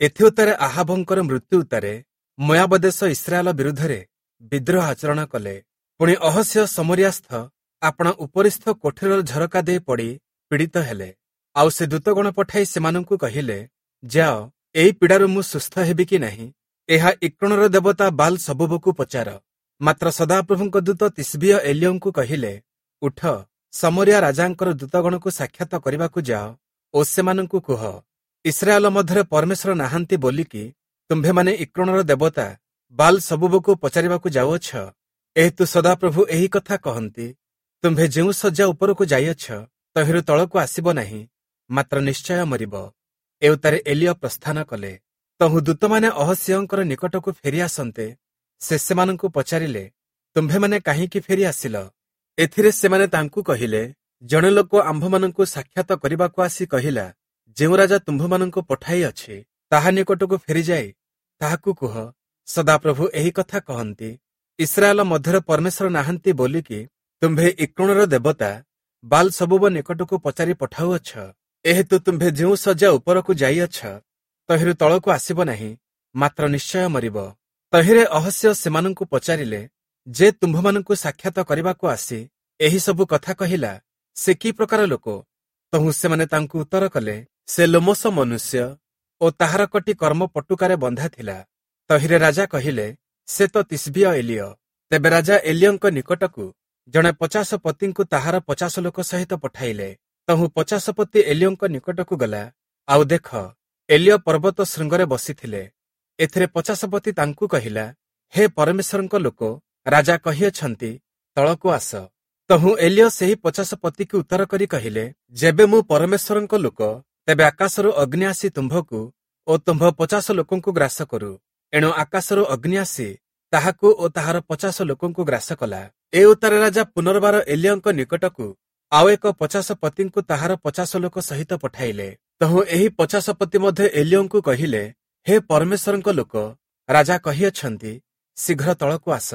ଏଥିଉତ୍ତାରେ ଆହାବଙ୍କର ମୃତ୍ୟୁ ଉତ୍ତାରେ ମୋୟାବ ଦେଶ ଇସ୍ରାଏଲ ବିରୁଦ୍ଧରେ ବିଦ୍ରୋହ ଆଚରଣ କଲେ। ପୁଣି ଅହସ୍ୟ ଶମରୀୟାସ୍ଥ ଆପଣା ଉପରିସ୍ଥ କୋଠରୀର ଝରକା ଦେଇ ପଡ଼ି ପୀଡ଼ିତ ହେଲେ। ଆଉ ସେ ଦୂତଗଣ ପଠାଇ ସେମାନଙ୍କୁ କହିଲେ, ଯାଅ, ଏହି ପୀଡ଼ାରୁ ମୁଁ ସୁସ୍ଥ ହେବି କି ନାହିଁ, ଏହା ଇକ୍ରୋଣର ଦେବତା ବାଲ୍ ସବୂବକୁ ପଚାର। ମାତ୍ର ସଦାପ୍ରଭୁଙ୍କ ଦୂତ ତିସ୍ବୀୟ ଏଲିୟଙ୍କୁ କହିଲେ, ଉଠ, ଶମରୀୟା ରାଜାଙ୍କର ଦୂତଗଣକୁ ସାକ୍ଷାତ କରିବାକୁ ଯାଅ ଓ ସେମାନଙ୍କୁ କୁହ, ଇସ୍ରାଏଲ ମଧ୍ୟରେ ପରମେଶ୍ୱର ନାହାନ୍ତି ବୋଲିକି ତୁମ୍ଭେମାନେ ଇକ୍ରୋଣର ଦେବତା ବାଲ୍ ସବୂବକୁ ପଚାରିବାକୁ ଯାଉଅଛ? ଏହେତୁ ସଦାପ୍ରଭୁ ଏହି କଥା କହନ୍ତି, ତୁମ୍ଭେ ଯେଉଁ ଶଯ୍ୟା ଉପରକୁ ଯାଇଅଛ, ତହିଁରୁ ତଳକୁ ଆସିବ ନାହିଁ, ମାତ୍ର ନିଶ୍ଚୟ ମରିବ। ଏଉତ୍ତାରେ ଏଲିୟ ପ୍ରସ୍ଥାନ କଲେ। ତହୁଁ ଦୂତମାନେ ଅହସ୍ୟଙ୍କର ନିକଟକୁ ଫେରି ଆସନ୍ତେ ସେ ସେମାନଙ୍କୁ ପଚାରିଲେ, ତୁମ୍ଭେମାନେ କାହିଁକି ଫେରି ଆସିଲ? ଏଥିରେ ସେମାନେ ତାଙ୍କୁ କହିଲେ, ଜଣେ ଲୋକ ଆମ୍ଭମାନଙ୍କୁ ସାକ୍ଷାତ କରିବାକୁ ଆସି କହିଲା, ଯେଉଁ ରାଜା ତୁମ୍ଭମାନଙ୍କୁ ପଠାଇଅଛି, ତାହା ନିକଟକୁ ଫେରିଯାଇ ତାହାକୁ କୁହ, ସଦାପ୍ରଭୁ ଏହି କଥା କହନ୍ତି, ଇସ୍ରାଏଲ ମଧ୍ୟରେ ପରମେଶ୍ୱର ନାହାନ୍ତି ବୋଲିକି ତୁମ୍ଭେ ଇକ୍ରୋଣର ଦେବତା ବାଲ୍ ସବୂବ ନିକଟକୁ ପଚାରି ପଠାଉଅଛ? ଏହେତୁ ତୁମ୍ଭେ ଯେଉଁ ଶଯ୍ୟା ଉପରକୁ ଯାଇଅଛ, ତହିଁରୁ ତଳକୁ ଆସିବ ନାହିଁ, ମାତ୍ର ନିଶ୍ଚୟ ମରିବ। ତହିଁରେ ଅହସ୍ୟ ସେମାନଙ୍କୁ ପଚାରିଲେ, ଯେ ତୁମ୍ଭମାନଙ୍କୁ ସାକ୍ଷାତ କରିବାକୁ ଆସି ଏହି ସବୁ କଥା କହିଲା, ସେ କି ପ୍ରକାର ଲୋକ? ତହୁଁ ସେମାନେ ତାଙ୍କୁ ଉତ୍ତର କଲେ, ସେ ଲୋମଶ ମନୁଷ୍ୟ ଓ ତାହାର କଟି କର୍ମ ପଟୁକାରେ ବନ୍ଧା ଥିଲା। ତହିଁରେ ରାଜା କହିଲେ, ସେ ତ ତିସ୍ବୀୟ ଏଲିୟ। ତେବେ ରାଜା ଏଲିୟଙ୍କ ନିକଟକୁ ଜଣେ 50 ପତିଙ୍କୁ ତାହାର 50 ଲୋକ ସହିତ ପଠାଇଲେ। ତହୁଁ 50 ପତି ଏଲିୟଙ୍କ ନିକଟକୁ ଗଲା, ଆଉ ଦେଖ, ଏଲିୟ ପର୍ବତ ଶୃଙ୍ଗରେ ବସିଥିଲେ। ଏଥିରେ 50 ପତି ତାଙ୍କୁ କହିଲା, ହେ ପରମେଶ୍ୱରଙ୍କ ଲୋକ, ରାଜା କହିଅଛନ୍ତି, ତଳକୁ ଆସ। ତହୁଁ ଏଲିୟ ସେହି 50 ପତିକୁ ଉତ୍ତର କରି କହିଲେ, ଯେବେ ମୁଁ ପରମେଶ୍ୱରଙ୍କ ଲୋକ, ତେବେ ଆକାଶରୁ ଅଗ୍ନି ଆସି ତୁମ୍ଭକୁ ଓ ତୁମ୍ଭ 50 ଲୋକଙ୍କୁ ଗ୍ରାସ କରୁ। ଏଣୁ ଆକାଶରୁ ଅଗ୍ନି ଆସି ତାହାକୁ ଓ ତାହାର 50 ଲୋକଙ୍କୁ ଗ୍ରାସ କଲା। ଏ ଉତ୍ତାରେ ରାଜା ପୁନର୍ବାର ଏଲିୟଙ୍କ ନିକଟକୁ ଆଉ ଏକ 50 ପତିଙ୍କୁ ତାହାର 50 ଲୋକ ସହିତ ପଠାଇଲେ। ତହୁଁ ଏହି 50 ପତି ମଧ୍ୟ ଏଲିୟଙ୍କୁ କହିଲେ, ହେ ପରମେଶ୍ୱରଙ୍କ ଲୋକ, ରାଜା କହିଅଛନ୍ତି, ଶୀଘ୍ର ତଳକୁ ଆସ।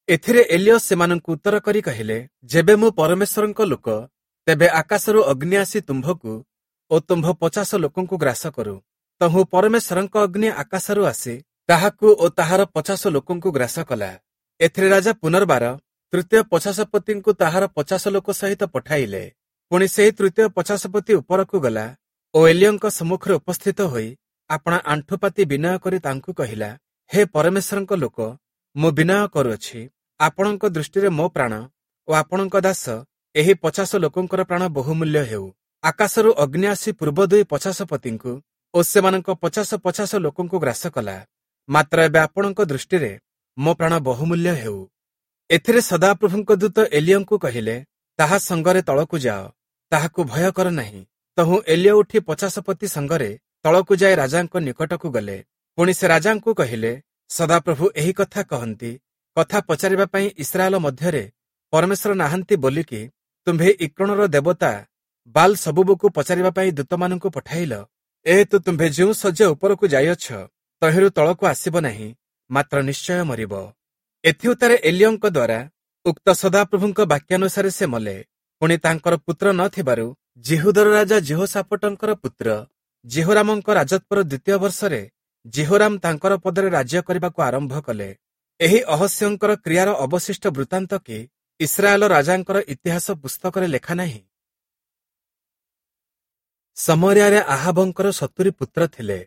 ଏଥିରେ ଏଲିୟ ସେମାନଙ୍କୁ ଉତ୍ତର କରି କହିଲେ, ଯେବେ ମୁଁ ପରମେଶ୍ୱରଙ୍କ ଲୋକ, ତେବେ ଆକାଶରୁ ଅଗ୍ନି ଆସି ତୁମ୍ଭକୁ ଓ ତୁମ୍ଭ 50 ଲୋକଙ୍କୁ ଗ୍ରାସ କରୁ। ତହୁଁ ପରମେଶ୍ୱରଙ୍କ ଅଗ୍ନି ଆକାଶରୁ ଆସି ତାହାକୁ ଓ ତାହାର 50 ଲୋକଙ୍କୁ ଗ୍ରାସ କଲା। ଏଥିରେ ରାଜା ପୁନର୍ବାର ତୃତୀୟ 50 ପତିଙ୍କୁ ତାହାର 50 ଲୋକ ସହିତ ପଠାଇଲେ। ପୁଣି ସେହି ତୃତୀୟ 50 ପତି ଉପରକୁ ଗଲା ଓ ଏଲିୟଙ୍କ ସମ୍ମୁଖରେ ଉପସ୍ଥିତ ହୋଇ ଆପଣା ଆଣ୍ଠୁପାତି ବିନୟ କରି ତାଙ୍କୁ କହିଲା, ହେ ପରମେଶ୍ୱରଙ୍କ ଲୋକ, ମୁଁ ବିନୟ କରୁଅଛି, ଆପଣଙ୍କ ଦୃଷ୍ଟିରେ ମୋ ପ୍ରାଣ ଓ ଆପଣଙ୍କ ଦାସ ଏହି 50 ଲୋକଙ୍କର ପ୍ରାଣ ବହୁମୂଲ୍ୟ ହେଉ। ଆକାଶରୁ ଅଗ୍ନି ଆସି ପୂର୍ବ ଦୁଇ 50 ପତିଙ୍କୁ ଓ ସେମାନଙ୍କ 50 50 ଲୋକଙ୍କୁ ଗ୍ରାସ କଲା, ମାତ୍ର ଏବେ ଆପଣଙ୍କ ଦୃଷ୍ଟିରେ ମୋ ପ୍ରାଣ ବହୁମୂଲ୍ୟ ହେଉ। ଏଥିରେ ସଦାପ୍ରଭୁଙ୍କ ଦୂତ ଏଲିୟଙ୍କୁ କହିଲେ, ତାହା ସଙ୍ଗରେ ତଳକୁ ଯାଅ, ତାହାକୁ ଭୟ କର ନାହିଁ। ତହୁଁ ଏଲିୟ ଉଠି 50 ପତି ସଙ୍ଗରେ ତଳକୁ ଯାଇ ରାଜାଙ୍କ ନିକଟକୁ ଗଲେ। ପୁଣି ସେ ରାଜାଙ୍କୁ କହିଲେ, ସଦାପ୍ରଭୁ ଏହି କଥା କହନ୍ତି, କଥା ପଚାରିବା ପାଇଁ ଇସ୍ରାଏଲ ମଧ୍ୟରେ ପରମେଶ୍ୱର ନାହାନ୍ତି ବୋଲିକି ତୁମ୍ଭେ ଇକ୍ରୋଣର ଦେବତା ବାଲ୍ ସବୂବକୁ ପଚାରିବା ପାଇଁ ଦୂତମାନଙ୍କୁ ପଠାଇଲ? ଏହେତୁ ତୁମ୍ଭେ ଯେଉଁ ଶଯ୍ୟା ଉପରକୁ ଯାଇଅଛ, ତହିଁରୁ ତଳକୁ ଆସିବ ନାହିଁ, ମାତ୍ର ନିଶ୍ଚୟ ମରିବ। ଏଥିଉତ୍ତାରେ ଏଲିୟଙ୍କ ଦ୍ୱାରା ଉକ୍ତ ସଦାପ୍ରଭୁଙ୍କ ବାକ୍ୟାନୁସାରେ ସେ ମଲେ। ପୁଣି ତାଙ୍କର ପୁତ୍ର ନ ଥିବାରୁ ଯିହୁଦର ରାଜା ଯିହୋଶାଫଟଙ୍କର ପୁତ୍ର ଯିହୋରାମଙ୍କ ରାଜତ୍ୱର ଦ୍ୱିତୀୟ ବର୍ଷରେ ଯିହୋରାମ ତାଙ୍କର ପଦରେ ରାଜ୍ୟ କରିବାକୁ ଆରମ୍ଭ କଲେ। ଏହି ଅହସ୍ୟଙ୍କର କ୍ରିୟାର ଅବଶିଷ୍ଟ ବୃତ୍ତାନ୍ତ କି ଇସ୍ରାଏଲ ରାଜାଙ୍କର ଇତିହାସ ପୁସ୍ତକରେ ଲେଖା ନାହିଁ? ଶମରୀୟାରେ ଆହାବଙ୍କର 70 ପୁତ୍ର ଥିଲେ।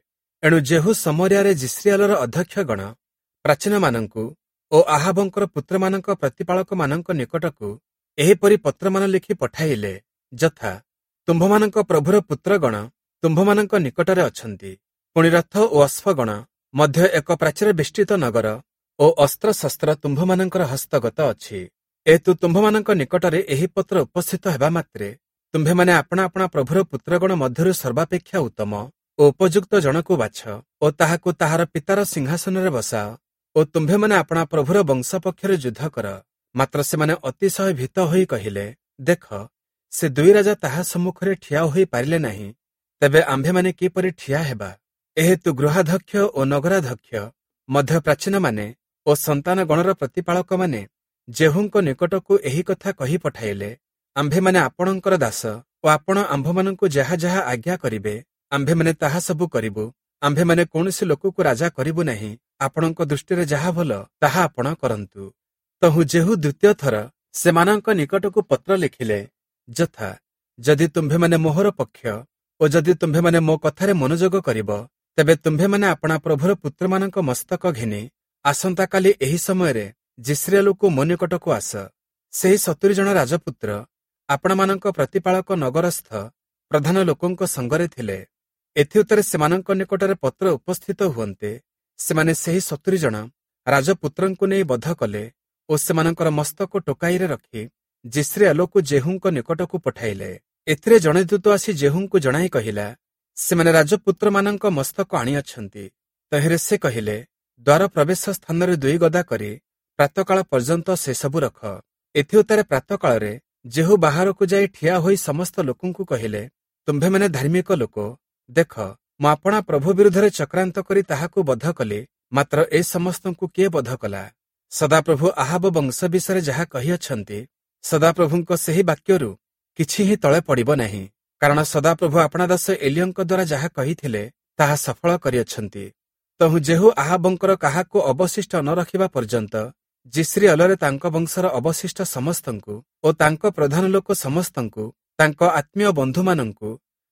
ଏଣୁ ଯେହୂ ଶମରୀୟାରେ ଯିଷ୍ରିଏଲର ଅଧ୍ୟକ୍ଷଗଣ, ପ୍ରାଚୀନମାନଙ୍କୁ ଓ ଆହାବଙ୍କର ପୁତ୍ରମାନଙ୍କ ପ୍ରତିପାଳକମାନଙ୍କ ନିକଟକୁ ଏହିପରି ପତ୍ରମାନ ଲେଖି ପଠାଇଲେ, ଯଥା, ତୁମ୍ଭମାନଙ୍କ ପ୍ରଭୁର ପୁତ୍ରଗଣ ତୁମ୍ଭମାନଙ୍କ ନିକଟରେ ଅଛନ୍ତି। ପୁଣି ରଥ ଓ ଅଶ୍ୱଗଣ ମଧ୍ୟ ଏକ ପ୍ରାଚୀର ବେଷ୍ଟିତ ନଗର ଓ ଅସ୍ତ୍ରଶସ୍ତ୍ର ତୁମ୍ଭମାନଙ୍କର ହସ୍ତଗତ ଅଛି। ଏହେତୁ ତୁମ୍ଭମାନଙ୍କ ନିକଟରେ ଏହି ପତ୍ର ଉପସ୍ଥିତ ହେବା ମାତ୍ରେ ତୁମ୍ଭେମାନେ ଆପଣା ଆପଣା ପ୍ରଭୁର ପୁତ୍ରଗଣ ମଧ୍ୟରୁ ସର୍ବାପେକ୍ଷା ଉତ୍ତମ ଓ ଉପଯୁକ୍ତ ଜଣକୁ ବାଛ ଓ ତାହାକୁ ତାହାର ପିତାର ସିଂହାସନରେ ବସାଅ ଓ ତୁମ୍ଭେମାନେ ଆପଣା ପ୍ରଭୁର ବଂଶ ପକ୍ଷରେ ଯୁଦ୍ଧ କର। ମାତ୍ର ସେମାନେ ଅତିଶୟ ଭୀତ ହୋଇ କହିଲେ, ଦେଖ, ସେ ଦୁଇ ରାଜା ତାହା ସମ୍ମୁଖରେ ଠିଆ ହୋଇ ପାରିଲେ ନାହିଁ, ତେବେ ଆମ୍ଭେମାନେ କିପରି ଠିଆ ହେବା? ଏହେତୁ ଗୃହାଧ୍ୟକ୍ଷ ଓ ନଗରାଧ୍ୟକ୍ଷ ମଧ୍ୟ ପ୍ରାଚୀନମାନେ ଓ ସନ୍ତାନଗଣର ପ୍ରତିପାଳକମାନେ ଯେହୂଙ୍କ ନିକଟକୁ ଏହି କଥା କହି ପଠାଇଲେ, ଆମ୍ଭେମାନେ ଆପଣଙ୍କର ଦାସ ଓ ଆପଣ ଆମ୍ଭମାନଙ୍କୁ ଯାହା ଯାହା ଆଜ୍ଞା କରିବେ, ଆମ୍ଭେମାନେ ତାହା ସବୁ କରିବୁ। ଆମ୍ଭେମାନେ କୌଣସି ଲୋକକୁ ରାଜା କରିବୁ ନାହିଁ, ଆପଣଙ୍କ ଦୃଷ୍ଟିରେ ଯାହା ଭଲ ତାହା ଆପଣ କରନ୍ତୁ। ତହୁଁ ଯେହୂ ଦ୍ୱିତୀୟ ଥର ସେମାନଙ୍କ ନିକଟକୁ ପତ୍ର ଲେଖିଲେ, ଯଥା, ଯଦି ତୁମ୍ଭେମାନେ ମୋହର ପକ୍ଷ ଓ ଯଦି ତୁମ୍ଭେମାନେ ମୋ କଥାରେ ମନୋଯୋଗ କରିବ, ତେବେ ତୁମ୍ଭେମାନେ ଆପଣା ପ୍ରଭୁର ପୁତ୍ରମାନଙ୍କ ମସ୍ତକ ଘେନି ଆସନ୍ତାକାଲି ଏହି ସମୟରେ ଯିଷ୍ରେଲକୁ ମୋ ନିକଟକୁ ଆସ। ସେହି 70 ଜଣ ରାଜପୁତ୍ର ଆପଣମାନଙ୍କ ପ୍ରତିପାଳକ ନଗରସ୍ଥ ପ୍ରଧାନ ଲୋକଙ୍କ ସଙ୍ଗରେ ଥିଲେ। ଏଥିଉତ୍ତରେ ସେମାନଙ୍କ ନିକଟରେ ପତ୍ର ଉପସ୍ଥିତ ହୁଅନ୍ତେ, ସେମାନେ ସେହି 70 ଜଣ ରାଜପୁତ୍ରଙ୍କୁ ନେଇ ବଧ କଲେ ଓ ସେମାନଙ୍କର ମସ୍ତକ ଟୋକାଇରେ ରଖି ଯିଷ୍ରେଲକୁ ଯେହୂଙ୍କ ନିକଟକୁ ପଠାଇଲେ। ଏଥିରେ ଜଣେ ଦୂତ ଆସି ଯେହୂଙ୍କୁ ଜଣାଇ କହିଲା, ସେମାନେ ରାଜପୁତ୍ରମାନଙ୍କ ମସ୍ତକ ଆଣିଅଛନ୍ତି। ତହିଁରେ ସେ କହିଲେ, ଦ୍ୱାର ପ୍ରବେଶ ସ୍ଥାନରେ 2 ଗଦା କରି ପ୍ରାତଃକାଳ ପର୍ଯ୍ୟନ୍ତ ସେସବୁ ରଖ। ଏଥିଉତ୍ତରେ ପ୍ରାତଃକାଳରେ ଯେହୂ ବାହାରକୁ ଯାଇ ଠିଆ ହୋଇ ସମସ୍ତ ଲୋକଙ୍କୁ କହିଲେ, ତୁମ୍ଭେମାନେ ଧାର୍ମିକ ଲୋକ, ଦେଖ, ମୁଁ ଆପଣା ପ୍ରଭୁ ବିରୁଦ୍ଧରେ ଚକ୍ରାନ୍ତ କରି ତାହାକୁ ବଧ କଲି, ମାତ୍ର ଏ ସମସ୍ତଙ୍କୁ କିଏ ବଧ କଲା? ସଦାପ୍ରଭୁ ଆହାବ ବଂଶ ବିଷୟରେ ଯାହା କହିଅଛନ୍ତି, ସଦାପ୍ରଭୁଙ୍କ ସେହି ବାକ୍ୟରୁ କିଛି ହିଁ ତଳେ ପଡ଼ିବ ନାହିଁ, କାରଣ ସଦାପ୍ରଭୁ ଆପଣା ଦାସ ଏଲିୟଙ୍କ ଦ୍ୱାରା ଯାହା କହିଥିଲେ ତାହା ସଫଳ କରିଅଛନ୍ତି। ତହୁଁ ଯେହୂ ଆହାବଙ୍କର କାହାକୁ ଅବଶିଷ୍ଟ ନ ରଖିବା ପର୍ଯ୍ୟନ୍ତ ଯିଷ୍ରେଲରେ ତାଙ୍କ ବଂଶର ଅବଶିଷ୍ଟ ସମସ୍ତଙ୍କୁ ଓ ତାଙ୍କ ପ୍ରଧାନ ଲୋକ ସମସ୍ତଙ୍କୁ, ତାଙ୍କ ଆତ୍ମୀୟ ବନ୍ଧୁମାନଙ୍କୁ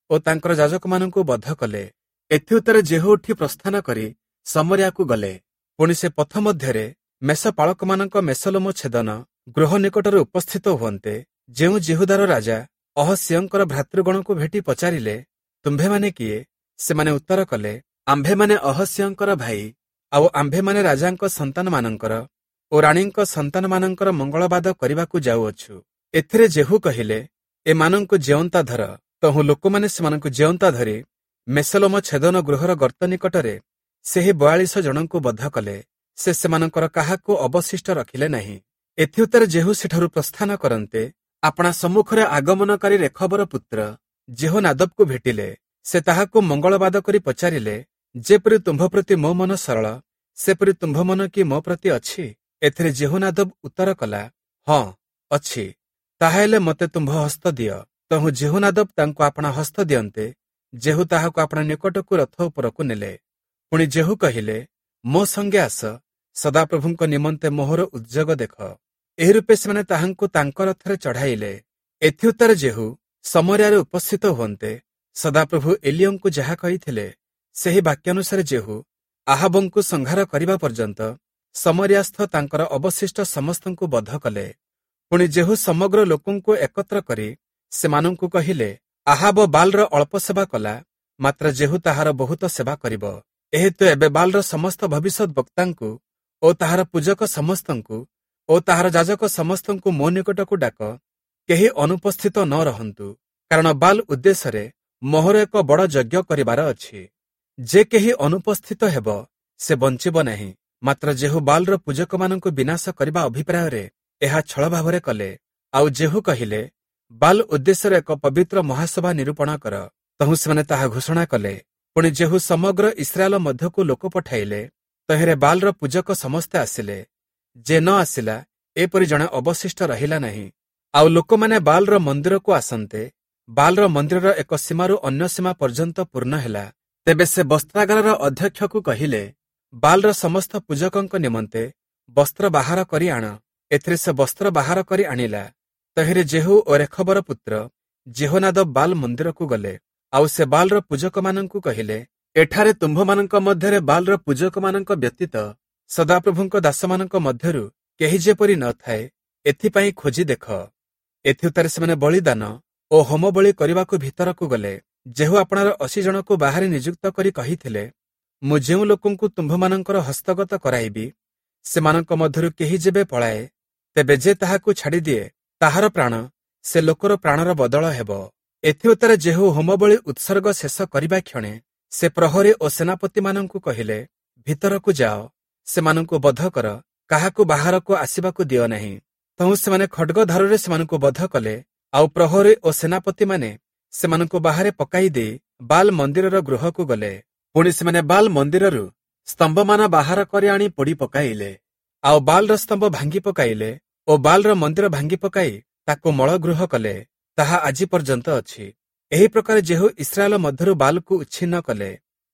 ଓ ତାଙ୍କର ଯାଜକମାନଙ୍କୁ ବଧ କଲେ। ଏଥିଉତ୍ତରେ ଯେହୂ ଉଠି ପ୍ରସ୍ଥାନ କରି ସମରିଆକୁ ଗଲେ। ପୁଣି ସେ ପଥ ମଧ୍ୟରେ ମେଷପାଳକମାନଙ୍କ ମେଷଲୋମ ଛେଦନ ଗୃହ ନିକଟରେ ଉପସ୍ଥିତ ହୁଅନ୍ତେ, ଯେଉଁ ଯିହୁଦାର ରାଜା ଅହସିୟଙ୍କର ଭ୍ରାତୃଗଣକୁ ଭେଟି ପଚାରିଲେ, ତୁମ୍ଭେମାନେ କିଏ? ସେମାନେ ଉତ୍ତର କଲେ, ଆମ୍ଭେମାନେ ଅହସିୟଙ୍କର ଭାଇ, ଆଉ ଆମ୍ଭେମାନେ ରାଜାଙ୍କ ସନ୍ତାନମାନଙ୍କର ଓ ରାଣୀଙ୍କ ସନ୍ତାନମାନଙ୍କର ମଙ୍ଗଳବାଦ କରିବାକୁ ଯାଉଅଛୁ। ଏଥିରେ ଯେହୂ କହିଲେ, ଏମାନଙ୍କୁ ଜେଅନ୍ତା ଧର। ତହୁଁ ଲୋକମାନେ ସେମାନଙ୍କୁ ଜେଅନ୍ତା ଧରି ମେଷଲୋମ ଛେଦନ ଗୃହର ଗର୍ତ୍ତ ନିକଟରେ ସେହି 42 ଜଣଙ୍କୁ ବଧ କଲେ। ସେ ସେମାନଙ୍କର କାହାକୁ ଅବଶିଷ୍ଟ ରଖିଲେ ନାହିଁ। ଏଥିଉତ୍ତରେ ଯେହୂ ସେଠାରୁ ପ୍ରସ୍ଥାନ କରନ୍ତେ, ଆପଣା ସମ୍ମୁଖରେ ଆଗମନକାରୀ ରେଖବର ପୁତ୍ର ଯେହୋନାଦବକୁ ଭେଟିଲେ। ସେ ତାହାକୁ ମଙ୍ଗଳବାଦ କରି ପଚାରିଲେ, ଯେପରି ତୁମ୍ଭ ପ୍ରତି ମୋ ମନ ସରଳ, ସେପରି ତୁମ୍ଭ ମନ କି ମୋ ପ୍ରତି ଅଛି? ଏଥିରେ ଯେହୋନାଦବ ଉତ୍ତର କଲା, ହଁ ଅଛି। ତାହାହେଲେ ମୋତେ ତୁମ୍ଭ ହସ୍ତ ଦିଅ। ତହୁଁ ଯେହୋନାଦବ ତାଙ୍କୁ ଆପଣା ହସ୍ତ ଦିଅନ୍ତେ, ଯେହୂ ତାହାକୁ ଆପଣା ନିକଟକୁ ରଥ ଉପରକୁ ନେଲେ। ପୁଣି ଯେହୂ କହିଲେ, ମୋ ସଙ୍ଗେ ଆସ, ସଦାପ୍ରଭୁଙ୍କ ନିମନ୍ତେ ମୋହର ଉଦ୍ଯୋଗ ଦେଖ। ଏହି ରୂପେ ସେମାନେ ତାହାଙ୍କୁ ତାଙ୍କ ରଥରେ ଚଢ଼ାଇଲେ। ଏଥିଉତ୍ତରେ ଯେହୂ ସମରିଆରେ ଉପସ୍ଥିତ ହୁଅନ୍ତେ, ସଦାପ୍ରଭୁ ଏଲିୟଙ୍କୁ ଯାହା କହିଥିଲେ ସେହି ବାକ୍ୟାନୁସାରେ ଯେହୂ ଆହାବଙ୍କୁ ସଂହାର କରିବା ପର୍ଯ୍ୟନ୍ତ ସମରିଆସ୍ଥ ତାଙ୍କର ଅବଶିଷ୍ଟ ସମସ୍ତଙ୍କୁ ବଧ କଲେ। ପୁଣି ଯେହୂ ସମଗ୍ର ଲୋକଙ୍କୁ ଏକତ୍ର କରି ସେମାନଙ୍କୁ କହିଲେ, ଆହାବ ବାଲ୍‌ର ଅଳ୍ପ ସେବା କଲା, ମାତ୍ର ଯେହୂ ତାହାର ବହୁତ ସେବା କରିବ। ଏହେତୁ ଏବେ ବାଲ୍‌ର ସମସ୍ତ ଭବିଷ୍ୟତ ବକ୍ତାଙ୍କୁ ଓ ତାହାର ପୂଜକ ସମସ୍ତଙ୍କୁ ଓ ତାହାର ଯାଜକ ସମସ୍ତଙ୍କୁ ମୋ ନିକଟକୁ ଡାକ, କେହି ଅନୁପସ୍ଥିତ ନ ରହନ୍ତୁ, କାରଣ ବାଲ୍ ଉଦ୍ଦେଶ୍ୟରେ ମୋହର ଏକ ବଡ଼ ଯଜ୍ଞ କରିବାର ଅଛି। ଯେ କେହି ଅନୁପସ୍ଥିତ ହେବ ସେ ବଞ୍ଚିବ ନାହିଁ। ମାତ୍ର ଯେହୂ ବାଲ୍‌ର ପୂଜକମାନଙ୍କୁ ବିନାଶ କରିବା ଅଭିପ୍ରାୟରେ ଏହା ଛଳ ଭାବରେ କଲେ। ଆଉ ଯେହୂ କହିଲେ, ବାଲ୍ ଉଦ୍ଦେଶ୍ୟରେ ଏକ ପବିତ୍ର ମହାସଭା ନିରୂପଣ କର। ତହୁଁ ସେମାନେ ତାହା ଘୋଷଣା କଲେ। ପୁଣି ଯେହୂ ସମଗ୍ର ଇସ୍ରାଏଲ ମଧ୍ୟକୁ ଲୋକ ପଠାଇଲେ। ତହିଁରେ ବାଲ୍‌ର ପୂଜକ ସମସ୍ତେ ଆସିଲେ। ଯେ ନ ଆସିଲା ଏପରି ଜଣେ ଅବଶିଷ୍ଟ ରହିଲା ନାହିଁ। ଆଉ ଲୋକମାନେ ବାଲ୍‌ର ମନ୍ଦିରକୁ ଆସନ୍ତେ, ବାଲ୍‌ର ମନ୍ଦିରର ଏକ ସୀମାରୁ ଅନ୍ୟ ସୀମା ପର୍ଯ୍ୟନ୍ତ ପୂର୍ଣ୍ଣ ହେଲା। ତେବେ ସେ ବସ୍ତ୍ରାଗାରର ଅଧ୍ୟକ୍ଷକୁ କହିଲେ, ବାଲ୍‌ର ସମସ୍ତ ପୂଜକଙ୍କ ନିମନ୍ତେ ବସ୍ତ୍ର ବାହାର କରି ଆଣ। ଏଥିରେ ସେ ବସ୍ତ୍ର ବାହାର କରି ଆଣିଲା। ତହିଁରେ ଯେହୂ ଓ ରେଖବର ପୁତ୍ର ଯେହୋନାଦବ ବାଲ୍ ମନ୍ଦିରକୁ ଗଲେ। ଆଉ ସେ ବାଲ୍‌ର ପୂଜକମାନଙ୍କୁ କହିଲେ, ଏଠାରେ ତୁମ୍ଭମାନଙ୍କ ମଧ୍ୟରେ ବାଲ୍‌ର ପୂଜକମାନଙ୍କ ବ୍ୟତୀତ ସଦାପ୍ରଭୁଙ୍କ ଦାସମାନଙ୍କ ମଧ୍ୟରୁ କେହି ଯେପରି ନଥାଏ, ଏଥିପାଇଁ ଖୋଜି ଦେଖ। ଏଥିଉତ୍ତରେ ସେମାନେ ବଳିଦାନ ଓ ହୋମବଳି କରିବାକୁ ଭିତରକୁ ଗଲେ। ଯେହୂ ଆପଣାର 80 ଜଣକୁ ବାହାରେ ନିଯୁକ୍ତ କରି କହିଥିଲେ, ମୁଁ ଯେଉଁ ଲୋକଙ୍କୁ ତୁମ୍ଭମାନଙ୍କର ହସ୍ତଗତ କରାଇବି, ସେମାନଙ୍କ ମଧ୍ୟରୁ କେହି ଯେବେ ପଳାଏ, ତେବେ ଯେ ତାହାକୁ ଛାଡ଼ିଦିଏ ତାହାର ପ୍ରାଣ ସେ ଲୋକର ପ୍ରାଣର ବଦଳ ହେବ। ଏଥିଉତ୍ତରେ ଯେହୂ ହୋମବଳି ଉତ୍ସର୍ଗ ଶେଷ କରିବା କ୍ଷଣେ ସେ ପ୍ରହରୀ ଓ ସେନାପତିମାନଙ୍କୁ କହିଲେ, ଭିତରକୁ ଯାଅ, ସେମାନଙ୍କୁ ବଧ କର, କାହାକୁ ବାହାରକୁ ଆସିବାକୁ ଦିଅ ନାହିଁ। ତହୁଁ ସେମାନେ ଖଡ୍ଗଧାରରେ ସେମାନଙ୍କୁ ବଧ କଲେ। ଆଉ ପ୍ରହରୀ ଓ ସେନାପତିମାନେ ସେମାନଙ୍କୁ ବାହାରେ ପକାଇ ଦେଇ ବାଲ୍ ମନ୍ଦିରର ଗୃହକୁ ଗଲେ। ପୁଣି ସେମାନେ ବାଲ୍ ମନ୍ଦିରରୁ ସ୍ତମ୍ଭମାନ ବାହାର କରି ଆଣି ପୋଡ଼ି ପକାଇଲେ। ଆଉ ବାଲ୍‌ର ସ୍ତମ୍ଭ ଭାଙ୍ଗି ପକାଇଲେ ଓ ବାଲ୍‌ର ମନ୍ଦିର ଭାଙ୍ଗି ପକାଇ ତାକୁ ମଳଗୃହ କଲେ। ତାହା ଆଜି ପର୍ଯ୍ୟନ୍ତ ଅଛି। ଏହି ପ୍ରକାର ଯେହୂ ଇସ୍ରାଏଲ ମଧ୍ୟରୁ ବାଲ୍‌କୁ ଉଚ୍ଛିନ୍ନ କଲେ।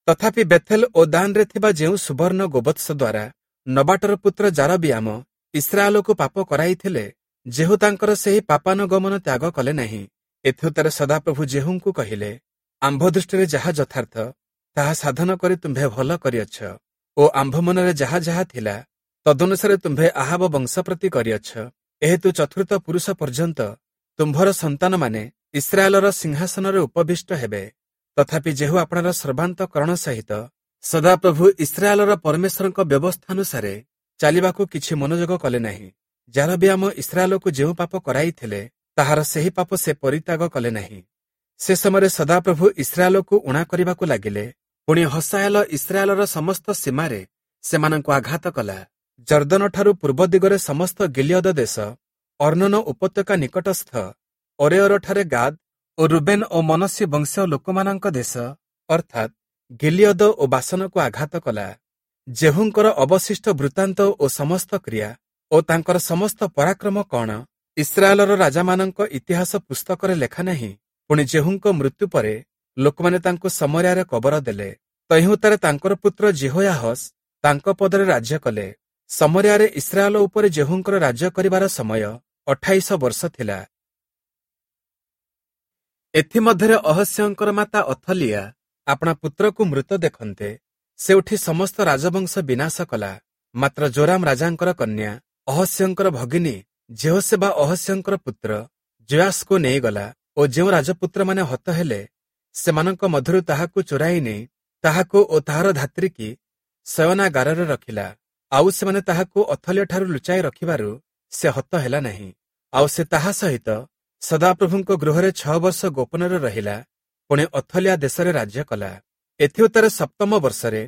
ତଥାପି ବେଥେଲ ଓ ଦାନରେ ଥିବା ଯେଉଁ ସୁବର୍ଣ୍ଣ ଗୋବତ୍ସ ଦ୍ୱାରା ନବାଟର ପୁତ୍ର ଯାରବିୟାମ ଇସ୍ରାଏଲକୁ ପାପ କରାଇଥିଲେ, ଯେହୂ ତାଙ୍କର ସେହି ପାପାନୁଗମନ ତ୍ୟାଗ କଲେ ନାହିଁ। ଏଥିଉତ୍ତାରେ ସଦାପ୍ରଭୁ ଯେହୂଙ୍କୁ କହିଲେ, ଆମ୍ଭ ଦୃଷ୍ଟିରେ ଯାହା ଯଥାର୍ଥ ତାହା ସାଧନ କରି ତୁମ୍ଭେ ଭଲ କରିଅଛ ଓ ଆମ୍ଭ ମନରେ ଯାହା ଯାହା ଥିଲା ତଦନୁସାରେ ତୁମ୍ଭେ ଆହାବ ବଂଶ ପ୍ରତି କରିଅଛ। ଏହେତୁ ଚତୁର୍ଥ ପୁରୁଷ ପର୍ଯ୍ୟନ୍ତ ତୁମ୍ଭର ସନ୍ତାନମାନେ ଇସ୍ରାଏଲର ସିଂହାସନରେ ଉପବିଷ୍ଟ ହେବେ। ତଥାପି ଯେହୂ ଆପଣାର ସର୍ବାନ୍ତଃକରଣ ସହିତ ସଦାପ୍ରଭୁ ଇସ୍ରାଏଲର ପରମେଶ୍ୱରଙ୍କ ବ୍ୟବସ୍ଥାନୁସାରେ ଚାଲିବାକୁ କିଛି ମନୋଯୋଗ କଲେ ନାହିଁ। ଯାରବିୟାମ ଇସ୍ରାଏଲକୁ ଯେଉଁ ପାପ କରାଇଥିଲେ, ତାହାର ସେହି ପାପ ସେ ପରିତ୍ୟାଗ କଲେ ନାହିଁ। ସେ ସମୟରେ ସଦାପ୍ରଭୁ ଇସ୍ରାଏଲକୁ ଊଣା କରିବାକୁ ଲାଗିଲେ। ପୁଣି ହସାଏଲ ଇସ୍ରାଏଲର ସମସ୍ତ ସୀମାରେ ସେମାନଙ୍କୁ ଆଘାତ କଲା। ଯର୍ଦ୍ଦନଠାରୁ ପୂର୍ବ ଦିଗରେ ସମସ୍ତ ଗିଲିୟଦ ଦେଶ, ଅର୍ଣ୍ଣନ ଉପତ୍ୟକା ନିକଟସ୍ଥ ଅରେଅରଠାରେ ଗାଦ୍ ଓ ରୁବେନ ଓ ମନସ୍ସେ ବଂଶୀୟ ଲୋକମାନଙ୍କ ଦେଶ, ଅର୍ଥାତ୍ ଗିଲିୟଦ ଓ ବାସନକୁ ଆଘାତ କଲା। ଯେହୂଙ୍କର ଅବଶିଷ୍ଟ ବୃତ୍ତାନ୍ତ ଓ ସମସ୍ତ କ୍ରିୟା ଓ ତାଙ୍କର ସମସ୍ତ ପରାକ୍ରମ କଣ ଇସ୍ରାଏଲର ରାଜାମାନଙ୍କ ଇତିହାସ ପୁସ୍ତକରେ ଲେଖା ନାହିଁ? ପୁଣି ଯେହୂଙ୍କ ମୃତ୍ୟୁ ପରେ ଲୋକମାନେ ତାଙ୍କୁ ସମରିଆରେ କବର ଦେଲେ। ତହିଁଉତ୍ତାରେ ତାଙ୍କର ପୁତ୍ର ଯିହୋୟାହସ୍ ତାଙ୍କ ପଦରେ ରାଜ୍ୟ କଲେ। ସମରିଆରେ ଇସ୍ରାଏଲ ଉପରେ ଯେହୂଙ୍କର ରାଜ୍ୟ କରିବାର ସମୟ 28 ବର୍ଷ ଥିଲା। ଏଥିମଧ୍ୟରେ ଅହସ୍ୟଙ୍କର ମାତା ଅଥଲିଆ ଆପଣା ପୁତ୍ରକୁ ମୃତ ଦେଖନ୍ତେ, ସେ ଉଠି ସମସ୍ତ ରାଜବଂଶ ବିନାଶ କଲା। ମାତ୍ର ଜୋରାମ ରାଜାଙ୍କର କନ୍ୟା ଅହସ୍ୟଙ୍କର ଭଗିନୀ ଯେହୋଶେବା ଅହସ୍ୟଙ୍କର ପୁତ୍ର ଯୋଆଶକୁ ନେଇଗଲା ଓ ଯେଉଁ ରାଜପୁତ୍ରମାନେ ହତ ହେଲେ ସେମାନଙ୍କ ମଧ୍ୟରୁ ତାହାକୁ ଚୋରାଇ ନେଇ ତାହାକୁ ଓ ତାହାର ଧାତ୍ରୀକି ଶୟନାଗାରରେ ରଖିଲା। ଆଉ ସେମାନେ ତାହାକୁ ଅଥଲିଆଠାରୁ ଲୁଚାଇ ରଖିବାରୁ ସେ ହତ ହେଲା ନାହିଁ। ଆଉ ସେ ତାହା ସହିତ ସଦାପ୍ରଭୁଙ୍କ ଗୃହରେ 6 ବର୍ଷ ଗୋପନରେ ରହିଲା। ପୁଣି ଅଥଲିଆ ଦେଶରେ ରାଜ୍ୟ କଲା। ଏଥିଉତ୍ତାରେ ସପ୍ତମ ବର୍ଷରେ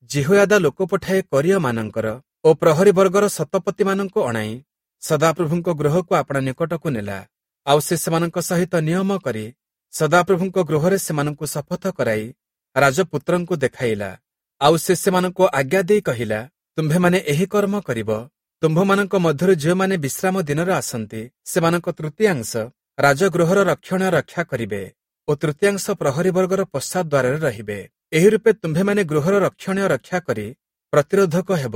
ଯିହୋୟାଦା ଲୋକ ପଠାଇ କରୀୟମାନଙ୍କର ଓ ପ୍ରହରୀ ବର୍ଗର ଶତପତିମାନଙ୍କୁ ଅଣାଇ ସଦାପ୍ରଭୁଙ୍କ ଗୃହକୁ ଆପଣା ନିକଟକୁ ନେଲା। ଆଉ ସେ ସେମାନଙ୍କ ସହିତ ନିୟମ କରି ସଦାପ୍ରଭୁଙ୍କ ଗୃହରେ ସେମାନଙ୍କୁ ଶପଥ କରାଇ ରାଜପୁତ୍ରଙ୍କୁ ଦେଖାଇଲା। ଆଉ ସେ ସେମାନଙ୍କୁ ଆଜ୍ଞା ଦେଇ କହିଲା, ତୁମ୍ଭେମାନେ ଏହି କର୍ମ କରିବ। ତୁମ୍ଭମାନଙ୍କ ମଧ୍ୟରୁ ଯେଉଁମାନେ ବିଶ୍ରାମ ଦିନରେ ଆସନ୍ତି, ସେମାନଙ୍କ ତୃତୀୟାଂଶ ରାଜଗୃହର ରକ୍ଷଣ ରକ୍ଷା କରିବେ ଓ ତୃତୀୟାଂଶ ପ୍ରହରୀ ବର୍ଗର ପଶ୍ଚାତ ଦ୍ୱାରରେ ରହିବେ। ଏହି ରୂପେ ତୁମ୍ଭେମାନେ ଗୃହର ରକ୍ଷଣୀୟ ରକ୍ଷା କରି ପ୍ରତିରୋଧକ ହେବ।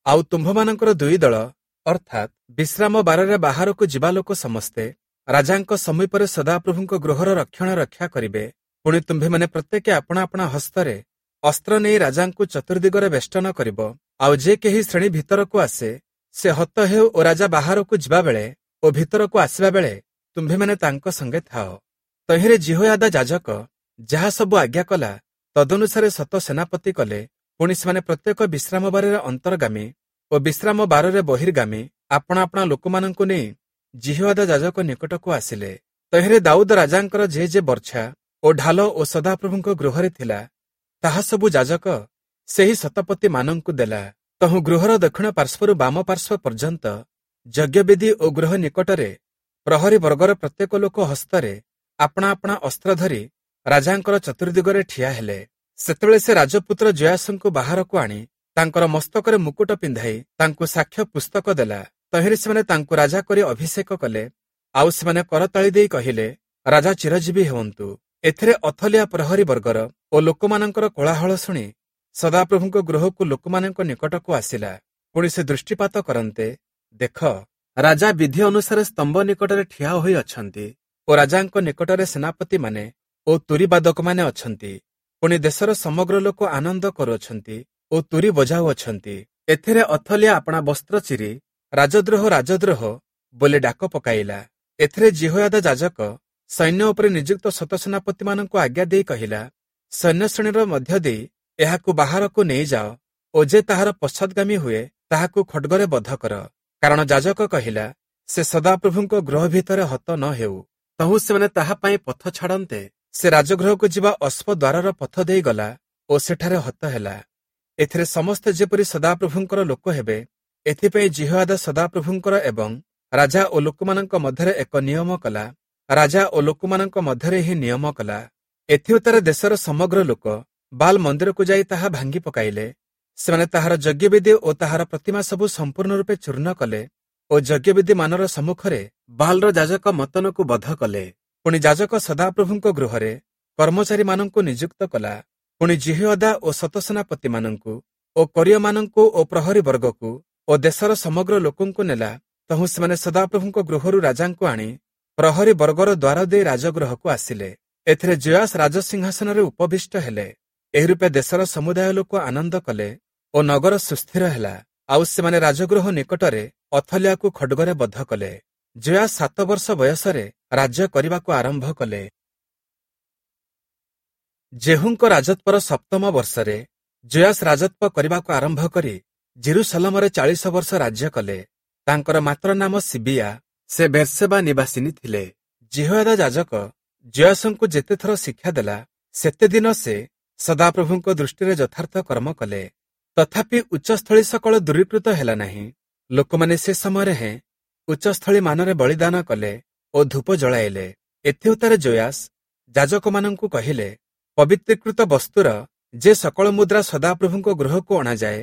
ଆଉ ତୁମ୍ଭମାନଙ୍କର ଦୁଇ ଦଳ, ଅର୍ଥାତ୍ ବିଶ୍ରାମ ବାରରେ ବାହାରକୁ ଯିବା ଲୋକ ସମସ୍ତେ ରାଜାଙ୍କ ସମୀପରେ ସଦାପ୍ରଭୁଙ୍କ ଗୃହର ରକ୍ଷଣ ରକ୍ଷା କରିବେ। ପୁଣି ତୁମ୍ଭେମାନେ ପ୍ରତ୍ୟେକ ଆପଣା ଆପଣା ହସ୍ତରେ ଅସ୍ତ୍ର ନେଇ ରାଜାଙ୍କୁ ଚତୁର୍ଦିଗରେ ବେଷ୍ଟନ କରିବ। ଆଉ ଯେ କେହି ଶ୍ରେଣୀ ଭିତରକୁ ଆସେ ସେ ହତ ହେଉ ଓ ରାଜା ବାହାରକୁ ଯିବାବେଳେ ଓ ଭିତରକୁ ଆସିବା ବେଳେ ତୁମ୍ଭେମାନେ ତାଙ୍କ ସଙ୍ଗେ ଥାଅ। ତହିଁରେ ଯିହୋୟାଦା ଯାଜକ ଯାହା ସବୁ ଆଜ୍ଞା କଲା ତଦନୁସାରେ ଶତ ସେନାପତି କଲେ। ପୁଣି ସେମାନେ ପ୍ରତ୍ୟେକ ବିଶ୍ରାମ ବାରରେ ଅନ୍ତର୍ଗାମୀ ଓ ବିଶ୍ରାମ ବାରରେ ବହିର୍ଗାମୀ ଆପଣା ଆପଣା ଲୋକମାନଙ୍କୁ ନେଇ ଯିହୋୟାଦା ଯାଜକ ନିକଟକୁ ଆସିଲେ। ତହିଁରେ ଦାଉଦ ରାଜାଙ୍କର ଯେ ଯେ ବର୍ଚ୍ଛା ଓ ଢାଲ ଓ ସଦାପ୍ରଭୁଙ୍କ ଗୃହରେ ଥିଲା ତାହା ସବୁ ଯାଜକ ସେହି ଶତପତିମାନଙ୍କୁ ଦେଲା। ତହୁଁ ଗୃହର ଦକ୍ଷିଣ ପାର୍ଶ୍ୱରୁ ବାମ ପାର୍ଶ୍ୱ ପର୍ଯ୍ୟନ୍ତ ଯଜ୍ଞବେଦୀ ଓ ଗୃହ ନିକଟରେ ପ୍ରହରୀ ବର୍ଗର ପ୍ରତ୍ୟେକ ଲୋକ ହସ୍ତରେ ଆପଣା ଆପଣା ଅସ୍ତ୍ର ଧରି ରାଜାଙ୍କର ଚତୁର୍ଦିଗରେ ଠିଆ ହେଲେ। ସେତେବେଳେ ସେ ରାଜପୁତ୍ର ଯୋଆଶଙ୍କୁ ବାହାରକୁ ଆଣି ତାଙ୍କର ମସ୍ତକରେ ମୁକୁଟ ପିନ୍ଧାଇ ତାଙ୍କୁ ସାକ୍ଷ୍ୟ ପୁସ୍ତକ ଦେଲା। ତହିଁରେ ସେମାନେ ତାଙ୍କୁ ରାଜା କରି ଅଭିଷେକ କଲେ। ଆଉ ସେମାନେ କରତାଳି ଦେଇ କହିଲେ, ରାଜା ଚିରଜୀବୀ ହୁଅନ୍ତୁ। ଏଥିରେ ଅଥଲିଆ ପ୍ରହରୀ ବର୍ଗର ଓ ଲୋକମାନଙ୍କର କୋଳାହଳ ଶୁଣି ସଦାପ୍ରଭୁଙ୍କ ଗୃହକୁ ଲୋକମାନଙ୍କ ନିକଟକୁ ଆସିଲା। ପୁଣି ସେ ଦୃଷ୍ଟିପାତ କରନ୍ତେ, ଦେଖ, ରାଜା ବିଧି ଅନୁସାରେ ସ୍ତମ୍ଭ ନିକଟରେ ଠିଆ ହୋଇ ଅଛନ୍ତି ଓ ରାଜାଙ୍କ ନିକଟରେ ସେନାପତିମାନେ ଓ ତୁରୀବାଦକମାନେ ଅଛନ୍ତି। ପୁଣି ଦେଶର ସମଗ୍ର ଲୋକ ଆନନ୍ଦ କରୁଅଛନ୍ତି ଓ ତୁରୀ ବଜାଉଅଛନ୍ତି। ଏଥିରେ ଅଥଲିଆ ଆପଣା ବସ୍ତ୍ର ଚିରି ରାଜଦ୍ରୋହ ରାଜଦ୍ରୋହ ବୋଲି ଡାକ ପକାଇଲା। ଏଥିରେ ଯିହୋୟାଦା ଯାଜକ ସୈନ୍ୟ ଉପରେ ନିଯୁକ୍ତ ଶତସେନାପତିମାନଙ୍କୁ ଆଜ୍ଞା ଦେଇ କହିଲା, ସୈନ୍ୟ ଶ୍ରେଣୀର ମଧ୍ୟ ଦେଇ ଏହାକୁ ବାହାରକୁ ନେଇଯାଅ ଓ ଯେ ତାହାର ପଶ୍ଚାତ୍ଗାମୀ ହୁଏ ତାହାକୁ ଖଡ୍ଗରେ ବଧ କର। କାରଣ ଯାଜକ କହିଲା, ସେ ସଦାପ୍ରଭୁଙ୍କ ଗୃହ ଭିତରେ ହତ ନ ହେଉ। ତହୁଁ ସେମାନେ ତାହା ପାଇଁ ପଥ ଛାଡ଼ନ୍ତେ ସେ ରାଜଗୃହକୁ ଯିବା ଅଶ୍ୱଦ୍ୱାରର ପଥ ଦେଇ ଗଲା ଓ ସେଠାରେ ହତ ହେଲା। ଏଥିରେ ସମସ୍ତେ ଯେପରି ସଦାପ୍ରଭୁଙ୍କର ଲୋକ ହେବେ, ଏଥିପାଇଁ ଯିହୋୟାଦା ସଦାପ୍ରଭୁଙ୍କର ଏବଂ ରାଜା ଓ ଲୋକମାନଙ୍କ ମଧ୍ୟରେ ଏକ ନିୟମ କଲା। ରାଜା ଓ ଲୋକମାନଙ୍କ ମଧ୍ୟରେ ଏହି ନିୟମ କଲା। ଏଥିଉତ୍ତାରେ ଦେଶର ସମଗ୍ର ଲୋକ ବାଲ୍ ମନ୍ଦିରକୁ ଯାଇ ତାହା ଭାଙ୍ଗି ପକାଇଲେ। ସେମାନେ ତାହାର ଯଜ୍ଞବେଦୀ ଓ ତାହାର ପ୍ରତିମା ସବୁ ସମ୍ପୂର୍ଣ୍ଣ ରୂପେ ଚୂର୍ଣ୍ଣ କଲେ ଓ ଯଜ୍ଞବେଦୀ ମାନର ସମ୍ମୁଖରେ ବାଲ୍ର ଯାଜକ ମତ୍ତନକୁ ବଧ କଲେ। ପୁଣି ଯାଜକ ସଦାପ୍ରଭୁଙ୍କ ଗୃହରେ କର୍ମଚାରୀମାନଙ୍କୁ ନିଯୁକ୍ତ କଲା। ପୁଣି ଯିହୋୟାଦା ଓ ଶତସେନାପତିମାନଙ୍କୁ ଓ କରୀୟମାନଙ୍କୁ ଓ ପ୍ରହରୀ ବର୍ଗକୁ ଓ ଦେଶର ସମଗ୍ର ଲୋକଙ୍କୁ ନେଲା। ତହୁଁ ସେମାନେ ସଦାପ୍ରଭୁଙ୍କ ଗୃହରୁ ରାଜାଙ୍କୁ ଆଣି ପ୍ରହରୀ ବର୍ଗର ଦ୍ୱାର ଦେଇ ରାଜଗୃହକୁ ଆସିଲେ। ଏଥିରେ ଯୋଆଶ ରାଜସିଂହାସନରେ ଉପବିଷ୍ଟ ହେଲେ। ଏହି ରୂପେ ଦେଶର ସମୁଦାୟ ଲୋକ ଆନନ୍ଦ କଲେ ଓ ନଗର ସୁସ୍ଥିର ହେଲା। ଆଉ ସେମାନେ ରାଜଗୃହ ନିକଟରେ ଅଥଲିଆକୁ ଖଡ୍ଗରେ ବଧ କଲେ। ଯୋଆଶ 7 ବର୍ଷ ବୟସରେ ରାଜ୍ୟ କରିବାକୁ ଆରମ୍ଭ କଲେ। ଯେହୂଙ୍କ ରାଜତ୍ୱର 7ମ ବର୍ଷରେ ଯୋଆଶ ରାଜତ୍ୱ କରିବାକୁ ଆରମ୍ଭ କରି ଯିରୂଶାଲମରେ 40 ବର୍ଷ ରାଜ୍ୟ କଲେ। ତାଙ୍କର ମାତୃ ନାମ ସିବିଆ, ସେ ବେର୍ସେବା ନିବାସିନୀ ଥିଲେ। ଯିହୋୟାଦା ଯାଜକ ଯୋଆଶଙ୍କୁ ଯେତେଥର ଶିକ୍ଷା ଦେଲା, ସେତେ ଦିନ ସେ ସଦାପ୍ରଭୁଙ୍କ ଦୃଷ୍ଟିରେ ଯଥାର୍ଥ କର୍ମ କଲେ। ତଥାପି ଉଚ୍ଚସ୍ଥଳୀ ସକଳ ଦୂରୀକୃତ ହେଲା ନାହିଁ। ଲୋକମାନେ ସେ ସମୟରେ ହେଁ ଉଚ୍ଚସ୍ଥଳୀ ମାନରେ ବଳିଦାନ କଲେ ଓ ଧୂପ ଜଳାଇଲେ। ଏଥିଉତ୍ତାରେ ଯୋଆଶ ଯାଜକମାନଙ୍କୁ କହିଲେ, ପବିତ୍ରୀକୃତ ବସ୍ତୁର ଯେ ସକଳ ମୁଦ୍ରା ସଦାପ୍ରଭୁଙ୍କ ଗୃହକୁ ଅଣାଯାଏ,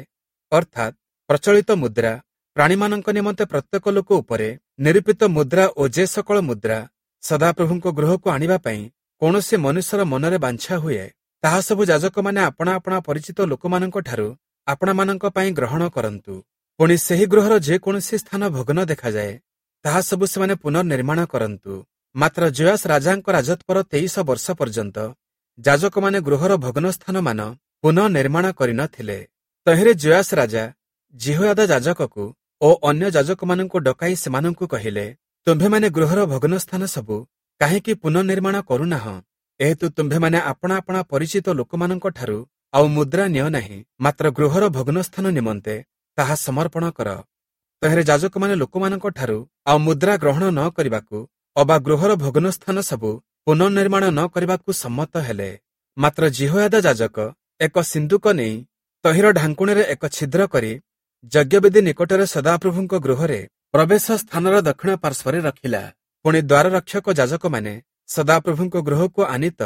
ଅର୍ଥାତ୍ ପ୍ରଚଳିତ ମୁଦ୍ରା, ପ୍ରାଣୀମାନଙ୍କ ନିମନ୍ତେ ପ୍ରତ୍ୟେକ ଲୋକ ଉପରେ ନିରୂପିତ ମୁଦ୍ରା ଓ ଯେ ସକଳ ମୁଦ୍ରା ସଦାପ୍ରଭୁଙ୍କ ଗୃହକୁ ଆଣିବା ପାଇଁ କୌଣସି ମନୁଷ୍ୟର ମନରେ ବାଞ୍ଛା ହୁଏ, ତାହା ସବୁ ଯାଜକମାନେ ଆପଣା ଆପଣା ପରିଚିତ ଲୋକମାନଙ୍କଠାରୁ ଆପଣାମାନଙ୍କ ପାଇଁ ଗ୍ରହଣ କରନ୍ତୁ। ପୁଣି ସେହି ଗୃହର ଯେକୌଣସି ସ୍ଥାନ ଭଗ୍ନ ଦେଖାଯାଏ, ତାହା ସବୁ ସେମାନେ ପୁନର୍ନିର୍ମାଣ କରନ୍ତୁ। ମାତ୍ର ଯୋଆଶ ରାଜାଙ୍କ ରାଜତ୍ୱର 23 ବର୍ଷ ପର୍ଯ୍ୟନ୍ତ ଯାଜକମାନେ ଗୃହର ଭଗ୍ନ ସ୍ଥାନମାନ ପୁନଃନିର୍ମାଣ କରିନଥିଲେ। ତହିଁରେ ଯୋଆଶ ରାଜା ଯିହୋୟାଦା ଯାଜକକୁ ଓ ଅନ୍ୟ ଯାଜକମାନଙ୍କୁ ଡକାଇ ସେମାନଙ୍କୁ କହିଲେ, ତୁମ୍ଭେମାନେ ଗୃହର ଭଗ୍ନ ସ୍ଥାନ ସବୁ କାହିଁକି ପୁନଃନିର୍ମାଣ କରୁନାହଁ? ଏହେତୁ ତୁମ୍ଭେମାନେ ଆପଣା ଆପଣା ପରିଚିତ ଲୋକମାନଙ୍କଠାରୁ ଆଉ ମୁଦ୍ରା ନିଅ ନାହିଁ, ମାତ୍ର ଗୃହର ଭଗ୍ନ ସ୍ଥାନ ନିମନ୍ତେ ତାହା ସମର୍ପଣ କର। ତହିଁରେ ଯାଜକମାନେ ଲୋକମାନଙ୍କଠାରୁ ଆଉ ମୁଦ୍ରା ଗ୍ରହଣ ନ କରିବାକୁ ଅବା ଗୃହର ଭଗ୍ନ ସ୍ଥାନ ସବୁ ପୁନଃନିର୍ମାଣ ନ କରିବାକୁ ସମ୍ମତ ହେଲେ। ମାତ୍ର ଯିହୋୟାଦା ଯାଜକ ଏକ ସିନ୍ଦୁକ ନେଇ ତହିଁର ଢାଙ୍କୁଣୀରେ ଏକ ଛିଦ୍ର କରି ଯଜ୍ଞବେଦୀ ନିକଟରେ ସଦାପ୍ରଭୁଙ୍କ ଗୃହରେ ପ୍ରବେଶ ସ୍ଥାନର ଦକ୍ଷିଣ ପାର୍ଶ୍ୱରେ ରଖିଲା। ପୁଣି ଦ୍ୱାର ରକ୍ଷକ ଯାଜକମାନେ ସଦାପ୍ରଭୁଙ୍କ ଗୃହକୁ ଆନିତ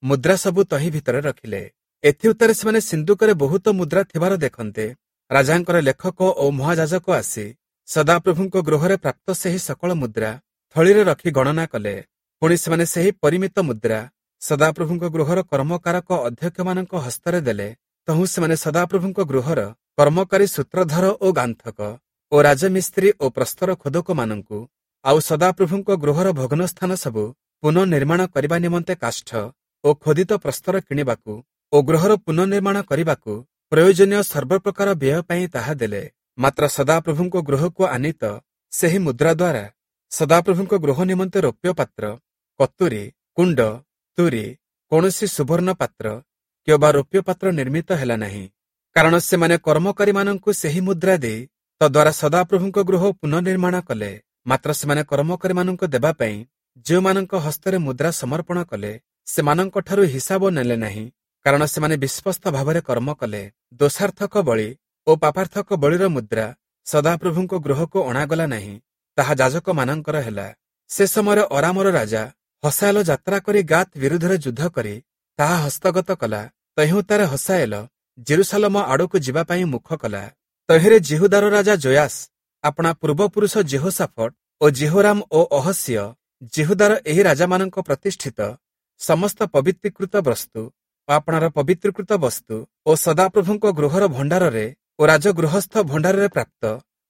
ମୁଦ୍ରା ସବୁ ତହିଁ ଭିତରେ ରଖିଲେ। ଏଥିଉତ୍ତାରେ ସେମାନେ ସିନ୍ଦୁକରେ ବହୁତ ମୁଦ୍ରା ଥିବାର ଦେଖନ୍ତେ, ରାଜାଙ୍କର ଲେଖକ ଓ ମହାଯାଜକ ଆସି ସଦାପ୍ରଭୁଙ୍କ ଗୃହରେ ପ୍ରାପ୍ତ ସେହି ସକଳ ମୁଦ୍ରା ଥଳିରେ ରଖି ଗଣନା କଲେ। ପୁଣି ସେମାନେ ସେହି ପରିମିତ ମୁଦ୍ରା ସଦାପ୍ରଭୁଙ୍କ ଗୃହର କର୍ମକାରକ ଅଧ୍ୟକ୍ଷମାନଙ୍କ ହସ୍ତରେ ଦେଲେ। ତହୁଁ ସେମାନେ ସଦାପ୍ରଭୁଙ୍କ ଗୃହର କର୍ମକାରୀ ସୂତ୍ରଧର ଓ ଗାନ୍ଥକ ଓ ରାଜମିସ୍ତ୍ରୀ ଓ ପ୍ରସ୍ତର ଖୋଦକମାନଙ୍କୁ ଆଉ ସଦାପ୍ରଭୁଙ୍କ ଗୃହର ଭଗ୍ନ ସ୍ଥାନ ସବୁ ପୁନଃନିର୍ମାଣ କରିବା ନିମନ୍ତେ କାଷ୍ଠ ଓ ଖୋଦିତ ପ୍ରସ୍ତର କିଣିବାକୁ ଓ ଗୃହର ପୁନଃନିର୍ମାଣ କରିବାକୁ ପ୍ରୟୋଜନୀୟ ସର୍ବପ୍ରକାର ବ୍ୟୟ ପାଇଁ ତାହା ଦେଲେ। ମାତ୍ର ସଦାପ୍ରଭୁଙ୍କ ଗୃହକୁ ଆନିତ ସେହି ମୁଦ୍ରା ଦ୍ୱାରା ସଦାପ୍ରଭୁଙ୍କ ଗୃହ ନିମନ୍ତେ ରୌପ୍ୟ ପାତ୍ର, କତୁରୀ, କୁଣ୍ଡ, ତୁରୀ, କୌଣସି ସୁବର୍ଣ୍ଣ ପାତ୍ର କିମ୍ବା ରୌପ୍ୟ ପାତ୍ର ନିର୍ମିତ ହେଲା ନାହିଁ। କାରଣ ସେମାନେ କର୍ମକାରୀମାନଙ୍କୁ ସେହି ମୁଦ୍ରା ଦେଇ ତଦ୍ୱାରା ସଦାପ୍ରଭୁଙ୍କ ଗୃହ ପୁନଃନିର୍ମାଣ କଲେ। ମାତ୍ର ସେମାନେ କର୍ମକାରୀମାନଙ୍କୁ ଦେବା ପାଇଁ ଯେଉଁମାନଙ୍କ ହସ୍ତରେ ମୁଦ୍ରା ସମର୍ପଣ କଲେ, ସେମାନଙ୍କଠାରୁ ହିସାବ ନେଲେ ନାହିଁ, କାରଣ ସେମାନେ ବିଶ୍ୱସ୍ତ ଭାବରେ କର୍ମ କଲେ। ଦୋଷାର୍ଥକ ବଳି ଓ ପାପାର୍ଥକ ବଳିର ମୁଦ୍ରା ସଦାପ୍ରଭୁଙ୍କ ଗୃହକୁ ଅଣାଗଲା ନାହିଁ, ତାହା ଯାଜକମାନଙ୍କର ହେଲା। ସେ ସମୟରେ ଅରାମର ରାଜା ହସାଏଲ ଯାତ୍ରା କରି ଗାତ୍ ବିରୁଦ୍ଧରେ ଯୁଦ୍ଧ କରି ତାହା ହସ୍ତଗତ କଲା। ତହିଁଉତ୍ତାରେ ହସାଏଲ ଜେରୁସାଲମ ଆଡ଼କୁ ଯିବା ପାଇଁ ମୁଖ କଲା। ତହିଁରେ ଯିହୁଦାର ରାଜା ଯୋଆଶ ଆପଣା ପୂର୍ବପୁରୁଷ ଯିହୋଶାଫଟ ଓ ଯିହୋରାମ ଓ ଅହସିୟ ଯିହୁଦାର ଏହି ରାଜାମାନଙ୍କ ପ୍ରତିଷ୍ଠିତ ସମସ୍ତ ପବିତ୍ରୀକୃତ ବସ୍ତୁ ଓ ଆପଣାର ପବିତ୍ରୀକୃତ ବସ୍ତୁ ଓ ସଦାପ୍ରଭୁଙ୍କ ଗୃହର ଭଣ୍ଡାରରେ ଓ ରାଜଗୃହସ୍ଥ ଭଣ୍ଡାରରେ ପ୍ରାପ୍ତ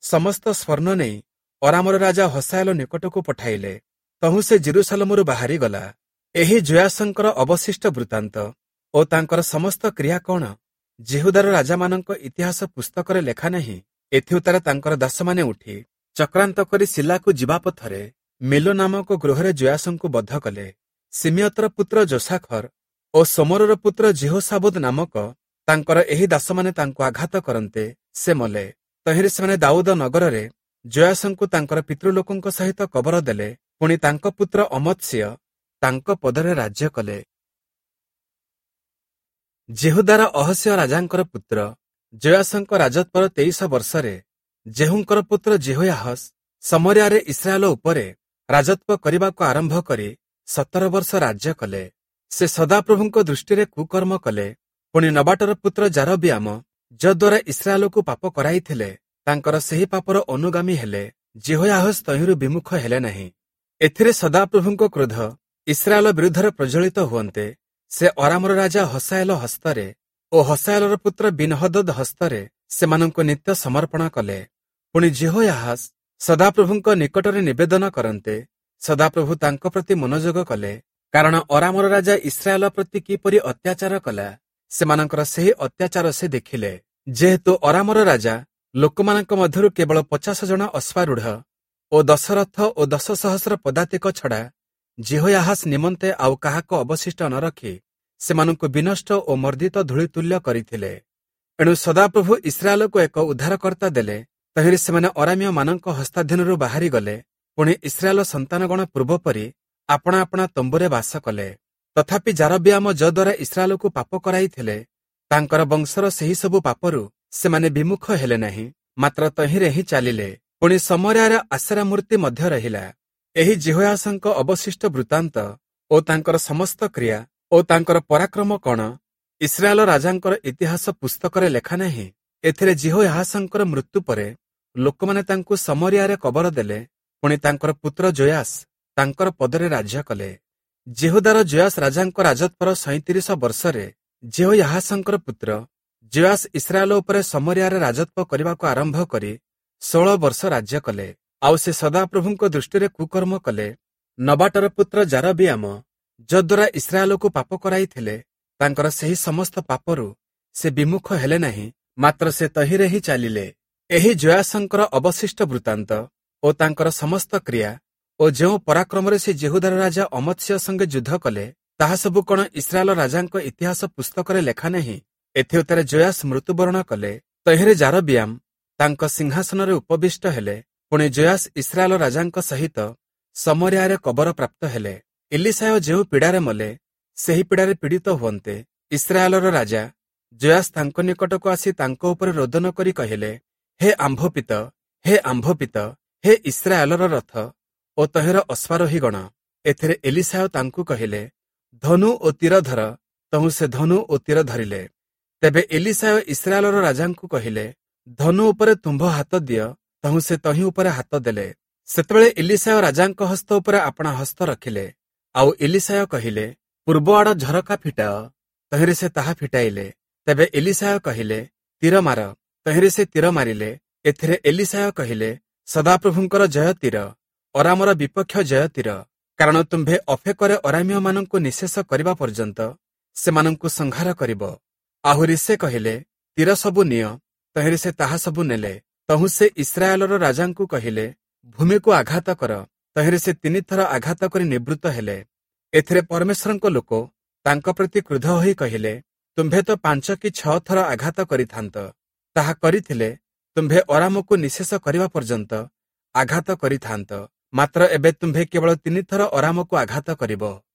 ସମସ୍ତ ସ୍ୱର୍ଣ୍ଣ ନେଇ ଅରାମର ରାଜା ହସାଏଲ ନିକଟକୁ ପଠାଇଲେ। ତହୁଁ ସେ ଜେରୁସାଲମରୁ ବାହାରିଗଲା। ଏହି ଯୋଆଶଙ୍କର ଅବଶିଷ୍ଟ ବୃତ୍ତାନ୍ତ ଓ ତାଙ୍କର ସମସ୍ତ କ୍ରିୟା କଣ ଯିହୁଦାର ରାଜାମାନଙ୍କ ଇତିହାସ ପୁସ୍ତକରେ ଲେଖା ନାହିଁ? ଏଥିଉତ୍ତାରେ ତାଙ୍କର ଦାସମାନେ ଉଠି ଚକ୍ରାନ୍ତ କରି ସିଲାକୁ ଯିବା ପଥରେ ମିଲୋ ନାମକ ଗୃହରେ ଯୋଆଶଙ୍କୁ ବଧ କଲେ। ସିମିୟତର ପୁତ୍ର ଯୋଶାଖର ଓ ସୋମରର ପୁତ୍ର ଯିହୋଶାବୁଦ ନାମକ ତାଙ୍କର ଏହି ଦାସମାନେ ତାଙ୍କୁ ଆଘାତ କରନ୍ତେ ସେ ମଲେ। ତହିଁରେ ସେମାନେ ଦାଉଦ ନଗରରେ ଯୋଆଶଙ୍କୁ ତାଙ୍କର ପିତୃଲୋକଙ୍କ ସହିତ କବର ଦେଲେ। ପୁଣି ତାଙ୍କ ପୁତ୍ର ଅମତ୍ସିୟ ତାଙ୍କ ପଦରେ ରାଜ୍ୟ କଲେ। ଯିହୁଦାର ଅହସିୟ ରାଜାଙ୍କର ପୁତ୍ର ଯୋଆଶଙ୍କ ରାଜତ୍ୱର 23 ବର୍ଷରେ ଯେହୂଙ୍କର ପୁତ୍ର ଯିହୋୟାହସ ସମରିଆରେ ଇସ୍ରାଏଲ ଉପରେ ରାଜତ୍ୱ କରିବାକୁ ଆରମ୍ଭ କରି 17 ବର୍ଷ ରାଜ୍ୟ କଲେ। ସେ ସଦାପ୍ରଭୁଙ୍କ ଦୃଷ୍ଟିରେ କୁକର୍ମ କଲେ। ପୁଣି ନବାଟର ପୁତ୍ର ଯାରବିଆମ ଯଦ୍ୱାରା ଇସ୍ରାଏଲକୁ ପାପ କରାଇଥିଲେ, ତାଙ୍କର ସେହି ପାପର ଅନୁଗାମୀ ହେଲେ। ଯିହୋୟାହସ ତହିଁରୁ ବିମୁଖ ହେଲେ ନାହିଁ। ଏଥିରେ ସଦାପ୍ରଭୁଙ୍କ କ୍ରୋଧ ଇସ୍ରାଏଲ ବିରୁଦ୍ଧରେ ପ୍ରଜ୍ୱଳିତ ହୁଅନ୍ତେ, ସେ ଅରାମର ରାଜା ହସାଏଲ ହସ୍ତରେ ଓ ହସାଏଲର ପୁତ୍ର ବିନ୍ହଦଦ୍ ହସ୍ତରେ ସେମାନଙ୍କୁ ନିତ୍ୟ ସମର୍ପଣ କଲେ। ପୁଣି ଯିହୋୟାହାସ ସଦାପ୍ରଭୁଙ୍କ ନିକଟରେ ନିବେଦନ କରନ୍ତେ ସଦାପ୍ରଭୁ ତାଙ୍କ ପ୍ରତି ମନୋଯୋଗ କଲେ, କାରଣ ଅରାମର ରାଜା ଇସ୍ରାଏଲ ପ୍ରତି କିପରି ଅତ୍ୟାଚାର କଲା ସେମାନଙ୍କର ସେହି ଅତ୍ୟାଚାର ସେ ଦେଖିଲେ। ଯେହେତୁ ଅରାମର ରାଜା ଲୋକମାନଙ୍କ ମଧ୍ୟରୁ କେବଳ 50 ଜଣ ଅଶ୍ୱାରୂଢ଼ ଓ 10 ରଥ ଓ 10 ସହସ୍ର ପଦାତିକ ଛଡ଼ା ଯିହୋୟାହାସ ନିମନ୍ତେ ଆଉ କାହାକୁ ଅବଶିଷ୍ଟ ନ ରଖି ସେମାନଙ୍କୁ ବିନଷ୍ଟ ଓ ମର୍ଦ୍ଦିତ ଧୂଳି ତୁଲ୍ୟ କରିଥିଲେ। ଏଣୁ ସଦାପ୍ରଭୁ ଇସ୍ରାଏଲକୁ ଏକ ଉଦ୍ଧାରକର୍ତ୍ତା ଦେଲେ, ତହିଁରେ ସେମାନେ ଅରାମୀୟମାନଙ୍କ ହସ୍ତାଧୀନରୁ ବାହାରି ଗଲେ। ପୁଣି ଇସ୍ରାଏଲ ସନ୍ତାନଗଣ ପୂର୍ବପରି ଆପଣା ଆପଣା ତମ୍ବୁରେ ବାସ କଲେ। ତଥାପି ଯାରବିଆମ ଯଦ୍ୱାରା ଇସ୍ରାଏଲକୁ ପାପ କରାଇଥିଲେ, ତାଙ୍କର ବଂଶର ସେହି ସବୁ ପାପରୁ ସେମାନେ ବିମୁଖ ହେଲେ ନାହିଁ, ମାତ୍ର ତହିଁରେ ହିଁ ଚାଲିଲେ। ପୁଣି ସମରିଆରେ ଆଶେରା ମୂର୍ତ୍ତି ମଧ୍ୟ ରହିଲା। ଏହି ଯିହୋୟାସଙ୍କ ଅବଶିଷ୍ଟ ବୃତ୍ତାନ୍ତ ଓ ତାଙ୍କର ସମସ୍ତ କ୍ରିୟା ଓ ତାଙ୍କର ପରାକ୍ରମ କଣ ଇସ୍ରାଏଲ ରାଜାଙ୍କର ଇତିହାସ ପୁସ୍ତକରେ ଲେଖା ନାହିଁ? ଏଥିରେ ଯିହୋୟାହାସଙ୍କର ମୃତ୍ୟୁ ପରେ ଲୋକମାନେ ତାଙ୍କୁ ସମରିଆରେ କବର ଦେଲେ। ପୁଣି ତାଙ୍କର ପୁତ୍ର ଯୋୟାସ ତାଙ୍କର ପଦରେ ରାଜ୍ୟ କଲେ। ଯିହୁଦାର ଯୋୟାସ ରାଜାଙ୍କ ରାଜତ୍ୱର 37 ବର୍ଷରେ ଯିହୋୟାହାସଙ୍କର ପୁତ୍ର ଯୋୟାସ ଇସ୍ରାଏଲ ଉପରେ ସମରିଆରେ ରାଜତ୍ୱ କରିବାକୁ ଆରମ୍ଭ କରି 16 ବର୍ଷ ରାଜ୍ୟ କଲେ। ଆଉ ସେ ସଦାପ୍ରଭୁଙ୍କ ଦୃଷ୍ଟିରେ କୁକର୍ମ କଲେ। ନବାଟର ପୁତ୍ର ଯାରବିଆମ ଯଦ୍ୱାରା ଇସ୍ରାଏଲକୁ ପାପ କରାଇଥିଲେ, ତାଙ୍କର ସେହି ସମସ୍ତ ପାପରୁ ସେ ବିମୁଖ ହେଲେ ନାହିଁ, ମାତ୍ର ସେ ତହିଁରେ ହିଁ ଚାଲିଲେ। ଏହି ଯୋୟାସଙ୍କର ଅବଶିଷ୍ଟ ବୃତ୍ତାନ୍ତ ଓ ତାଙ୍କର ସମସ୍ତ କ୍ରିୟା ଓ ଯେଉଁ ପରାକ୍ରମରେ ସେ ଯିହୁଦାର ରାଜା ଅମତ୍ସ୍ୟ ସଙ୍ଗେ ଯୁଦ୍ଧ କଲେ, ତାହା ସବୁ କଣ ଇସ୍ରାଏଲ ରାଜାଙ୍କ ଇତିହାସ ପୁସ୍ତକରେ ଲେଖା ନାହିଁ? ଏଥିଉତ୍ତାରେ ଯୋୟାସ ମୃତ୍ୟୁବରଣ କଲେ। ତହିଁରେ ଯାରବିଆମ ତାଙ୍କ ସିଂହାସନରେ ଉପବିଷ୍ଟ ହେଲେ। ପୁଣି ଯୋୟାସ ଇସ୍ରାଏଲ ରାଜାଙ୍କ ସହିତ ସମରିଆରେ କବର ପ୍ରାପ୍ତ ହେଲେ। ଇଲିଶାୟ ଯେଉଁ ପୀଡ଼ାରେ ମଲେ, ସେହି ପୀଡ଼ାରେ ପୀଡ଼ିତ ହୁଅନ୍ତେ ଇସ୍ରାଏଲର ରାଜା ଯୋୟାସ ତାଙ୍କ ନିକଟକୁ ଆସି ତାଙ୍କ ଉପରେ ରୋଦନ କରି କହିଲେ, ହେ ଆମ୍ଭ ପିତ, ହେ ଆମ୍ଭ ପିତ, ହେ ଇସ୍ରାଏଲର ରଥ ଓ ତହିଁର ଅଶ୍ୱାରୋହୀଗଣ। ଏଥିରେ ଏଲିଶାୟ ତାଙ୍କୁ କହିଲେ, ଧନୁ ଓ ତୀର ଧର। ତହୁଁ ସେ ଧନୁ ଓ ତୀର ଧରିଲେ। ତେବେ ଏଲିଶାୟ ଇସ୍ରାଏଲର ରାଜାଙ୍କୁ କହିଲେ, ଧନୁ ଉପରେ ତୁମ୍ଭ ହାତ ଦିଅ। ତହୁଁ ସେ ତହିଁ ଉପରେ ହାତ ଦେଲେ। ସେତେବେଳେ ଏଲିଶାୟ ରାଜାଙ୍କ ହସ୍ତ ଉପରେ ଆପଣା ହସ୍ତ ରଖିଲେ। ଆଉ ଏଲିଶାୟ କହିଲେ, ପୂର୍ବ ଆଡ଼ ଝରକା ଫିଟାଅ। ତହିଁରେ ସେ ତାହା ଫିଟାଇଲେ। ତେବେ ଏଲିଶାୟ କହିଲେ, ତୀର ମାର। ତହିଁରେ ସେ ତୀର ମାରିଲେ। ଏଥିରେ ଏଲିଶାୟ କହିଲେ, ସଦାପ୍ରଭୁଙ୍କର ଜୟ ତୀର, ଅରାମର ବିପକ୍ଷ ଜୟ ତୀର, କାରଣ ତୁମ୍ଭେ ଅଫେକରେ ଅରାମୀୟମାନଙ୍କୁ ନିଃଶେଷ କରିବା ପର୍ଯ୍ୟନ୍ତ ସେମାନଙ୍କୁ ସଂହାର କରିବ। ଆହୁରି ସେ କହିଲେ, ତୀର ସବୁ ନିଅ। ତହିଁରେ ସେ ତାହା ସବୁ ନେଲେ। ତହୁଁ ସେ ଇସ୍ରାଏଲର ରାଜାଙ୍କୁ କହିଲେ, ଭୂମିକୁ ଆଘାତ କର। ତହିଁରେ ସେ 3 ଥର ଆଘାତ କରି ନିବୃତ୍ତ ହେଲେ। ଏଥିରେ ପରମେଶ୍ୱରଙ୍କ ଲୋକ ତାଙ୍କ ପ୍ରତି କ୍ରୁଦ୍ଧ ହୋଇ କହିଲେ, ତୁମ୍ଭେ ତ 5 କି 6 ଥର ଆଘାତ କରିଥାନ୍ତ। ତାହା କରିଥିଲେ ତୁମ୍ଭେ ଅରାମକୁ ନିଃଶେଷ କରିବା ପର୍ଯ୍ୟନ୍ତ ଆଘାତ କରିଥାନ୍ତ। ମାତ୍ର ଏବେ ତୁମ୍ଭେ କେବଳ 3 ଥର ଅରାମକୁ ଆଘାତ କରିବ।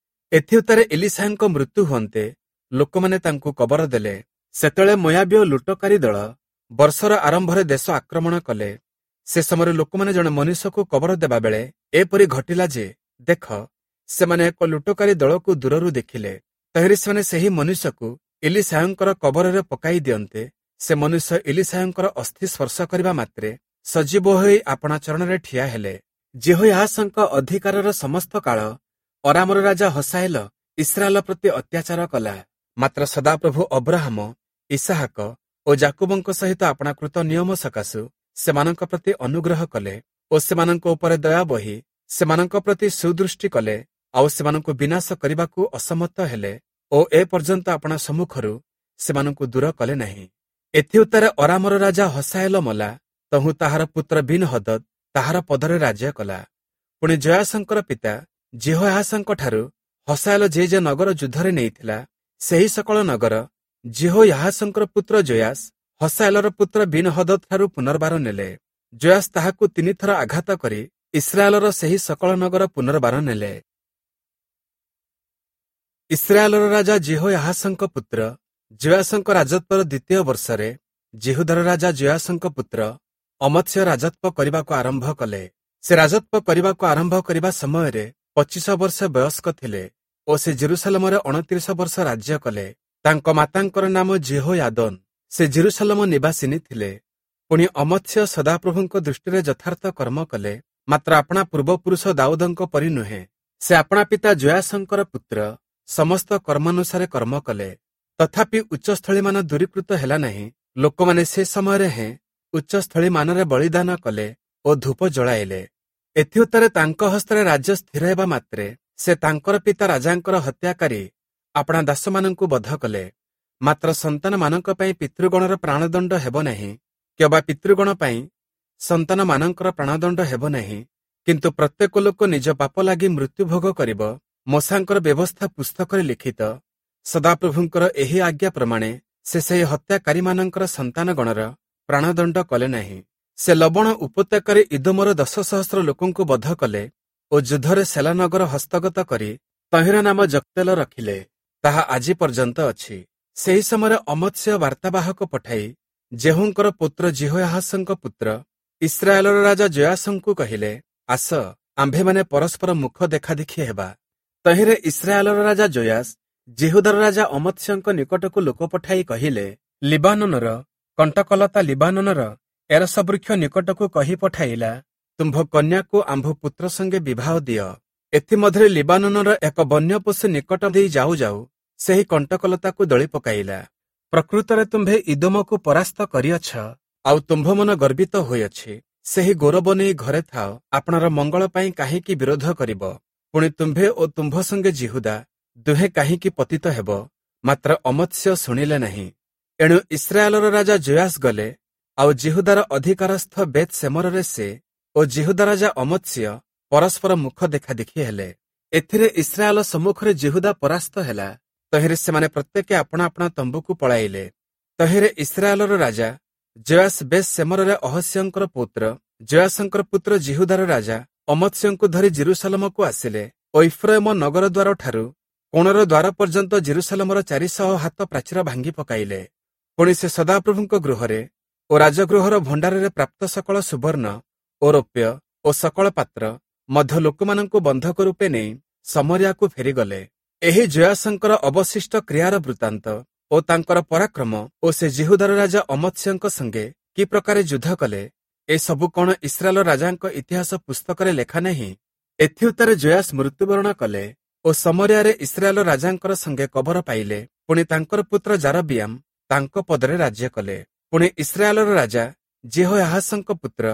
ଏଥିଉତ୍ତାରେ ଏଲିଶାଙ୍କ ମୃତ୍ୟୁ ହୁଅନ୍ତେ ଲୋକମାନେ ତାଙ୍କୁ କବର ଦେଲେ। ସେତେବେଳେ ମୋୟାବୀୟ ଲୁଟକାରୀ ଦଳ ବର୍ଷର ଆରମ୍ଭରେ ଦେଶ ଆକ୍ରମଣ କଲେ। ସେ ସମୟରେ ଲୋକମାନେ ଜଣେ ମନୁଷ୍ୟକୁ କବର ଦେବା ବେଳେ ଏପରି ଘଟିଲା ଯେ, ଦେଖ, ସେମାନେ ଏକ ଲୁଟକାରୀ ଦଳକୁ ଦୂରରୁ ଦେଖିଲେ। ତହିଁରେ ସେମାନେ ସେହି ମନୁଷ୍ୟକୁ ଏଲିଶାୟଙ୍କର କବରରେ ପକାଇ ଦିଅନ୍ତେ ସେ ମନୁଷ୍ୟ ଏଲିଶାୟଙ୍କର ଅସ୍ଥି ସ୍ପର୍ଶ କରିବା ମାତ୍ରେ ସଜୀବ ହୋଇ ଆପଣା ଚରଣରେ ଠିଆ ହେଲେ। ଯିହୋୟାହାସଙ୍କ ଅଧିକାରର ସମସ୍ତ କାଳ ଅରାମର ରାଜା ହସାଏଲ ଇସ୍ରାଏଲ ପ୍ରତି ଅତ୍ୟାଚାର କଲା। ମାତ୍ର ସଦାପ୍ରଭୁ ଅବ୍ରାହମ, ଇସାହାକ ଓ ଯାକୁବଙ୍କ ସହିତ ଆପଣା କୃତ ନିୟମ ସକାଶୁ ସେମାନଙ୍କ ପ୍ରତି ଅନୁଗ୍ରହ କଲେ ଓ ସେମାନଙ୍କ ଉପରେ ଦୟା ବହି ସେମାନଙ୍କ ପ୍ରତି ସୁଦୃଷ୍ଟି କଲେ। ଆଉ ସେମାନଙ୍କୁ ବିନାଶ କରିବାକୁ ଅସମର୍ଥ ହେଲେ ଓ ଏ ପର୍ଯ୍ୟନ୍ତ ଆପଣା ସମ୍ମୁଖରୁ ସେମାନଙ୍କୁ ଦୂର କଲେ ନାହିଁ। ଏଥିଉତ୍ତାରେ ଅରାମର ରାଜା ହସାଏଲ ମଲା। ତହୁଁ ତାହାର ପୁତ୍ର ବିନ୍ହଦଦ୍ ତାହାର ପଦରେ ରାଜ୍ୟ କଲା। ପୁଣି ଯୋୟାସଙ୍କର ପିତା ଯିହୋୟାହାସଙ୍କଠାରୁ ହସାଏଲ ଯେ ଯେ ନଗର ଯୁଦ୍ଧରେ ନେଇଥିଲା, ସେହି ସକଳ ନଗର ଯିହୋୟାହାସଙ୍କର ପୁତ୍ର ଯୋୟାସ ହସାଏଲର ପୁତ୍ର ବିନ୍ହଦଦ୍ ଠାରୁ ପୁନର୍ବାର ନେଲେ। ଯୋୟାସ ତାହାକୁ 3 ଥର ଆଘାତ କରି ଇସ୍ରାଏଲର ସେହି ସକଳ ନଗର ପୁନର୍ବାର ନେଲେ। ଇସ୍ରାଏଲର ରାଜା ଯିହୋୟାହାସଙ୍କ ପୁତ୍ର ଯୋୟାସଙ୍କ ରାଜତ୍ୱର 2ୟ ବର୍ଷରେ ଯିହୁଦାର ରାଜା ଯୋୟାସଙ୍କ ପୁତ୍ର ଅମତ୍ସ୍ୟ ରାଜତ୍ୱ କରିବାକୁ ଆରମ୍ଭ କଲେ। ସେ ରାଜତ୍ୱ କରିବାକୁ ଆରମ୍ଭ କରିବା ସମୟରେ 25 ବର୍ଷ ବୟସ୍କ ଥିଲେ ଓ ସେ ଜେରୁସାଲେମରେ 29 ବର୍ଷ ରାଜ୍ୟ କଲେ। ତାଙ୍କ ମାତାଙ୍କର ନାମ ଯିହୋୟାଦୋନ। ସେ ଜେରୁସାଲେମ ନିବାସିନୀ ଥିଲେ। ପୁଣି ଅମତ୍ସ୍ୟ ସଦାପ୍ରଭୁଙ୍କ ଦୃଷ୍ଟିରେ ଯଥାର୍ଥ କର୍ମ କଲେ, ମାତ୍ର ଆପଣା ପୂର୍ବପୁରୁଷ ଦାଉଦଙ୍କ ପରି ନୁହେଁ। ସେ ଆପଣା ପିତା ଯୋୟାସଙ୍କର ପୁତ୍ର ସମସ୍ତ କର୍ମାନୁସାରେ କର୍ମ କଲେ। ତଥାପି ଉଚ୍ଚସ୍ଥଳୀମାନ ଦୂରୀକୃତ ହେଲା ନାହିଁ। ଲୋକମାନେ ସେ ସମୟରେ ହେଁ ଉଚ୍ଚସ୍ଥଳୀମାନରେ ବଳିଦାନ କଲେ ଓ ଧୂପ ଜଳାଇଲେ। ଏଥିଉତ୍ତାରେ ତାଙ୍କ ହସ୍ତରେ ରାଜ୍ୟ ସ୍ଥିର ହେବା ମାତ୍ରେ ସେ ତାଙ୍କର ପିତା ରାଜାଙ୍କର ହତ୍ୟାକାରୀ ଆପଣା ଦାସମାନଙ୍କୁ ବଧ କଲେ। ମାତ୍ର ସନ୍ତାନମାନଙ୍କ ପାଇଁ ପିତୃଗଣର ପ୍ରାଣଦଣ୍ଡ ହେବ ନାହିଁ, କିମ୍ବା ପିତୃଗଣ ପାଇଁ ସନ୍ତାନମାନଙ୍କର ପ୍ରାଣଦଣ୍ଡ ହେବ ନାହିଁ, କିନ୍ତୁ ପ୍ରତ୍ୟେକ ଲୋକ ନିଜ ପାପ ଲାଗି ମୃତ୍ୟୁଭୋଗ କରିବ। ମୋଶାଙ୍କର ବ୍ୟବସ୍ଥା ପୁସ୍ତକରେ ଲିଖିତ ସଦାପ୍ରଭୁଙ୍କର ଏହି ଆଜ୍ଞା ପ୍ରମାଣେ ସେ ସେହି ହତ୍ୟାକାରୀମାନଙ୍କର ସନ୍ତାନଗଣର ପ୍ରାଣଦଣ୍ଡ କଲେ ନାହିଁ। ସେ ଲବଣ ଉପତ୍ୟକାରେ ଇଦୋମର 10,000 ଲୋକଙ୍କୁ ବଧ କଲେ ଓ ଯୁଦ୍ଧରେ ସେଲାନଗର ହସ୍ତଗତ କରି ତହିଁର ନାମ ଜକ୍ତେଲ ରଖିଲେ, ତାହା ଆଜି ପର୍ଯ୍ୟନ୍ତ ଅଛି। ସେହି ସମୟରେ ଅମତ୍ସ୍ୟ ବାର୍ତ୍ତାବାହକ ପଠାଇ ଯେହୂଙ୍କର ପୁତ୍ର ଯିହୋୟାହାସଙ୍କ ପୁତ୍ର ଇସ୍ରାଏଲର ରାଜା ଯୋୟାସଙ୍କୁ କହିଲେ, ଆସ, ଆମ୍ଭେମାନେ ପରସ୍ପର ମୁଖ ଦେଖାଦେଖି ହେବା। ତହିଁରେ ଇସ୍ରାଏଲର ରାଜା ଯୋୟାସ ଯିହୁଦାର ରାଜା ଅମତ୍ସ୍ୟଙ୍କ ନିକଟକୁ ଲୋକ ପଠାଇ କହିଲେ, ଲିବାନୋନର କଣ୍ଟକଲତା ଲିବାନୋନର ଏରସ ବୃକ୍ଷ ନିକଟକୁ କହି ପଠାଇଲା, ତୁମ୍ଭ କନ୍ୟାକୁ ଆମ୍ଭ ପୁତ୍ର ସଙ୍ଗେ ବିବାହ ଦିଅ। ଏଥିମଧ୍ୟରେ ଲିବାନୋନର ଏକ ବନ୍ୟ ପଶୁ ନିକଟ ଦେଇ ଯାଉ ଯାଉ ସେହି କଣ୍ଟକଲତାକୁ ଦଳି ପକାଇଲା। ପ୍ରକୃତରେ ତୁମ୍ଭେ ଇଦୋମକୁ ପରାସ୍ତ କରିଅଛ, ଆଉ ତୁମ୍ଭ ମନ ଗର୍ବିତ ହୋଇଅଛି। ସେହି ଗୌରବ ନେଇ ଘରେ ଥାଅ, ଆପଣାର ମଙ୍ଗଳ ପାଇଁ କାହିଁକି ବିରୋଧ କରିବ? ପୁଣି ତୁମ୍ଭେ ଓ ତୁମ୍ଭ ସଙ୍ଗେ ଯିହୁଦା ଦୁହେଁ କାହିଁକି ପତିତ ହେବ? ମାତ୍ର ଅମତ୍ସ୍ୟ ଶୁଣିଲେ ନାହିଁ। ଏଣୁ ଇସ୍ରାଏଲର ରାଜା ଯୋୟାସ ଗଲେ, ଆଉ ଯିହୁଦାର ଅଧିକାରସ୍ଥ ବେତ୍ ସେମରରେ ସେ ଓ ଯିହୁଦା ରାଜା ଅମତ୍ସ୍ୟ ପରସ୍ପର ମୁଖ ଦେଖାଦେଖି ହେଲେ। ଏଥିରେ ଇସ୍ରାଏଲ ସମ୍ମୁଖରେ ଯିହୁଦା ପରାସ୍ତ ହେଲା। ତହିଁରେ ସେମାନେ ପ୍ରତ୍ୟେକେ ଆପଣା ଆପଣା ତମ୍ବୁକୁ ପଳାଇଲେ। ତହିଁରେ ଇସ୍ରାଏଲର ରାଜା ଯୋୟାସ ବେତ୍ ସେମରରେ ଅହସ୍ୟଙ୍କର ପୁତ୍ର ଯୋୟାସଙ୍କର ପୁତ୍ର ଯିହୁଦାର ରାଜା ଅମତ୍ସ୍ୟଙ୍କୁ ଧରି ଜେରୁସାଲମକୁ ଆସିଲେ ଓ ଇଫ୍ରାଇମ ନଗର ଦ୍ୱାରଠାରୁ କୋଣର ଦ୍ୱାର ପର୍ଯ୍ୟନ୍ତ ଜେରୁସାଲମର 400 ହାତ ପ୍ରାଚୀର ଭାଙ୍ଗି ପକାଇଲେ। ପୁଣି ସେ ସଦାପ୍ରଭୁଙ୍କ ଗୃହରେ ଓ ରାଜଗୃହର ଭଣ୍ଡାରରେ ପ୍ରାପ୍ତ ସକଳ ସୁବର୍ଣ୍ଣ ଓ ରୌପ୍ୟ ଓ ସକଳ ପାତ୍ର ମଧ୍ୟ ଲୋକମାନଙ୍କୁ ବନ୍ଧକ ରୂପେ ନେଇ ସମରିଆକୁ ଫେରିଗଲେ। ଏହି ଯୋୟାସଙ୍କର ଅବଶିଷ୍ଟ କ୍ରିୟାର ବୃତ୍ତାନ୍ତ ଓ ତାଙ୍କର ପରାକ୍ରମ ଓ ସେ ଯିହୁଦାର ରାଜା ଅମତ୍ସ୍ୟଙ୍କ ସଙ୍ଗେ କି ପ୍ରକାରେ ଯୁଦ୍ଧ କଲେ, ଏସବୁ କଣ ଇସ୍ରାଏଲ ରାଜାଙ୍କ ଇତିହାସ ପୁସ୍ତକରେ ଲେଖା ନାହିଁ? ଏଥିଉତ୍ତାରେ ଯୋୟାସ ମୃତ୍ୟୁବରଣ କଲେ ଓ ସମରିଆରେ ଇସ୍ରାଏଲ ରାଜାଙ୍କର ସଙ୍ଗେ କବର ପାଇଲେ। ପୁଣି ତାଙ୍କର ପୁତ୍ର ଯାରବିୟାମ ତାଙ୍କ ପଦରେ ରାଜ୍ୟ କଲେ। ପୁଣି ଇସ୍ରାଏଲର ରାଜା ଯିହୋୟାହାସଙ୍କ ପୁତ୍ର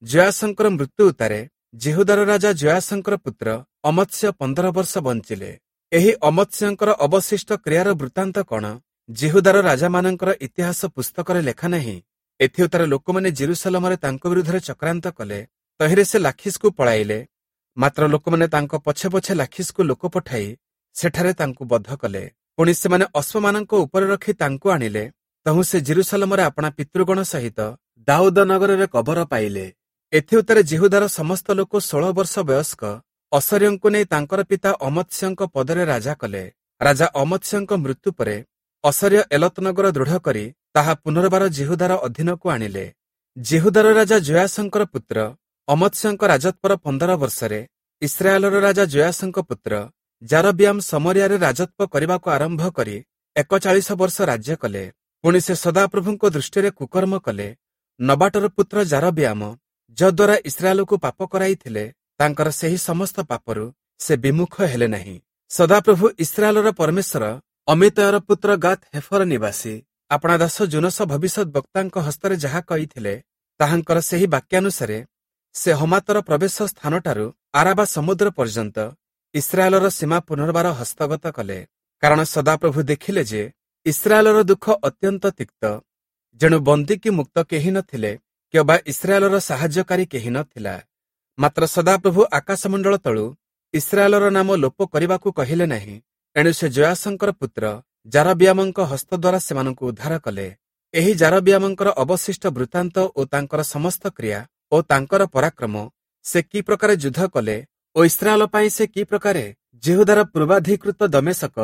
ଯୋୟାସଙ୍କର ମୃତ୍ୟୁ ଉତ୍ତାରେ ଯିହୁଦାର ରାଜା ଯୋୟାସଙ୍କର ପୁତ୍ର ଅମତ୍ସ୍ୟ 15 ବର୍ଷ ବଞ୍ଚିଲେ। ଏହି ଅମତ୍ସ୍ୟଙ୍କର ଅବଶିଷ୍ଟ କ୍ରିୟାର ବୃତ୍ତାନ୍ତ କଣ ଯିହୁଦାର ରାଜାମାନଙ୍କର ଇତିହାସ ପୁସ୍ତକରେ ଲେଖା ନାହିଁ? ଏଥିଉତ୍ତାରେ ଲୋକମାନେ ଜେରୁସାଲମରେ ତାଙ୍କ ବିରୁଦ୍ଧରେ ଚକ୍ରାନ୍ତ କଲେ। ତହିଁରେ ସେ ଲାଖିସକୁ ପଳାଇଲେ। ମାତ୍ର ଲୋକମାନେ ତାଙ୍କ ପଛେ ପଛେ ଲାଖିସକୁ ଲୋକ ପଠାଇ ସେଠାରେ ତାଙ୍କୁ ବଧ କଲେ। ପୁଣି ସେମାନେ ଅଶ୍ୱମାନଙ୍କ ଉପରେ ରଖି ତାଙ୍କୁ ଆଣିଲେ। ତହୁଁ ସେ ଜେରୁସାଲମରେ ଆପଣା ପିତୃଗଣ ସହିତ ଦାଉଦ ନଗରରେ କବର ପାଇଲେ। ଏଥିଉତ୍ତାରେ ଯିହୁଦାର ସମସ୍ତ ଲୋକ 16 ବର୍ଷ ବୟସ୍କ ଅସର୍ୟଙ୍କୁ ନେଇ ତାଙ୍କର ପିତା ଅମତ୍ସ୍ୟଙ୍କ ପଦରେ ରାଜା କଲେ। ରାଜା ଅମତ୍ସ୍ୟଙ୍କ ମୃତ୍ୟୁ ପରେ ଅସର୍ୟ ଏଲତ ନଗର ଦୃଢ଼ କରି ତାହା ପୁନର୍ବାର ଯିହୁଦାର ଅଧୀନକୁ ଆଣିଲେ। ଯିହୁଦାର ରାଜା ଯୋୟାସଙ୍କର ପୁତ୍ର ଅମତ୍ସ୍ୟଙ୍କ ରାଜତ୍ୱର 15 ବର୍ଷରେ ଇସ୍ରାଏଲର ରାଜା ଯୋୟାସଙ୍କ ପୁତ୍ର ଯାରବିୟାମ ସମରିଆରେ ରାଜତ୍ୱ କରିବାକୁ ଆରମ୍ଭ କରି 41 ବର୍ଷ ରାଜ୍ୟ କଲେ। ପୁଣି ସେ ସଦାପ୍ରଭୁଙ୍କ ଦୃଷ୍ଟିରେ କୁକର୍ମ କଲେ। ନବାଟର ପୁତ୍ର ଯାରବିୟାମ ଯଦ୍ୱାରା ଇସ୍ରାଏଲକୁ ପାପ କରାଇଥିଲେ, ତାଙ୍କର ସେହି ସମସ୍ତ ପାପରୁ ସେ ବିମୁଖ ହେଲେ ନାହିଁ। ସଦାପ୍ରଭୁ ଇସ୍ରାଏଲର ପରମେଶ୍ୱର ଅମିତୟର ପୁତ୍ର ଗାତ୍ ହେଫର ନିବାସୀ ଆପଣା ଦାସ ଯୂନସ ଭବିଷ୍ୟତ ବକ୍ତାଙ୍କ ହସ୍ତରେ ଯାହା କହିଥିଲେ, ତାହାଙ୍କର ସେହି ବାକ୍ୟାନୁସାରେ ସେ ହମାତର ପ୍ରବେଶ ସ୍ଥାନଠାରୁ ଆରାବା ସମୁଦ୍ର ପର୍ଯ୍ୟନ୍ତ ଇସ୍ରାଏଲର ସୀମା ପୁନର୍ବାର ହସ୍ତଗତ କଲେ। କାରଣ ସଦାପ୍ରଭୁ ଦେଖିଲେ ଯେ ଇସ୍ରାଏଲର ଦୁଃଖ ଅତ୍ୟନ୍ତ ତିକ୍ତ, ଯେଣୁ ବନ୍ଦୀ କି ମୁକ୍ତ କେହି ନଥିଲେ କିମ୍ବା ଇସ୍ରାଏଲର ସାହାଯ୍ୟକାରୀ କେହି ନଥିଲା। ମାତ୍ର ସଦାପ୍ରଭୁ ଆକାଶମଣ୍ଡଳ ତଳୁ ଇସ୍ରାଏଲର ନାମ ଲୋପ କରିବାକୁ କହିଲେ ନାହିଁ। ଏଣୁ ସେ ଯୋୟାସଙ୍କର ପୁତ୍ର ଯାରବିୟାମଙ୍କ ହସ୍ତ ଦ୍ୱାରା ସେମାନଙ୍କୁ ଉଦ୍ଧାର କଲେ। ଏହି ଯାରବିୟାମଙ୍କର ଅବଶିଷ୍ଟ ବୃତ୍ତାନ୍ତ ଓ ତାଙ୍କର ସମସ୍ତ କ୍ରିୟା ଓ ତାଙ୍କର ପରାକ୍ରମ, ସେ କି ପ୍ରକାରେ ଯୁଦ୍ଧ କଲେ ଓ ଇସ୍ରାଏଲ ପାଇଁ ସେ କି ପ୍ରକାରେ ଯିହୁଦାର ପୂର୍ବାଧିକୃତ ଦମେଶକ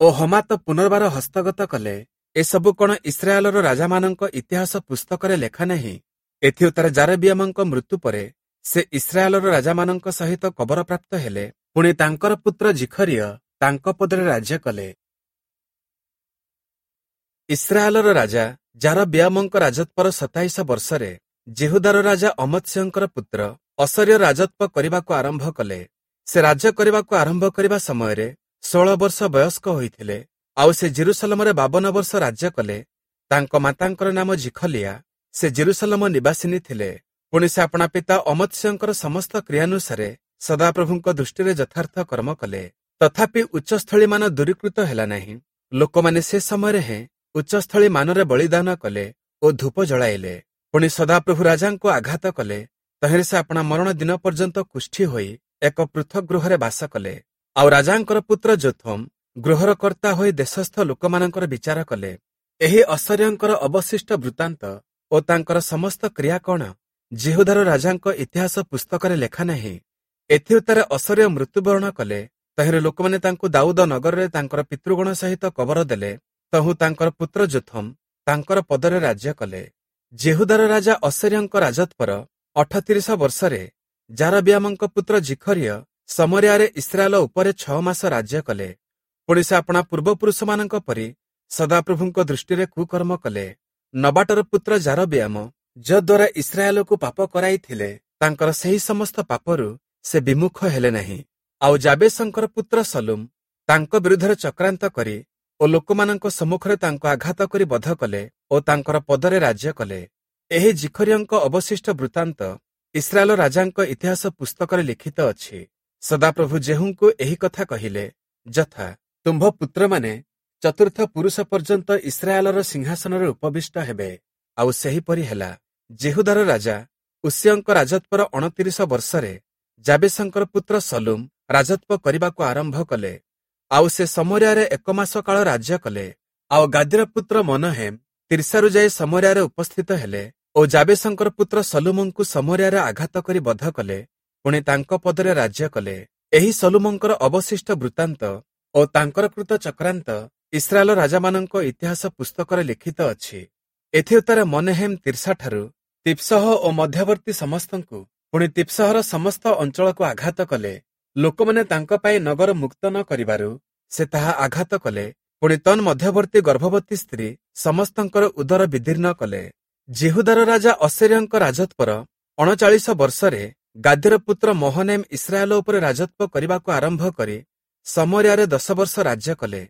ଓ ହମାତ ପୁନର୍ବାର ହସ୍ତଗତ କଲେ, ଏସବୁ କଣ ଇସ୍ରାଏଲର ରାଜାମାନଙ୍କ ଇତିହାସ ପୁସ୍ତକରେ ଲେଖା ନାହିଁ? ଏଥିଉତ୍ତାରେ ଯାରବିୟାମଙ୍କ ମୃତ୍ୟୁ ପରେ ସେ ଇସ୍ରାଏଲର ରାଜାମାନଙ୍କ ସହିତ କବରପ୍ରାପ୍ତ ହେଲେ। ପୁଣି ତାଙ୍କର ପୁତ୍ର ଜିଖରିୟ ତାଙ୍କ ପଦରେ ରାଜ୍ୟ କଲେ। ଇସ୍ରାଏଲର ରାଜା ଯାରବିୟାମଙ୍କ ରାଜତ୍ୱର 27 ବର୍ଷରେ ଯିହୁଦାର ରାଜା ଅମତ୍ସ୍ୟଙ୍କର ପୁତ୍ର ଅସର୍ୟ ରାଜତ୍ୱ କରିବାକୁ ଆରମ୍ଭ କଲେ। ସେ ରାଜ୍ୟ କରିବାକୁ ଆରମ୍ଭ କରିବା ସମୟରେ 16 ବର୍ଷ ବୟସ୍କ ହୋଇଥିଲେ, ଆଉ ସେ ଜେରୁସାଲମରେ 52 ବର୍ଷ ରାଜ୍ୟ କଲେ। ତାଙ୍କ ମାତାଙ୍କର ନାମ ଜିଖଲିଆ, ସେ ଜେରୁସାଲମ ନିବାସିନୀ ଥିଲେ। ପୁଣି ସେ ଆପଣା ପିତା ଅମତ୍ସ୍ୟଙ୍କର ସମସ୍ତ କ୍ରିୟାନୁସାରେ ସଦାପ୍ରଭୁଙ୍କ ଦୃଷ୍ଟିରେ ଯଥାର୍ଥ କର୍ମ କଲେ। ତଥାପି ଉଚ୍ଚସ୍ଥଳୀମାନ ଦୂରୀକୃତ ହେଲା ନାହିଁ। ଲୋକମାନେ ସେ ସମୟରେ ହେଁ ଉଚ୍ଚସ୍ଥଳୀ ମାନରେ ବଳିଦାନ କଲେ ଓ ଧୂପ ଜଳାଇଲେ। ପୁଣି ସଦାପ୍ରଭୁ ରାଜାଙ୍କୁ ଆଘାତ କଲେ, ତହିଁରେ ସେ ଆପଣା ମରଣ ଦିନ ପର୍ଯ୍ୟନ୍ତ କୁଷ୍ଠି ହୋଇ ଏକ ପୃଥକ ଗୃହରେ ବାସ କଲେ। ଆଉ ରାଜାଙ୍କର ପୁତ୍ର ଯୋଥମ ଗୃହର କର୍ତ୍ତା ହୋଇ ଦେଶସ୍ଥ ଲୋକମାନଙ୍କର ବିଚାର କଲେ। ଏହି ଅସର୍ୟଙ୍କର ଅବଶିଷ୍ଟ ବୃତ୍ତାନ୍ତ ଓ ତାଙ୍କର ସମସ୍ତ କ୍ରିୟା କଣ ଯିହୁଦାର ରାଜାଙ୍କ ଇତିହାସ ପୁସ୍ତକରେ ଲେଖା ନାହିଁ? ଏଥିଉତ୍ତାରେ ଅସର୍ୟ ମୃତ୍ୟୁବରଣ କଲେ। ତହିଁରେ ଲୋକମାନେ ତାଙ୍କୁ ଦାଉଦ ନଗରରେ ତାଙ୍କର ପିତୃଗଣ ସହିତ କବର ଦେଲେ। ତହୁଁ ତାଙ୍କର ପୁତ୍ର ଯୋଥମ ତାଙ୍କର ପଦରେ ରାଜ୍ୟ କଲେ। ଯିହୁଦାର ରାଜା ଅସର୍ୟଙ୍କ ରାଜତ୍ୱର 38 ବର୍ଷରେ ଯାରବିୟାମଙ୍କ ପୁତ୍ର ଜିଖରିୟ ସମରିଆରେ ଇସ୍ରାଏଲ ଉପରେ 6 ମାସ ରାଜ୍ୟ କଲେ। ପୁଣି ସେ ଆପଣା ପୂର୍ବପୁରୁଷମାନଙ୍କ ପରି ସଦାପ୍ରଭୁଙ୍କ ଦୃଷ୍ଟିରେ କୁକର୍ମ କଲେ। ନବାଟର ପୁତ୍ର ଯାରବିୟାମ ଯଦ୍ୱାରା ଇସ୍ରାଏଲକୁ ପାପ କରାଇଥିଲେ, ତାଙ୍କର ସେହି ସମସ୍ତ ପାପରୁ ସେ ବିମୁଖ ହେଲେ ନାହିଁ। ଆଉ ଯାବେଶଙ୍କର ପୁତ୍ର ସଲୁମ ତାଙ୍କ ବିରୁଦ୍ଧରେ ଚକ୍ରାନ୍ତ କରି ଓ ଲୋକମାନଙ୍କ ସମ୍ମୁଖରେ ତାଙ୍କୁ ଆଘାତ କରି ବଧ କଲେ ଓ ତାଙ୍କର ପଦରେ ରାଜ୍ୟ କଲେ। ଏହି ଜିଖରିୟଙ୍କ ଅବଶିଷ୍ଟ ବୃତ୍ତାନ୍ତ ଇସ୍ରାଏଲ ରାଜାଙ୍କ ଇତିହାସ ପୁସ୍ତକରେ ଲିଖିତ ଅଛି। ସଦାପ୍ରଭୁ ଯେହୂଙ୍କୁ ଏହି କଥା କହିଲେ, ଯଥା ତୁମ୍ଭ ପୁତ୍ରମାନେ ଚତୁର୍ଥ ପୁରୁଷ ପର୍ଯ୍ୟନ୍ତ ଇସ୍ରାଏଲର ସିଂହାସନରେ ଉପବିଷ୍ଟ ହେବେ। ଆଉ ସେହିପରି ହେଲା। ଯିହୁଦାର ରାଜା ଉସିୟଙ୍କ ରାଜତ୍ୱର 29 ବର୍ଷରେ ଯାବେଶଙ୍କର ପୁତ୍ର ସଲୁମ ରାଜତ୍ୱ କରିବାକୁ ଆରମ୍ଭ କଲେ। ଆଉ ସେ ସମରିଆରେ 1 ମାସ କାଳ ରାଜ୍ୟ କଲେ। ଆଉ ଗାଦିର ପୁତ୍ର ମନହେମ ତିର୍ସାରୁ ଯାଇ ସମରିଆରେ ଉପସ୍ଥିତ ହେଲେ ଓ ଯାବେଶଙ୍କର ପୁତ୍ର ସଲୁମଙ୍କୁ ସମରିଆରେ ଆଘାତ କରି ବଧ କଲେ, ପୁଣି ତାଙ୍କ ପଦରେ ରାଜ୍ୟ କଲେ। ଏହି ସଲୁମଙ୍କର ଅବଶିଷ୍ଟ ବୃତ୍ତାନ୍ତ ଓ ତାଙ୍କର କୃତ ଚକ୍ରାନ୍ତ ଇସ୍ରାଏଲ ରାଜାମାନଙ୍କ ଇତିହାସ ପୁସ୍ତକରେ ଲିଖିତ ଅଛି। ଏଥିଉତ୍ତାରେ ମନହେମ ତିର୍ସାଠାରୁ ତିପ୍ସହ ଓ ମଧ୍ୟବର୍ତ୍ତୀ ସମସ୍ତଙ୍କୁ, ପୁଣି ତିପ୍ସହର ସମସ୍ତ ଅଞ୍ଚଳକୁ ଆଘାତ କଲେ। ଲୋକମାନେ ତାଙ୍କ ପାଇଁ ନଗର ମୁକ୍ତ ନ କରିବାରୁ ସେ ତାହା ଆଘାତ କଲେ। ପୁଣି ତନ୍ ମଧ୍ୟବର୍ତ୍ତୀ ଗର୍ଭବତୀ ସ୍ତ୍ରୀ ସମସ୍ତଙ୍କର ଉଦର ବିଦୀର୍ଣ୍ଣ କଲେ। ଯିହୁଦାର ରାଜା ଅସର୍ୟଙ୍କ ରାଜତ୍ୱର 39 ବର୍ଷରେ ଗାଦିର ପୁତ୍ର ମହନେମ ଇସ୍ରାଏଲ ଉପରେ ରାଜତ୍ୱ କରିବାକୁ ଆରମ୍ଭ କରି ସମରିଆରେ 10 ବର୍ଷ ରାଜ୍ୟ କଲେ।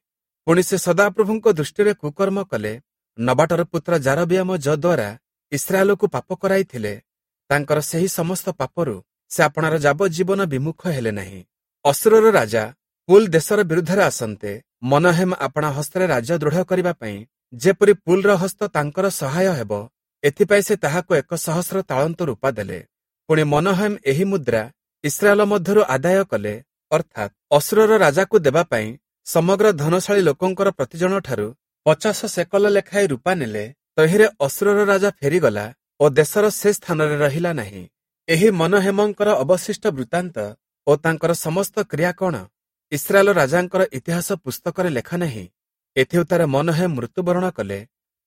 ପୁଣି ସେ ସଦାପ୍ରଭୁଙ୍କ ଦୃଷ୍ଟିରେ କୁକର୍ମ କଲେ। ନବାଟର ପୁତ୍ର ଯାରବିୟାମ ଯଦ୍ୱାରା ଇସ୍ରାଏଲକୁ ପାପ କରାଇଥିଲେ, ତାଙ୍କର ସେହି ସମସ୍ତ ପାପରୁ ସେ ଆପଣାର ଯାବଜ୍ଜୀବନ ବିମୁଖ ହେଲେ ନାହିଁ। ଅସୁରର ରାଜା ପୁଲ ଦେଶର ବିରୁଦ୍ଧରେ ଆସନ୍ତେ ମନହେମ ଆପଣା ହସ୍ତରେ ରାଜ୍ୟ ଦୃଢ଼ କରିବା ପାଇଁ ଯେପରି ପୁଲର ହସ୍ତ ତାଙ୍କର ସହାୟ ହେବ, ଏଥିପାଇଁ ସେ ତାହାକୁ 1000 ତାଳନ୍ତ ରୂପା ଦେଲେ। ପୁଣି ମନହେମ ଏହି ମୁଦ୍ରା ଇସ୍ରାଏଲ ମଧ୍ୟରୁ ଆଦାୟ କଲେ, ଅର୍ଥାତ୍ ଅସୁରର ରାଜାକୁ ଦେବା ପାଇଁ ସମଗ୍ର ଧନଶାଳୀ ଲୋକଙ୍କର ପ୍ରତିଜଣଠାରୁ 50 ସେକଲ ଲେଖାଏଁ ରୂପା ନେଲେ। ତହିଁରେ ଅସୁରର ରାଜା ଫେରିଗଲା ଓ ଦେଶର ସେ ସ୍ଥାନରେ ରହିଲା ନାହିଁ। ଏହି ମନହେମଙ୍କର ଅବଶିଷ୍ଟ ବୃତ୍ତାନ୍ତ ଓ ତାଙ୍କର ସମସ୍ତ କ୍ରିୟା କଣ ଇସ୍ରାଏଲ ରାଜାଙ୍କର ଇତିହାସ ପୁସ୍ତକରେ ଲେଖା ନାହିଁ? ଏଥିଉତ୍ତାରେ ମନହେମ ମୃତ୍ୟୁବରଣ କଲେ।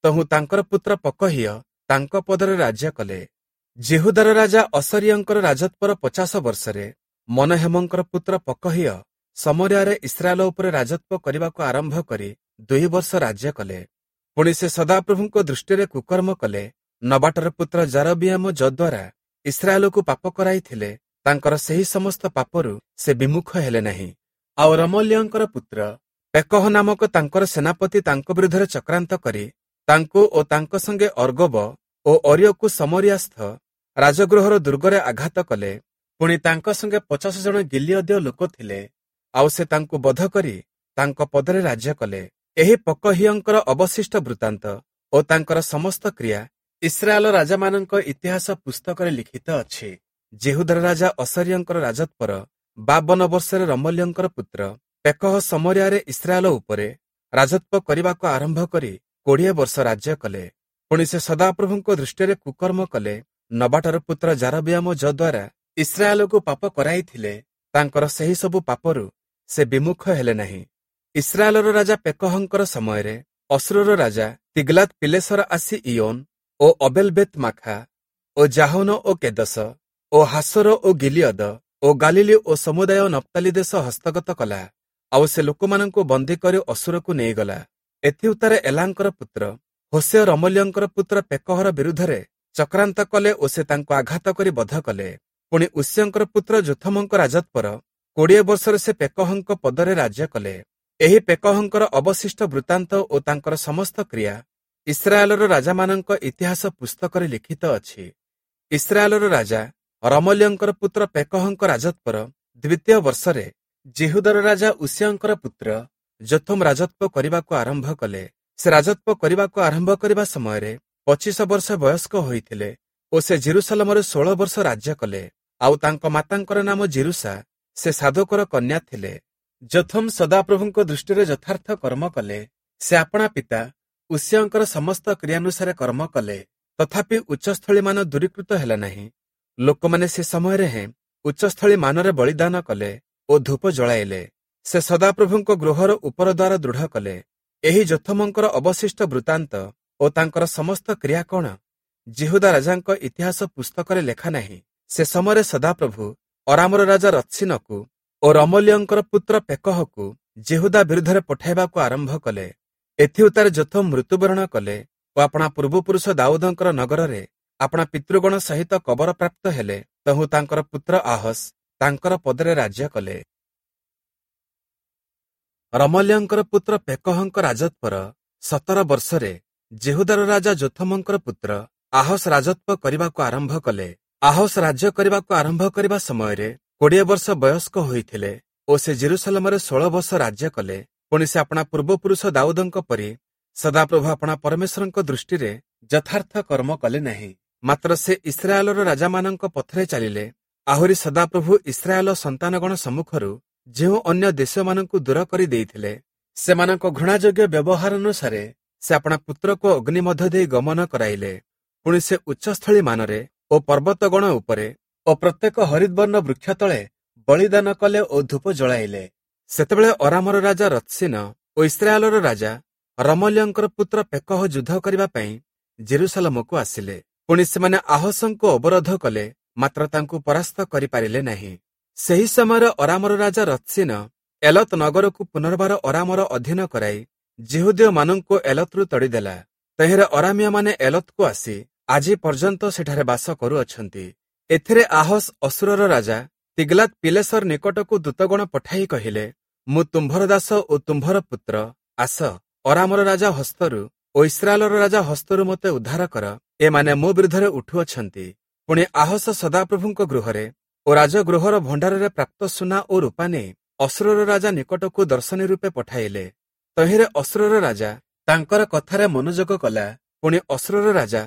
ତହୁଁ ତାଙ୍କର ପୁତ୍ର ପକହିୟ ତାଙ୍କ ପଦରେ ରାଜ୍ୟ କଲେ। ଯିହୁଦାର ରାଜା ଅସର୍ୟଙ୍କର ରାଜତ୍ୱର 50 ବର୍ଷରେ ମନହେମଙ୍କର ପୁତ୍ର ପକହିୟ ସମରିଆରେ ଇସ୍ରାଏଲ ଉପରେ ରାଜତ୍ୱ କରିବାକୁ ଆରମ୍ଭ କରି 2 ବର୍ଷ ରାଜ୍ୟ କଲେ। ପୁଣି ସେ ସଦାପ୍ରଭୁଙ୍କ ଦୃଷ୍ଟିରେ କୁକର୍ମ କଲେ। ନବାଟର ପୁତ୍ର ଯାରବିୟାମ ଯଦ୍ୱାରା ଇସ୍ରାଏଲକୁ ପାପ କରାଇଥିଲେ, ତାଙ୍କର ସେହି ସମସ୍ତ ପାପରୁ ସେ ବିମୁଖ ହେଲେ ନାହିଁ। ଆଉ ରମଲ୍ୟଙ୍କର ପୁତ୍ର ପେକହ ନାମକ ତାଙ୍କର ସେନାପତି ତାଙ୍କ ବିରୁଦ୍ଧରେ ଚକ୍ରାନ୍ତ କରି ତାଙ୍କୁ ଓ ତାଙ୍କ ସଙ୍ଗେ ଅର୍ଗବ ଓ ଅରିୟକୁ ସମରିଆସ୍ଥ ରାଜଗୃହର ଦୁର୍ଗରେ ଆଘାତ କଲେ। ପୁଣି ତାଙ୍କ ସଙ୍ଗେ 50 ଜଣ ଗିଲିୟଦୀୟ ଲୋକ ଥିଲେ, ଆଉ ସେ ତାଙ୍କୁ ବଧ କରି ତାଙ୍କ ପଦରେ ରାଜ୍ୟ କଲେ। ଏହି ପକହିୟଙ୍କର ଅବଶିଷ୍ଟ ବୃତ୍ତାନ୍ତ ଓ ତାଙ୍କର ସମସ୍ତ କ୍ରିୟା ଇସ୍ରାଏଲ ରାଜାମାନଙ୍କ ଇତିହାସ ପୁସ୍ତକରେ ଲିଖିତ ଅଛି। ଯିହୁଦାର ରାଜା ଅସର୍ୟଙ୍କର ରାଜତ୍ୱର 52 ବର୍ଷରେ ରମଲ୍ୟଙ୍କର ପୁତ୍ର ପେକହ ସମରିଆରେ ଇସ୍ରାଏଲ ଉପରେ ରାଜତ୍ୱ କରିବାକୁ ଆରମ୍ଭ କରି 20 ବର୍ଷ ରାଜ୍ୟ କଲେ। ପୁଣି ସେ ସଦାପ୍ରଭୁଙ୍କ ଦୃଷ୍ଟିରେ କୁକର୍ମ କଲେ। ନବାଟର ପୁତ୍ର ଯାରବିୟାମ ଯଦ୍ୱାରା ଇସ୍ରାଏଲକୁ ପାପ କରାଇଥିଲେ, ତାଙ୍କର ସେହି ସବୁ ପାପରୁ ସେ ବିମୁଖ ହେଲେ ନାହିଁ। ଇସ୍ରାଏଲର ରାଜା ପେକହଙ୍କର ସମୟରେ ଅସୁରର ରାଜା ତିଗ୍ଲାତ୍ ପିଲେସର ଆସି ଇୟୋନ ଓ ଅବେଲବେତ ମାଖା ଓ ଜାହନ ଓ କେଦସ ଓ ହାସର ଓ ଗିଲିୟଦ ଓ ଗାଲିଲି ଓ ସମୁଦାୟ ନପ୍ତାଲି ଦେଶ ହସ୍ତଗତ କଲା। ଆଉ ସେ ଲୋକମାନଙ୍କୁ ବନ୍ଦୀ କରି ଅସୁରକୁ ନେଇଗଲା। ଏଥିଉତ୍ତାରେ ଏଲାଙ୍କର ପୁତ୍ର ହୋସେୟ ରମଲ୍ୟଙ୍କର ପୁତ୍ର ପେକହର ବିରୁଦ୍ଧରେ ଚକ୍ରାନ୍ତ କଲେ ଓ ସେ ତାଙ୍କୁ ଆଘାତ କରି ବଧ କଲେ। ପୁଣି ଉସିୟଙ୍କର ପୁତ୍ର ଯୋଥମଙ୍କ ରାଜତ୍ୱର 20 ବର୍ଷରେ ସେ ପେକହଙ୍କ ପଦରେ ରାଜ୍ୟ କଲେ। ଏହି ପେକହଙ୍କର ଅବଶିଷ୍ଟ ବୃତ୍ତାନ୍ତ ଓ ତାଙ୍କର ସମସ୍ତ କ୍ରିୟା ଇସ୍ରାଏଲର ରାଜାମାନଙ୍କ ଇତିହାସ ପୁସ୍ତକରେ ଲିଖିତ ଅଛି। ଇସ୍ରାଏଲର ରାଜା ରମଲ୍ୟଙ୍କର ପୁତ୍ର ପେକହଙ୍କ ରାଜତ୍ୱର ଦ୍ୱିତୀୟ ବର୍ଷରେ ଯିହୁଦାର ରାଜା ଉଷିୟଙ୍କର ପୁତ୍ର ଯୋଥମ ରାଜତ୍ୱ କରିବାକୁ ଆରମ୍ଭ କଲେ। ସେ ରାଜତ୍ୱ କରିବାକୁ ଆରମ୍ଭ କରିବା ସମୟରେ 25 ବର୍ଷ ବୟସ୍କ ହୋଇଥିଲେ ଓ ସେ ଜେରୁସାଲମରେ 16 ବର୍ଷ ରାଜ୍ୟ କଲେ। ଆଉ ତାଙ୍କ ମାତାଙ୍କର ନାମ ଜିରୁସା, ସେ ସାଦୋକର କନ୍ୟା ଥିଲେ। ଯୋଥମ ସଦାପ୍ରଭୁଙ୍କ ଦୃଷ୍ଟିରେ ଯଥାର୍ଥ କର୍ମ କଲେ। ସେ ଆପଣା ପିତା ଉଷିୟଙ୍କର ସମସ୍ତ କ୍ରିୟାନୁସାରେ କର୍ମ କଲେ। ତଥାପି ଉଚ୍ଚସ୍ଥଳୀମାନ ଦୂରୀକୃତ ହେଲା ନାହିଁ। ଲୋକମାନେ ସେ ସମୟରେ ହେଁ ଉଚ୍ଚସ୍ଥଳୀ ମାନରେ ବଳିଦାନ କଲେ ଓ ଧୂପ ଜଳାଇଲେ। ସେ ସଦାପ୍ରଭୁଙ୍କ ଗୃହର ଉପର ଦ୍ୱାର ଦୃଢ଼ କଲେ। ଏହି ଯୋଥମଙ୍କର ଅବଶିଷ୍ଟ ବୃତ୍ତାନ୍ତ ଓ ତାଙ୍କର ସମସ୍ତ କ୍ରିୟା କଣ ଯିହୁଦା ରାଜାଙ୍କ ଇତିହାସ ପୁସ୍ତକରେ ଲେଖା ନାହିଁ? ସେ ସମୟରେ ସଦାପ୍ରଭୁ ଅରାମର ରାଜା ରତ୍ସିନକୁ ଓ ରମଲ୍ୟଙ୍କର ପୁତ୍ର ପେକହକୁ ଯିହୁଦା ବିରୁଦ୍ଧରେ ପଠାଇବାକୁ ଆରମ୍ଭ କଲେ। ଏଥିଉତ୍ତାରେ ଯୋଥମ ମୃତ୍ୟୁବରଣ କଲେ ଓ ଆପଣା ପୂର୍ବପୁରୁଷ ଦାଉଦଙ୍କର ନଗରରେ ଆପଣା ପିତୃଗଣ ସହିତ କବର ପ୍ରାପ୍ତ ହେଲେ। ତହୁଁ ତାଙ୍କର ପୁତ୍ର ଆହସ ତାଙ୍କର ପଦରେ ରାଜ୍ୟ କଲେ। ରମଲ୍ୟଙ୍କର ପୁତ୍ର ପେକହଙ୍କ ରାଜତ୍ୱର 17 ବର୍ଷରେ ଯିହୁଦାର ରାଜା ଯୋଥମଙ୍କର ପୁତ୍ର ଆହସ ରାଜତ୍ୱ କରିବାକୁ ଆରମ୍ଭ କଲେ। ଆହସ ରାଜ୍ୟ କରିବାକୁ ଆରମ୍ଭ କରିବା ସମୟରେ 20 ବର୍ଷ ବୟସ୍କ ହୋଇଥିଲେ ଓ ସେ ଜେରୁସାଲମରେ 16 ବର୍ଷ ରାଜ୍ୟ କଲେ। ପୁଣି ସେ ଆପଣା ପୂର୍ବପୁରୁଷ ଦାଉଦଙ୍କ ପରି ସଦାପ୍ରଭୁ ଆପଣା ପରମେଶ୍ୱରଙ୍କ ଦୃଷ୍ଟିରେ ଯଥାର୍ଥ କର୍ମ କଲେ ନାହିଁ, ମାତ୍ର ସେ ଇସ୍ରାଏଲର ରାଜାମାନଙ୍କ ପଥରେ ଚାଲିଲେ। ଆହୁରି ସଦାପ୍ରଭୁ ଇସ୍ରାଏଲ ସନ୍ତାନଗଣ ସମ୍ମୁଖରୁ ଯେଉଁ ଅନ୍ୟ ଦେଶମାନଙ୍କୁ ଦୂର କରି ଦେଇଥିଲେ, ସେମାନଙ୍କ ଘୃଣାଯୋଗ୍ୟ ବ୍ୟବହାର ଅନୁସାରେ ସେ ଆପଣା ପୁତ୍ରକୁ ଅଗ୍ନି ମଧ୍ୟ ଦେଇ ଗମନ କରାଇଲେ। ପୁଣି ସେ ଉଚ୍ଚସ୍ଥଳୀ ମାନରେ ଓ ପର୍ବତଗଣ ଉପରେ ଓ ପ୍ରତ୍ୟେକ ହରିଦ୍ବର୍ଣ୍ଣ ବୃକ୍ଷ ତଳେ ବଳିଦାନ କଲେ ଓ ଧୂପ ଜଳାଇଲେ। ସେତେବେଳେ ଅରାମର ରାଜା ରତ୍ସିନ ଓ ଇସ୍ରାଏଲର ରାଜା ରମଲ୍ୟଙ୍କର ପୁତ୍ର ପେକହ ଯୁଦ୍ଧ କରିବା ପାଇଁ ଜେରୁସାଲମକୁ ଆସିଲେ। ପୁଣି ସେମାନେ ଆହସଙ୍କୁ ଅବରୋଧ କଲେ, ମାତ୍ର ତାଙ୍କୁ ପରାସ୍ତ କରିପାରିଲେ ନାହିଁ। ସେହି ସମୟରେ ଅରାମର ରାଜା ରତ୍ସିନ ଏଲତ ନଗରକୁ ପୁନର୍ବାର ଅରାମର ଅଧୀନ କରାଇ ଯିହୁଦୀୟମାନଙ୍କୁ ଏଲତରୁ ତଡ଼ିଦେଲା। ତହିଁରେ ଅରାମିୟମାନେ ଏଲତକୁ ଆସି ଆଜି ପର୍ଯ୍ୟନ୍ତ ସେଠାରେ ବାସ କରୁଅଛନ୍ତି। ଏଥିରେ ଆହସ ଅଶୂରର ରାଜା ତିଗ୍ଲାତ୍ ପିଲେସର ନିକଟକୁ ଦୂତଗଣ ପଠାଇ କହିଲେ, ମୁଁ ତୁମ୍ଭର ଦାସ ଓ ତୁମ୍ଭର ପୁତ୍ର, ଆସ, ଅରାମର ରାଜା ହସ୍ତରୁ ଓ ଇସ୍ରାଏଲର ରାଜା ହସ୍ତରୁ ମୋତେ ଉଦ୍ଧାର କର, ଏମାନେ ମୋ ବିରୁଦ୍ଧରେ ଉଠୁଅଛନ୍ତି। ପୁଣି ଆହସ ସଦାପ୍ରଭୁଙ୍କ ଗୃହରେ ଓ ରାଜଗୃହର ଭଣ୍ଡାରରେ ପ୍ରାପ୍ତ ସୁନା ଓ ରୂପା ନେଇ ଅଶୂରର ରାଜା ନିକଟକୁ ଦର୍ଶନୀ ରୂପେ ପଠାଇଲେ। ତହିଁରେ ଅଶୂରର ରାଜା ତାଙ୍କର କଥାରେ ମନୋଯୋଗ କଲା। ପୁଣି ଅଶୂରର ରାଜା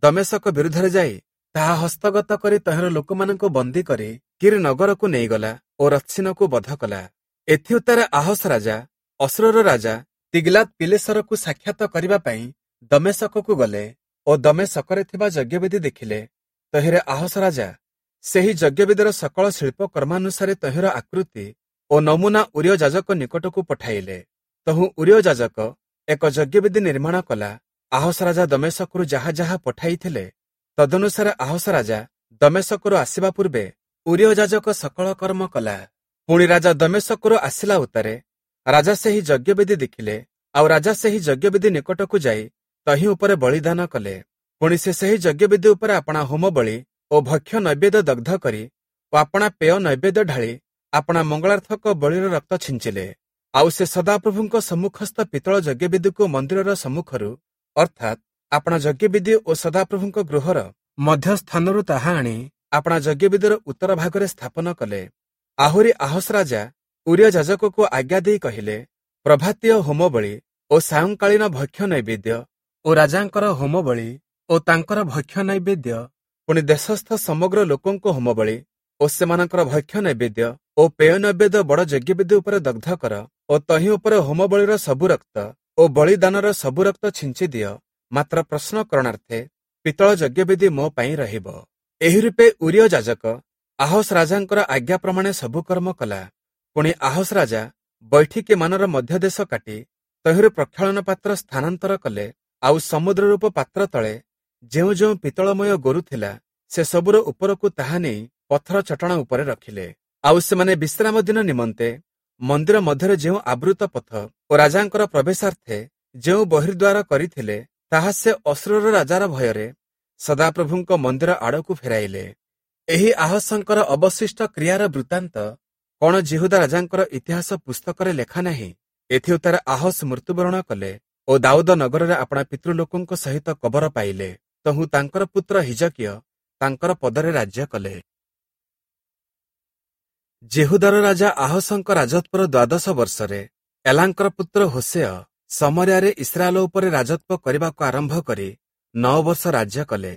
ଦମେଶକ ବିରୁଦ୍ଧରେ ଯାଇ ତାହା ହସ୍ତଗତ କରି ତହିଁର ଲୋକମାନଙ୍କୁ ବନ୍ଦୀ କରି କୀର୍ ନଗରକୁ ନେଇଗଲା ଓ ରତ୍ସିନକୁ ବଧ କଲା। ଏଥିଉତ୍ତାରେ ଆହସ ରାଜା ଅଶୂରର ରାଜା ତିଗ୍ଲାତ୍ ପିଲେସରକୁ ସାକ୍ଷାତ କରିବା ପାଇଁ ଦମେଶକକୁ ଗଲେ ଓ ଦମେଶକରେ ଥିବା ଯଜ୍ଞବେଦୀ ଦେଖିଲେ। ତହିଁରେ ଆହସ ରାଜା ସେହି ଯଜ୍ଞବେଦୀର ସକଳ ଶିଳ୍ପ କର୍ମାନୁସାରେ ତହିଁର ଆକୃତି ଓ ନମୁନା ଉରିୟ ଯାଜକ ନିକଟକୁ ପଠାଇଲେ। ତହୁଁ ଉରିୟ ଯାଜକ ଏକ ଯଜ୍ଞବେଦୀ ନିର୍ମାଣ କଲା। ଆହସ ରାଜା ଦମେଶକରୁ ଯାହା ଯାହା ପଠାଇଥିଲେ ତଦନୁସାରେ ଆହସ ରାଜା ଦମେଶକରୁ ଆସିବା ପୂର୍ବେ ଉରିୟ ଯାଜକ ସକଳ କର୍ମ କଲା। ପୁଣି ରାଜା ଦମେଶକରୁ ଆସିଲା ଉତ୍ତାରେ ରାଜା ସେହି ଯଜ୍ଞବେଦୀ ଦେଖିଲେ, ଆଉ ରାଜା ସେହି ଯଜ୍ଞବେଦୀ ନିକଟକୁ ଯାଇ ତହିଁ ଉପରେ ବଳିଦାନ କଲେ। ପୁଣି ସେ ସେହି ଯଜ୍ଞବେଦୀ ଉପରେ ଆପଣା ହୋମ ବଳି ଓ ଭକ୍ଷ୍ୟ ନୈବେଦ୍ୟ ଦଗ୍ଧ କରି ଓ ଆପଣା ପେୟ ନୈବେଦ୍ୟ ଢାଳି ଆପଣା ମଙ୍ଗଳାର୍ଥକ ବଳିର ରକ୍ତ ଛିଞ୍ଚିଲେ। ଆଉ ସେ ସଦାପ୍ରଭୁଙ୍କ ସମ୍ମୁଖସ୍ଥ ପିତ୍ତଳ ଯଜ୍ଞବେଦୀକୁ ମନ୍ଦିରର ସମ୍ମୁଖରୁ, ଅର୍ଥାତ୍ ଆପଣା ଯଜ୍ଞବେଦୀ ଓ ସଦାପ୍ରଭୁଙ୍କ ଗୃହର ମଧ୍ୟସ୍ଥାନରୁ ତାହା ଆଣି ଆପଣା ଯଜ୍ଞବେଦୀର ଉତ୍ତର ଭାଗରେ ସ୍ଥାପନ କଲେ। ଆହୁରି ଆହସ ରାଜା ଉରିୟ ଯାଜକକୁ ଆଜ୍ଞା ଦେଇ କହିଲେ, ପ୍ରଭାତୀୟ ହୋମବଳି ଓ ସାୟଂକାଳୀନ ଭକ୍ଷ୍ୟ ନୈବେଦ୍ୟ ଓ ରାଜାଙ୍କର ହୋମବଳି ଓ ତାଙ୍କର ଭକ୍ଷ୍ୟ ନୈବେଦ୍ୟ, ପୁଣି ଦେଶସ୍ଥ ସମଗ୍ର ଲୋକଙ୍କ ହୋମବଳି ଓ ସେମାନଙ୍କର ଭକ୍ଷ୍ୟ ନୈବେଦ୍ୟ ଓ ପେୟ ନୈବେଦ୍ୟ ବଡ଼ ଯଜ୍ଞବେଦୀ ଉପରେ ଦଗ୍ଧ କର ଓ ତହିଁ ଉପରେ ହୋମବଳିର ସବୁ ରକ୍ତ ଓ ବଳିଦାନର ସବୁ ରକ୍ତ ଛିଞ୍ଚି ଦିଅ, ମାତ୍ର ପ୍ରଶ୍ନ କରଣାର୍ଥେ ପିତ୍ତଳ ଯଜ୍ଞବେଦୀ ମୋ ପାଇଁ ରହିବ। ଏହି ରୂପେ ଉରିୟ ଯାଜକ ଆହସ ରାଜାଙ୍କର ଆଜ୍ଞା ପ୍ରମାଣେ ସବୁ କର୍ମ କଲା। ପୁଣି ଆହସ ରାଜା ବୈଠିକୀ ମାନର ମଧ୍ୟଦେଶ କାଟି ତହିଁରୁ ପ୍ରକ୍ଷାଳନ ପାତ୍ର ସ୍ଥାନାନ୍ତର କଲେ। ଆଉ ସମୁଦ୍ର ରୂପ ପାତ୍ର ତଳେ ଯେଉଁ ଯେଉଁ ପିତ୍ତଳମୟ ଗୋରୁ ଥିଲା ସେ ସବୁର ଉପରକୁ ତାହା ନେଇ ପଥର ଚଟାଣ ଉପରେ ରଖିଲେ। ଆଉ ସେମାନେ ବିଶ୍ରାମ ଦିନ ନିମନ୍ତେ ମନ୍ଦିର ମଧ୍ୟରେ ଯେଉଁ ଆବୃତ ପଥ ଓ ରାଜାଙ୍କର ପ୍ରବେଶାର୍ଥେ ଯେଉଁ ବହିର୍ଦ୍ୱାର କରିଥିଲେ ତାହା ସେ ଅଶୂରର ରାଜାର ଭୟରେ ସଦାପ୍ରଭୁଙ୍କ ମନ୍ଦିର ଆଡ଼କୁ ଫେରାଇଲେ। ଏହି ଆହସଙ୍କର ଅବଶିଷ୍ଟ କ୍ରିୟାର ବୃତ୍ତାନ୍ତ କ'ଣ ଯିହୁଦା ରାଜାଙ୍କର ଇତିହାସ ପୁସ୍ତକରେ ଲେଖା ନାହିଁ? ଏଥିଉତ୍ତାରେ ଆହସ ମୃତ୍ୟୁବରଣ କଲେ ଓ ଦାଉଦ ନଗରରେ ଆପଣା ପିତୃଲୋକଙ୍କ ସହିତ କବର ପାଇଲେ। ତହୁଁ ତାଙ୍କର ପୁତ୍ର ହିଜକିୟ ତାଙ୍କର ପଦରେ ରାଜ୍ୟ କଲେ। ଯିହୁଦାର ରାଜା ଆହସଙ୍କ ରାଜତ୍ୱର ଦ୍ୱାଦଶ ବର୍ଷରେ ଏଲାଙ୍କର ପୁତ୍ର ହୋଶେୟ ଶମରିୟାରେ ଇସ୍ରାଏଲ ଉପରେ ରାଜତ୍ୱ କରିବାକୁ ଆରମ୍ଭ କରି 9 ବର୍ଷ ରାଜ୍ୟ କଲେ।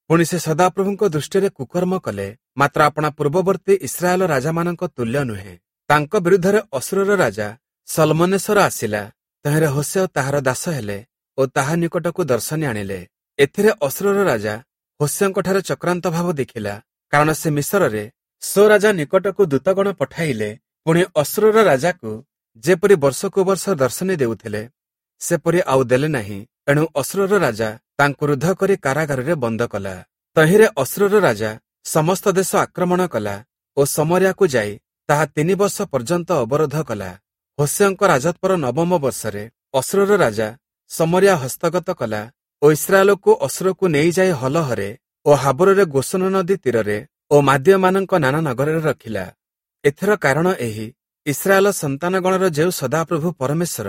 ପୁଣି ସେ ସଦାପ୍ରଭୁଙ୍କ ଦୃଷ୍ଟିରେ କୁକର୍ମ କଲେ, ମାତ୍ର ଆପଣା ପୂର୍ବବର୍ତ୍ତୀ ଇସ୍ରାଏଲ ରାଜାମାନଙ୍କ ତୁଲ୍ୟ ନୁହେଁ। ତାଙ୍କ ବିରୁଦ୍ଧରେ ଅଶୂରର ରାଜା ସଲମନେଶର ଆସିଲା। ତହିଁରେ ହୋଶେୟ ତାହାର ଦାସ ହେଲେ ଓ ତାହା ନିକଟକୁ ଦର୍ଶନୀ ଆଣିଲେ। ଏଥିରେ ଅଶୂରର ରାଜା ହୋଶେୟଙ୍କଠାରେ ଚକ୍ରାନ୍ତ ଭାବ ଦେଖିଲା, କାରଣ ସେ ମିଶରରେ ସୋ ରାଜା ନିକଟକୁ ଦୂତଗଣ ପଠାଇଲେ। ପୁଣି ଅଶୂରର ରାଜାକୁ ଯେପରି ବର୍ଷକୁ ବର୍ଷ ଦର୍ଶନୀ ଦେଉଥିଲେ, ସେପରି ଆଉ ଦେଲେ ନାହିଁ। ଏଣୁ ଅଶୂରର ରାଜା ତାଙ୍କୁ ରୁଦ୍ଧ କରି କାରାଗାରରେ ବନ୍ଦ କଲା। ତହିଁରେ ଅଶୂରର ରାଜା ସମସ୍ତ ଦେଶ ଆକ୍ରମଣ କଲା ଓ ଶମରିୟାକୁ ଯାଇ ତାହା 3 ବର୍ଷ ପର୍ଯ୍ୟନ୍ତ ଅବରୋଧ କଲା। ହୋଶେୟଙ୍କ ରାଜତ୍ୱର 9ମ ବର୍ଷରେ ଅଶୂରର ରାଜା ଶମରିୟା ହସ୍ତଗତ କଲା ଓ ଇସ୍ରାଏଲକୁ ଅଶୂରକୁ ନେଇଯାଇ ହଲହରେ ଓ ହାବରରେ ଗୋସନ ନଦୀ ତୀରରେ ଓ ମାଦୀୟମାନଙ୍କ ନାନା ନଗରରେ ରଖିଲା। ଏଥିର କାରଣ ଏହି, ଇସ୍ରାଏଲ ସନ୍ତାନଗଣର ଯେଉଁ ସଦାପ୍ରଭୁ ପରମେଶ୍ୱର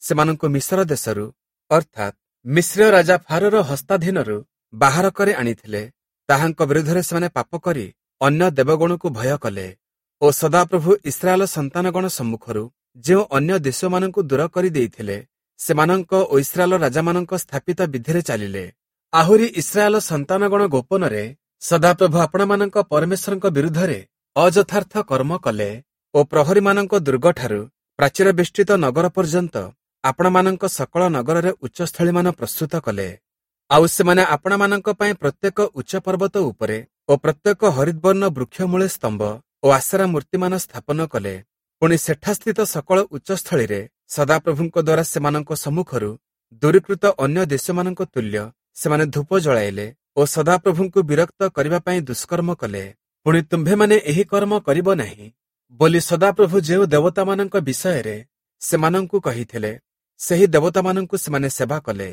ସେମାନଙ୍କୁ ମିଶର ଦେଶରୁ, ଅର୍ଥାତ୍ ମିଶ୍ରୀୟ ରାଜା ଫାରୋର ହସ୍ତାଧୀନରୁ ବାହାର କରି ଆଣିଥିଲେ, ତାହାଙ୍କ ବିରୁଦ୍ଧରେ ସେମାନେ ପାପ କରି ଅନ୍ୟ ଦେବଗଣକୁ ଭୟ କଲେ ଓ ସଦାପ୍ରଭୁ ଇସ୍ରାଏଲ ସନ୍ତାନଗଣ ସମ୍ମୁଖରୁ ଯେଉଁ ଅନ୍ୟ ଦେଶମାନଙ୍କୁ ଦୂର କରିଦେଇଥିଲେ, ସେମାନଙ୍କ ଓ ଇସ୍ରାଏଲ ରାଜାମାନଙ୍କ ସ୍ଥାପିତ ବିଧିରେ ଚାଲିଲେ। ଆହୁରି ଇସ୍ରାଏଲ ସନ୍ତାନଗଣ ଗୋପନରେ ସଦାପ୍ରଭୁ ଆପଣମାନଙ୍କ ପରମେଶ୍ୱରଙ୍କ ବିରୁଦ୍ଧରେ ଅଯଥାର୍ଥ କର୍ମ କଲେ ଓ ପ୍ରହରୀମାନଙ୍କ ଦୁର୍ଗଠାରୁ ପ୍ରାଚୀର ବେଷ୍ଟିତ ନଗର ପର୍ଯ୍ୟନ୍ତ ଆପଣମାନଙ୍କ ସକଳ ନଗରରେ ଉଚ୍ଚସ୍ଥଳୀମାନ ପ୍ରସ୍ତୁତ କଲେ। ଆଉ ସେମାନେ ଆପଣମାନଙ୍କ ପାଇଁ ପ୍ରତ୍ୟେକ ଉଚ୍ଚ ପର୍ବତ ଉପରେ ଓ ପ୍ରତ୍ୟେକ ହରିଦ୍ବର୍ଣ୍ଣ ବୃକ୍ଷମୂଳେ ସ୍ତମ୍ଭ ଓ ଆଶେରା ମୂର୍ତ୍ତିମାନ ସ୍ଥାପନ କଲେ। ପୁଣି ସେଠାସ୍ଥିତ ସକଳ ଉଚ୍ଚସ୍ଥଳୀରେ ସଦାପ୍ରଭୁଙ୍କ ଦ୍ୱାରା ସେମାନଙ୍କ ସମ୍ମୁଖରୁ ଦୂରୀକୃତ ଅନ୍ୟ ଦେଶମାନଙ୍କ ତୁଲ୍ୟ ସେମାନେ ଧୂପ ଜଳାଇଲେ ଓ ସଦାପ୍ରଭୁଙ୍କୁ ବିରକ୍ତ କରିବା ପାଇଁ ଦୁଷ୍କର୍ମ କଲେ। ପୁଣି ତୁମ୍ଭେମାନେ ଏହି କର୍ମ କରିବ ନାହିଁ ବୋଲି ସଦାପ୍ରଭୁ ଯେଉଁ ଦେବତାମାନଙ୍କ ବିଷୟରେ ସେମାନଙ୍କୁ କହିଥିଲେ, ସେହି ଦେବତାମାନଙ୍କୁ ସେମାନେ ସେବା କଲେ।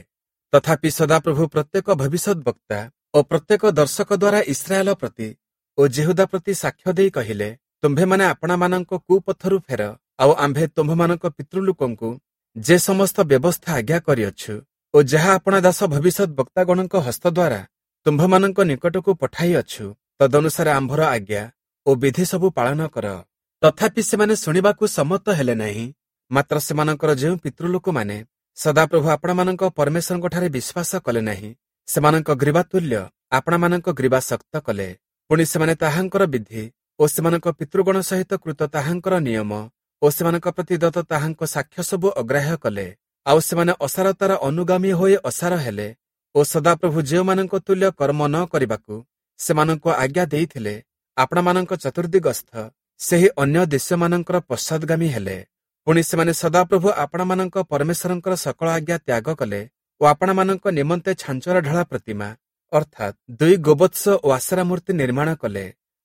ତଥାପି ସଦାପ୍ରଭୁ ପ୍ରତ୍ୟେକ ଭବିଷ୍ୟଦ୍‌ବକ୍ତା ଓ ପ୍ରତ୍ୟେକ ଦର୍ଶକ ଦ୍ୱାରା ଇସ୍ରାଏଲ ପ୍ରତି ଓ ଯିହୁଦା ପ୍ରତି ସାକ୍ଷ୍ୟ ଦେଇ କହିଲେ, ତୁମ୍ଭେମାନେ ଆପଣାମାନଙ୍କ କୁପଥରୁ ଫେର, ଆଉ ଆମ୍ଭେ ତୁମ୍ଭମାନଙ୍କ ପିତୃଲୋକଙ୍କୁ ଯେ ସମସ୍ତ ବ୍ୟବସ୍ଥା ଆଜ୍ଞା କରିଅଛୁ ଓ ଯାହା ଆପଣା ଦାସ ଭବିଷ୍ୟଦ୍‌ବକ୍ତାଗଣଙ୍କ ହସ୍ତ ଦ୍ୱାରା ତୁମ୍ଭମାନଙ୍କ ନିକଟକୁ ପଠାଇଅଛୁ, ତଦନୁସାରେ ଆମ୍ଭର ଆଜ୍ଞା ଓ ବିଧି ସବୁ ପାଳନ କର। ତଥାପି ସେମାନେ ଶୁଣିବାକୁ ସମ୍ମତ ହେଲେ ନାହିଁ। ମାତ୍ର ସେମାନଙ୍କର ଯେଉଁ ପିତୃଲୋକମାନେ ସଦାପ୍ରଭୁ ଆପଣମାନଙ୍କ ପରମେଶ୍ୱରଙ୍କଠାରେ ବିଶ୍ୱାସ କଲେ ନାହିଁ, ସେମାନଙ୍କ ଗ୍ରୀବା ତୁଲ୍ୟ ଆପଣମାନଙ୍କ ଗ୍ରୀବା ଶକ୍ତ କଲେ। ପୁଣି ସେମାନେ ତାହାଙ୍କର ବିଧି ଓ ସେମାନଙ୍କ ପିତୃଗଣ ସହିତ କୃତ ତାହାଙ୍କର ନିୟମ ଓ ସେମାନଙ୍କ ପ୍ରତି ଦତ୍ତ ତାହାଙ୍କ ସାକ୍ଷ୍ୟ ସବୁ ଅଗ୍ରାହ୍ୟ କଲେ। ଆଉ ସେମାନେ ଅସାରତାର ଅନୁଗାମୀ ହୋଇ ଅସାର ହେଲେ ଓ ସଦାପ୍ରଭୁ ଯେଉଁମାନଙ୍କ ତୁଲ୍ୟ କର୍ମ ନ କରିବାକୁ ସେମାନଙ୍କୁ ଆଜ୍ଞା ଦେଇଥିଲେ, ଆପଣମାନଙ୍କ ଚତୁର୍ଦ୍ଦିଗସ୍ଥ ସେହି ଅନ୍ୟ ଦେଶମାନଙ୍କର ପଶ୍ଚାଦଗାମୀ ହେଲେ। ପୁଣି ସେମାନେ ସଦାପ୍ରଭୁ ଆପଣମାନଙ୍କ ପରମେଶ୍ୱରଙ୍କର ସକଳ ଆଜ୍ଞା ତ୍ୟାଗ କଲେ ଓ ଆପଣମାନଙ୍କ ନିମନ୍ତେ ଛାଞ୍ଚର ଢଳା ପ୍ରତିମା, ଅର୍ଥାତ୍ 2 ଗୋବତ୍ସ ଓ ଆଶେରା ମୂର୍ତ୍ତି ନିର୍ମାଣ କଲେ।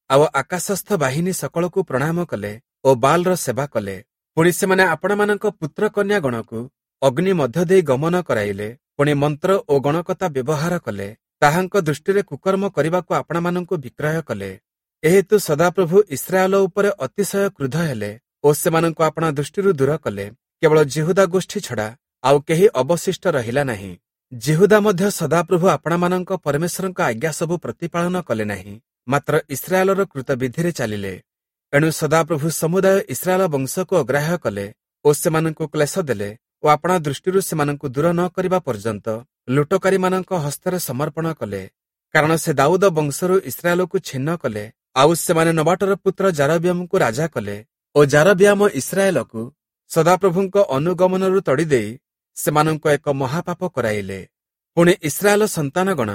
ଆଉ ଆକାଶସ୍ଥ ବାହିନୀ ସକଳକୁ ପ୍ରଣାମ କଲେ ଓ ବାଲ୍‌ର ସେବା କଲେ। ପୁଣି ସେମାନେ ଆପଣମାନଙ୍କ ପୁତ୍ର କନ୍ୟାଗଣକୁ ଅଗ୍ନି ମଧ୍ୟ ଦେଇ ଗମନ କରାଇଲେ। ପୁଣି ମନ୍ତ୍ର ଓ ଗଣକତା ବ୍ୟବହାର କଲେ, ତାହାଙ୍କ ଦୃଷ୍ଟିରେ କୁକର୍ମ କରିବାକୁ ଆପଣମାନଙ୍କୁ ବିକ୍ରୟ କଲେ। ଏହେତୁ ସଦାପ୍ରଭୁ ଇସ୍ରାଏଲ ଉପରେ ଅତିଶୟ କ୍ରୁଦ୍ଧ ହେଲେ ଓ ସେମାନଙ୍କୁ ଆପଣା ଦୃଷ୍ଟିରୁ ଦୂର କଲେ। କେବଳ ଯିହୁଦା ଗୋଷ୍ଠୀ ଛଡ଼ା ଆଉ କେହି ଅବଶିଷ୍ଟ ରହିଲା ନାହିଁ। ଯିହୁଦା ମଧ୍ୟ ସଦାପ୍ରଭୁ ଆପଣମାନଙ୍କ ପରମେଶ୍ୱରଙ୍କ ଆଜ୍ଞା ସବୁ ପ୍ରତିପାଳନ କଲେ ନାହିଁ, ମାତ୍ର ଇସ୍ରାଏଲର କୃତ ବିଧିରେ ଚାଲିଲେ। ଏଣୁ ସଦାପ୍ରଭୁ ସମୁଦାୟ ଇସ୍ରାଏଲ ବଂଶକୁ ଅଗ୍ରାହ୍ୟ କଲେ ଓ ସେମାନଙ୍କୁ କ୍ଲେଶ ଦେଲେ ଓ ଆପଣା ଦୃଷ୍ଟିରୁ ସେମାନଙ୍କୁ ଦୂର ନ କରିବା ପର୍ଯ୍ୟନ୍ତ ଲୁଟକାରୀମାନଙ୍କ ହସ୍ତରେ ସମର୍ପଣ କଲେ। କାରଣ ସେ ଦାଉଦ ବଂଶରୁ ଇସ୍ରାଏଲକୁ ଛିନ୍ନ କଲେ। ଆଉ ସେମାନେ ନବାଟର ପୁତ୍ର ଯାରବିୟାମକୁ ରାଜା କଲେ ଓ ଯାରବିୟାମ ଇସ୍ରାଏଲକୁ ସଦାପ୍ରଭୁଙ୍କ ଅନୁଗମନରୁ ତଡ଼ିଦେଇ ସେମାନଙ୍କୁ ଏକ ମହାପାପ କରାଇଲେ। ପୁଣି ଇସ୍ରାଏଲ ସନ୍ତାନଗଣ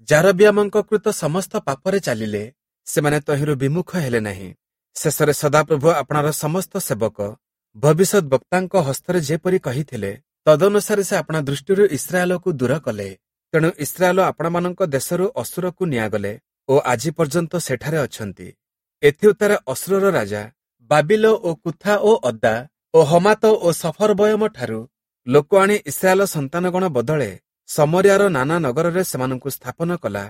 ଯାରବିୟାମଙ୍କ କୃତ ସମସ୍ତ ପାପରେ ଚାଲିଲେ, ସେମାନେ ତହିଁରୁ ବିମୁଖ ହେଲେ ନାହିଁ। ଶେଷରେ ସଦାପ୍ରଭୁ ଆପଣାର ସମସ୍ତ ସେବକ ଭବିଷ୍ୟଦ୍‌ବକ୍ତାଙ୍କ ହସ୍ତରେ ଯେପରି କହିଥିଲେ, ତଦନୁସାରେ ସେ ଆପଣା ଦୃଷ୍ଟିରୁ ଇସ୍ରାଏଲକୁ ଦୂର କଲେ। ତେଣୁ ଇସ୍ରାଏଲ ଆପଣମାନଙ୍କ ଦେଶରୁ ଅଶୂରକୁ ନିଆଗଲେ ଓ ଆଜି ପର୍ଯ୍ୟନ୍ତ ସେଠାରେ ଅଛନ୍ତି। ଏଥିଉତ୍ତାରେ ଅଶୂରର ରାଜା ବାବିଲ ଓ କୁଥା ଓ ଅଦ୍ଦା ଓ ହମାତ ଓ ସଫରବୟମ ଠାରୁ ଲୋକ ଆଣି ଇସ୍ରାଏଲ ସନ୍ତାନଗଣ ବଦଳେ ଶମରିୟାର ନାନା ନଗରରେ ସେମାନଙ୍କୁ ସ୍ଥାପନ କଲା।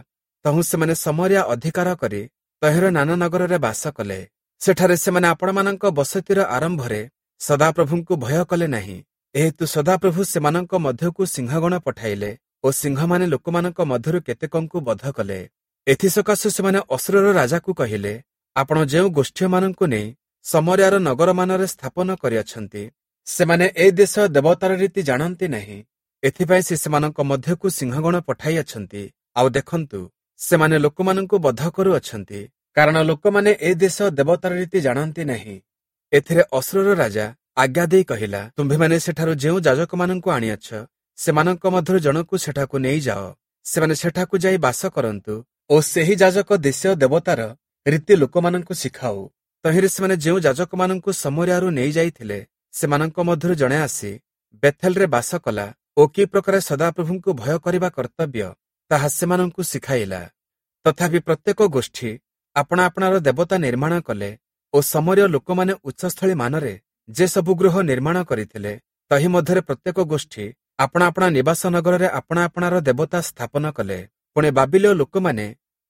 ତହୁଁ ସେମାନେ ଶମରିୟା ଅଧିକାର କରି ତହିଁର ନାନା ନଗରରେ ବାସ କଲେ। ସେଠାରେ ସେମାନେ ଆପଣମାନଙ୍କ ବସତିର ଆରମ୍ଭରେ ସଦାପ୍ରଭୁଙ୍କୁ ଭୟ କଲେ ନାହିଁ। ଏହେତୁ ସଦାପ୍ରଭୁ ସେମାନଙ୍କ ମଧ୍ୟକୁ ସିଂହଗଣ ପଠାଇଲେ ଓ ସିଂହମାନେ ଲୋକମାନଙ୍କ ମଧ୍ୟରୁ କେତେକଙ୍କୁ ବଧ କଲେ। ଏଥିସକାଶୁ ସେମାନେ ଅଶୂରର ରାଜାକୁ କହିଲେ, ଆପଣ ଯେଉଁ ଗୋଷ୍ଠୀୟମାନଙ୍କୁ ନେଇ ସମରିଆର ନଗରମାନରେ ସ୍ଥାପନ କରିଅଛନ୍ତି, ସେମାନେ ଏ ଦେଶ ଦେବତାର ରୀତି ଜାଣନ୍ତି ନାହିଁ। ଏଥିପାଇଁ ସେ ସେମାନଙ୍କ ମଧ୍ୟକୁ ସିଂହଗଣ ପଠାଇଅଛନ୍ତି। ଆଉ ଦେଖନ୍ତୁ, ସେମାନେ ଲୋକମାନଙ୍କୁ ବଧ କରୁଅଛନ୍ତି, କାରଣ ଲୋକମାନେ ଏ ଦେଶ ଦେବତାର ରୀତି ଜାଣନ୍ତି ନାହିଁ। ଏଥିରେ ଅଶୂରର ରାଜା ଆଜ୍ଞା ଦେଇ କହିଲା, ତୁମ୍ଭେମାନେ ସେଠାରୁ ଯେଉଁ ଯାଜକମାନଙ୍କୁ ଆଣିଅଛ, ସେମାନଙ୍କ ମଧ୍ୟରୁ ଜଣକୁ ସେଠାକୁ ନେଇଯାଅ। ସେମାନେ ସେଠାକୁ ଯାଇ ବାସ କରନ୍ତୁ ଓ ସେହି ଯାଜକ ଦେଶୀୟ ଦେବତାର ରୀତି ଲୋକମାନଙ୍କୁ ଶିଖାଉ। ତହିଁରେ ସେମାନେ ଯେଉଁ ଯାଜକମାନଙ୍କୁ ସମରିଆରୁ ନେଇଯାଇଥିଲେ, ସେମାନଙ୍କ ମଧ୍ୟରୁ ଜଣେ ଆସି ବେଥେଲରେ ବାସ କଲା ଓ କି ପ୍ରକାର ସଦାପ୍ରଭୁଙ୍କୁ ଭୟ କରିବା କର୍ତ୍ତବ୍ୟ ତାହା ସେମାନଙ୍କୁ ଶିଖାଇଲା। ତଥାପି ପ୍ରତ୍ୟେକ ଗୋଷ୍ଠୀ ଆପଣା ଆପଣାର ଦେବତା ନିର୍ମାଣ କଲେ ଓ ସମରୀୟ ଲୋକମାନେ ଉଚ୍ଚସ୍ଥଳୀ ମାନରେ ଯେ ସବୁ ଗୃହ ନିର୍ମାଣ କରିଥିଲେ, ତହିଁ ମଧ୍ୟରେ ପ୍ରତ୍ୟେକ ଗୋଷ୍ଠୀ ଆପଣା ଆପଣା ନିବାସ ନଗରରେ ଆପଣା ଆପଣାର ଦେବତା ସ୍ଥାପନ କଲେ। ପୁଣି ବାବିଲୀୟ ଲୋକମାନେ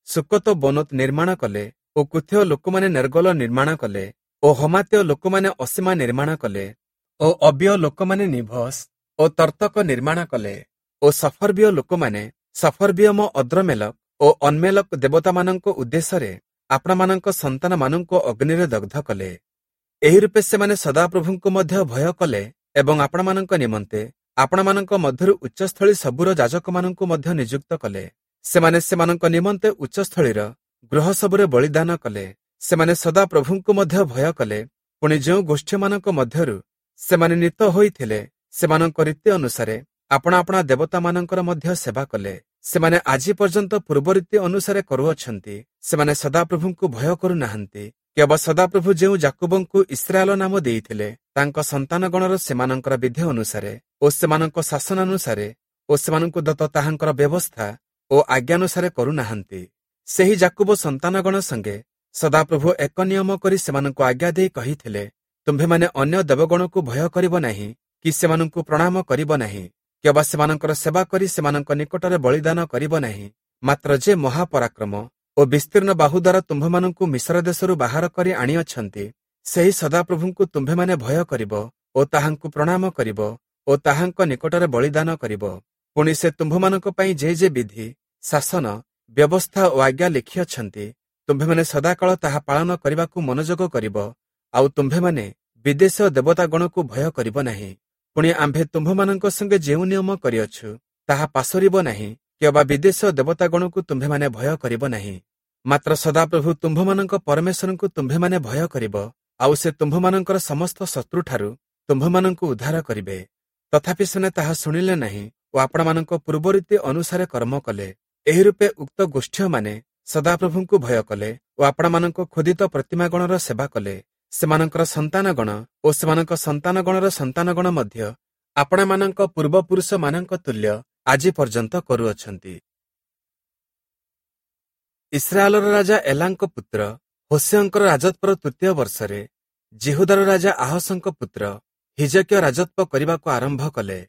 ସୁକତ ବନୋତ ନିର୍ମାଣ କଲେ ଓ କୁଥୀୟ ଲୋକମାନେ ନେର୍ଗଲ ନିର୍ମାଣ କଲେ ଓ ହମାତୀୟ ଲୋକମାନେ ଅସୀମା ନିର୍ମାଣ କଲେ ଓ ଅବିୟ ଲୋକମାନେ ନିଭସ୍ ଓ ତର୍ତ୍ତକ ନିର୍ମାଣ କଲେ ଓ ସଫର୍ବିୟ ଲୋକମାନେ ସଫର୍ବିୟମ ଅଦ୍ରମେଲକ ଓ ଅନ୍ମେଲକ ଦେବତାମାନଙ୍କ ଉଦ୍ଦେଶ୍ୟରେ ଆପଣମାନଙ୍କ ସନ୍ତାନମାନଙ୍କୁ ଅଗ୍ନିରେ ଦଗ୍ଧ କଲେ। ଏହି ରୂପେ ସେମାନେ ସଦାପ୍ରଭୁଙ୍କୁ ମଧ୍ୟ ଭୟ କଲେ ଏବଂ ଆପଣମାନଙ୍କ ନିମନ୍ତେ ଆପଣମାନଙ୍କ ମଧ୍ୟରୁ ଉଚ୍ଚସ୍ଥଳୀ ସବୁର ଯାଜକମାନଙ୍କୁ ମଧ୍ୟ ନିଯୁକ୍ତ କଲେ। ସେମାନେ ସେମାନଙ୍କ ନିମନ୍ତେ ଉଚ୍ଚସ୍ଥଳୀର ଗୃହ ସବୁରେ ବଳିଦାନ କଲେ। ସେମାନେ ସଦାପ୍ରଭୁଙ୍କୁ ମଧ୍ୟ ଭୟ କଲେ। ପୁଣି ଯେଉଁ ଗୋଷ୍ଠୀମାନଙ୍କ ମଧ୍ୟରୁ ସେମାନେ ନୀତ ହୋଇଥିଲେ, ସେମାନଙ୍କ ରୀତି ଅନୁସାରେ ଆପଣା ଆପଣା ଦେବତାମାନଙ୍କର ମଧ୍ୟ ସେବା କଲେ। ସେମାନେ ଆଜି ପର୍ଯ୍ୟନ୍ତ ପୂର୍ବ ରୀତି ଅନୁସାରେ କରୁଅଛନ୍ତି। ସେମାନେ ସଦାପ୍ରଭୁଙ୍କୁ ଭୟ କରୁନାହାନ୍ତି। କେବଳ ସଦାପ୍ରଭୁ ଯେଉଁ ଯାକୁବଙ୍କୁ ଇସ୍ରାଏଲ ନାମ ଦେଇଥିଲେ, ତାଙ୍କ ସନ୍ତାନଗଣର ସେମାନଙ୍କର ବିଧି ଅନୁସାରେ ଓ ସେମାନଙ୍କ ଶାସନାନୁସାରେ ଓ ସେମାନଙ୍କୁ ଦତ୍ତ ତାହାଙ୍କର ବ୍ୟବସ୍ଥା ଓ ଆଜ୍ଞାନୁସାରେ କରୁନାହାନ୍ତି। ସେହି ଯାକୁବ ସନ୍ତାନଗଣ ସଙ୍ଗେ ସଦାପ୍ରଭୁ ଏକ ନିୟମ କରି ସେମାନଙ୍କୁ ଆଜ୍ଞା ଦେଇ କହିଥିଲେ, ତୁମ୍ଭେମାନେ ଅନ୍ୟ ଦେବଗଣକୁ ଭୟ କରିବ ନାହିଁ କି ସେମାନଙ୍କୁ ପ୍ରଣାମ କରିବ ନାହିଁ, କିମ୍ବା ସେମାନଙ୍କର ସେବା କରି ସେମାନଙ୍କ ନିକଟରେ ବଳିଦାନ କରିବ ନାହିଁ। ମାତ୍ର ଯେ ମହାପରାକ୍ରମ ଓ ବିସ୍ତୀର୍ଣ୍ଣ ବାହୁ ଦ୍ୱାରା ତୁମ୍ଭମାନଙ୍କୁ ମିଶର ଦେଶରୁ ବାହାର କରି ଆଣିଅଛନ୍ତି, ସେହି ସଦାପ୍ରଭୁଙ୍କୁ ତୁମ୍ଭେମାନେ ଭୟ କରିବ ଓ ତାହାଙ୍କୁ ପ୍ରଣାମ କରିବ ଓ ତାହାଙ୍କ ନିକଟରେ ବଳିଦାନ କରିବ। ପୁଣି ସେ ତୁମ୍ଭମାନଙ୍କ ପାଇଁ ଯେ ଯେ ବିଧି, ଶାସନ, ବ୍ୟବସ୍ଥା ଓ ଆଜ୍ଞା ଲେଖିଅଛନ୍ତି, ତୁମ୍ଭେମାନେ ସଦାକାଳ ତାହା ପାଳନ କରିବାକୁ ମନୋଯୋଗ କରିବ। ଆଉ ତୁମ୍ଭେମାନେ ବିଦେଶୀୟ ଦେବତାଗଣକୁ ଭୟ କରିବ ନାହିଁ। ପୁଣି ଆମ୍ଭେ ତୁମ୍ଭମାନଙ୍କ ସଙ୍ଗେ ଯେଉଁ ନିୟମ କରିଅଛୁ, ତାହା ପାସୋରିବ ନାହିଁ, କିମ୍ବା ବିଦେଶୀୟ ଦେବତାଗଣକୁ ତୁମ୍ଭେମାନେ ଭୟ କରିବ ନାହିଁ। ମାତ୍ର ସଦାପ୍ରଭୁ ତୁମ୍ଭମାନଙ୍କ ପରମେଶ୍ୱରଙ୍କୁ ତୁମ୍ଭେମାନେ ଭୟ କରିବ, ଆଉ ସେ ତୁମ୍ଭମାନଙ୍କର ସମସ୍ତ ଶତ୍ରୁଠାରୁ ତୁମ୍ଭମାନଙ୍କୁ ଉଦ୍ଧାର କରିବେ। ତଥାପି ସେମାନେ ତାହା ଶୁଣିଲେ ନାହିଁ ଓ ଆପଣମାନଙ୍କ ପୂର୍ବରୀତି ଅନୁସାରେ କର୍ମ କଲେ। ଏହି ରୂପେ ଉକ୍ତ ଗୋଷ୍ଠୀୟମାନେ ସଦାପ୍ରଭୁଙ୍କୁ ଭୟ କଲେ ଓ ଆପଣମାନଙ୍କ ଖୋଦିତ ପ୍ରତିମାଗଣର ସେବା କଲେ। ସେମାନଙ୍କର ସନ୍ତାନଗଣ ଓ ସେମାନଙ୍କ ସନ୍ତାନଗଣର ସନ୍ତାନଗଣ ମଧ୍ୟ ଆପଣମାନଙ୍କ ପୂର୍ବପୁରୁଷମାନଙ୍କ ତୁଲ୍ୟ ଆଜି ପର୍ଯ୍ୟନ୍ତ କରୁଅଛନ୍ତି। ଇସ୍ରାଏଲର ରାଜା ଏଲାଙ୍କ ପୁତ୍ର ହୋଶେୟଙ୍କର ରାଜତ୍ୱର ତୃତୀୟ ବର୍ଷରେ ଯିହୁଦାର ରାଜା ଆହସଙ୍କ ପୁତ୍ର ହିଜକିୟ ରାଜତ୍ୱ କରିବାକୁ ଆରମ୍ଭ କଲେ।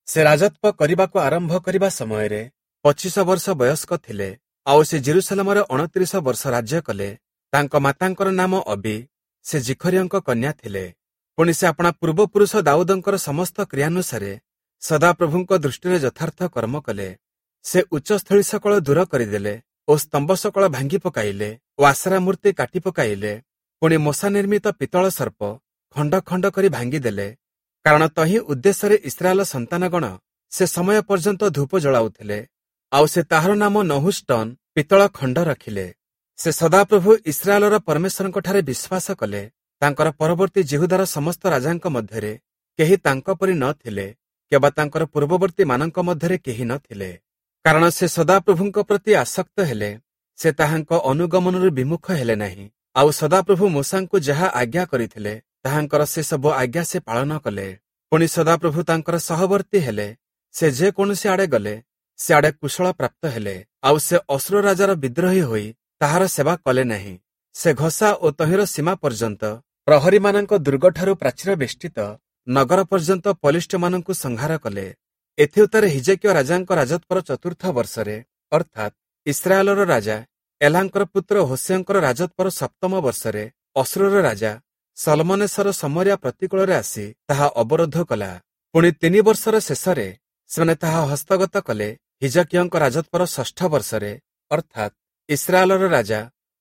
ସେ ରାଜତ୍ୱ କରିବାକୁ ଆରମ୍ଭ କରିବା ସମୟରେ 25 ବର୍ଷ ବୟସ୍କ ଥିଲେ, ଆଉ ସେ ଜେରୁସାଲେମରେ 29 ବର୍ଷ ରାଜ୍ୟ କଲେ। ତାଙ୍କ ମାତାଙ୍କର ନାମ ଅବି, ସେ ଜିଖରିୟଙ୍କ କନ୍ୟା ଥିଲେ। ପୁଣି ସେ ଆପଣା ପୂର୍ବପୁରୁଷ ଦାଉଦଙ୍କର ସମସ୍ତ କ୍ରିୟାନୁସାରେ ସଦାପ୍ରଭୁଙ୍କ ଦୃଷ୍ଟିରେ ଯଥାର୍ଥ କର୍ମ କଲେ। ସେ ଉଚ୍ଚସ୍ଥଳୀ ସକଳ ଦୂର କରିଦେଲେ ଓ ସ୍ତମ୍ଭ ସକଳ ଭାଙ୍ଗି ପକାଇଲେ ଓ ଆଶରା ମୂର୍ତ୍ତି କାଟି ପକାଇଲେ। ପୁଣି ମୋଶା ନିର୍ମିତ ପିତ୍ତଳ ସର୍ପ ଖଣ୍ଡ ଖଣ୍ଡ କରି ଭାଙ୍ଗିଦେଲେ, କାରଣ ତହିଁ ଉଦ୍ଦେଶ୍ୟରେ ଇସ୍ରାଏଲ ସନ୍ତାନଗଣ ସେ ସମୟ ପର୍ଯ୍ୟନ୍ତ ଧୂପ ଜଳାଉଥିଲେ। ଆଉ ସେ ତାହାର ନାମ ନହୁଷ୍ଟନ ପିତ୍ତଳ ଖଣ୍ଡ ରଖିଲେ। ସେ ସଦାପ୍ରଭୁ ଇସ୍ରାଏଲର ପରମେଶ୍ୱରଙ୍କଠାରେ ବିଶ୍ୱାସ କଲେ। ତାଙ୍କର ପରବର୍ତ୍ତୀ ଯିହୁଦାର ସମସ୍ତ ରାଜାଙ୍କ ମଧ୍ୟରେ କେହି ତାଙ୍କ ପରି ନ ଥିଲେ, କିମ୍ବା ତାଙ୍କର ପୂର୍ବବର୍ତ୍ତୀମାନଙ୍କ ମଧ୍ୟରେ କେହି ନ ଥିଲେ। କାରଣ ସେ ସଦାପ୍ରଭୁଙ୍କ ପ୍ରତି ଆସକ୍ତ ହେଲେ, ସେ ତାହାଙ୍କ ଅନୁଗମନରୁ ବିମୁଖ ହେଲେ ନାହିଁ। ଆଉ ସଦାପ୍ରଭୁ ମୋଶାଙ୍କୁ ଯାହା ଆଜ୍ଞା କରିଥିଲେ, ତାହାଙ୍କର ସେସବୁ ଆଜ୍ଞା ସେ ପାଳନ କଲେ। ପୁଣି ସଦାପ୍ରଭୁ ତାଙ୍କର ସହବର୍ତ୍ତୀ ହେଲେ। ସେ ଯେକୌଣସି ଆଡ଼େ ଗଲେ, ସିଆଡ଼େ କୁଶଳ ପ୍ରାପ୍ତ ହେଲେ। ଆଉ ସେ ଅଶୂର ରାଜାର ବିଦ୍ରୋହୀ ହୋଇ ତାହାର ସେବା କଲେ ନାହିଁ। ସେ ଘସା ଓ ତହିଁର ସୀମା ପର୍ଯ୍ୟନ୍ତ ପ୍ରହରୀମାନଙ୍କ ଦୁର୍ଗଠାରୁ ପ୍ରାଚୀର ବେଷ୍ଟିତ ନଗର ପର୍ଯ୍ୟନ୍ତ ପଲିଷ୍ଠମାନଙ୍କୁ ସଂହାର କଲେ। ଏଥିଉତ୍ତାରେ ହିଜକିୟ ରାଜାଙ୍କ ରାଜତ୍ୱର ଚତୁର୍ଥ ବର୍ଷରେ, ଅର୍ଥାତ୍ ଇସ୍ରାଏଲର ରାଜା ଏଲାଙ୍କର ପୁତ୍ର ହୋଶେୟଙ୍କର ରାଜତ୍ୱର ସପ୍ତମ ବର୍ଷରେ, ଅଶୂରର ରାଜା ସଲମନେସର ଶମରିୟା ପ୍ରତିକୂଳରେ ଆସି ତାହା ଅବରୋଧ କଲା। ପୁଣି 3 ବର୍ଷର ଶେଷରେ ସେମାନେ ତାହା ହସ୍ତଗତ କଲେ। ହିଜକିୟଙ୍କ ରାଜତ୍ୱର 6ଷ୍ଠ ବର୍ଷରେ, ଅର୍ଥାତ୍ ଇସ୍ରାଏଲର ରାଜା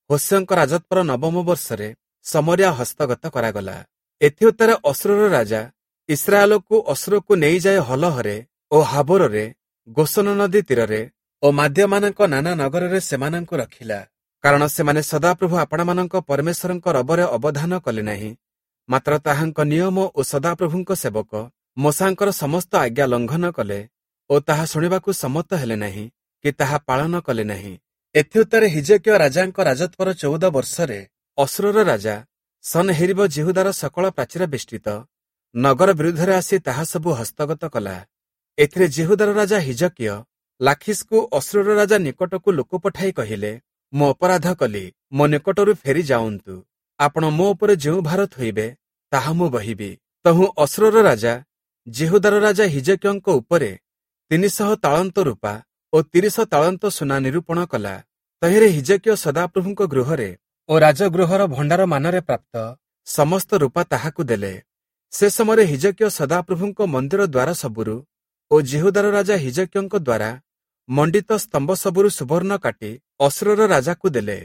ହୋଶେୟଙ୍କ ରାଜତ୍ୱର 9ମ ବର୍ଷରେ ଶମରିୟା ହସ୍ତଗତ କରାଗଲା। ଏଥିଉତ୍ତାରେ ଅଶୂରର ରାଜା ଇସ୍ରାଏଲକୁ ଅଶୂରକୁ ନେଇଯାଇ ହଲହରେ ଓ ହାବୋରରେ, ଗୋସନ ନଦୀ ତୀରରେ ଓ ମାଦ୍ୟମାନଙ୍କ ନାନା ନଗରରେ ସେମାନଙ୍କୁ ରଖିଲା। କାରଣ ସେମାନେ ସଦାପ୍ରଭୁ ଆପଣାମାନଙ୍କ ପରମେଶ୍ୱରଙ୍କ ରବରେ ଅବଧାନ କଲେ ନାହିଁ, ମାତ୍ର ତାହାଙ୍କ ନିୟମ ଓ ସଦାପ୍ରଭୁଙ୍କ ସେବକ ମୋଶାଙ୍କର ସମସ୍ତ ଆଜ୍ଞା ଲଙ୍ଘନ କଲେ ଓ ତାହା ଶୁଣିବାକୁ ସମ୍ମତ ହେଲେ ନାହିଁ କି ତାହା ପାଳନ କଲେ ନାହିଁ। ଏଥିଉତ୍ତାରେ ହିଜକିୟ ରାଜାଙ୍କ ରାଜତ୍ୱର 14 ବର୍ଷରେ ଅଶୂରର ରାଜା ସନହେରୀବ ଯିହୁଦାର ସକଳ ପ୍ରାଚୀର ବେଷ୍ଟିତ ନଗର ବିରୁଦ୍ଧରେ ଆସି ତାହା ସବୁ ହସ୍ତଗତ କଲା। ଏଥିରେ ଯିହୁଦାର ରାଜା ହିଜକିୟ ଲାଖିସ୍‌କୁ ଅଶୂରର ରାଜା ନିକଟକୁ ଲୋକ ପଠାଇ କହିଲେ, ମୁଁ ଅପରାଧ କଲି, ମୋ ନିକଟରୁ ଫେରି ଯାଉନ୍ତୁ। ଆପଣ ମୋ ଉପରେ ଯେଉଁ ଭାର ଥୋଇବେ ତାହା ମୁଁ ବହିବି। ତହୁଁ ଅଶୂରର ରାଜା ଯିହୁଦାର ରାଜା ହିଜକିୟଙ୍କ ଉପରେ 300 ତାଳନ୍ତ ରୂପା ଓ 30 ତାଳନ୍ତ ସୁନା ନିରୂପଣ କଲା। ତହିଁରେ ହିଜକିୟ ସଦାପ୍ରଭୁଙ୍କ ଗୃହରେ ଓ ରାଜଗୃହର ଭଣ୍ଡାର ମାନରେ ପ୍ରାପ୍ତ ସମସ୍ତ ରୂପା ତାହାକୁ ଦେଲେ। ସେ ସମୟରେ ହିଜକିୟ ସଦାପ୍ରଭୁଙ୍କ ମନ୍ଦିର ଦ୍ୱାର ସବୁରୁ ଓ ଯିହୁଦାର ରାଜା ହିଜକିୟଙ୍କ ଦ୍ୱାରା ମଣ୍ଡିତ ସ୍ତମ୍ଭ ସବୁରୁ ସୁବର୍ଣ୍ଣ କାଟି ଅଶୂରର ରାଜାକୁ ଦେଲେ।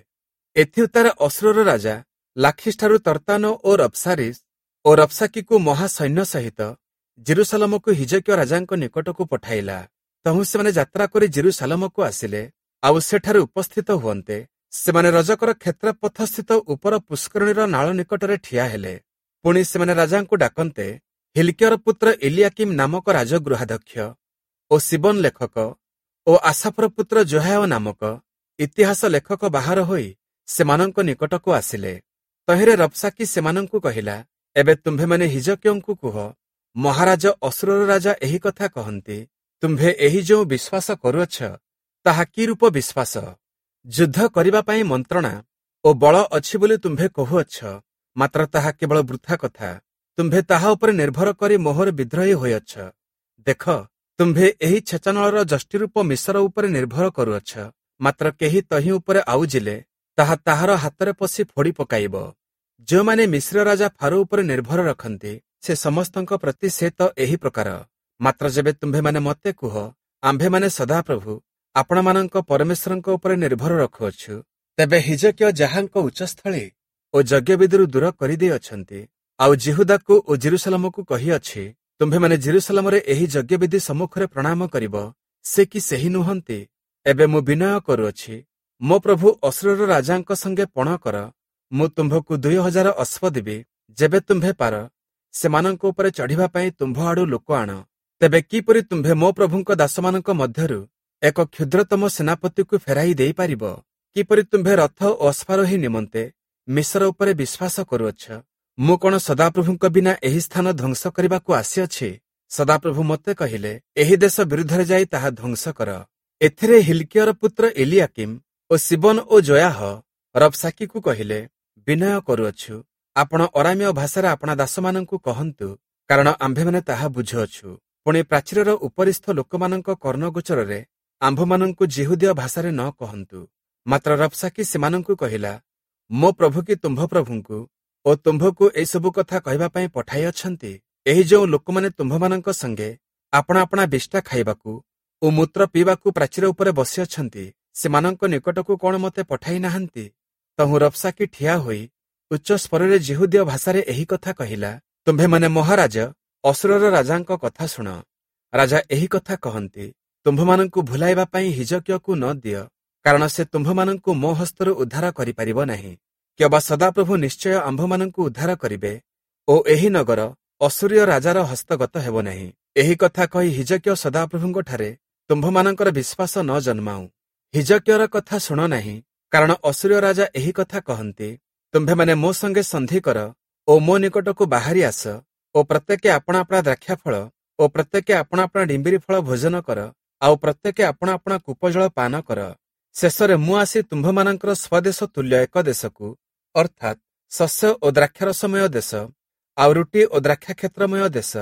ଏଥିଉତ୍ତାରେ ଅଶୂରର ରାଜା ଲାଖିସ୍‌ଠାରୁ ତର୍ତ୍ତାନ ଓ ରବ୍ସାରିସ୍ ଓ ରବ୍ସାକିକୁ ମହାସୈନ୍ୟ ସହିତ ଯିରୂଶାଲମକୁ ହିଜକିୟ ରାଜାଙ୍କ ନିକଟକୁ ପଠାଇଲା। ତହୁଁ ସେମାନେ ଯାତ୍ରା କରି ଯିରୂଶାଲମକୁ ଆସିଲେ, ଆଉ ସେଠାରେ ଉପସ୍ଥିତ ହୁଅନ୍ତେ ସେମାନେ ରଜକର କ୍ଷେତ୍ରପଥସ୍ଥିତ ଉପର ପୁଷ୍କରିଣୀର ନାଳ ନିକଟରେ ଠିଆ ହେଲେ। ପୁଣି ସେମାନେ ରାଜାଙ୍କୁ ଡାକନ୍ତେ ହିଲ୍କିୟର ପୁତ୍ର ଇଲିୟାକିମ୍ ନାମକ ରାଜଗୃହାଧ୍ୟକ୍ଷ ଓ ଶିବନ ଲେଖକ ଓ ଆସାଫର ପୁତ୍ର ଯୋହାୟ ନାମକ ଇତିହାସ ଲେଖକ ବାହାର ହୋଇ ସେମାନଙ୍କ ନିକଟକୁ ଆସିଲେ। ତହିଁରେ ରବ୍ସାକି ସେମାନଙ୍କୁ କହିଲା, ଏବେ ତୁମ୍ଭେମାନେ ହିଜକିୟଙ୍କୁ କୁହ, ମହାରାଜ ଅଶୂରର ରାଜା ଏହି କଥା କହନ୍ତି, ତୁମ୍ଭେ ଏହି ଯେଉଁ ବିଶ୍ୱାସ କରୁଅଛ ତାହା କି ରୂପ ବିଶ୍ୱାସ? ଯୁଦ୍ଧ କରିବା ପାଇଁ ମନ୍ତ୍ରଣା ଓ ବଳ ଅଛି ବୋଲି ତୁମ୍ଭେ କହୁଅଛ, ମାତ୍ର ତାହା କେବଳ ବୃଥା କଥା। ତୁମ୍ଭେ ତାହା ଉପରେ ନିର୍ଭର କରି ମୋହର ବିଦ୍ରୋହୀ ହୋଇଅଛ। ଦେଖ, ତୁମ୍ଭେ ଏହି ଛେଚାନଳର ଯଷ୍ଟିରୂପ ମିଶର ଉପରେ ନିର୍ଭର କରୁଅଛ, ମାତ୍ର କେହି ତହିଁ ଉପରେ ଆଉଜିଲେ ତାହା ତାହାର ହାତରେ ପଶି ଫୋଡ଼ି ପକାଇବ। ଯେଉଁମାନେ ମିଶ୍ର ରାଜା ଫାରୋ ଉପରେ ନିର୍ଭର ରଖନ୍ତି, ସେ ସମସ୍ତଙ୍କ ପ୍ରତି ସେ ତ ଏହି ପ୍ରକାର। ମାତ୍ର ଯେବେ ତୁମ୍ଭେମାନେ ମୋତେ କୁହ, ଆମ୍ଭେମାନେ ସଦାପ୍ରଭୁ ଆପଣମାନଙ୍କ ପରମେଶ୍ୱରଙ୍କ ଉପରେ ନିର୍ଭର ରଖୁଅଛୁ, ତେବେ ହିଜକିୟ ଯାହାଙ୍କ ଉଚ୍ଚସ୍ଥଳୀ ଓ ଯଜ୍ଞବେଦୀରୁ ଦୂର କରିଦେଇଅଛନ୍ତି, ଆଉ ଯିହୁଦାକୁ ଓ ଯିରୂଶାଲମକୁ କହିଅଛି, ତୁମ୍ଭେମାନେ ଯିରୂଶାଲମରେ ଏହି ଯଜ୍ଞବେଦୀ ସମ୍ମୁଖରେ ପ୍ରଣାମ କରିବ, ସେ କି ସେହି ନୁହନ୍ତି? ଏବେ ମୁଁ ବିନୟ କରୁଅଛି, ମୋ ପ୍ରଭୁ ଅଶୂରର ରାଜାଙ୍କ ସଙ୍ଗେ ପଣ କର, ମୁଁ ତୁମ୍ଭକୁ 2000 ଅଶ୍ୱ ଦେବି, ଯେବେ ତୁମ୍ଭେ ପାର ସେମାନଙ୍କ ଉପରେ ଚଢ଼ିବା ପାଇଁ ତୁମ୍ଭ ଆଡ଼ୁ ଲୋକ ଆଣ। ତେବେ କିପରି ତୁମ୍ଭେ ମୋ ପ୍ରଭୁଙ୍କ ଦାସମାନଙ୍କ ମଧ୍ୟରୁ ଏକ କ୍ଷୁଦ୍ରତମ ସେନାପତିକୁ ଫେରାଇ ଦେଇପାରିବ? କିପରି ତୁମ୍ଭେ ରଥ ଓ ଅଶ୍ୱାରୋହୀ ନିମନ୍ତେ ମିଶର ଉପରେ ବିଶ୍ୱାସ କରୁଅଛ? ମୁଁ କ'ଣ ସଦାପ୍ରଭୁଙ୍କ ବିନା ଏହି ସ୍ଥାନ ଧ୍ୱଂସ କରିବାକୁ ଆସିଅଛି? ସଦାପ୍ରଭୁ ମୋତେ କହିଲେ, ଏହି ଦେଶ ବିରୁଦ୍ଧରେ ଯାଇ ତାହା ଧ୍ୱଂସ କର। ଏଥିରେ ହିଲ୍କିୟର ପୁତ୍ର ଏଲିୟାକିମ୍ ଓ ଶିବନ ଓ ଜୟାହ ରବ୍ସାକିକୁ କହିଲେ, ବିନୟ କରୁଅଛୁ, ଆପଣ ଅରାମୀୟ ଭାଷାରେ ଆପଣା ଦାସମାନଙ୍କୁ କହନ୍ତୁ, କାରଣ ଆମ୍ଭେମାନେ ତାହା ବୁଝୁଅଛୁ। ପୁଣି ପ୍ରାଚୀରର ଉପରିସ୍ଥ ଲୋକମାନଙ୍କ କର୍ଣ୍ଣଗୋଚରରେ ଆମ୍ଭମାନଙ୍କୁ ଯିହୁଦୀୟ ଭାଷାରେ ନ କହନ୍ତୁ। ମାତ୍ର ରବ୍ସାକି ସେମାନଙ୍କୁ କହିଲା, ମୋ ପ୍ରଭୁ କି ତୁମ୍ଭ ପ୍ରଭୁଙ୍କୁ ଓ ତୁମ୍ଭକୁ ଏସବୁ କଥା କହିବା ପାଇଁ ପଠାଇଅଛନ୍ତି? ଏହି ଯେଉଁ ଲୋକମାନେ ତୁମ୍ଭମାନଙ୍କ ସଙ୍ଗେ ଆପଣା ଆପଣା ବିଷ୍ଠା ଖାଇବାକୁ ଓ ମୂତ୍ର ପିଇବାକୁ ପ୍ରାଚୀର ଉପରେ ବସିଅଛନ୍ତି, ସେମାନଙ୍କ ନିକଟକୁ କ'ଣ ମୋତେ ପଠାଇ ନାହାନ୍ତି? ତହୁଁ ରବ୍ସାକି ଠିଆ ହୋଇ ଉଚ୍ଚ ସ୍ୱରରେ ଯିହୁଦୀୟ ଭାଷାରେ ଏହି କଥା କହିଲା, ତୁମ୍ଭେମାନେ ମହାରାଜ ଅଶୂରର ରାଜାଙ୍କ କଥା ଶୁଣ। ରାଜା ଏହି କଥା କହନ୍ତି, ତୁମ୍ଭମାନଙ୍କୁ ଭୁଲାଇବା ପାଇଁ ହିଜକିୟକୁ ନ ଦିଅ, କାରଣ ସେ ତୁମ୍ଭମାନଙ୍କୁ ମୋ ହସ୍ତରୁ ଉଦ୍ଧାର କରିପାରିବ ନାହିଁ। କିମ୍ବା ସଦାପ୍ରଭୁ ନିଶ୍ଚୟ ଆମ୍ଭମାନଙ୍କୁ ଉଦ୍ଧାର କରିବେ ଓ ଏହି ନଗର ଅଶୂରୀୟ ରାଜାର ହସ୍ତଗତ ହେବ ନାହିଁ। ଏହି କଥା କହି ହିଜକିୟ ସଦାପ୍ରଭୁଙ୍କଠାରେ ତୁମ୍ଭମାନଙ୍କର ବିଶ୍ୱାସ ନ ଜନ୍ମାଉ। ହିଜକିୟର କଥା ଶୁଣ ନାହିଁ, କାରଣ ଅଶୂରୀୟ ରାଜା ଏହି କଥା କହନ୍ତି, ତୁମ୍ଭେମାନେ ମୋ ସଙ୍ଗେ ସନ୍ଧି କର ଓ ମୋ ନିକଟକୁ ବାହାରି ଆସ ଓ ପ୍ରତ୍ୟେକେ ଆପଣା ଆପଣା ଦ୍ରାକ୍ଷାଫଳ ଓ ପ୍ରତ୍ୟେକେ ଆପଣା ଆପଣା ଡିମ୍ବିରି ଫଳ ଭୋଜନ କର, ଆଉ ପ୍ରତ୍ୟେକେ ଆପଣା ଆପଣା କୂପଜଳ ପାନ କର। ଶେଷରେ ମୁଁ ଆସି ତୁମ୍ଭମାନଙ୍କର ସ୍ୱଦେଶ ତୁଲ୍ୟ ଏକ ଦେଶକୁ, ଅର୍ଥାତ୍ ଶସ୍ୟ ଓ ଦ୍ରାକ୍ଷାରସମୟ ଦେଶ, ଆଉ ରୁଟି ଓ ଦ୍ରାକ୍ଷାକ୍ଷେତ୍ରମୟ ଦେଶ,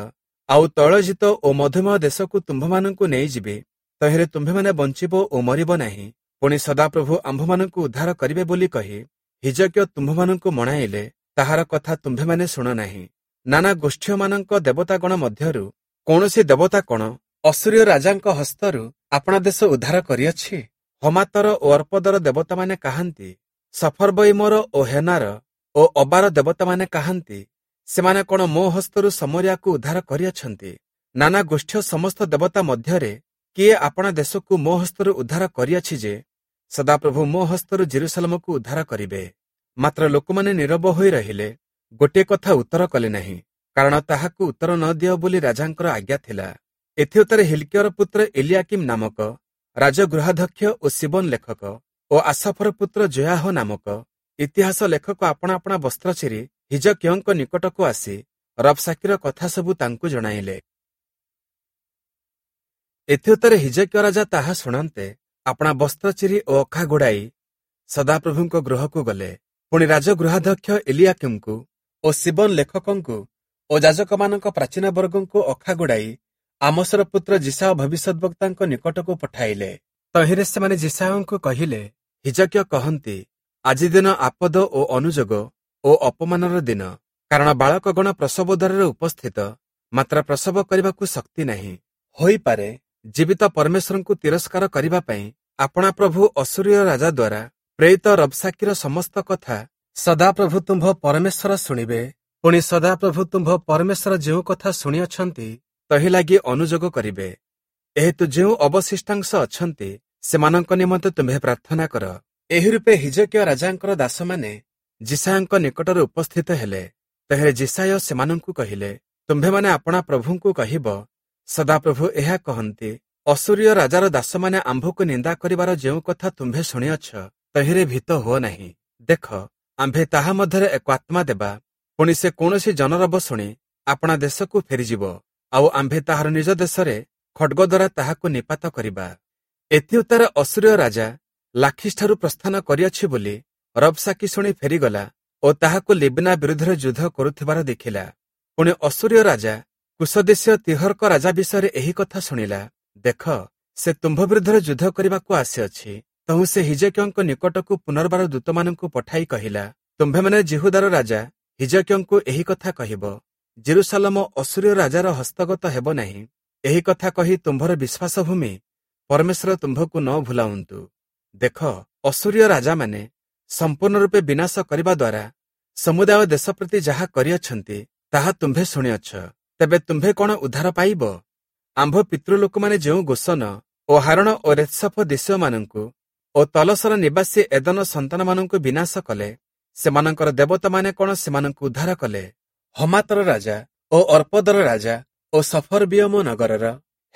ଆଉ ତୈଳଜିତ ଓ ମଧୁମୟ ଦେଶକୁ ତୁମ୍ଭମାନଙ୍କୁ ନେଇଯିବି। ତହିଁରେ ତୁମ୍ଭେମାନେ ବଞ୍ଚିବ ଓ ମରିବ ନାହିଁ। ପୁଣି ସଦାପ୍ରଭୁ ଆମ୍ଭମାନଙ୍କୁ ଉଦ୍ଧାର କରିବେ ବୋଲି କହି ହିଜକିୟ ତୁମ୍ଭମାନଙ୍କୁ ମଣାଇଲେ, ତାହାର କଥା ତୁମ୍ଭେମାନେ ଶୁଣ ନାହିଁ। ନାନା ଗୋଷ୍ଠୀୟମାନଙ୍କ ଦେବତାଗଣ ମଧ୍ୟରୁ କୌଣସି ଦେବତା କଣ ଅସୂରୀୟ ରାଜାଙ୍କ ହସ୍ତରୁ ଆପଣା ଦେଶ ଉଦ୍ଧାର କରିଅଛି? ହମାତର ଓ ଅର୍ପଦର ଦେବତାମାନେ କାହାନ୍ତି? ସଫର୍ବଇମର ଓ ହେନାର ଓ ଅବାର ଦେବତାମାନେ କାହାନ୍ତି? ସେମାନେ କଣ ମୋ ହସ୍ତରୁ ସମରିଆକୁ ଉଦ୍ଧାର କରିଅଛନ୍ତି? ନାନା ଗୋଷ୍ଠୀୟ ସମସ୍ତ ଦେବତା ମଧ୍ୟରେ କିଏ ଆପଣା ଦେଶକୁ ମୋ ହସ୍ତରୁ ଉଦ୍ଧାର କରିଅଛି ଯେ ସଦାପ୍ରଭୁ ମୋ ହସ୍ତରୁ ଜେରୁସାଲେମକୁ ଉଦ୍ଧାର କରିବେ? ମାତ୍ର ଲୋକମାନେ ନୀରବ ହୋଇ ରହିଲେ, ଗୋଟିଏ କଥା ଉତ୍ତର କଲେ ନାହିଁ, କାରଣ ତାହାକୁ ଉତ୍ତର ନ ଦିଅ ବୋଲି ରାଜାଙ୍କର ଆଜ୍ଞା ଥିଲା। ଏଥିଉତ୍ତାରେ ହିଲ୍କିୟର ପୁତ୍ର ଏଲିୟାକିମ୍ ନାମକ ରାଜଗୃହାଧ୍ୟକ୍ଷ ଓ ଶିବନ ଲେଖକ ଓ ଆସାଫର ପୁତ୍ର ଜୟାହ ନାମକ ଇତିହାସ ଲେଖକ ଆପଣା ଆପଣା ବସ୍ତ୍ର ଚିରି ହିଜକିୟଙ୍କ ନିକଟକୁ ଆସି ରବସାକିର କଥା ସବୁ ତାଙ୍କୁ ଜଣାଇଲେ। ଏଥିଉତ୍ତାରେ ହିଜକିୟ ରାଜା ତାହା ଶୁଣନ୍ତେ ଆପଣା ବସ୍ତ୍ର ଚିରି ଓ ଅଖା ଗୁଡ଼ାଇ ସଦାପ୍ରଭୁଙ୍କ ଗୃହକୁ ଗଲେ। ପୁଣି ରାଜଗୃହାଧ୍ୟକ୍ଷ ଏଲିୟାକିମ୍ଙ୍କୁ ଓ ଶିବନ ଲେଖକଙ୍କୁ ଓ ଯାଜକମାନଙ୍କ ପ୍ରାଚୀନ ବର୍ଗଙ୍କୁ ଅଖା ଗୁଡ଼ାଇ ଆମୋସର ପୁତ୍ର ଯିଶାୟ ଭବିଷ୍ୟଦ୍‌ବକ୍ତାଙ୍କ ନିକଟକୁ ପଠାଇଲେ। ତହିଁରେ ସେମାନେ ଯିଶାୟଙ୍କୁ କହିଲେ, ହିଜକିୟ କହନ୍ତି, ଆଜି ଦିନ ଆପଦ ଓ ଅନୁଯୋଗ ଓ ଅପମାନର ଦିନ, କାରଣ ବାଳକଗଣ ପ୍ରସବ ଦ୍ୱାରରେ ଉପସ୍ଥିତ, ମାତ୍ର ପ୍ରସବ କରିବାକୁ ଶକ୍ତି ନାହିଁ। ହୋଇପାରେ ଜୀବିତ ପରମେଶ୍ୱରଙ୍କୁ ତିରସ୍କାର କରିବା ପାଇଁ ଆପଣା ପ୍ରଭୁ ଅସୂରୀୟ ରାଜା ଦ୍ୱାରା ପ୍ରେରିତ ରବସାକିର ସମସ୍ତ କଥା ସଦାପ୍ରଭୁ ତୁମ୍ଭ ପରମେଶ୍ୱର ଶୁଣିବେ। ପୁଣି ସଦାପ୍ରଭୁ ତୁମ୍ଭ ପରମେଶ୍ୱର ଯେଉଁ କଥା ଶୁଣିଅଛନ୍ତି ତହିଁ ଲାଗି ଅନୁଯୋଗ କରିବେ। ଏହେତୁ ଯେଉଁ ଅବଶିଷ୍ଟାଂଶ ଅଛନ୍ତି ସେମାନଙ୍କ ନିମନ୍ତେ ତୁମ୍ଭେ ପ୍ରାର୍ଥନା କର। ଏହି ରୂପେ ହିଜକିୟ ରାଜାଙ୍କର ଦାସମାନେ ଯିଶାୟଙ୍କ ନିକଟରେ ଉପସ୍ଥିତ ହେଲେ। ତହିଁରେ ଯିଶାୟ ସେମାନଙ୍କୁ କହିଲେ, ତୁମ୍ଭେମାନେ ଆପଣା ପ୍ରଭୁଙ୍କୁ କହିବ, ସଦାପ୍ରଭୁ ଏହା କହନ୍ତି, ଅସୂରୀୟ ରାଜାର ଦାସମାନେ ଆମ୍ଭକୁ ନିନ୍ଦା କରିବାର ଯେଉଁ କଥା ତୁମ୍ଭେ ଶୁଣିଅଛ ତହିଁରେ ଭୀତ ହୁଅ ନାହିଁ। ଦେଖ, ଆମ୍ଭେ ତାହା ମଧ୍ୟରେ ଏକ ଆତ୍ମା ଦେବା, ପୁଣି ସେ କୌଣସି ଜନରବ ଶୁଣି ଆପଣା ଦେଶକୁ ଫେରିଯିବ, ଆଉ ଆମ୍ଭେ ତାହାର ନିଜ ଦେଶରେ ଖଡ୍ଗ ଦ୍ୱାରା ତାହାକୁ ନିପାତ କରିବା। ଏଥିଉତ୍ତାରେ ଅସୂରୀୟ ରାଜା ଲାଖିସଠାରୁ ପ୍ରସ୍ଥାନ କରିଅଛି ବୋଲି ରବସାକି ଶୁଣି ଫେରିଗଲା ଓ ତାହାକୁ ଲିବ୍ନା ବିରୁଦ୍ଧରେ ଯୁଦ୍ଧ କରୁଥିବାର ଦେଖିଲା। ପୁଣି ଅସୂରୀୟ ରାଜା କୁଶଦେଶୀୟ ତିହର୍କ ରାଜା ବିଷୟରେ ଏହି କଥା ଶୁଣିଲା, ଦେଖ, ସେ ତୁମ୍ଭ ବିରୁଦ୍ଧରେ ଯୁଦ୍ଧ କରିବାକୁ ଆସିଅଛି। ତହୁଁ ସେ ହିଜକିୟଙ୍କ ନିକଟକୁ ପୁନର୍ବାର ଦୂତମାନଙ୍କୁ ପଠାଇ କହିଲା, ତୁମ୍ଭେମାନେ ଯିହୁଦାର ରାଜା ହିଜକିୟଙ୍କୁ ଏହି କଥା କହିବ, ଜେରୁସାଲମ ଅସୂରୀୟ ରାଜାର ହସ୍ତଗତ ହେବ ନାହିଁ। ଏହି କଥା କହି ତୁମ୍ଭର ବିଶ୍ୱାସଭୂମି ପରମେଶ୍ୱର ତୁମ୍ଭକୁ ନ ଭୁଲାଉନ୍ତୁ। ଦେଖ, ଅସୂରୀୟ ରାଜାମାନେ ସମ୍ପୂର୍ଣ୍ଣ ରୂପେ ବିନାଶ କରିବା ଦ୍ୱାରା ସମୁଦାୟ ଦେଶ ପ୍ରତି ଯାହା କରିଅଛନ୍ତି ତାହା ତୁମ୍ଭେ ଶୁଣିଅଛ। ତେବେ ତୁମ୍ଭେ କଣ ଉଦ୍ଧାର ପାଇବ? ଆମ୍ଭ ପିତୃଲୋକମାନେ ଯେଉଁ ଗୋସନ ଓ ହାରଣ ଓ ରେତ୍ସଫ ଦେଶୀୟମାନଙ୍କୁ ଓ ତଲସର ନିବାସୀ ଏଦନ ସନ୍ତାନମାନଙ୍କୁ ବିନାଶ କଲେ, ସେମାନଙ୍କର ଦେବତାମାନେ କଣ ସେମାନଙ୍କୁ ଉଦ୍ଧାର କଲେ? ହମାତର ରାଜା ଓ ଅର୍ପଦର ରାଜା ଓ ସଫରବିୟମ ନଗରର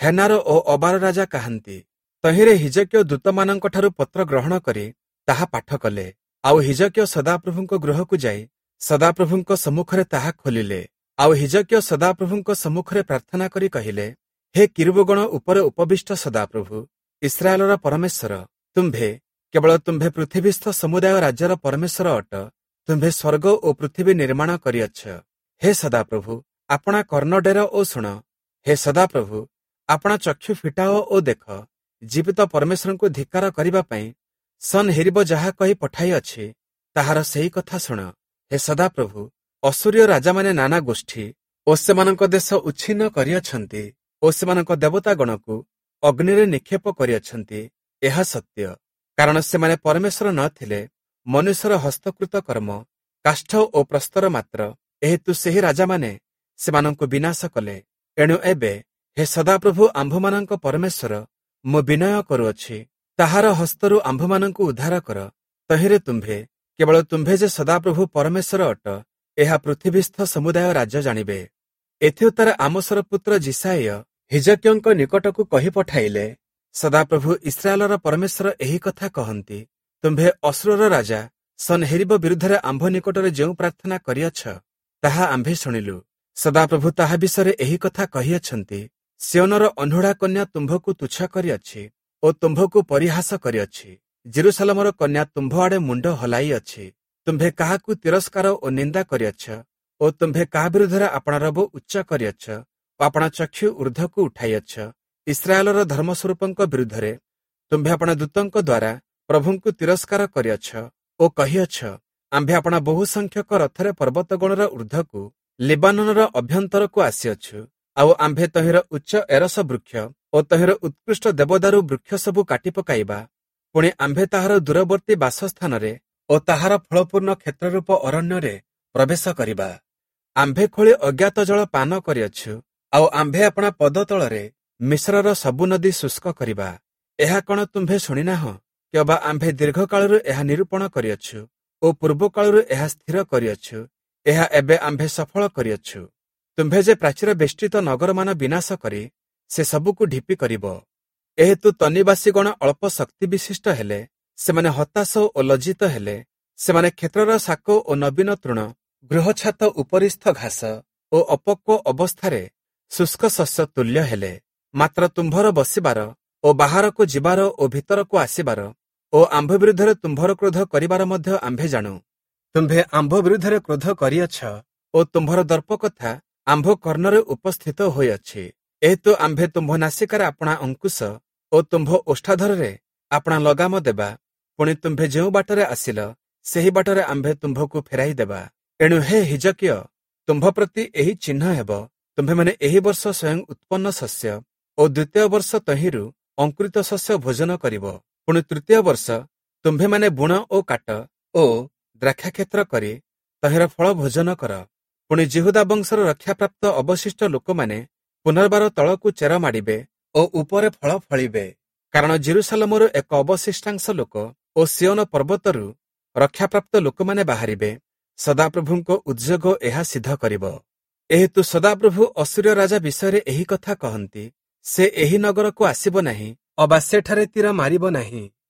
ହେନାର ଓ ଅବାର ରାଜା କାହାନ୍ତି? ତହିଁରେ ହିଜକିୟ ଦୂତମାନଙ୍କଠାରୁ ପତ୍ର ଗ୍ରହଣ କରି ତାହା ପାଠ କଲେ। ଆଉ ହିଜକିୟ ସଦାପ୍ରଭୁଙ୍କ ଗୃହକୁ ଯାଇ ସଦାପ୍ରଭୁଙ୍କ ସମ୍ମୁଖରେ ତାହା ଖୋଲିଲେ। ଆଉ ହିଜକିୟ ସଦାପ୍ରଭୁଙ୍କ ସମ୍ମୁଖରେ ପ୍ରାର୍ଥନା କରି କହିଲେ, ହେ କିରୂବଗଣ ଉପରେ ଉପବିଷ୍ଟ ସଦାପ୍ରଭୁ, ଇସ୍ରାଏଲର ପରମେଶ୍ୱର, ତୁମ୍ଭେ କେବଳ ତୁମ୍ଭେ ପୃଥିବୀସ୍ଥ ସମୁଦାୟ ରାଜ୍ୟର ପରମେଶ୍ୱର ଅଟ। ତୁମ୍ଭେ ସ୍ୱର୍ଗ ଓ ପୃଥିବୀ ନିର୍ମାଣ କରିଅଛ। ହେ ସଦାପ୍ରଭୁ, ଆପଣା କର୍ଣ୍ଣ ଡେର ଓ ଶୁଣ। ହେ ସଦାପ୍ରଭୁ, ଆପଣା ଚକ୍ଷୁ ଫିଟାଅ ଓ ଦେଖ। ଜୀବିତ ପରମେଶ୍ୱରଙ୍କୁ ଧିକ୍କାର କରିବା ପାଇଁ ସନ୍ହେରୀବ ଯାହା କହି ପଠାଇଅଛି ତାହାର ସେହି କଥା ଶୁଣ। ହେ ସଦାପ୍ରଭୁ, ଅସୂରୀୟ ରାଜାମାନେ ନାନା ଗୋଷ୍ଠୀ ଓ ସେମାନଙ୍କ ଦେଶ ଉଚ୍ଛିନ୍ନ କରିଅଛନ୍ତି ଓ ସେମାନଙ୍କ ଦେବତାଗଣକୁ ଅଗ୍ନିରେ ନିକ୍ଷେପ କରିଅଛନ୍ତି। ଏହା ସତ୍ୟ, କାରଣ ସେମାନେ ପରମେଶ୍ୱର ନ ଥିଲେ, ମନୁଷ୍ୟର ହସ୍ତକୃତ କର୍ମ, କାଷ୍ଠ ଓ ପ୍ରସ୍ତର ମାତ୍ର। ଏହେତୁ ସେହି ରାଜାମାନେ ସେମାନଙ୍କୁ ବିନାଶ କଲେ। ଏଣୁ ଏବେ ହେ ସଦାପ୍ରଭୁ ଆମ୍ଭମାନଙ୍କ ପରମେଶ୍ୱର, ମୁଁ ବିନୟ କରୁଅଛି, ତାହାର ହସ୍ତରୁ ଆମ୍ଭମାନଙ୍କୁ ଉଦ୍ଧାର କର। ତହିଁରେ ତୁମ୍ଭେ କେବଳ ତୁମ୍ଭେ ଯେ ସଦାପ୍ରଭୁ ପରମେଶ୍ୱର ଅଟ, ଏହା ପୃଥିବୀସ୍ଥ ସମୁଦାୟ ରାଜ୍ୟ ଜାଣିବେ। ଏଥିଉତ୍ତାରେ ଆମୋସର ପୁତ୍ର ଯିଶାଇୟ ହିଜକିୟଙ୍କ ନିକଟକୁ କହି ପଠାଇଲେ, ସଦାପ୍ରଭୁ ଇସ୍ରାଏଲର ପରମେଶ୍ୱର ଏହି କଥା କହନ୍ତି, ତୁମ୍ଭେ ଅଶୂରର ରାଜା ସନ୍ହେରୀବ ବିରୁଦ୍ଧରେ ଆମ୍ଭ ନିକଟରେ ଯେଉଁ ପ୍ରାର୍ଥନା କରିଅଛ ତାହା ଆମ୍ଭେ ଶୁଣିଲୁ। ସଦାପ୍ରଭୁ ତାହା ବିଷୟରେ ଏହି କଥା କହିଅଛନ୍ତି, ସିୟୋନର ଅହ୍ନୁଢ଼ା କନ୍ୟା ତୁମ୍ଭକୁ ତୁଚ୍ଛ କରିଅଛି ଓ ତୁମ୍ଭକୁ ପରିହାସ କରିଅଛି। ଜେରୁସାଲମର କନ୍ୟା ତୁମ୍ଭ ଆଡ଼େ ମୁଣ୍ଡ ହଲାଇଅଛି। ତୁମ୍ଭେ କାହାକୁ ତିରସ୍କାର ଓ ନିନ୍ଦା କରିଅଛ ଓ ତୁମ୍ଭେ କାହା ବିରୁଦ୍ଧରେ ଆପଣା ରବ ଉଚ୍ଚ କରିଅଛ ଓ ଆପଣା ଚକ୍ଷୁ ଊର୍ଦ୍ଧ୍ୱକୁ ଉଠାଇଅଛ? ଇସ୍ରାଏଲର ଧର୍ମସ୍ୱରୂପଙ୍କ ବିରୁଦ୍ଧରେ ତୁମ୍ଭେ ଆପଣା ଦୂତଙ୍କ ଦ୍ୱାରା ପ୍ରଭୁଙ୍କୁ ତିରସ୍କାର କରିଅଛ ଓ କହିଅଛ, ଆମ୍ଭେ ଆପଣା ବହୁ ସଂଖ୍ୟକ ରଥରେ ପର୍ବତଗଣର ଊର୍ଦ୍ଧ୍ୱକୁ ଲିବାନୋନର ଅଭ୍ୟନ୍ତରକୁ ଆସିଅଛୁ। ଆଉ ଆମ୍ଭେ ତହିଁର ଉଚ୍ଚ ଏରସ ବୃକ୍ଷ ଓ ତହିଁର ଉତ୍କୃଷ୍ଟ ଦେବଦାରୁ ବୃକ୍ଷ ସବୁ କାଟି ପକାଇବା। ପୁଣି ଆମ୍ଭେ ତାହାର ଦୂରବର୍ତ୍ତୀ ବାସସ୍ଥାନରେ ଓ ତାହାର ଫଳପୂର୍ଣ୍ଣ କ୍ଷେତ୍ରରୂପ ଅରଣ୍ୟରେ ପ୍ରବେଶ କରିବା। ଆମ୍ଭେ ଖୋଳି ଅଜ୍ଞାତ ଜଳ ପାନ କରିଅଛୁ, ଆଉ ଆମ୍ଭେ ଆପଣା ପଦ ତଳରେ ମିଶ୍ରର ସବୁ ନଦୀ ଶୁଷ୍କ କରିବା। ଏହା କଣ ତୁମ୍ଭେ ଶୁଣିନାହଁ? କିମ୍ବା ଆମ୍ଭେ ଦୀର୍ଘକାଳରୁ ଏହା ନିରୂପଣ କରିଅଛୁ ଓ ପୂର୍ବକାଳରୁ ଏହା ସ୍ଥିର କରିଅଛୁ, ଏହା ଏବେ ଆମ୍ଭେ ସଫଳ କରିଅଛୁ। ତୁମ୍ଭେ ଯେ ପ୍ରାଚୀର ବେଷ୍ଟିତ ନଗରମାନ ବିନାଶ କରି ସେ ସବୁକୁ ଢିପି କରିବ। ଏହେତୁ ତନ୍ନିବାସୀଗଣ ଅଳ୍ପ ଶକ୍ତି ବିଶିଷ୍ଟ ହେଲେ, ସେମାନେ ହତାଶ ଓ ଲଜ୍ଜିତ ହେଲେ। ସେମାନେ କ୍ଷେତ୍ରର ଶାକ ଓ ନବୀନ ତୃଣ, ଗୃହଛାତ ଉପରିସ୍ଥ ଘାସ ଓ ଅପକ୍ୱ ଅବସ୍ଥାରେ ଶୁଷ୍କ ଶସ୍ୟ ତୁଲ୍ୟ ହେଲେ। ମାତ୍ର ତୁମ୍ଭର ବସିବାର ଓ ବାହାରକୁ ଯିବାର ଓ ଭିତରକୁ ଆସିବାର ଓ ଆମ୍ଭ ବିରୁଦ୍ଧରେ ତୁମ୍ଭର କ୍ରୋଧ କରିବାର ମଧ୍ୟ ଆମ୍ଭେ ଜାଣୁ। ତୁମ୍ଭେ ଆମ୍ଭ ବିରୁଦ୍ଧରେ କ୍ରୋଧ କରିଅଛ ଓ ତୁମ୍ଭର ଦର୍ପ କଥା ଆମ୍ଭ କର୍ଣ୍ଣରେ ଉପସ୍ଥିତ ହୋଇଅଛି। ଏହେତୁ ଆମ୍ଭେ ତୁମ୍ଭ ନାସିକାରେ ଆପଣା ଅଙ୍କୁଶ ଓ ତୁମ୍ଭ ଓଷ୍ଠାଧରରେ ଆପଣା ଲଗାମ ଦେବା। ପୁଣି ତୁମ୍ଭେ ଯେଉଁ ବାଟରେ ଆସିଲ, ସେହି ବାଟରେ ଆମ୍ଭେ ତୁମ୍ଭକୁ ଫେରାଇ ଦେବା। ଏଣୁ ହେ ହିଜକିୟ, ତୁମ୍ଭ ପ୍ରତି ଏହି ଚିହ୍ନ ହେବ, ତୁମ୍ଭେମାନେ ଏହି ବର୍ଷ ସ୍ୱୟଂ ଉତ୍ପନ୍ନ ଶସ୍ୟ ଓ ଦ୍ୱିତୀୟ ବର୍ଷ ତହିଁରୁ ଅଙ୍କୁରିତ ଶସ୍ୟ ଭୋଜନ କରିବ। ପୁଣି ତୃତୀୟ ବର୍ଷ ତୁମ୍ଭେମାନେ ବୁଣ ଓ କାଟ ଓ ଦ୍ରାକ୍ଷାକ୍ଷେତ୍ର କରି ତହିଁର ଫଳ ଭୋଜନ କର। ପୁଣି ଯିହୁଦା ବଂଶର ରକ୍ଷାପ୍ରାପ୍ତ ଅବଶିଷ୍ଟ ଲୋକମାନେ ପୁନର୍ବାର ତଳକୁ ଚେର ମାଡ଼ିବେ ଓ ଉପରେ ଫଳ ଫଳିବେ। କାରଣ ଜେରୁସାଲମରୁ ଏକ ଅବଶିଷ୍ଟାଂଶ ଲୋକ ଓ ସିଓନ ପର୍ବତରୁ ରକ୍ଷାପ୍ରାପ୍ତ ଲୋକମାନେ ବାହାରିବେ। ସଦାପ୍ରଭୁଙ୍କ ଉଦ୍ଯୋଗ ଏହା ସିଦ୍ଧ କରିବ। ଏହେତୁ ସଦାପ୍ରଭୁ ଅସୂରୀୟ ରାଜା ବିଷୟରେ ଏହି କଥା କହନ୍ତି, ସେ ଏହି ନଗରକୁ ଆସିବ ନାହିଁ, ଅବା ସେଠାରେ ତୀର ମାରିବ ନାହିଁ,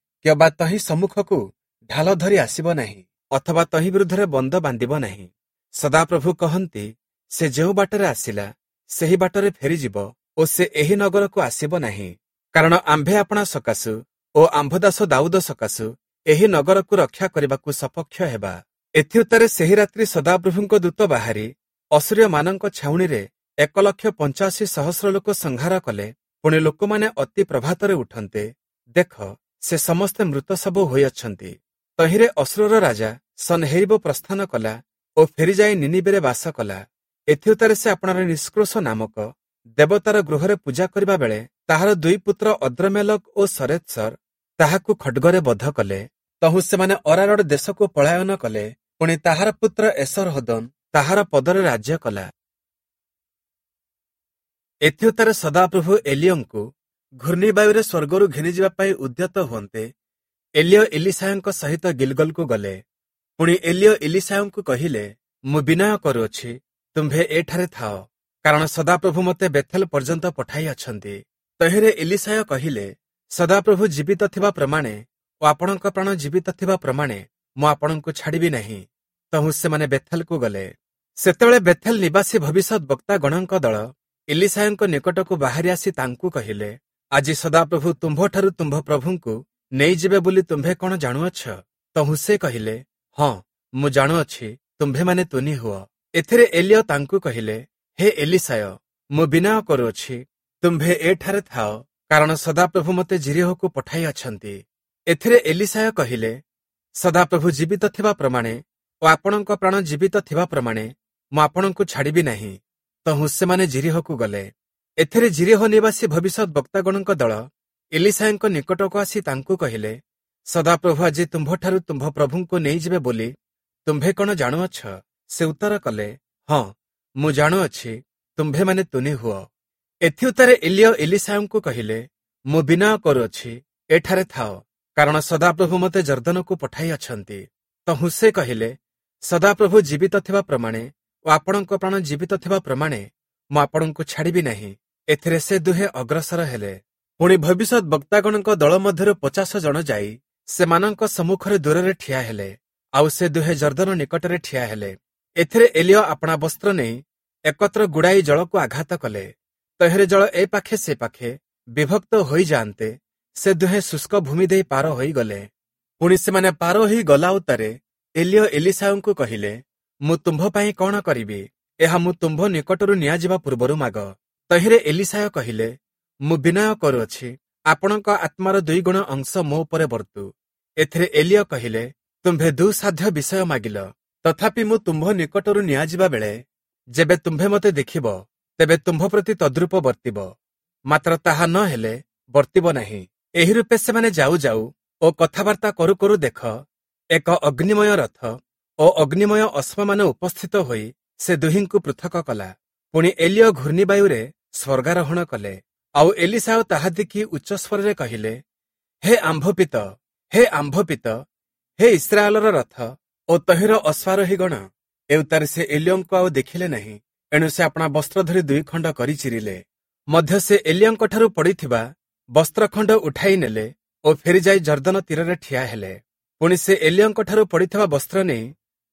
କିମ୍ବା ତହିଁ ସମ୍ମୁଖକୁ ଢାଲ ଧରି ଆସିବ ନାହିଁ, ଅଥବା ତହିଁ ବିରୁଦ୍ଧରେ ବନ୍ଦ ବାନ୍ଧିବ ନାହିଁ। ସଦାପ୍ରଭୁ କହନ୍ତି, ସେ ଯେଉଁ ବାଟରେ ଆସିଲା ସେହି ବାଟରେ ଫେରିଯିବ ଓ ସେ ଏହି ନଗରକୁ ଆସିବ ନାହିଁ। କାରଣ ଆମ୍ଭେ ଆପଣା ସକାଶୁ ଓ ଆମ୍ଭ ଦାସ ଦାଉଦ ସକାଶୁ ଏହି ନଗରକୁ ରକ୍ଷା କରିବାକୁ ସପକ୍ଷ ହେବା। ଏଥିଉତ୍ତାରେ ସେହି ରାତ୍ରି ସଦାପ୍ରଭୁଙ୍କ ଦୂତ ବାହାରି ଅସୂରୀୟମାନଙ୍କ ଛାଉଣିରେ 1,85,000 ଲୋକ ସଂହାର କଲେ। ପୁଣି ଲୋକମାନେ ଅତି ପ୍ରଭାତରେ ଉଠନ୍ତେ, ଦେଖ, ସେ ସମସ୍ତେ ମୃତ ଶବ ହୋଇଅଛନ୍ତି। ତହିଁରେ ଅସୂରର ରାଜା ସନହେରିବ ପ୍ରସ୍ଥାନ କଲା ଓ ଫେରିଯାଇ ନିନିବେରେ ବାସ କଲା। ଏଥିଉତ୍ତାରେ ସେ ଆପଣାର ନିଷ୍କ୍ରୋଶ ନାମକ ଦେବତାର ଗୃହରେ ପୂଜା କରିବା ବେଳେ ତାହାର ଦୁଇ ପୁତ୍ର ଅଦ୍ରମେଲକ ଓ ସରେତ୍ସର ତାହାକୁ ଖଡ୍ଗରେ ବଧ କଲେ। ତହୁଁ ସେମାନେ ଅରାରଡ଼ ଦେଶକୁ ପଳାୟନ କଲେ। ପୁଣି ତାହାର ପୁତ୍ର ଏସରହଦୋନ ତାହାର ପଦରେ ରାଜ୍ୟ କଲା। ଏଥିଉତ୍ତାରେ ସଦାପ୍ରଭୁ ଏଲିୟଙ୍କୁ ଘୂର୍ଣ୍ଣିବାୟୁରେ ସ୍ୱର୍ଗରୁ ଘେନିଯିବା ପାଇଁ ଉଦ୍ୟତ ହୁଅନ୍ତେ, ଏଲିୟ ଇଲିଶାୟଙ୍କ ସହିତ ଗିଲଗଲକୁ ଗଲେ। ପୁଣି ଏଲିୟ ଇଲିଶାୟଙ୍କୁ କହିଲେ, ମୁଁ ବିନୟ କରୁଅଛି, ତୁମ୍ଭେ ଏଠାରେ ଥାଅ, କାରଣ ସଦାପ୍ରଭୁ ମୋତେ ବେଥେଲ ପର୍ଯ୍ୟନ୍ତ ପଠାଇଅଛନ୍ତି। ତହିଁରେ ଇଲିଶାୟ କହିଲେ, ସଦାପ୍ରଭୁ ଜୀବିତ ଥିବା ପ୍ରମାଣେ ଓ ଆପଣଙ୍କ ପ୍ରାଣ ଜୀବିତ ଥିବା ପ୍ରମାଣେ ମୁଁ ଆପଣଙ୍କୁ ଛାଡ଼ିବି ନାହିଁ। ତହୁଁ ସେମାନେ ବେଥେଲକୁ ଗଲେ। ସେତେବେଳେ ବେଥେଲ ନିବାସୀ ଭବିଷ୍ୟତ ବକ୍ତାଗଣଙ୍କ ଦଳ ଇଲିଶାୟଙ୍କ ନିକଟକୁ ବାହାରି ଆସି ତାଙ୍କୁ କହିଲେ, ଆଜି ସଦାପ୍ରଭୁ ତୁମ୍ଭଠାରୁ ତୁମ୍ଭ ପ୍ରଭୁଙ୍କୁ ନେଇଯିବେ ବୋଲି ତୁମ୍ଭେ କଣ ଜାଣୁଅଛ? ତହୁଁ ସେ କହିଲେ, ହଁ, ମୁଁ ଜାଣୁଅଛି, ତୁମ୍ଭେମାନେ ତୁନି ହୁଅ। ଏଥିରେ ଏଲିୟ ତାଙ୍କୁ କହିଲେ, ହେ ଏଲିଶାୟ, ମୁଁ ବିନୟ କରୁଅଛି, ତୁମ୍ଭେ ଏଠାରେ ଥାଅ, କାରଣ ସଦାପ୍ରଭୁ ମୋତେ ଯିରୀହୋକୁ ପଠାଇଅଛନ୍ତି। ଏଥିରେ ଏଲିଶାୟ କହିଲେ, ସଦାପ୍ରଭୁ ଜୀବିତ ଥିବା ପ୍ରମାଣେ ଓ ଆପଣଙ୍କ ପ୍ରାଣ ଜୀବିତ ଥିବା ପ୍ରମାଣେ ମୁଁ ଆପଣଙ୍କୁ ଛାଡ଼ିବି ନାହିଁ। ତହୁଁ ସେମାନେ ଯିରୀହୋକୁ ଗଲେ। ଏଥିରେ ଯିରୀହୋ ନିବାସୀ ଭବିଷ୍ୟତ ବକ୍ତାଗଣଙ୍କ ଦଳ ଇଲିଶାୟଙ୍କ ନିକଟକୁ ଆସି ତାଙ୍କୁ କହିଲେ, ସଦାପ୍ରଭୁ ଆଜି ତୁମ୍ଭଠାରୁ ତୁମ୍ଭ ପ୍ରଭୁଙ୍କୁ ନେଇଯିବେ ବୋଲି ତୁମ୍ଭେ କଣ ଜାଣୁଅଛ? ସେ ଉତ୍ତର କଲେ, ହଁ, ମୁଁ ଜାଣୁଅଛି, ତୁମ୍ଭେମାନେ ତୁନି ହୁଅ। ଏଥିଉତ୍ତାରେ ଏଲିୟ ଇଲିଶାୟଙ୍କୁ କହିଲେ, ମୁଁ ବିନୟ କରୁଅଛି, ଏଠାରେ ଥାଅ, କାରଣ ସଦାପ୍ରଭୁ ମୋତେ ଯର୍ଦ୍ଦନକୁ ପଠାଇଅଛନ୍ତି। ତହୁଁ ସେ କହିଲେ, ସଦାପ୍ରଭୁ ଜୀବିତ ଥିବା ପ୍ରମାଣେ ଓ ଆପଣଙ୍କ ପ୍ରାଣ ଜୀବିତ ଥିବା ପ୍ରମାଣେ ମୁଁ ଆପଣଙ୍କୁ ଛାଡ଼ିବି ନାହିଁ। ଏଥିରେ ସେ ଦୁହେଁ ଅଗ୍ରସର ହେଲେ। ପୁଣି ଭବିଷ୍ୟତ ବକ୍ତାଗଣଙ୍କ ଦଳ ମଧ୍ୟରୁ 50 ଜଣ ଯାଇ ସେମାନଙ୍କ ସମ୍ମୁଖରେ ଦୂରରେ ଠିଆ ହେଲେ, ଆଉ ସେ ଦୁହେଁ ଯର୍ଦ୍ଦନ ନିକଟରେ ଠିଆ ହେଲେ। ଏଥିରେ ଏଲିୟ ଆପଣା ବସ୍ତ୍ର ନେଇ ଏକତ୍ର ଗୁଡ଼ାଇ ଜଳକୁ ଆଘାତ କଲେ। ତହିଁରେ ଜଳ ଏ ପାଖେ ସେ ପାଖେ ବିଭକ୍ତ ହୋଇଯାଆନ୍ତେ ସେ ଦୁହେଁ ଶୁଷ୍କ ଭୂମି ଦେଇ ପାର ହୋଇଗଲେ। ପୁଣି ସେମାନେ ପାର ହୋଇ ଗଲା ଉତ୍ତାରେ ଏଲିୟ ଏଲିଶାୟଙ୍କୁ କହିଲେ, ମୁଁ ତୁମ୍ଭ ପାଇଁ କଣ କରିବି? ଏହା ମୁଁ ତୁମ୍ଭ ନିକଟରୁ ନିଆଯିବା ପୂର୍ବରୁ ମାଗ। ତହିଁରେ ଏଲିଶାୟ କହିଲେ, ମୁଁ ବିନୟ କରୁଅଛି, ଆପଣଙ୍କ ଆତ୍ମାର 2 ଗୁଣ ଅଂଶ ମୋ ଉପରେ ବର୍ତ୍ତୁ। ଏଥିରେ ଏଲିୟ କହିଲେ, ତୁମ୍ଭେ ଦୁଃସାଧ୍ୟ ବିଷୟ ମାଗିଲ। ତଥାପି ମୁଁ ତୁମ୍ଭ ନିକଟରୁ ନିଆଯିବା ବେଳେ ଯେବେ ତୁମ୍ଭେ ମୋତେ ଦେଖିବ, ତେବେ ତୁମ୍ଭ ପ୍ରତି ତଦ୍ରୂପ ବର୍ତ୍ତିବ, ମାତ୍ର ତାହା ନ ହେଲେ ବର୍ତ୍ତିବ ନାହିଁ। ଏହି ରୂପେ ସେମାନେ ଯାଉ ଯାଉ ଓ କଥାବାର୍ତ୍ତା କରୁ କରୁ ଦେଖ, ଏକ ଅଗ୍ନିମୟ ରଥ ଓ ଅଗ୍ନିମୟ ଅଶ୍ୱମାନ ଉପସ୍ଥିତ ହୋଇ ସେ ଦୁହିଁଙ୍କୁ ପୃଥକ କଲା। ପୁଣି ଏଲିୟ ଘୂର୍ଣ୍ଣିବାୟୁରେ ସ୍ୱର୍ଗାରୋହଣ କଲେ। ଆଉ ଏଲିଶାୟ ତାହା ଦେଖି ଉଚ୍ଚ ସ୍ୱରରେ କହିଲେ, ହେ ଆମ୍ଭ ପିତ, ହେ ଆମ୍ଭ ପିତ, ହେ ଇସ୍ରାଏଲର ରଥ ଓ ତହିଁର ଅଶ୍ୱାରୋହୀଗଣ! ଏଉତ୍ତାରେ ସେ ଏଲିୟଙ୍କୁ ଆଉ ଦେଖିଲେ ନାହିଁ। ଏଣୁ ସେ ଆପଣା ବସ୍ତ୍ର ଧରି ଦୁଇ ଖଣ୍ଡ କରି ଚିରିଲେ। ମଧ୍ୟ ସେ ଏଲିୟଙ୍କଠାରୁ ପଡ଼ିଥିବା ବସ୍ତ୍ରଖଣ୍ଡ ଉଠାଇ ନେଲେ ଓ ଫେରିଯାଇ ଯର୍ଦ୍ଦନ ତୀରରେ ଠିଆ ହେଲେ। ପୁଣି ସେ ଏଲିୟଙ୍କଠାରୁ ପଡ଼ିଥିବା ବସ୍ତ୍ର ନେଇ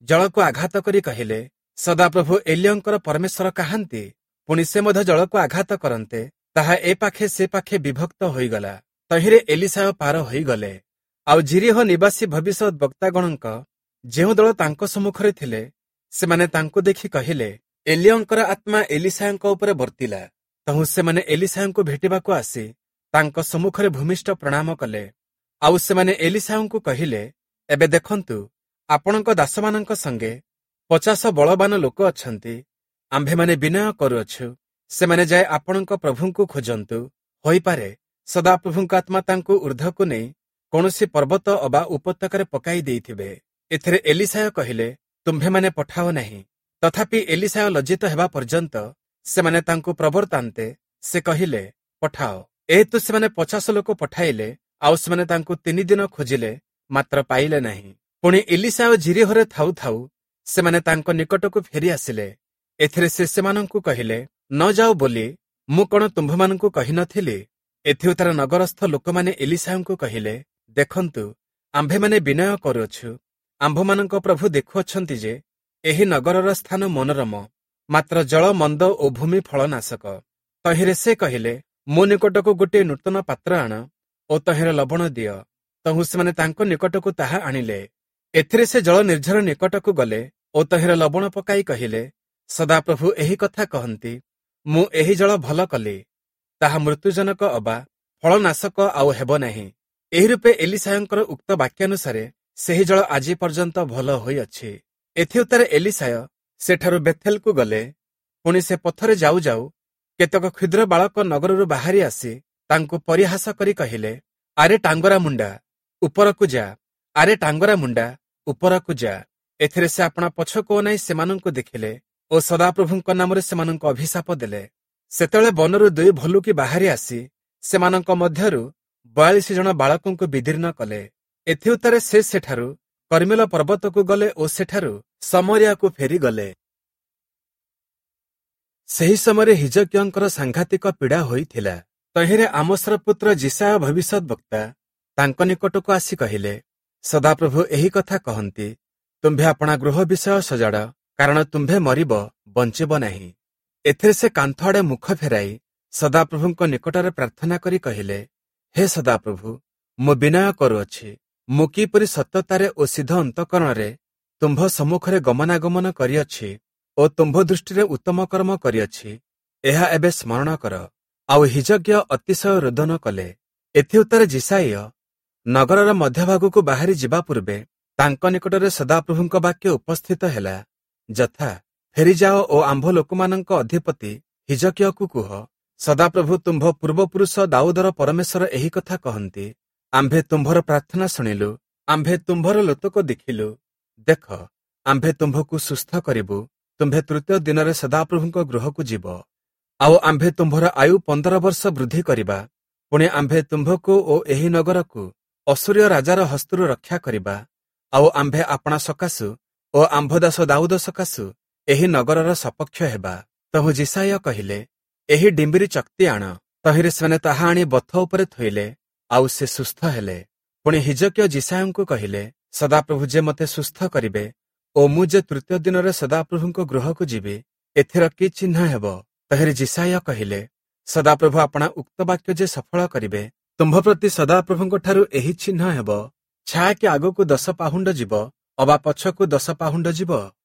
ଜଳକୁ ଆଘାତ କରି କହିଲେ, ସଦାପ୍ରଭୁ ଏଲିୟଙ୍କର ପରମେଶ୍ୱର କାହାନ୍ତି? ପୁଣି ସେ ମଧ୍ୟ ଜଳକୁ ଆଘାତ କରନ୍ତେ ତାହା ଏ ପାଖେ ସେ ପାଖେ ବିଭକ୍ତ ହୋଇଗଲା। ତହିଁରେ ଏଲିଶାୟ ପାର ହୋଇଗଲେ। ଆଉ ଯିରୀହୋ ନିବାସୀ ଭବିଷ୍ୟତ ବକ୍ତାଗଣଙ୍କ ଯେଉଁ ଦଳ ତାଙ୍କ ସମ୍ମୁଖରେ ଥିଲେ, ସେମାନେ ତାଙ୍କୁ ଦେଖି କହିଲେ, ଏଲିୟଙ୍କର ଆତ୍ମା ଏଲିଶାୟଙ୍କ ଉପରେ ବର୍ତ୍ତିଲା। ତହୁଁ ସେମାନେ ଏଲିଶାୟଙ୍କୁ ଭେଟିବାକୁ ଆସି ତାଙ୍କ ସମ୍ମୁଖରେ ଭୂମିଷ୍ଠ ପ୍ରଣାମ କଲେ। ଆଉ ସେମାନେ ଏଲିଶାୟଙ୍କୁ କହିଲେ, ଏବେ ଦେଖନ୍ତୁ, ଆପଣଙ୍କ ଦାସମାନଙ୍କ ସଙ୍ଗେ 50 ବଳବାନ ଲୋକ ଅଛନ୍ତି। ଆମ୍ଭେମାନେ ବିନୟ କରୁଅଛୁ, ସେମାନେ ଯାଇ ଆପଣଙ୍କ ପ୍ରଭୁଙ୍କୁ ଖୋଜନ୍ତୁ। ହୋଇପାରେ ସଦାପ୍ରଭୁଙ୍କ ଆତ୍ମା ତାଙ୍କୁ ଉର୍ଦ୍ଧ୍ୱକୁ ନେଇ କୌଣସି ପର୍ବତ ଅବା ଉପତ୍ୟକାରେ ପକାଇ ଦେଇଥିବେ। ଏଥିରେ ଏଲିଶାୟ କହିଲେ, ତୁମ୍ଭେମାନେ ପଠାଅ ନାହିଁ। ତଥାପି ଏଲିଶାୟ ଲଜ୍ଜିତ ହେବା ପର୍ଯ୍ୟନ୍ତ ସେମାନେ ତାଙ୍କୁ ପ୍ରବର୍ତ୍ତାନ୍ତେ ସେ କହିଲେ, ପଠାଅ। ଏହେତୁ ସେମାନେ 50 ଲୋକ ପଠାଇଲେ। ଆଉ ସେମାନେ ତାଙ୍କୁ 3 ଦିନ ଖୋଜିଲେ, ମାତ୍ର ପାଇଲେ ନାହିଁ। ପୁଣି ଏଲିଶାୟ ଯିରୀହୋରେ ଥାଉ ଥାଉ ସେମାନେ ତାଙ୍କ ନିକଟକୁ ଫେରି ଆସିଲେ। ଏଥିରେ ସେ ସେମାନଙ୍କୁ କହିଲେ, ନ ଯାଅ ବୋଲି ମୁଁ କଣ ତୁମ୍ଭମାନଙ୍କୁ କହିନଥିଲି? ଏଥିଉତ୍ତାରେ ନଗରସ୍ଥ ଲୋକମାନେ ଏଲିଶାୟଙ୍କୁ କହିଲେ, ଦେଖନ୍ତୁ, ଆମ୍ଭେମାନେ ବିନୟ କରୁଅଛୁ, ଆମ୍ଭମାନଙ୍କ ପ୍ରଭୁ ଦେଖୁଅଛନ୍ତି ଯେ ଏହି ନଗରର ସ୍ଥାନ ମନୋରମ, ମାତ୍ର ଜଳ ମନ୍ଦ ଓ ଭୂମି ଫଳନାଶକ। ତହିଁରେ ସେ କହିଲେ, ମୋ ନିକଟକୁ ଗୋଟିଏ ନୂତନ ପାତ୍ର ଆଣ ଓ ତହିଁରେ ଲବଣ ଦିଅ। ତହୁଁ ସେମାନେ ତାଙ୍କ ନିକଟକୁ ତାହା ଆଣିଲେ। ଏଥିରେ ସେ ଜଳ ନିର୍ଝର ନିକଟକୁ ଗଲେ ଓ ତହିଁରେ ଲବଣ ପକାଇ କହିଲେ, ସଦାପ୍ରଭୁ ଏହି କଥା କହନ୍ତି, ମୁଁ ଏହି ଜଳ ଭଲ କଲି, ତାହା ମୃତ୍ୟୁଜନକ ଅବା ଫଳନାଶକ ଆଉ ହେବ ନାହିଁ। ଏହି ରୂପେ ଏଲିଶାୟଙ୍କର ଉକ୍ତ ବାକ୍ୟାନୁସାରେ ସେହି ଜଳ ଆଜି ପର୍ଯ୍ୟନ୍ତ ଭଲ ହୋଇଅଛି। ଏଥିଉତ୍ତାରେ ଏଲିଶାୟ ସେଠାରୁ ବେଥେଲକୁ ଗଲେ। ପୁଣି ସେ ପଥରେ ଯାଉ ଯାଉ କେତେକ କ୍ଷୁଦ୍ର ବାଳକ ନଗରରୁ ବାହାରି ଆସି ତାଙ୍କୁ ପରିହାସ କରି କହିଲେ, ଆରେ ଟାଙ୍ଗରା ମୁଣ୍ଡା, ଉପରକୁ ଯା, ଆରେ ଟାଙ୍ଗରା ମୁଣ୍ଡା, ଉପରକୁ ଯା। ଏଥିରେ ସେ ଆପଣା ପଛକୁ ଅନାଇ ସେମାନଙ୍କୁ ଦେଖିଲେ ଓ ସଦାପ୍ରଭୁଙ୍କ ନାମରେ ସେମାନଙ୍କୁ ଅଭିଶାପ ଦେଲେ। ସେତେବେଳେ ବନରୁ ଦୁଇ ଭଲ୍ଲୁକି ବାହାରି ଆସି ସେମାନଙ୍କ ମଧ୍ୟରୁ 42 ଜଣ ବାଳକଙ୍କୁ ବିଦୀର୍ଣ୍ଣ କଲେ। ଏଥିଉତ୍ତାରେ ସେ ସେଠାରୁ କର୍ମିଲ ପର୍ବତକୁ ଗଲେ ଓ ସେଠାରୁ ସମରିଆକୁ ଫେରିଗଲେ। ସେହି ସମୟରେ ହିଜକିୟଙ୍କର ସାଂଘାତିକ ପୀଡ଼ା ହୋଇଥିଲା। ତହିଁରେ ଆମୋସର ପୁତ୍ର ଯିଶାଇୟ ଭବିଷ୍ୟତ ବକ୍ତା ତାଙ୍କ ନିକଟକୁ ଆସି କହିଲେ, ସଦାପ୍ରଭୁ ଏହି କଥା କହନ୍ତି, ତୁମ୍ଭେ ଆପଣା ଗୃହ ବିଷୟ ସଜାଡ଼, କାରଣ ତୁମ୍ଭେ ମରିବ, ବଞ୍ଚିବ ନାହିଁ। ଏଥିରେ ସେ କାନ୍ଥ ଆଡ଼େ ମୁଖ ଫେରାଇ ସଦାପ୍ରଭୁଙ୍କ ନିକଟରେ ପ୍ରାର୍ଥନା କରି କହିଲେ, ହେ ସଦାପ୍ରଭୁ, ମୁଁ ବିନୟ କରୁଅଛି, ମୁଁ କିପରି ସତ୍ୟତାରେ ଓ ସିଦ୍ଧ ଅନ୍ତଃକରଣରେ ତୁମ୍ଭ ସମ୍ମୁଖରେ ଗମନାଗମନ କରିଅଛି ଓ ତୁମ୍ଭ ଦୃଷ୍ଟିରେ ଉତ୍ତମ କର୍ମ କରିଅଛି, ଏହା ଏବେ ସ୍ମରଣ କର। ଆଉ ହିଜକିୟ ଅତିଶୟ ରୋଦନ କଲେ। ଏଥିଉତ୍ତାରେ ଯିଶାଇୟ ନଗରର ମଧ୍ୟଭାଗକୁ ବାହାରି ଯିବା ପୂର୍ବେ ତାଙ୍କ ନିକଟରେ ସଦାପ୍ରଭୁଙ୍କ ବାକ୍ୟ ଉପସ୍ଥିତ ହେଲା, ଯଥା, ଫେରିଯାଅ ଓ ଆମ୍ଭ ଲୋକମାନଙ୍କ ଅଧିପତି ହିଜକିୟକୁ କୁହ, ସଦାପ୍ରଭୁ ତୁମ୍ଭ ପୂର୍ବପୁରୁଷ ଦାଉଦର ପରମେଶ୍ୱର ଏହି କଥା କହନ୍ତି, ଆମ୍ଭେ ତୁମ୍ଭର ପ୍ରାର୍ଥନା ଶୁଣିଲୁ, ଆମ୍ଭେ ତୁମ୍ଭର ଲୋତକ ଦେଖିଲୁ। ଦେଖ, ଆମ୍ଭେ ତୁମ୍ଭକୁ ସୁସ୍ଥ କରିବୁ, ତୁମ୍ଭେ ତୃତୀୟ ଦିନରେ ସଦାପ୍ରଭୁଙ୍କ ଗୃହକୁ ଯିବ। ଆଉ ଆମ୍ଭେ ତୁମ୍ଭର ଆୟୁ 15 ବର୍ଷ ବୃଦ୍ଧି କରିବା। ପୁଣି ଆମ୍ଭେ ତୁମ୍ଭକୁ ଓ ଏହି ନଗରକୁ ଅସୂରୀୟ ରାଜାର ହସ୍ତରୁ ରକ୍ଷା କରିବା। ଆଉ ଆମ୍ଭେ ଆପଣା ସକାଶୁ ଓ ଆମ୍ଭ ଦାସ ଦାଉଦ ସକାଶୁ ଏହି ନଗରର ସପକ୍ଷ ହେବା। ତହୁଁ ଯିଶାଇୟ କହିଲେ, ଏହି ଡିମ୍ବିରି ଚକ୍ତି ଆଣ। ତହିଁରେ ସେମାନେ ତାହା ଆଣି ବଥ ଉପରେ ଥୋଇଲେ, ଆଉ ସେ ସୁସ୍ଥ ହେଲେ। ପୁଣି ହିଜକିୟ ଯିଶାଇୟଙ୍କୁ କହିଲେ, ସଦାପ୍ରଭୁ ଯେ ମୋତେ ସୁସ୍ଥ କରିବେ ଓ ମୁଁ ଯେ ତୃତୀୟ ଦିନରେ ସଦାପ୍ରଭୁଙ୍କ ଗୃହକୁ ଯିବି, ଏଥିର କି ଚିହ୍ନ ହେବ? ତହିଁରେ ଯିଶାଇୟ କହିଲେ, ସଦାପ୍ରଭୁ ଆପଣା ଉକ୍ତ ବାକ୍ୟ ଯେ ସଫଳ କରିବେ, ତୁମ୍ଭ ପ୍ରତି ସଦାପ୍ରଭୁଙ୍କଠାରୁ ଏହି ଚିହ୍ନ ହେବ, ଛାୟା କି ଆଗକୁ 10 ପାହୁଣ୍ଡ ଯିବ ଅବା ପଛକୁ 10 ପାହୁଣ୍ଡ ଯିବ?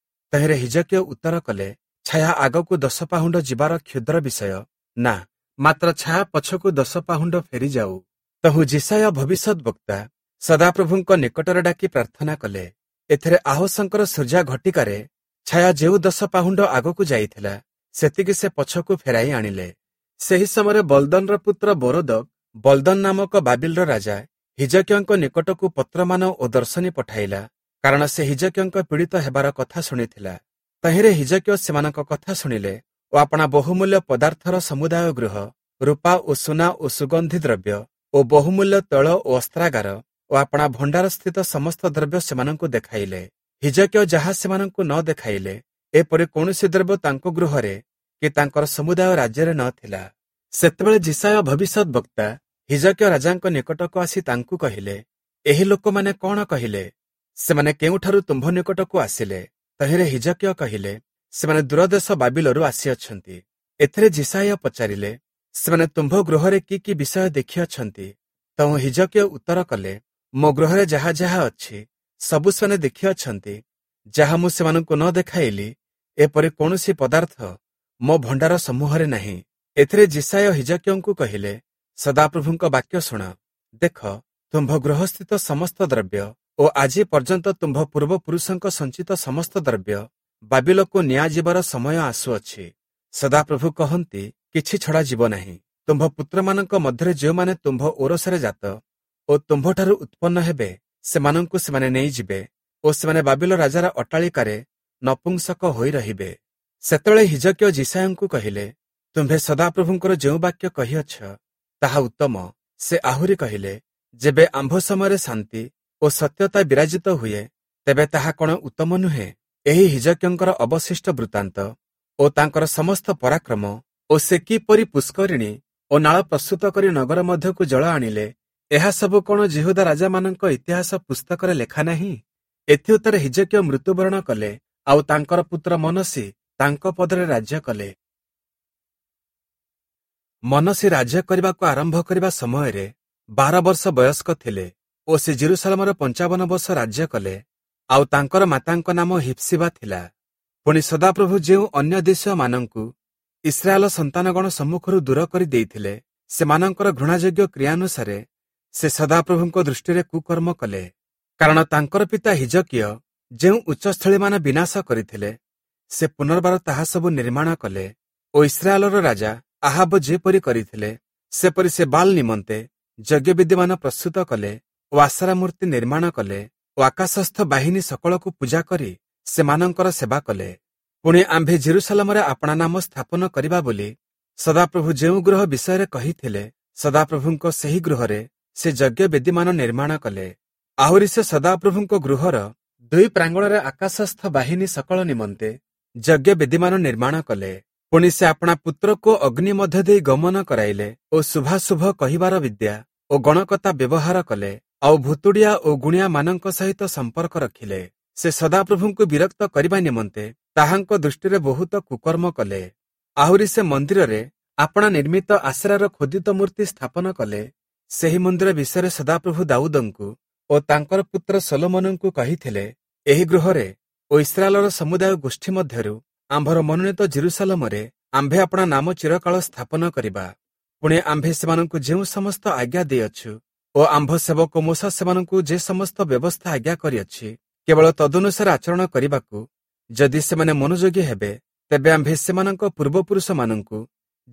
ତହିଁରେ ହିଜକିୟ ଉତ୍ତର କଲେ, ଛାୟା ଆଗକୁ 10 ପାହୁଣ୍ଡ ଯିବାର କ୍ଷୁଦ୍ର ବିଷୟ ନା, ମାତ୍ର ଛାୟା ପଛକୁ 10 ପାହୁଣ୍ଡ ଫେରିଯାଉ। ତହୁଁ ଯିଶାଇୟ ଭବିଷ୍ୟତ ବକ୍ତା ସଦାପ୍ରଭୁଙ୍କ ନିକଟରେ ଡାକି ପ୍ରାର୍ଥନା କଲେ। ଏଥିରେ ଆହସଙ୍କର ସୂର୍ଯ୍ୟା ଘଟିକାରେ ଛାୟା ଯେଉଁ 10 ପାହୁଣ୍ଡ ଆଗକୁ ଯାଇଥିଲା, ସେତିକି ସେ ପଛକୁ ଫେରାଇ ଆଣିଲେ। ସେହି ସମୟରେ ବଲଦନର ପୁତ୍ର ବୋରୋଦକ ବଲଦନ ନାମକ ବାବିଲର ରାଜା ହିଜକିୟଙ୍କ ନିକଟକୁ ପତ୍ରମାନ ଓ ଦର୍ଶନୀ ପଠାଇଲା, କାରଣ ସେ ହିଜକିୟଙ୍କ ପୀଡ଼ିତ ହେବାର କଥା ଶୁଣିଥିଲା। ତହିଁରେ ହିଜକିୟ ସେମାନଙ୍କ କଥା ଶୁଣିଲେ ଓ ଆପଣା ବହୁମୂଲ୍ୟ ପଦାର୍ଥର ସମୁଦାୟ ଗୃହ, ରୂପା ଓ ସୁନା ଓ ସୁଗନ୍ଧି ଦ୍ରବ୍ୟ ଓ ବହୁମୂଲ୍ୟ ତୈଳ ଓ ଅସ୍ତ୍ରାଗାର ଓ ଆପଣା ଭଣ୍ଡାରସ୍ଥିତ ସମସ୍ତ ଦ୍ରବ୍ୟ ସେମାନଙ୍କୁ ଦେଖାଇଲେ। ହିଜକିୟ ଯାହା ସେମାନଙ୍କୁ ନ ଦେଖାଇଲେ, ଏପରି କୌଣସି ଦ୍ରବ୍ୟ ତାଙ୍କ ଗୃହରେ କି ତାଙ୍କର ସମୁଦାୟ ରାଜ୍ୟରେ ନ ଥିଲା। ସେତେବେଳେ ଯିଶାଇୟ ଭବିଷ୍ୟତ ବକ୍ତା ହିଜକିୟ ରାଜାଙ୍କ ନିକଟକୁ ଆସି ତାଙ୍କୁ କହିଲେ, ଏହି ଲୋକମାନେ କଣ କହିଲେ? ସେମାନେ କେଉଁଠାରୁ ତୁମ୍ଭ ନିକଟକୁ ଆସିଲେ? ତହିଁରେ ହିଜକିୟ କହିଲେ, ସେମାନେ ଦୂରଦେଶ ବାବିଲରୁ ଆସିଅଛନ୍ତି। ଏଥିରେ ଯିଶାଇୟ ପଚାରିଲେ, ସେମାନେ ତୁମ୍ଭ ଗୃହରେ କି କି ବିଷୟ ଦେଖିଅଛନ୍ତି? ତହୁଁ ହିଜକିୟ ଉତ୍ତର କଲେ, ମୋ ଗୃହରେ ଯାହା ଯାହା ଅଛି ସବୁ ସେମାନେ ଦେଖିଅଛନ୍ତି। ଯାହା ମୁଁ ସେମାନଙ୍କୁ ନ ଦେଖାଇଲି, ଏପରି କୌଣସି ପଦାର୍ଥ ମୋ ଭଣ୍ଡାର ସମୂହରେ ନାହିଁ। ଏଥିରେ ଯିଶାଇୟ ହିଜକିୟଙ୍କୁ କହିଲେ, ସଦାପ୍ରଭୁଙ୍କ ବାକ୍ୟ ଶୁଣ। ଦେଖ, ତୁମ୍ଭ ଗୃହସ୍ଥିତ ସମସ୍ତ ଦ୍ରବ୍ୟ ଓ ଆଜି ପର୍ଯ୍ୟନ୍ତ ତୁମ୍ଭ ପୂର୍ବପୁରୁଷଙ୍କ ସଞ୍ଚିତ ସମସ୍ତ ଦ୍ରବ୍ୟ ବାବିଲକୁ ନିଆଯିବାର ସମୟ ଆସୁଅଛି। ସଦାପ୍ରଭୁ କହନ୍ତି, କିଛି ଛଡ଼ାଯିବ ନାହିଁ। ତୁମ୍ଭ ପୁତ୍ରମାନଙ୍କ ମଧ୍ୟରେ ଯେଉଁମାନେ ତୁମ୍ଭ ଔରସରେ ଜାତ ଓ ତୁମ୍ଭଠାରୁ ଉତ୍ପନ୍ନ ହେବେ, ସେମାନଙ୍କୁ ସେମାନେ ନେଇଯିବେ ଓ ସେମାନେ ବାବିଲ ରାଜାର ଅଟ୍ଟାଳିକାରେ ନପୁଂସକ ହୋଇ ରହିବେ। ସେତେବେଳେ ହିଜକିୟ ଯିଶାଇୟଙ୍କୁ କହିଲେ, ତୁମ୍ଭେ ସଦାପ୍ରଭୁଙ୍କର ଯେଉଁ ବାକ୍ୟ କହିଅଛ ତାହା ଉତ୍ତମ। ସେ ଆହୁରି କହିଲେ, ଯେବେ ଆମ୍ଭ ସମୟରେ ଶାନ୍ତି ଓ ସତ୍ୟତା ବିରାଜିତ ହୁଏ, ତେବେ ତାହା କଣ ଉତ୍ତମ ନୁହେଁ? ଏହି ହିଜକିୟଙ୍କର ଅବଶିଷ୍ଟ ବୃତ୍ତାନ୍ତ ଓ ତାଙ୍କର ସମସ୍ତ ପରାକ୍ରମ ଓ ସେ କିପରି ପୁଷ୍କରିଣୀ ଓ ନାଳ ପ୍ରସ୍ତୁତ କରି ନଗର ମଧ୍ୟକୁ ଜଳ ଆଣିଲେ, ଏହା ସବୁ କଣ ଯିହୁଦା ରାଜାମାନଙ୍କ ଇତିହାସ ପୁସ୍ତକରେ ଲେଖା ନାହିଁ? ଏଥିଉତ୍ତରେ ହିଜକିୟ ମୃତ୍ୟୁବରଣ କଲେ, ଆଉ ତାଙ୍କର ପୁତ୍ର ମନସି ତାଙ୍କ ପଦରେ ରାଜ୍ୟ କଲେ। ମନସି ରାଜ୍ୟ କରିବାକୁ ଆରମ୍ଭ କରିବା ସମୟରେ 12 ବର୍ଷ ବୟସ୍କ ଥିଲେ ଓ ସେ ଜେରୁସାଲେମର 55 ବର୍ଷ ରାଜ୍ୟ କଲେ। ଆଉ ତାଙ୍କର ମାତାଙ୍କ ନାମ ହିପ୍ସିବା ଥିଲା। ପୁଣି ସଦାପ୍ରଭୁ ଯେଉଁ ଅନ୍ୟ ଦେଶୀୟମାନଙ୍କୁ ଇସ୍ରାଏଲ ସନ୍ତାନଗଣ ସମ୍ମୁଖରୁ ଦୂର କରି ଦେଇଥିଲେ, ସେମାନଙ୍କର ଘୃଣାଯୋଗ୍ୟ କ୍ରିୟାନୁସାରେ ସେ ସଦାପ୍ରଭୁଙ୍କ ଦୃଷ୍ଟିରେ କୁକର୍ମ କଲେ। କାରଣ ତାଙ୍କର ପିତା ହିଜକିୟ ଯେଉଁ ଉଚ୍ଚସ୍ଥଳୀମାନ ବିନାଶ କରିଥିଲେ, ସେ ପୁନର୍ବାର ତାହା ସବୁ ନିର୍ମାଣ କଲେ ଓ ଇସ୍ରାଏଲର ରାଜା ଆହାବ ଯେପରି କରିଥିଲେ, ସେପରି ସେ ବାଲ୍ ନିମନ୍ତେ ଯଜ୍ଞବେଦୀମାନ ପ୍ରସ୍ତୁତ କଲେ ଓ ଆଶରା ମୂର୍ତ୍ତି ନିର୍ମାଣ କଲେ ଓ ଆକାଶସ୍ଥ ବାହିନୀ ସକଳକୁ ପୂଜା କରି ସେମାନଙ୍କର ସେବା କଲେ। ପୁଣି ଆମ୍ଭେ ଜେରୁସାଲେମରେ ଆପଣା ନାମ ସ୍ଥାପନ କରିବା ବୋଲି ସଦାପ୍ରଭୁ ଯେଉଁ ଗୃହ ବିଷୟରେ କହିଥିଲେ, ସଦାପ୍ରଭୁଙ୍କ ସେହି ଗୃହରେ ସେ ଯଜ୍ଞବେଦୀମାନ ନିର୍ମାଣ କଲେ। ଆହୁରି ସେ ସଦାପ୍ରଭୁଙ୍କ ଗୃହର 2 ପ୍ରାଙ୍ଗଣରେ ଆକାଶସ୍ଥ ବାହିନୀ ସକଳ ନିମନ୍ତେ ଯଜ୍ଞବେଦୀମାନ ନିର୍ମାଣ କଲେ। ପୁଣି ସେ ଆପଣା ପୁତ୍ରକୁ ଅଗ୍ନି ମଧ୍ୟ ଦେଇ ଗମନ କରାଇଲେ ଓ ଶୁଭାଶୁଭ କହିବାର ବିଦ୍ୟା ଓ ଗଣକତା ବ୍ୟବହାର କଲେ, ଆଉ ଭୁତୁଡ଼ିଆ ଓ ଗୁଣିଆମାନଙ୍କ ସହିତ ସମ୍ପର୍କ ରଖିଲେ। ସେ ସଦାପ୍ରଭୁଙ୍କୁ ବିରକ୍ତ କରିବା ନିମନ୍ତେ ତାହାଙ୍କ ଦୃଷ୍ଟିରେ ବହୁତ କୁକର୍ମ କଲେ। ଆହୁରି ସେ ମନ୍ଦିରରେ ଆପଣା ନିର୍ମିତ ଆଶରାର ଖୋଦିତ ମୂର୍ତ୍ତି ସ୍ଥାପନ କଲେ। ସେହି ମନ୍ଦିର ବିଷୟରେ ସଦାପ୍ରଭୁ ଦାଉଦଙ୍କୁ ଓ ତାଙ୍କର ପୁତ୍ର ସଲୋମନଙ୍କୁ କହିଥିଲେ, ଏହି ଗୃହରେ ଓ ଇସ୍ରାଏଲର ସମୁଦାୟ ଗୋଷ୍ଠୀ ମଧ୍ୟରୁ ଆମ୍ଭର ମନୋନୀତ ଜେରୁସାଲେମରେ ଆମ୍ଭେ ଆପଣା ନାମ ଚିରକାଳ ସ୍ଥାପନ କରିବା। ପୁଣି ଆମ୍ଭେ ସେମାନଙ୍କୁ ଯେଉଁ ସମସ୍ତ ଆଜ୍ଞା ଦେଇଅଛୁ ଓ ଆମ୍ଭ ସେବକ ମୋଶା ସେମାନଙ୍କୁ ଯେ ସମସ୍ତ ବ୍ୟବସ୍ଥା ଆଜ୍ଞା କରିଅଛି, କେବଳ ତଦନୁସାରେ ଆଚରଣ କରିବାକୁ ଯଦି ସେମାନେ ମନୋଯୋଗୀ ହେବେ, ତେବେ ଆମ୍ଭେ ସେମାନଙ୍କ ପୂର୍ବପୁରୁଷମାନଙ୍କୁ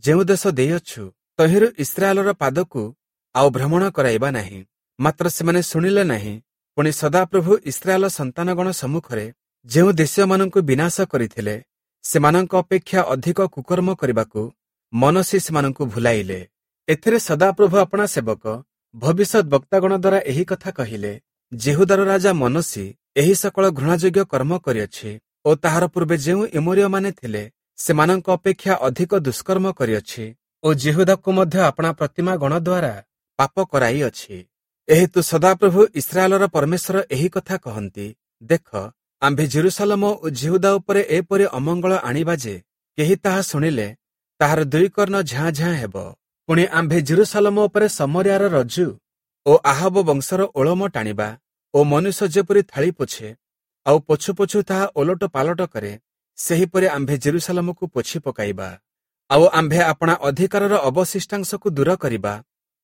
ଯେଉଁ ଦେଶ ଦେଇଅଛୁ ତହିଁରୁ ଇସ୍ରାଏଲର ପାଦକୁ ଆଉ ଭ୍ରମଣ କରାଇବା ନାହିଁ। ମାତ୍ର ସେମାନେ ଶୁଣିଲେ ନାହିଁ। ପୁଣି ସଦାପ୍ରଭୁ ଇସ୍ରାଏଲ ସନ୍ତାନଗଣ ସମ୍ମୁଖରେ ଯେଉଁ ଦେଶୀୟମାନଙ୍କୁ ବିନାଶ କରିଥିଲେ, ସେମାନଙ୍କ ଅପେକ୍ଷା ଅଧିକ କୁକର୍ମ କରିବାକୁ ମନସି ସେମାନଙ୍କୁ ଭୁଲାଇଲେ। ଏଥିରେ ସଦାପ୍ରଭୁ ଆପଣା ସେବକ ଭବିଷ୍ୟତ ବକ୍ତାଗଣ ଦ୍ୱାରା ଏହି କଥା କହିଲେ, ଯିହୁଦାର ରାଜା ମନସି ଏହି ସକଳ ଘୃଣାଯୋଗ୍ୟ କର୍ମ କରିଅଛି ଓ ତାହାର ପୂର୍ବେ ଯେଉଁ ଇମୋରୀୟମାନେ ଥିଲେ ସେମାନଙ୍କ ଅପେକ୍ଷା ଅଧିକ ଦୁଷ୍କର୍ମ କରିଅଛି ଓ ଯିହୁଦାକୁ ମଧ୍ୟ ଆପଣା ପ୍ରତିମା ଗଣ ଦ୍ୱାରା ପାପ କରାଇଅଛି। ଏହେତୁ ସଦାପ୍ରଭୁ ଇସ୍ରାଏଲର ପରମେଶ୍ୱର ଏହି କଥା କହନ୍ତି, ଦେଖ, ଆମ୍ଭେ ଜେରୁସାଲେମ ଓ ଯିହୁଦା ଉପରେ ଏପରି ଅମଙ୍ଗଳ ଆଣିବା ଯେ କେହି ତାହା ଶୁଣିଲେ ତାହାର 2 କର୍ଣ୍ଣ ଝାଁ ଝାଁ ହେବ। ପୁଣି ଆମ୍ଭେ ଜେରୁସାଲେମ ଉପରେ ସମରିଆର ରଜ୍ଜୁ ଓ ଆହବ ବଂଶର ଓଳମ ଟାଣିବା ଓ ମନୁଷ୍ୟ ଯେପରି ଥାଳି ପୋଛେ ଆଉ ପୋଛୁ ପୋଛୁ ତାହା ଓଲଟ ପାଲଟ କରେ, ସେହିପରି ଆମ୍ଭେ ଜେରୁସାଲେମକୁ ପୋଛି ପକାଇବା। ଆଉ ଆମ୍ଭେ ଆପଣା ଅଧିକାରର ଅବଶିଷ୍ଟାଂଶକୁ ଦୂର କରିବା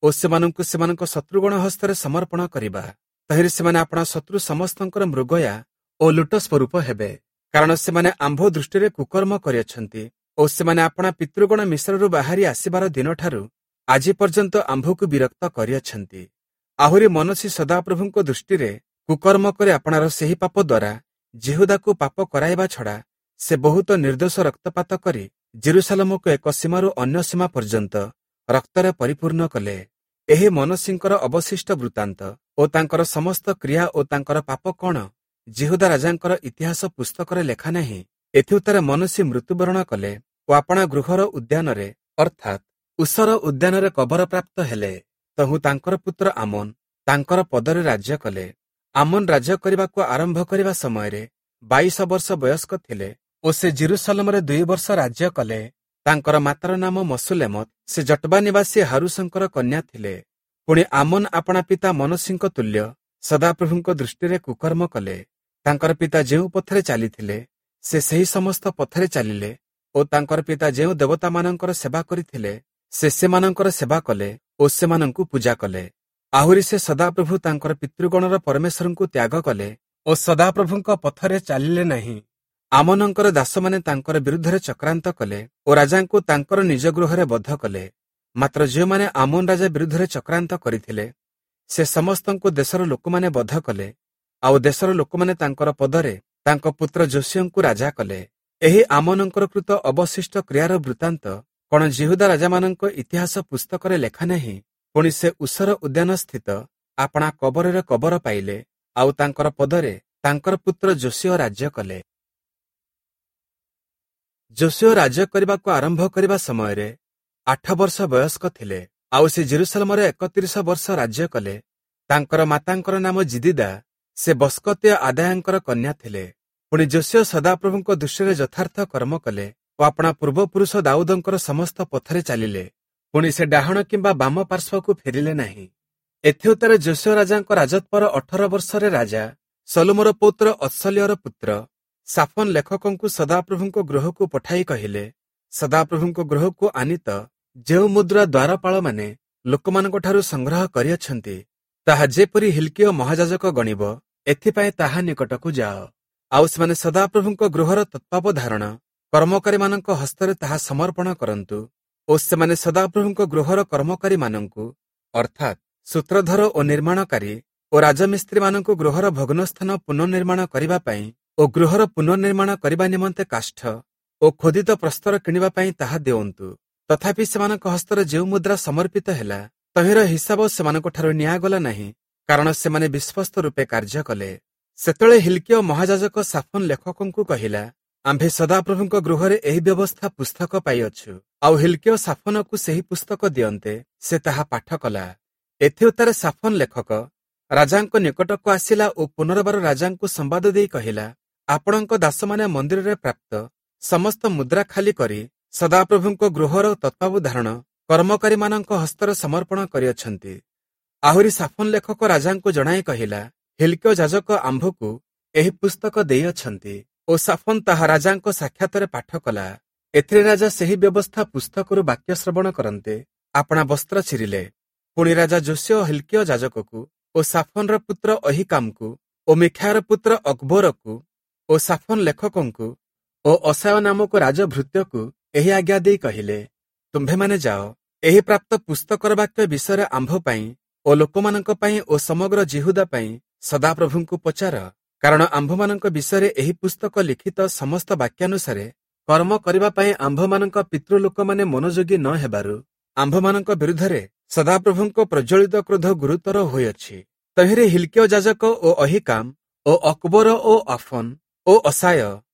ଓ ସେମାନଙ୍କୁ ସେମାନଙ୍କ ଶତ୍ରୁଗଣ ହସ୍ତରେ ସମର୍ପଣ କରିବା। ତହିଁରେ ସେମାନେ ଆପଣା ଶତ୍ରୁ ସମସ୍ତଙ୍କର ମୃଗୟା ଓ ଲୁଟ ସ୍ୱରୂପ ହେବେ। କାରଣ ସେମାନେ ଆମ୍ଭ ଦୃଷ୍ଟିରେ କୁକର୍ମ କରିଅଛନ୍ତି ଓ ସେମାନେ ଆପଣା ପିତୃଗଣ ମିଶ୍ରରୁ ବାହାରି ଆସିବାର ଦିନଠାରୁ ଆଜି ପର୍ଯ୍ୟନ୍ତ ଆମ୍ଭକୁ ବିରକ୍ତ କରିଅଛନ୍ତି। ଆହୁରି ମନସୀ ସଦାପ୍ରଭୁଙ୍କ ଦୃଷ୍ଟିରେ କୁକର୍ମ କରି ଆପଣାର ସେହି ପାପ ଦ୍ୱାରା ଯିହୁଦାକୁ ପାପ କରାଇବା ଛଡ଼ା ସେ ବହୁତ ନିର୍ଦ୍ଦୋଷ ରକ୍ତପାତ କରି ଜେରୁସାଲମକୁ ଏକ ସୀମାରୁ ଅନ୍ୟ ସୀମା ପର୍ଯ୍ୟନ୍ତ ରକ୍ତରେ ପରିପୂର୍ଣ୍ଣ କଲେ। ଏହି ମନସୀଙ୍କର ଅବଶିଷ୍ଟ ବୃତ୍ତାନ୍ତ ଓ ତାଙ୍କର ସମସ୍ତ କ୍ରିୟା ଓ ତାଙ୍କର ପାପ କଣ ଯିହୁଦା ରାଜାଙ୍କର ଇତିହାସ ପୁସ୍ତକରେ ଲେଖା ନାହିଁ? ଏଥିଉତ୍ତାରେ ମନସୀ ମୃତ୍ୟୁବରଣ କଲେ ଓ ଆପଣା ଗୃହର ଉଦ୍ୟାନରେ, ଅର୍ଥାତ୍ ଉଷର ଉଦ୍ୟାନରେ କବର ପ୍ରାପ୍ତ ହେଲେ। ତହୁଁ ତାଙ୍କର ପୁତ୍ର ଆମୋନ ତାଙ୍କର ପଦରେ ରାଜ୍ୟ କଲେ। ଆମୋନ ରାଜ୍ୟ କରିବାକୁ ଆରମ୍ଭ କରିବା ସମୟରେ 22 ବର୍ଷ ବୟସ୍କ ଥିଲେ ଓ ସେ ଜେରୁସାଲମରେ 2 ବର୍ଷ ରାଜ୍ୟ କଲେ। ତାଙ୍କର ମାତାର ନାମ ମସୁଲେମତ, ସେ ଜଟବା ନିବାସୀ ହାରୁସଙ୍କର କନ୍ୟା ଥିଲେ। ପୁଣି ଆମୋନ ଆପଣା ପିତା ମନସୀଙ୍କ ତୁଲ୍ୟ ସଦାପ୍ରଭୁଙ୍କ ଦୃଷ୍ଟିରେ କୁକର୍ମ କଲେ। ତାଙ୍କର ପିତା ଯେଉଁ ପଥରେ ଚାଲିଥିଲେ ସେ ସେହି ସମସ୍ତ ପଥରେ ଚାଲିଲେ ଓ ତାଙ୍କର ପିତା ଯେଉଁ ଦେବତାମାନଙ୍କର ସେବା କରିଥିଲେ ସେ ସେମାନଙ୍କର ସେବା କଲେ ଓ ସେମାନଙ୍କୁ ପୂଜା କଲେ। ଆହୁରି ସେ ସଦାପ୍ରଭୁ ତାଙ୍କର ପିତୃଗଣର ପରମେଶ୍ୱରଙ୍କୁ ତ୍ୟାଗ କଲେ ଓ ସଦାପ୍ରଭୁଙ୍କ ପଥରେ ଚାଲିଲେ ନାହିଁ। ଆମୋନଙ୍କର ଦାସମାନେ ତାଙ୍କର ବିରୁଦ୍ଧରେ ଚକ୍ରାନ୍ତ କଲେ ଓ ରାଜାଙ୍କୁ ତାଙ୍କର ନିଜ ଗୃହରେ ବଧ କଲେ। ମାତ୍ର ଯେଉଁମାନେ ଆମୋନ ରାଜା ବିରୁଦ୍ଧରେ ଚକ୍ରାନ୍ତ କରିଥିଲେ ସେ ସମସ୍ତଙ୍କୁ ଦେଶର ଲୋକମାନେ ବଧ କଲେ। ଆଉ ଦେଶର ଲୋକମାନେ ତାଙ୍କର ପଦରେ ତାଙ୍କ ପୁତ୍ର ଯୋଶିୟଙ୍କୁ ରାଜା କଲେ। ଏହି ଆମୋନଙ୍କର କୃତ ଅବଶିଷ୍ଟ କ୍ରିୟାର ବୃତ୍ତାନ୍ତ କଣ ଯିହୁଦା ରାଜାମାନଙ୍କ ଇତିହାସ ପୁସ୍ତକରେ ଲେଖା ନାହିଁ? ପୁଣି ସେ ଉଷର ଉଦ୍ୟାନସ୍ଥିତ ଆପଣା କବରରେ କବର ପାଇଲେ, ଆଉ ତାଙ୍କର ପଦରେ ତାଙ୍କର ପୁତ୍ର ଯୋଶିୟ ରାଜ୍ୟ କଲେ। ଯୋଶିୟ ରାଜ୍ୟ କରିବାକୁ ଆରମ୍ଭ କରିବା ସମୟରେ 8 ବର୍ଷ ବୟସ୍କ ଥିଲେ, ଆଉ ସେ ଜେରୁସାଲମରେ 31 ବର୍ଷ ରାଜ୍ୟ କଲେ। ତାଙ୍କର ମାତାଙ୍କର ନାମ ଜିଦିଦା, ସେ ବସ୍କତୀୟ ଆଦାୟଙ୍କର କନ୍ୟା ଥିଲେ। ପୁଣି ଯୋଶିୟ ସଦାପ୍ରଭୁଙ୍କ ଦୃଷ୍ଟିରେ ଯଥାର୍ଥ କର୍ମ କଲେ ଓ ଆପଣା ପୂର୍ବପୁରୁଷ ଦାଉଦଙ୍କର ସମସ୍ତ ପଥରେ ଚାଲିଲେ। ପୁଣି ସେ ଡାହାଣ କିମ୍ବା ବାମ ପାର୍ଶ୍ୱକୁ ଫେରିଲେ ନାହିଁ। ଏଥିଉତ୍ତାରେ ଯୋଶିୟ ରାଜାଙ୍କ ରାଜତ୍ୱର 18 ବର୍ଷରେ ରାଜା ସଲୋମର ପୌତ୍ର ଅତ୍ସଲୀୟର ପୁତ୍ର ସାଫନ ଲେଖକଙ୍କୁ ସଦାପ୍ରଭୁଙ୍କ ଗୃହକୁ ପଠାଇ କହିଲେ, ସଦାପ୍ରଭୁଙ୍କ ଗୃହକୁ ଆନିତ ଯେଉଁ ମୁଦ୍ରା ଦ୍ୱାରପାଳମାନେ ଲୋକମାନଙ୍କଠାରୁ ସଂଗ୍ରହ କରିଅଛନ୍ତି, ତାହା ଯେପରି ହିଲ୍କିୟ ମହାଯାଜକ ଗଣିବ, ଏଥିପାଇଁ ତାହା ନିକଟକୁ ଯାଅ। ଆଉ ସେମାନେ ସଦାପ୍ରଭୁଙ୍କ ଗୃହର ତତ୍ତ୍ୱାବଧାରଣ କର୍ମକାରୀମାନଙ୍କ ହସ୍ତରେ ତାହା ସମର୍ପଣ କରନ୍ତୁ ଓ ସେମାନେ ସଦାପ୍ରଭୁଙ୍କ ଗୃହର କର୍ମକାରୀମାନଙ୍କୁ, ଅର୍ଥାତ୍ ସୂତ୍ରଧର ଓ ନିର୍ମାଣକାରୀ ଓ ରାଜମିସ୍ତ୍ରୀମାନଙ୍କୁ ଗୃହର ଭଗ୍ନସ୍ଥାନ ପୁନଃନିର୍ମାଣ କରିବା ପାଇଁ ଓ ଗୃହର ପୁନଃନିର୍ମାଣ କରିବା ନିମନ୍ତେ କାଷ୍ଠ ଓ ଖୋଦିତ ପ୍ରସ୍ତର କିଣିବା ପାଇଁ ତାହା ଦେଉନ୍ତୁ। ତଥାପି ସେମାନଙ୍କ ହସ୍ତରେ ଯେଉଁ ମୁଦ୍ରା ସମର୍ପିତ ହେଲା, ତହିଁର ହିସାବ ସେମାନଙ୍କଠାରୁ ନିଆଗଲା ନାହିଁ, କାରଣ ସେମାନେ ବିଶ୍ୱସ୍ତ ରୂପେ କାର୍ଯ୍ୟ କଲେ। ସେତେବେଳେ ହିଲ୍କିୟ ମହାଯାଜକ ସାଫନ ଲେଖକଙ୍କୁ କହିଲା, ଆମ୍ଭେ ସଦାପ୍ରଭୁଙ୍କ ଗୃହରେ ଏହି ବ୍ୟବସ୍ଥା ପୁସ୍ତକ ପାଇଅଛୁ। ଆଉ ହିଲ୍କିୟ ସାଫନକୁ ସେହି ପୁସ୍ତକ ଦିଅନ୍ତେ ସେ ତାହା ପାଠ କଲା। ଏଥିଉତ୍ତାରେ ସାଫନ ଲେଖକ ରାଜାଙ୍କ ନିକଟକୁ ଆସିଲା ଓ ପୁନର୍ବାର ରାଜାଙ୍କୁ ସମ୍ବାଦ ଦେଇ କହିଲା, ଆପଣଙ୍କ ଦାସମାନେ ମନ୍ଦିରରେ ପ୍ରାପ୍ତ ସମସ୍ତ ମୁଦ୍ରା ଖାଲି କରି ସଦାପ୍ରଭୁଙ୍କ ଗୃହର ତତ୍ତ୍ୱାବଧାରଣ କର୍ମକାରୀମାନଙ୍କ ହସ୍ତରେ ସମର୍ପଣ କରିଅଛନ୍ତି। ଆହୁରି ସାଫନ ଲେଖକ ରାଜାଙ୍କୁ ଜଣାଇ କହିଲା, ହିଲ୍କିୟ ଯାଜକ ଆମ୍ଭକୁ ଏହି ପୁସ୍ତକ ଦେଇଅଛନ୍ତି। ଓ ସାଫନ ତାହା ରାଜାଙ୍କ ସାକ୍ଷାତରେ ପାଠ କଲା। ଏଥିରେ ରାଜା ସେହି ବ୍ୟବସ୍ଥା ପୁସ୍ତକରୁ ବାକ୍ୟ ଶ୍ରବଣ କରନ୍ତେ ଆପଣା ବସ୍ତ୍ର ଚିରିଲେ। ପୁଣି ରାଜା ଯୋଶିୟ ହିଲ୍କିୟ ଯାଜକକୁ ଓ ସାଫନର ପୁତ୍ର ଅହିକାମକୁ ଓ ମିଖାୟର ପୁତ୍ର ଅକବୋରକୁ ଓ ସାଫନ ଲେଖକଙ୍କୁ ଓ ଅସାୟ ନାମକ ରାଜଭୃତ୍ୟକୁ ଏହି ଆଜ୍ଞା ଦେଇ କହିଲେ, ତୁମ୍ଭେମାନେ ଯାଅ, ଏହି ପ୍ରାପ୍ତ ପୁସ୍ତକର ବାକ୍ୟ ବିଷୟରେ ଆମ୍ଭ ପାଇଁ ଓ ଲୋକମାନଙ୍କ ପାଇଁ ଓ ସମଗ୍ର ଯିହୁଦା ପାଇଁ ସଦାପ୍ରଭୁଙ୍କୁ ପଚାର, କାରଣ ଆମ୍ଭମାନଙ୍କ ବିଷୟରେ ଏହି ପୁସ୍ତକ ଲିଖିତ ସମସ୍ତ ବାକ୍ୟାନୁସାରେ କର୍ମ କରିବା ପାଇଁ ଆମ୍ଭମାନଙ୍କ ପିତୃଲୋକମାନେ ମନୋଯୋଗୀ ନ ହେବାରୁ ଆମ୍ଭମାନଙ୍କ ବିରୁଦ୍ଧରେ ସଦାପ୍ରଭୁଙ୍କ ପ୍ରଜ୍ୱଳିତ କ୍ରୋଧ ଗୁରୁତର ହୋଇଅଛି। ତହିଁରେ ହିଲ୍କିୟ ଯାଜକ ଓ ଅହିକାମ ଓ ଅକବୋର ଓ ଆଫନ ଓ ଅସାୟ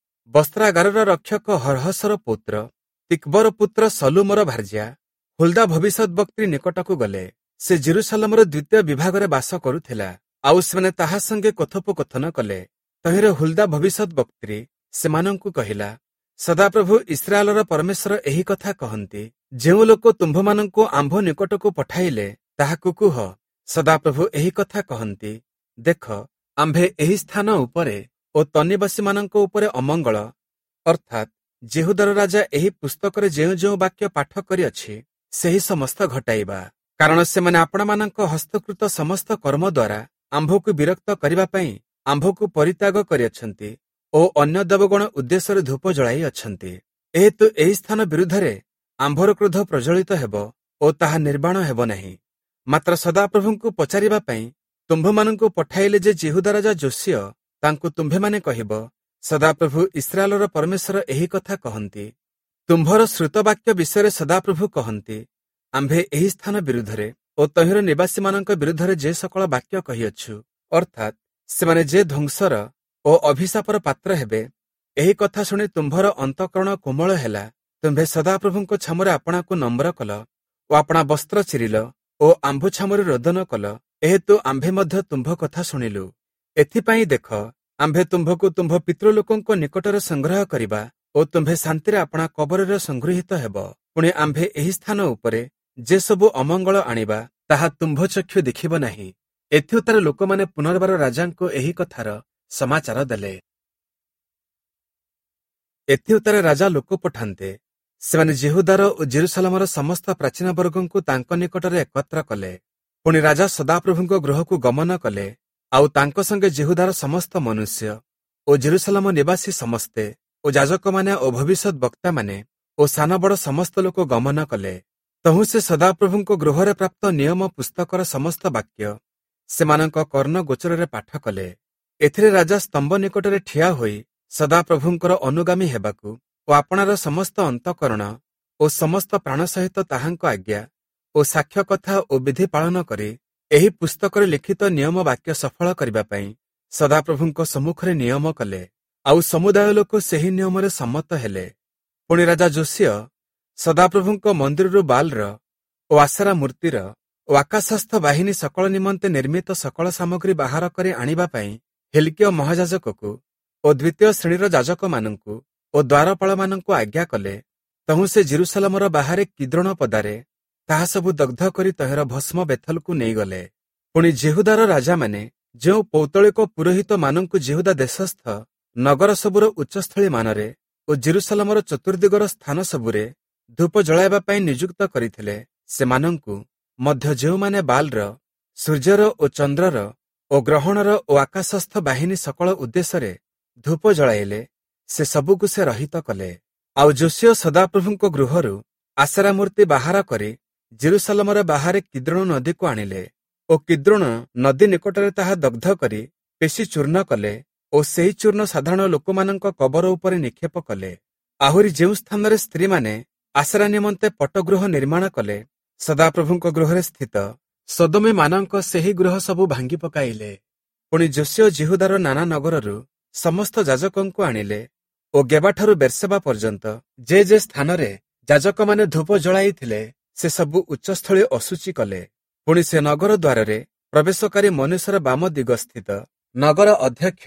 ବସ୍ତ୍ରାଗାରର ରକ୍ଷକ ହର୍ହସର ପୁତ୍ର ତିକ୍ବର ପୁତ୍ର ସଲୁମର ଭାର୍ଯ୍ୟା ହୁଲ୍ଦା ଭବିଷ୍ୟଦ୍‌ବକ୍ତ୍ରୀ ନିକଟକୁ ଗଲେ। ସେ ଜେରୁସାଲମର ଦ୍ୱିତୀୟ ବିଭାଗରେ ବାସ କରୁଥିଲା, ଆଉ ସେମାନେ ତାହା ସଙ୍ଗେ କଥୋପକଥନ କଲେ। ତହିଁରେ ହୁଲ୍ଦା ଭବିଷ୍ୟଦ୍‌ବକ୍ତ୍ରୀ ସେମାନଙ୍କୁ କହିଲା, ସଦାପ୍ରଭୁ ଇସ୍ରାଏଲର ପରମେଶ୍ୱର ଏହି କଥା କହନ୍ତି, ଯେଉଁ ଲୋକ ତୁମ୍ଭମାନଙ୍କୁ ଆମ୍ଭ ନିକଟକୁ ପଠାଇଲେ ତାହାକୁ କୁହ, ସଦାପ୍ରଭୁ ଏହି କଥା କହନ୍ତି, ଦେଖ, ଆମ୍ଭେ ଏହି ସ୍ଥାନ ଉପରେ ଓ ତନ୍ନିବାସୀମାନଙ୍କ ଉପରେ ଅମଙ୍ଗଳ, ଅର୍ଥାତ୍ ଯିହୁଦାର ରାଜା ଏହି ପୁସ୍ତକରେ ଯେଉଁ ଯେଉଁ ବାକ୍ୟ ପାଠ କରିଅଛି ସେହି ସମସ୍ତ ଘଟାଇବା। କାରଣ ସେମାନେ ଆପଣମାନଙ୍କ ହସ୍ତକୃତ ସମସ୍ତ କର୍ମ ଦ୍ୱାରା ଆମ୍ଭକୁ ବିରକ୍ତ କରିବା ପାଇଁ ଆମ୍ଭକୁ ପରିତ୍ୟାଗ କରିଅଛନ୍ତି ଓ ଅନ୍ୟ ଦେବଗଣ ଉଦ୍ଦେଶ୍ୟରେ ଧୂପ ଜଳାଇ ଅଛନ୍ତି। ଏହେତୁ ଏହି ସ୍ଥାନ ବିରୁଦ୍ଧରେ ଆମ୍ଭର କ୍ରୋଧ ପ୍ରଜ୍ୱଳିତ ହେବ ଓ ତାହା ନିର୍ବାଣ ହେବ ନାହିଁ। ମାତ୍ର ସଦାପ୍ରଭୁଙ୍କୁ ପଚାରିବା ପାଇଁ ତୁମ୍ଭମାନଙ୍କୁ ପଠାଇଲେ ଯେ ଯିହୁଦା ରାଜା ଯୋଶୀୟ, ତାଙ୍କୁ ତୁମ୍ଭେମାନେ କହିବ, ସଦାପ୍ରଭୁ ଇସ୍ରାଏଲର ପରମେଶ୍ୱର ଏହି କଥା କହନ୍ତି, ତୁମ୍ଭର ଶ୍ରୁତବାକ୍ୟ ବିଷୟରେ ସଦାପ୍ରଭୁ କହନ୍ତି, ଆମ୍ଭେ ଏହି ସ୍ଥାନ ବିରୁଦ୍ଧରେ ଓ ତହିଁର ନିବାସୀମାନଙ୍କ ବିରୁଦ୍ଧରେ ଯେ ସକଳ ବାକ୍ୟ କହିଅଛୁ, ଅର୍ଥାତ୍ ସେମାନେ ଯେ ଧ୍ୱଂସର ଓ ଅଭିଶାପର ପାତ୍ର ହେବେ, ଏହି କଥା ଶୁଣି ତୁମ୍ଭର ଅନ୍ତଃକରଣ କୋମଳ ହେଲା। ତୁମ୍ଭେ ସଦାପ୍ରଭୁଙ୍କ ଛାମୁରେ ଆପଣାକୁ ନମ୍ର କଲ ଓ ଆପଣା ବସ୍ତ୍ର ଚିରିଲ ଓ ଆମ୍ଭ ଛାମୁରେ ରୋଦନ କଲ, ଏହେତୁ ଆମ୍ଭେ ମଧ୍ୟ ତୁମ୍ଭ କଥା ଶୁଣିଲୁ। ଏଥିପାଇଁ ଦେଖ, ଆମ୍ଭେ ତୁମ୍ଭକୁ ତୁମ୍ଭ ପିତୃଲୋକଙ୍କ ନିକଟରେ ସଂଗ୍ରହ କରିବା ଓ ତୁମ୍ଭେ ଶାନ୍ତିରେ ଆପଣା କବରରେ ସଂଗୃହୀତ ହେବ। ପୁଣି ଆମ୍ଭେ ଏହି ସ୍ଥାନ ଉପରେ ଯେ ସବୁ ଅମଙ୍ଗଳ ଆଣିବା, ତାହା ତୁମ୍ଭ ଚକ୍ଷୁ ଦେଖିବ ନାହିଁ। ଏଥିଉତ୍ତାରେ ଲୋକମାନେ ପୁନର୍ବାର ରାଜାଙ୍କୁ ଏହି କଥାର ସମାଚାର ଦେଲେ। ଏଥିଉତ୍ତାରେ ରାଜା ଲୋକ ପଠାନ୍ତେ, ସେମାନେ ଯିହୁଦାର ଓ ଜେରୁସାଲେମର ସମସ୍ତ ପ୍ରାଚୀନ ବର୍ଗଙ୍କୁ ତାଙ୍କ ନିକଟରେ ଏକତ୍ର କଲେ। ପୁଣି ରାଜା ସଦାପ୍ରଭୁଙ୍କ ଗୃହକୁ ଗମନ କଲେ, ଆଉ ତାଙ୍କ ସଙ୍ଗେ ଯିହୁଦାର ସମସ୍ତ ମନୁଷ୍ୟ ଓ ଜେରୁସାଲେମ ନିବାସୀ ସମସ୍ତେ ଓ ଯାଜକମାନେ ଓ ଭବିଷ୍ୟତ ବକ୍ତାମାନେ ଓ ସାନ ବଡ଼ ସମସ୍ତ ଲୋକ ଗମନ କଲେ। ତହୁଁ ସେ ସଦାପ୍ରଭୁଙ୍କ ଗୃହରେ ପ୍ରାପ୍ତ ନିୟମ ପୁସ୍ତକର ସମସ୍ତ ବାକ୍ୟ ସେମାନଙ୍କ କର୍ଣ୍ଣ ଗୋଚରରେ ପାଠ କଲେ। ଏଥିରେ ରାଜା ସ୍ତମ୍ଭ ନିକଟରେ ଠିଆ ହୋଇ ସଦାପ୍ରଭୁଙ୍କର ଅନୁଗାମୀ ହେବାକୁ ଓ ଆପଣାର ସମସ୍ତ ଅନ୍ତଃକରଣ ଓ ସମସ୍ତ ପ୍ରାଣ ସହିତ ତାହାଙ୍କ ଆଜ୍ଞା ଓ ସାକ୍ଷ୍ୟ କଥା ଓ ବିଧି ପାଳନ କରି ଏହି ପୁସ୍ତକରେ ଲିଖିତ ନିୟମ ବାକ୍ୟ ସଫଳ କରିବା ପାଇଁ ସଦାପ୍ରଭୁଙ୍କ ସମ୍ମୁଖରେ ନିୟମ କଲେ। ଆଉ ସମୁଦାୟ ଲୋକ ସେହି ନିୟମରେ ସମ୍ମତ ହେଲେ। ପୁଣି ରାଜା ଯୋଶୀୟ ସଦାପ୍ରଭୁଙ୍କ ମନ୍ଦିରରୁ ବାଲ୍‌ର ଓ ଆଶେରା ମୂର୍ତ୍ତିର ଓ ଆକାଶସ୍ଥ ବାହିନୀ ସକଳ ନିମନ୍ତେ ନିର୍ମିତ ସକଳ ସାମଗ୍ରୀ ବାହାର କରି ଆଣିବା ପାଇଁ ହିଲ୍କିୟ ମହାଯାଜକକୁ ଓ ଦ୍ୱିତୀୟ ଶ୍ରେଣୀର ଯାଜକମାନଙ୍କୁ ଓ ଦ୍ୱାରପାଳମାନଙ୍କୁ ଆଜ୍ଞା କଲେ। ତହୁଁ ସେ ଜେରୁସାଲେମର ବାହାରେ କିଦ୍ରୋଣ ପଦାରେ ତାହା ସବୁ ଦଗ୍ଧ କରି ତହିଁର ଭସ୍ମ ବେଥଲକୁ ନେଇଗଲେ। ପୁଣି ଯିହୁଦାର ରାଜାମାନେ ଯେଉଁ ପୌତ୍ତଳିକ ପୁରୋହିତମାନଙ୍କୁ ଯିହୁଦା ଦେଶସ୍ଥ ନଗର ସବୁର ଉଚ୍ଚସ୍ଥଳୀମାନରେ ଓ ଜେରୁସାଲେମର ଚତୁର୍ଦିଗର ସ୍ଥାନ ସବୁରେ ଧୂପ ଜଳାଇବା ପାଇଁ ନିଯୁକ୍ତ କରିଥିଲେ, ସେମାନଙ୍କୁ ମଧ୍ୟ ଯେଉଁମାନେ ବାଲ୍‌ର, ସୂର୍ଯ୍ୟର ଓ ଚନ୍ଦ୍ରର ଓ ଗ୍ରହଣର ଓ ଆକାଶସ୍ଥ ବାହିନୀ ସକଳ ଉଦ୍ଦେଶ୍ୟରେ ଧୂପ ଜଳାଇଲେ, ସେ ସବୁକୁ ସେ ରହିତ କଲେ। ଆଉ ଯୋଶୀୟ ସଦାପ୍ରଭୁଙ୍କ ଗୃହରୁ ଆଶେରା ମୂର୍ତ୍ତି ବାହାର କରି ଜେରୁସାଲେମର ବାହାରେ କିଦ୍ରୋଣ ନଦୀକୁ ଆଣିଲେ ଓ କିଦ୍ରୋଣ ନଦୀ ନିକଟରେ ତାହା ଦଗ୍ଧ କରି ପେଶି ଚୂର୍ଣ୍ଣ କଲେ ଓ ସେହି ଚୂର୍ଣ୍ଣ ସାଧାରଣ ଲୋକମାନଙ୍କ କବର ଉପରେ ନିକ୍ଷେପ କଲେ। ଆହୁରି ଯେଉଁ ସ୍ଥାନରେ ସ୍ତ୍ରୀମାନେ ଆଶେରା ନିମନ୍ତେ ପଟଗୃହ ନିର୍ମାଣ କଲେ, ସଦାପ୍ରଭୁଙ୍କ ଗୃହରେ ସ୍ଥିତ ସଦୋମୀମାନଙ୍କ ସେହି ଗୃହ ସବୁ ଭାଙ୍ଗି ପକାଇଲେ। ପୁଣି ଯୋଶୀୟ ଯିହୁଦାର ନାନା ନଗରରୁ ସମସ୍ତ ଯାଜକଙ୍କୁ ଆଣିଲେ ଓ ଗେବାଠାରୁ ବେର୍ସେବା ପର୍ଯ୍ୟନ୍ତ ଯେ ଯେ ସ୍ଥାନରେ ଯାଜକମାନେ ଧୂପ ଜଳାଇଥିଲେ, ସେ ସବୁ ଉଚ୍ଚସ୍ଥଳୀ ଅଶୁଚି କଲେ। ପୁଣି ସେ ନଗର ଦ୍ୱାରରେ ପ୍ରବେଶକାରୀ ମନୁଷ୍ୟର ବାମ ଦିଗସ୍ଥିତ ନଗର ଅଧ୍ୟକ୍ଷ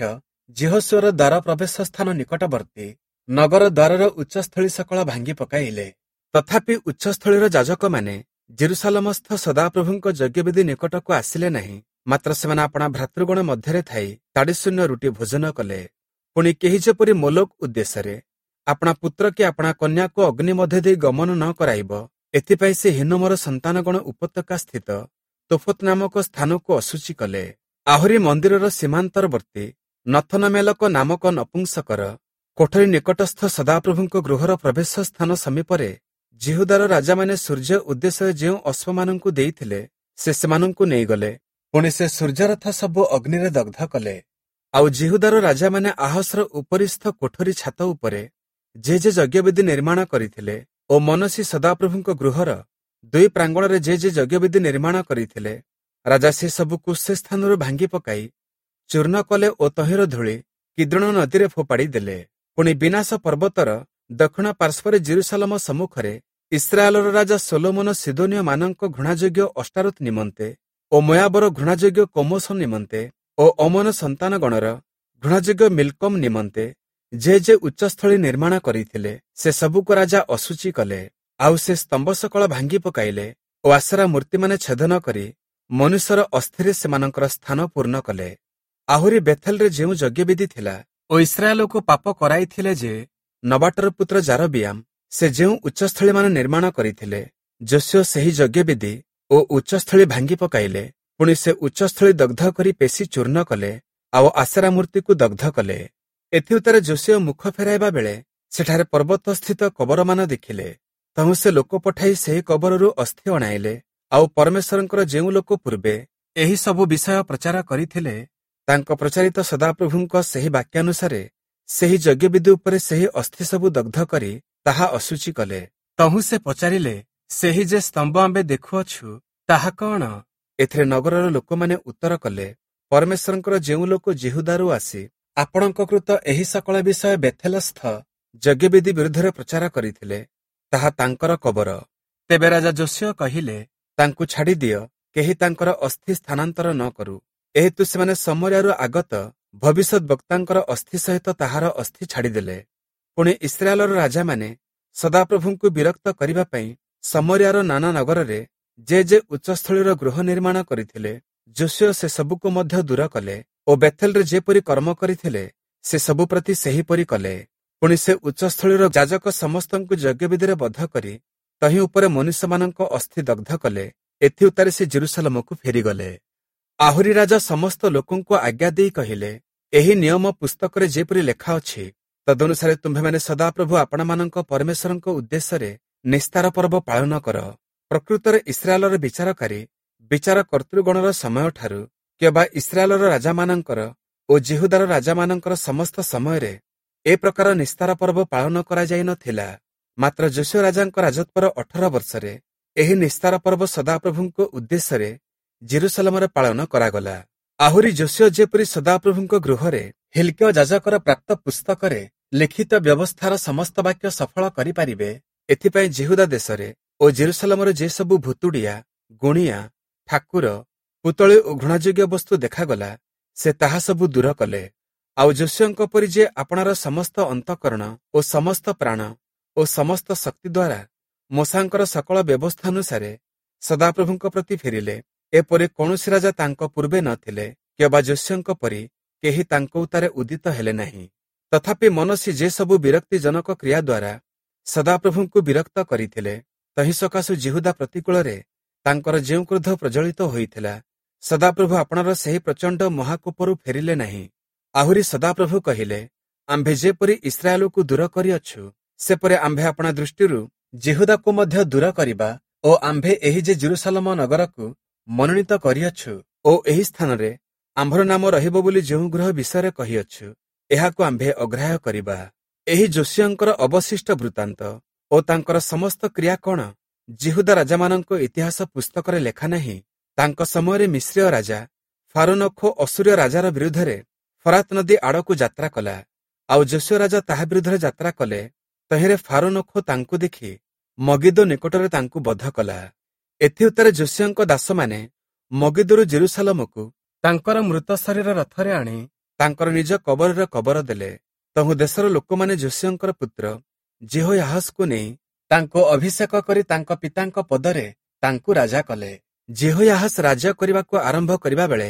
ଯିହୋଶୂୟର ଦ୍ୱାର ପ୍ରବେଶ ସ୍ଥାନ ନିକଟବର୍ତ୍ତୀ ନଗର ଦ୍ୱାରର ଉଚ୍ଚସ୍ଥଳୀ ସକଳ ଭାଙ୍ଗି ପକାଇଲେ। ତଥାପି ଉଚ୍ଚସ୍ଥଳୀର ଯାଜକମାନେ ଜେରୁସାଲେମସ୍ଥ ସଦାପ୍ରଭୁଙ୍କ ଯଜ୍ଞବେଦୀ ନିକଟକୁ ଆସିଲେ ନାହିଁ, ମାତ୍ର ସେମାନେ ଆପଣା ଭ୍ରାତୃଗଣ ମଧ୍ୟରେ ଥାଇ ତାଡ଼ିଶୂନ୍ୟ ରୁଟି ଭୋଜନ କଲେ। ପୁଣି କେହି ଯେପରି ମୋଲୋକ ଉଦ୍ଦେଶ୍ୟରେ ଆପଣା ପୁତ୍ର କି ଆପଣା କନ୍ୟାକୁ ଅଗ୍ନି ମଧ୍ୟ ଦେଇ ଗମନ ନ କରାଇବ, ଏଥିପାଇଁ ସେ ହିନ୍ନୋମର ସନ୍ତାନଗଣ ଉପତ୍ୟକା ସ୍ଥିତ ତୋଫତ୍ ନାମକ ସ୍ଥାନକୁ ଅଶୁଚି କଲେ। ଆହୁରି ମନ୍ଦିରର ସୀମାନ୍ତରବର୍ତ୍ତୀ ନଥନମେଲକ ନାମକ ନପୁଂସକର କୋଠରୀ ନିକଟସ୍ଥ ସଦାପ୍ରଭୁଙ୍କ ଗୃହର ପ୍ରବେଶ ସ୍ଥାନ ସମୀପରେ ଯିହୁଦାର ରାଜାମାନେ ସୂର୍ଯ୍ୟ ଉଦ୍ଦେଶ୍ୟରେ ଯେଉଁ ଅଶ୍ୱମାନଙ୍କୁ ଦେଇଥିଲେ, ସେ ସେମାନଙ୍କୁ ନେଇଗଲେ। ପୁଣି ସେ ସୂର୍ଯ୍ୟରଥ ସବୁ ଅଗ୍ନିରେ ଦଗ୍ଧ କଲେ। ଆଉ ଯିହୁଦାର ରାଜାମାନେ ଆହସର ଉପରିସ୍ଥ କୋଠରୀ ଛାତ ଉପରେ ଯେ ଯେ ଯଜ୍ଞବେଦୀ ନିର୍ମାଣ କରିଥିଲେ ଓ ମନସୀ ସଦାପ୍ରଭୁଙ୍କ ଗୃହର ଦୁଇ ପ୍ରାଙ୍ଗଣରେ ଯେ ଯେ ଯଜ୍ଞବେଦୀ ନିର୍ମାଣ କରିଥିଲେ, ରାଜା ସେ ସବୁକୁ ସେ ସ୍ଥାନରୁ ଭାଙ୍ଗି ପକାଇ ଚୂର୍ଣ୍ଣ କଲେ ଓ ତହିଁର ଧୂଳି କିଦ୍ରୋଣ ନଦୀରେ ଫୋପାଡ଼ି ଦେଲେ। ପୁଣି ବିନାଶ ପର୍ବତର ଦକ୍ଷିଣ ପାର୍ଶ୍ୱରେ ଜେରୁସାଲେମ ସମ୍ମୁଖରେ ଇସ୍ରାଏଲର ରାଜା ସୋଲୋମନ ସିଦୋନୀୟମାନଙ୍କ ଘୃଣାଯୋଗ୍ୟ ଅଷ୍ଟାରୋତ ନିମନ୍ତେ ଓ ମୋୟାବର ଘୃଣାଯୋଗ୍ୟ କମୋସ ନିମନ୍ତେ ଓ ଅମୋନ ସନ୍ତାନଗଣର ଘୃଣାଯୋଗ୍ୟ ମିଲ୍କମ୍ ନିମନ୍ତେ ଯେ ଯେ ଉଚ୍ଚସ୍ଥଳୀ ନିର୍ମାଣ କରିଥିଲେ, ସେ ସବୁକୁ ରାଜା ଅଶୁଚି କଲେ। ଆଉ ସେ ସ୍ତମ୍ଭ ସକଳ ଭାଙ୍ଗି ପକାଇଲେ ଓ ଆଶେରା ମୂର୍ତ୍ତିମାନେ ଛେଦନ କରି ମନୁଷ୍ୟର ଅସ୍ଥିରେ ସେମାନଙ୍କର ସ୍ଥାନ ପୂର୍ଣ୍ଣ କଲେ। ଆହୁରି ବେଥେଲରେ ଯେଉଁ ଯଜ୍ଞବେଦୀ ଥିଲା ଓ ଇସ୍ରାଏଲକୁ ପାପ କରାଇଥିଲେ ଯେ ନବାଟର ପୁତ୍ର ଯାରବିୟାମ ସେ ଯେଉଁ ଉଚ୍ଚସ୍ଥଳୀମାନ ନିର୍ମାଣ କରିଥିଲେ, ଯୋଶୀୟ ସେହି ଯଜ୍ଞବେଦୀ ଓ ଉଚ୍ଚସ୍ଥଳୀ ଭାଙ୍ଗି ପକାଇଲେ। ପୁଣି ସେ ଉଚ୍ଚସ୍ଥଳୀ ଦଗ୍ଧ କରି ପେଶି ଚୂର୍ଣ୍ଣ କଲେ। ଆଉ ଆଶେରା ମୂର୍ତ୍ତିକୁ ଦଗ୍ଧ କଲେ। ଏଥିଉତ୍ତାରେ ଯୋଶୀୟ ମୁଖ ଫେରାଇବା ବେଳେ ସେଠାରେ ପର୍ବତସ୍ଥିତ କବରମାନ ଦେଖିଲେ। ତହୁଁ ସେ ଲୋକ ପଠାଇ ସେହି କବରରୁ ଅସ୍ଥି ଅଣାଇଲେ। ଆଉ ପରମେଶ୍ୱରଙ୍କର ଯେଉଁ ଲୋକ ପୂର୍ବେ ଏହି ସବୁ ବିଷୟ ପ୍ରଚାର କରିଥିଲେ, ତାଙ୍କ ପ୍ରଚାରିତ ସଦାପ୍ରଭୁଙ୍କ ସେହି ବାକ୍ୟାନୁସାରେ ସେହି ଯଜ୍ଞବେଦୀ ଉପରେ ସେହି ଅସ୍ଥି ସବୁ ଦଗ୍ଧ କରି ତାହା ଅଶୁଚି କଲେ। ତହୁଁ ସେ ପଚାରିଲେ, ସେହି ଯେ ସ୍ତମ୍ଭ ଆମ୍ଭେ ଦେଖୁଅଛୁ ତାହା କଣ? ଏଥିରେ ନଗରର ଲୋକମାନେ ଉତ୍ତର କଲେ, ପରମେଶ୍ୱରଙ୍କର ଯେଉଁ ଲୋକ ଯିହୁଦାରୁ ଆସି ଆପଣଙ୍କ କୃତ ଏହି ସକଳ ବିଷୟ ବେଥେଲସ୍ଥ ଯଜ୍ଞବେଦୀ ବିରୁଦ୍ଧରେ ପ୍ରଚାର କରିଥିଲେ, ତାହା ତାଙ୍କର କବର। ତେବେ ରାଜା ଯୋଶୀୟ କହିଲେ, ତାଙ୍କୁ ଛାଡ଼ିଦିଅ, କେହି ତାଙ୍କର ଅସ୍ଥି ସ୍ଥାନାନ୍ତର ନ କରୁ। ଏହେତୁ ସେମାନେ ଶମରିୟାରୁ ଆଗତ ଭବିଷ୍ୟତ ବକ୍ତାଙ୍କର ଅସ୍ଥି ସହିତ ତାହାର ଅସ୍ଥି ଛାଡ଼ିଦେଲେ। ପୁଣି ଇସ୍ରାଏଲର ରାଜାମାନେ ସଦାପ୍ରଭୁଙ୍କୁ ବିରକ୍ତ କରିବା ପାଇଁ ଶମରିୟାର ନାନା ନଗରରେ ଯେ ଯେ ଉଚ୍ଚସ୍ଥଳୀର ଗୃହ ନିର୍ମାଣ କରିଥିଲେ, ଯୋଶୀୟ ସେସବୁକୁ ମଧ୍ୟ ଦୂର କଲେ ଓ ବେଥେଲରେ ଯେପରି କର୍ମ କରିଥିଲେ ସେସବୁ ପ୍ରତି ସେହିପରି କଲେ। ପୁଣି ସେ ଉଚ୍ଚସ୍ଥଳୀର ଯାଜକ ସମସ୍ତଙ୍କୁ ଯଜ୍ଞବେଦୀରେ ବଧ କରି ତହିଁ ଉପରେ ମନୁଷ୍ୟମାନଙ୍କ ଅସ୍ଥି ଦଗ୍ଧ କଲେ। ଏଥିଉତ୍ତାରେ ସେ ଜେରୁସାଲେମକୁ ଫେରିଗଲେ। ଆହୁରି ରାଜା ସମସ୍ତ ଲୋକଙ୍କୁ ଆଜ୍ଞା ଦେଇ କହିଲେ, ଏହି ନିୟମ ପୁସ୍ତକରେ ଯେପରି ଲେଖା ଅଛି ତଦନୁସାରେ ତୁମ୍ଭେମାନେ ସଦାପ୍ରଭୁ ଆପଣମାନଙ୍କ ପରମେଶ୍ୱରଙ୍କ ଉଦ୍ଦେଶ୍ୟରେ ନିସ୍ତାର ପର୍ବ ପାଳନ କର। ପ୍ରକୃତରେ ଇସ୍ରାଏଲର ବିଚାରକାରୀ ବିଚାର କର୍ତ୍ତୃଗଣର ସମୟଠାରୁ କିମ୍ବା ଇସ୍ରାଏଲର ରାଜାମାନଙ୍କର ଓ ଯିହୁଦାର ରାଜାମାନଙ୍କର ସମସ୍ତ ସମୟରେ ଏ ପ୍ରକାର ନିସ୍ତାର ପର୍ବ ପାଳନ କରାଯାଇ ନଥିଲା। ମାତ୍ର ଯୋଶୀୟ ରାଜାଙ୍କ ରାଜତ୍ୱର 18 ବର୍ଷରେ ଏହି ନିସ୍ତାର ପର୍ବ ସଦାପ୍ରଭୁଙ୍କ ଉଦ୍ଦେଶ୍ୟରେ ଜେରୁସାଲେମରେ ପାଳନ କରାଗଲା। ଆହୁରି ଯୋଶୀୟ ଯେପରି ସଦାପ୍ରଭୁଙ୍କ ଗୃହରେ ହିଲ୍କିୟ ଯାଜକର ପ୍ରାପ୍ତ ପୁସ୍ତକରେ ଲିଖିତ ବ୍ୟବସ୍ଥାର ସମସ୍ତ ବାକ୍ୟ ସଫଳ କରିପାରିବେ, ଏଥିପାଇଁ ଯିହୁଦା ଦେଶରେ ଓ ଜେରୁସାଲେମରେ ଯେସବୁ ଭୁତୁଡ଼ିଆ, ଗୁଣିଆ, ଠାକୁର, ପୁତଳି ଓ ଘୃଣାଯୋଗ୍ୟ ବସ୍ତୁ ଦେଖାଗଲା, ସେ ତାହା ସବୁ ଦୂର କଲେ। ଆଉ ଯୋଶୀୟଙ୍କ ପରି ଯେ ଆପଣାର ସମସ୍ତ ଅନ୍ତଃକରଣ ଓ ସମସ୍ତ ପ୍ରାଣ ଓ ସମସ୍ତ ଶକ୍ତି ଦ୍ୱାରା ମୋଶାଙ୍କର ସକଳ ବ୍ୟବସ୍ଥାନୁସାରେ ସଦାପ୍ରଭୁଙ୍କ ପ୍ରତି ଫେରିଲେ, ଏପରି କୌଣସି ରାଜା ତାଙ୍କ ପୂର୍ବେ ନଥିଲେ, କିମ୍ବା ଯୋଶୀୟଙ୍କ ପରି କେହି ତାଙ୍କ ଉତ୍ତାରେ ଉଦିତ ହେଲେ ନାହିଁ। ତଥାପି ମନସୀ ଯେସବୁ ବିରକ୍ତିଜନକ କ୍ରିୟା ଦ୍ୱାରା ସଦାପ୍ରଭୁଙ୍କୁ ବିରକ୍ତ କରିଥିଲେ, ତହିଁ ସକାଶୁ ଯିହୁଦା ପ୍ରତିକୂଳରେ ତାଙ୍କର ଯେଉଁ କ୍ରୋଧ ପ୍ରଜ୍ୱଳିତ ହୋଇଥିଲା, ସଦାପ୍ରଭୁ ଆପଣାର ସେହି ପ୍ରଚଣ୍ଡ ମହାକୋପରୁ ଫେରିଲେ ନାହିଁ। ଆହୁରି ସଦାପ୍ରଭୁ କହିଲେ, ଆମ୍ଭେ ଯେପରି ଇସ୍ରାଏଲକୁ ଦୂର କରିଅଛୁ, ସେପରି ଆମ୍ଭେ ଆପଣା ଦୃଷ୍ଟିରୁ ଯିହୁଦାକୁ ମଧ୍ୟ ଦୂର କରିବା ଓ ଆମ୍ଭେ ଏହି ଯେ ଜେରୁସାଲେମ ନଗରକୁ ମନୋନୀତ କରିଅଛୁ ଓ ଏହି ସ୍ଥାନରେ ଆମ୍ଭର ନାମ ରହିବ ବୋଲି ଯେଉଁ ଗୃହ ବିଷୟରେ କହିଅଛୁ, ଏହାକୁ ଆମ୍ଭେ ଅଗ୍ରାହ୍ୟ କରିବା। ଏହି ଯୋଶୀୟଙ୍କର ଅବଶିଷ୍ଟ ବୃତ୍ତାନ୍ତ ଓ ତାଙ୍କର ସମସ୍ତ କ୍ରିୟା କଣ ଯିହୁଦା ରାଜାମାନଙ୍କ ଇତିହାସ ପୁସ୍ତକରେ ଲେଖା ନାହିଁ? ତାଙ୍କ ସମୟରେ ମିଶ୍ରୀୟ ରାଜା ଫାରୋନଖୋ ଅସୂରୀୟ ରାଜାର ବିରୁଦ୍ଧରେ ଫରାତ ନଦୀ ଆଡ଼କୁ ଯାତ୍ରା କଲା। ଆଉ ଯୋଶୀୟ ରାଜା ତାହା ବିରୁଦ୍ଧରେ ଯାତ୍ରା କଲେ। ତହିଁରେ ଫାରୋନଖୋ ତାଙ୍କୁ ଦେଖି ମଗିଦୋ ନିକଟରେ ତାଙ୍କୁ ବଧ କଲା। ଏଥିଉତ୍ତାରେ ଯୋଶୀୟଙ୍କ ଦାସମାନେ ମଗିଦୋରୁ ଜେରୁସାଲେମକୁ ତାଙ୍କର ମୃତ ଶରୀର ରଥରେ ଆଣି ତାଙ୍କର ନିଜ କବରରେ କବର ଦେଲେ। ତହୁଁ ଦେଶର ଲୋକମାନେ ଯୋଶୀୟଙ୍କର ପୁତ୍ର ଯିହୋୟାହସକୁ ନେଇ ତାଙ୍କୁ ଅଭିଷେକ କରି ତାଙ୍କ ପିତାଙ୍କ ପଦରେ ତାଙ୍କୁ ରାଜା କଲେ। ଯିହୋୟାହସ ରାଜ୍ୟ କରିବାକୁ ଆରମ୍ଭ କରିବା ବେଳେ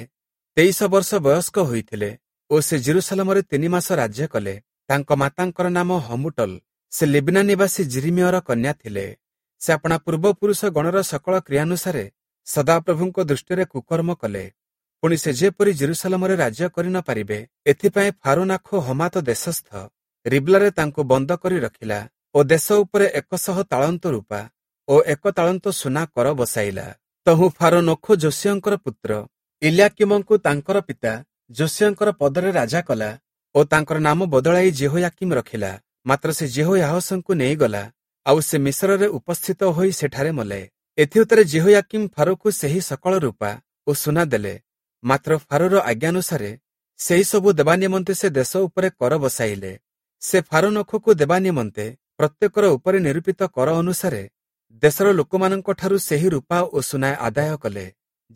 23 ବର୍ଷ ବୟସ୍କ ହୋଇଥିଲେ ଓ ସେ ଜେରୁସାଲେମରେ 3 ମାସ ରାଜ୍ୟ କଲେ। ତାଙ୍କ ମାତାଙ୍କର ନାମ ହମୁଟଲ, ସେ ଲିବ୍ନା ନିବାସୀ ଯିରିମିୟର କନ୍ୟା ଥିଲେ। ସେ ଆପଣା ପୂର୍ବପୁରୁଷ ଗଣର ସକଳ କ୍ରିୟାନୁସାରେ ସଦାପ୍ରଭୁଙ୍କ ଦୃଷ୍ଟିରେ କୁକର୍ମ କଲେ। ପୁଣି ସେ ଯେପରି ଜେରୁସାଲେମରେ ରାଜ୍ୟ କରି ନ ପାରିବେ, ଏଥିପାଇଁ ଫାରୋନାଖୋ ହମାତ ଦେଶସ୍ଥ ରିବ୍ଲାରେ ତାଙ୍କୁ ବନ୍ଦ କରି ରଖିଲା ଓ ଦେଶ ଉପରେ 100 ତାଳନ୍ତ ରୂପା ଓ 1 ତାଳନ୍ତ ସୁନା କର ବସାଇଲା। ତହୁଁ ଫାରୋନଖୋ ଯୋଶୀୟଙ୍କର ପୁତ୍ର ଇଲ୍ୟାକୀମଙ୍କୁ ତାଙ୍କର ପିତା ଯୋଶୀୟଙ୍କର ପଦରେ ରାଜା କଲା ଓ ତାଙ୍କର ନାମ ବଦଳାଇ ଯିହୋୟାକୀମ ରଖିଲା। ମାତ୍ର ସେ ଯିହୋୟାହସଙ୍କୁ ନେଇଗଲା, ଆଉ ସେ ମିଶରରେ ଉପସ୍ଥିତ ହୋଇ ସେଠାରେ ମଲେ। ଏଥିଉତ୍ତାରେ ଯିହୋୟାକୀମ ଫାରୋକୁ ସେହି ସକଳ ରୂପା ଓ ସୁନା ଦେଲେ। ମାତ୍ର ଫାରୋର ଆଜ୍ଞାନୁସାରେ ସେହି ସବୁ ଦେବା ନିମନ୍ତେ ସେ ଦେଶ ଉପରେ କର ବସାଇଲେ। ସେ ଫାରୋନଖୋକୁ ଦେବା ନିମନ୍ତେ ପ୍ରତ୍ୟେକର ଉପରେ ନିରୂପିତ କର ଅନୁସାରେ ଦେଶର ଲୋକମାନଙ୍କଠାରୁ ସେହି ରୂପା ଓ ସୁନା ଆଦାୟ କଲେ।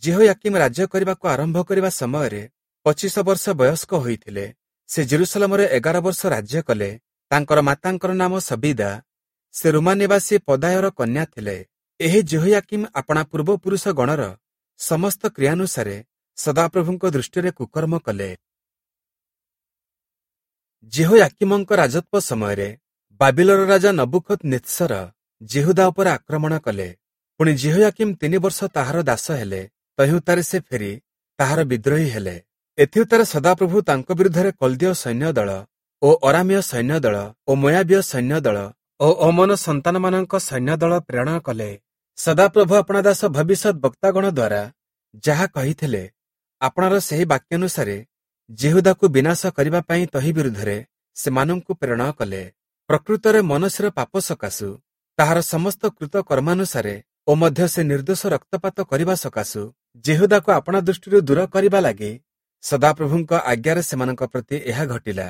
ଯିହୋୟାକୀମ ରାଜ୍ୟ କରିବାକୁ ଆରମ୍ଭ କରିବା ସମୟରେ 25 ବର୍ଷ ବୟସ୍କ ହୋଇଥିଲେ। ସେ ଜେରୁସାଲେମରେ 11 ବର୍ଷ ରାଜ୍ୟ କଲେ। ତାଙ୍କର ମାତାଙ୍କର ନାମ ସବିଦା, ସେ ରୁମା ନିବାସୀ ପଦାୟର କନ୍ୟା ଥିଲେ। ଏହି ଯିହୋୟାକୀମ ଆପଣା ପୂର୍ବପୁରୁଷ ଗଣର ସମସ୍ତ କ୍ରିୟାନୁସାରେ ସଦାପ୍ରଭୁଙ୍କ ଦୃଷ୍ଟିରେ କୁକର୍ମ କଲେ। ଯିହୋୟାକୀମଙ୍କ ରାଜତ୍ୱ ସମୟରେ ବାବିଲର ରାଜା ନବୁଖଦନିତ୍ସର ଯିହୁଦା ଉପରେ ଆକ୍ରମଣ କଲେ। ପୁଣି ଯିହୋୟାକୀମ 3 ବର୍ଷ ତାହାର ଦାସ ହେଲେ। ତହିଁଉତ୍ତାରେ ସେ ଫେରି ତାହାର ବିଦ୍ରୋହୀ ହେଲେ। ଏଥିଉତ୍ତାରେ ସଦାପ୍ରଭୁ ତାଙ୍କ ବିରୁଦ୍ଧରେ କଲ୍ଦୀୟ ସୈନ୍ୟଦଳ ଓ ଅରାମୀୟ ସୈନ୍ୟଦଳ ଓ ମୋୟାବୀୟ ସୈନ୍ୟଦଳ ଓ ଅମ୍ମୋନ ସନ୍ତାନମାନଙ୍କ ସୈନ୍ୟଦଳ ପ୍ରେରଣ କଲେ। ସଦାପ୍ରଭୁ ଆପଣା ଦାସ ଭବିଷ୍ୟତ ବକ୍ତାଗଣ ଦ୍ୱାରା ଯାହା କହିଥିଲେ, ଆପଣାର ସେହି ବାକ୍ୟାନୁସାରେ ଯିହୁଦାକୁ ବିନାଶ କରିବା ପାଇଁ ତହିଁ ବିରୁଦ୍ଧରେ ସେମାନଙ୍କୁ ପ୍ରେରଣ କଲେ। ପ୍ରକୃତରେ ମନସ୍ସିର ପାପ ସକାଶୁ ତାହାର ସମସ୍ତ କୃତ କର୍ମାନୁସାରେ ଓ ମଧ୍ୟ ସେ ନିର୍ଦ୍ଦୋଷ ରକ୍ତପାତ କରିବା ସକାଶୁ ଯିହୁଦାକୁ ଆପଣା ଦୃଷ୍ଟିରୁ ଦୂର କରିବା ଲାଗି ସଦାପ୍ରଭୁଙ୍କ ଆଜ୍ଞାରେ ସେମାନଙ୍କ ପ୍ରତି ଏହା ଘଟିଲା।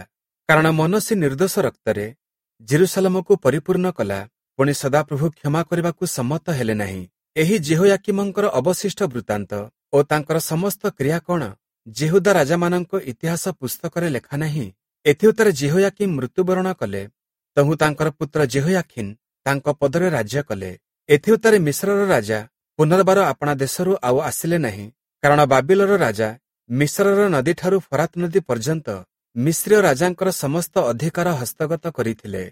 କାରଣ ମନସ୍ସି ନିର୍ଦ୍ଦୋଷ ରକ୍ତରେ ଯିରୂଶାଲମକୁ ପରିପୂର୍ଣ୍ଣ କଲା, ପୁଣି ସଦାପ୍ରଭୁ କ୍ଷମା କରିବାକୁ ସମ୍ମତ ହେଲେ ନାହିଁ। ଏହି ଯିହୋୟାକୀମଙ୍କର ଅବଶିଷ୍ଟ ବୃତ୍ତାନ୍ତ ଓ ତାଙ୍କର ସମସ୍ତ କ୍ରିୟା କଣ ଯିହୁଦା ରାଜାମାନଙ୍କ ଇତିହାସ ପୁସ୍ତକରେ ଲେଖା ନାହିଁ? ଏଥିଉତ୍ତାରେ ଯିହୋୟାକୀମ ମୃତ୍ୟୁବରଣ କଲେ, ତହୁଁ ତାଙ୍କର ପୁତ୍ର ଯିହୋୟାଖୀନ୍ ତାଙ୍କ ପଦରେ ରାଜ୍ୟ କଲେ। ଏଥିଉତ୍ତାରେ ମିଶ୍ରର ରାଜା ପୁନର୍ବାର ଆପଣା ଦେଶରୁ ଆଉ ଆସିଲେ ନାହିଁ, କାରଣ ବାବିଲର ରାଜା ମିଶ୍ରର ନଦୀଠାରୁ ଫରାତ ନଦୀ ପର୍ଯ୍ୟନ୍ତ ମିଶ୍ରୀୟ ରାଜାଙ୍କର ସମସ୍ତ ଅଧିକାର ହସ୍ତଗତ କରିଥିଲେ।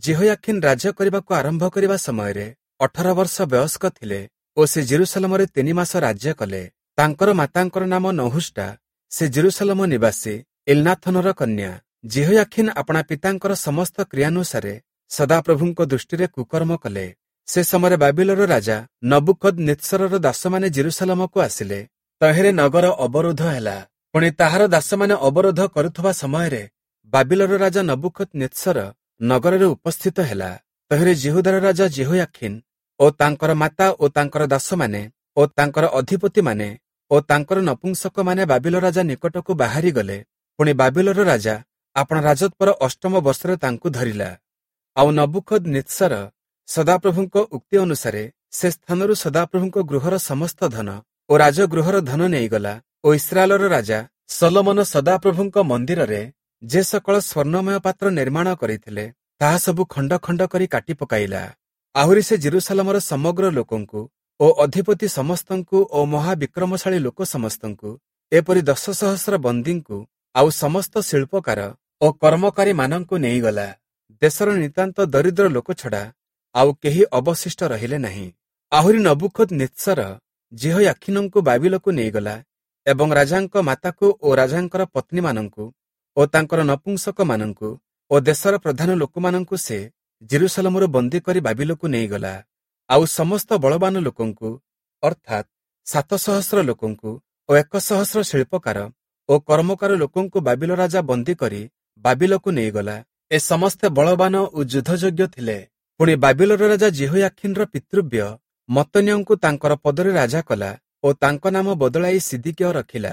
ଯିହୋୟାଖୀନ୍ ରାଜ୍ୟ କରିବାକୁ ଆରମ୍ଭ କରିବା ସମୟରେ 18 ବର୍ଷ ବୟସ୍କ ଥିଲେ ଓ ସେ ଯିରୂଶାଲମରେ 3 ମାସ ରାଜ୍ୟ କଲେ। ତାଙ୍କର ମାତାଙ୍କର ନାମ ନହୁଷ୍ଟା, ସେ ଯିରୂଶାଲମ ନିବାସୀ ଇଲ୍ନାଥନର କନ୍ୟା। ଯିହୋୟାଖୀନ୍ ଆପଣା ପିତାଙ୍କର ସମସ୍ତ କ୍ରିୟାନୁସାରେ ସଦାପ୍ରଭୁଙ୍କ ଦୃଷ୍ଟିରେ କୁକର୍ମ କଲେ। ସେ ସମୟରେ ବାବିଲର ରାଜା ନବୁଖଦନିତ୍ସରର ଦାସମାନେ ଯିରୂଶାଲମକୁ ଆସିଲେ। ତହିଁରେ ନଗର ଅବରୋଧ ହେଲା। ପୁଣି ତାହାର ଦାସମାନେ ଅବରୋଧ କରୁଥିବା ସମୟରେ ବାବିଲର ରାଜା ନବୁଖଦନିତ୍ସର ନଗରରେ ଉପସ୍ଥିତ ହେଲା। ତହିଁରେ ଯିହୁଦାର ରାଜା ଯିହୋୟାଖୀନ୍ ଓ ତାଙ୍କର ମାତା ଓ ତାଙ୍କର ଦାସମାନେ ଓ ତାଙ୍କର ଅଧିପତିମାନେ ଓ ତାଙ୍କର ନପୁଂସକମାନେ ବାବିଲ ରାଜା ନିକଟକୁ ବାହାରି ଗଲେ। ପୁଣି ବାବିଲର ରାଜା ଆପଣା ରାଜତ୍ୱର 8ମ ବର୍ଷରେ ତାଙ୍କୁ ଧରିଲା। ଆଉ ନବୁଖଦନିତ୍ସର ସଦାପ୍ରଭୁଙ୍କ ଉକ୍ତି ଅନୁସାରେ ସେ ସ୍ଥାନରୁ ସଦାପ୍ରଭୁଙ୍କ ଗୃହର ସମସ୍ତ ଧନ ଓ ରାଜଗୃହର ଧନ ନେଇଗଲା ଓ ଇସ୍ରାଏଲର ରାଜା ସଲୋମନ ସଦାପ୍ରଭୁଙ୍କ ମନ୍ଦିରରେ ଯେ ସକଳ ସ୍ୱର୍ଣ୍ଣମୟ ପାତ୍ର ନିର୍ମାଣ କରିଥିଲେ, ତାହା ସବୁ ଖଣ୍ଡ ଖଣ୍ଡ କରି କାଟି ପକାଇଲା। ଆହୁରି ସେ ଯିରୂଶାଲମର ସମଗ୍ର ଲୋକଙ୍କୁ ଓ ଅଧିପତି ସମସ୍ତଙ୍କୁ ଓ ମହାବିକ୍ରମଶାଳୀ ଲୋକ ସମସ୍ତଙ୍କୁ, ଏପରି 10 ସହସ୍ର ବନ୍ଦୀଙ୍କୁ ଆଉ ସମସ୍ତ ଶିଳ୍ପକାର ଓ କର୍ମକାରୀମାନଙ୍କୁ ନେଇଗଲା। ଦେଶର ନିତାନ୍ତ ଦରିଦ୍ର ଲୋକ ଛଡ଼ା ଆଉ କେହି ଅବଶିଷ୍ଟ ରହିଲେ ନାହିଁ। ଆହୁରି ନବୁଖଦନିତ୍ସର ଯିହୋୟାଖୀନଙ୍କୁ ବାବିଲକୁ ନେଇଗଲା ଏବଂ ରାଜାଙ୍କ ମାତାକୁ ଓ ରାଜାଙ୍କର ପତ୍ନୀମାନଙ୍କୁ ଓ ତାଙ୍କର ନପୁଂସକମାନଙ୍କୁ ଓ ଦେଶର ପ୍ରଧାନ ଲୋକମାନଙ୍କୁ ସେ ଯିରୂଶାଲମରୁ ବନ୍ଦୀ କରି ବାବିଲକୁ ନେଇଗଲା। ଆଉ ସମସ୍ତ ବଳବାନ ଲୋକଙ୍କୁ, ଅର୍ଥାତ୍ 7 ସହସ୍ର ଲୋକଙ୍କୁ ଓ 1 ସହସ୍ର ଶିଳ୍ପକାର ଓ କର୍ମକାର ଲୋକଙ୍କୁ ବାବିଲ ରାଜା ବନ୍ଦୀ କରି ବାବିଲକୁ ନେଇଗଲା। ଏ ସମସ୍ତେ ବଳବାନ ଓ ଯୁଦ୍ଧଯୋଗ୍ୟ ଥିଲେ। ପୁଣି ବାବିଲର ରାଜା ଯିହୋୟାଖୀନର ପିତୃବ୍ୟ ମତ୍ତନ୍ୟଙ୍କୁ ତାଙ୍କର ପଦରେ ରାଜା କଲା ଓ ତାଙ୍କ ନାମ ବଦଳାଇ ସିଦିକିୟ ରଖିଲା।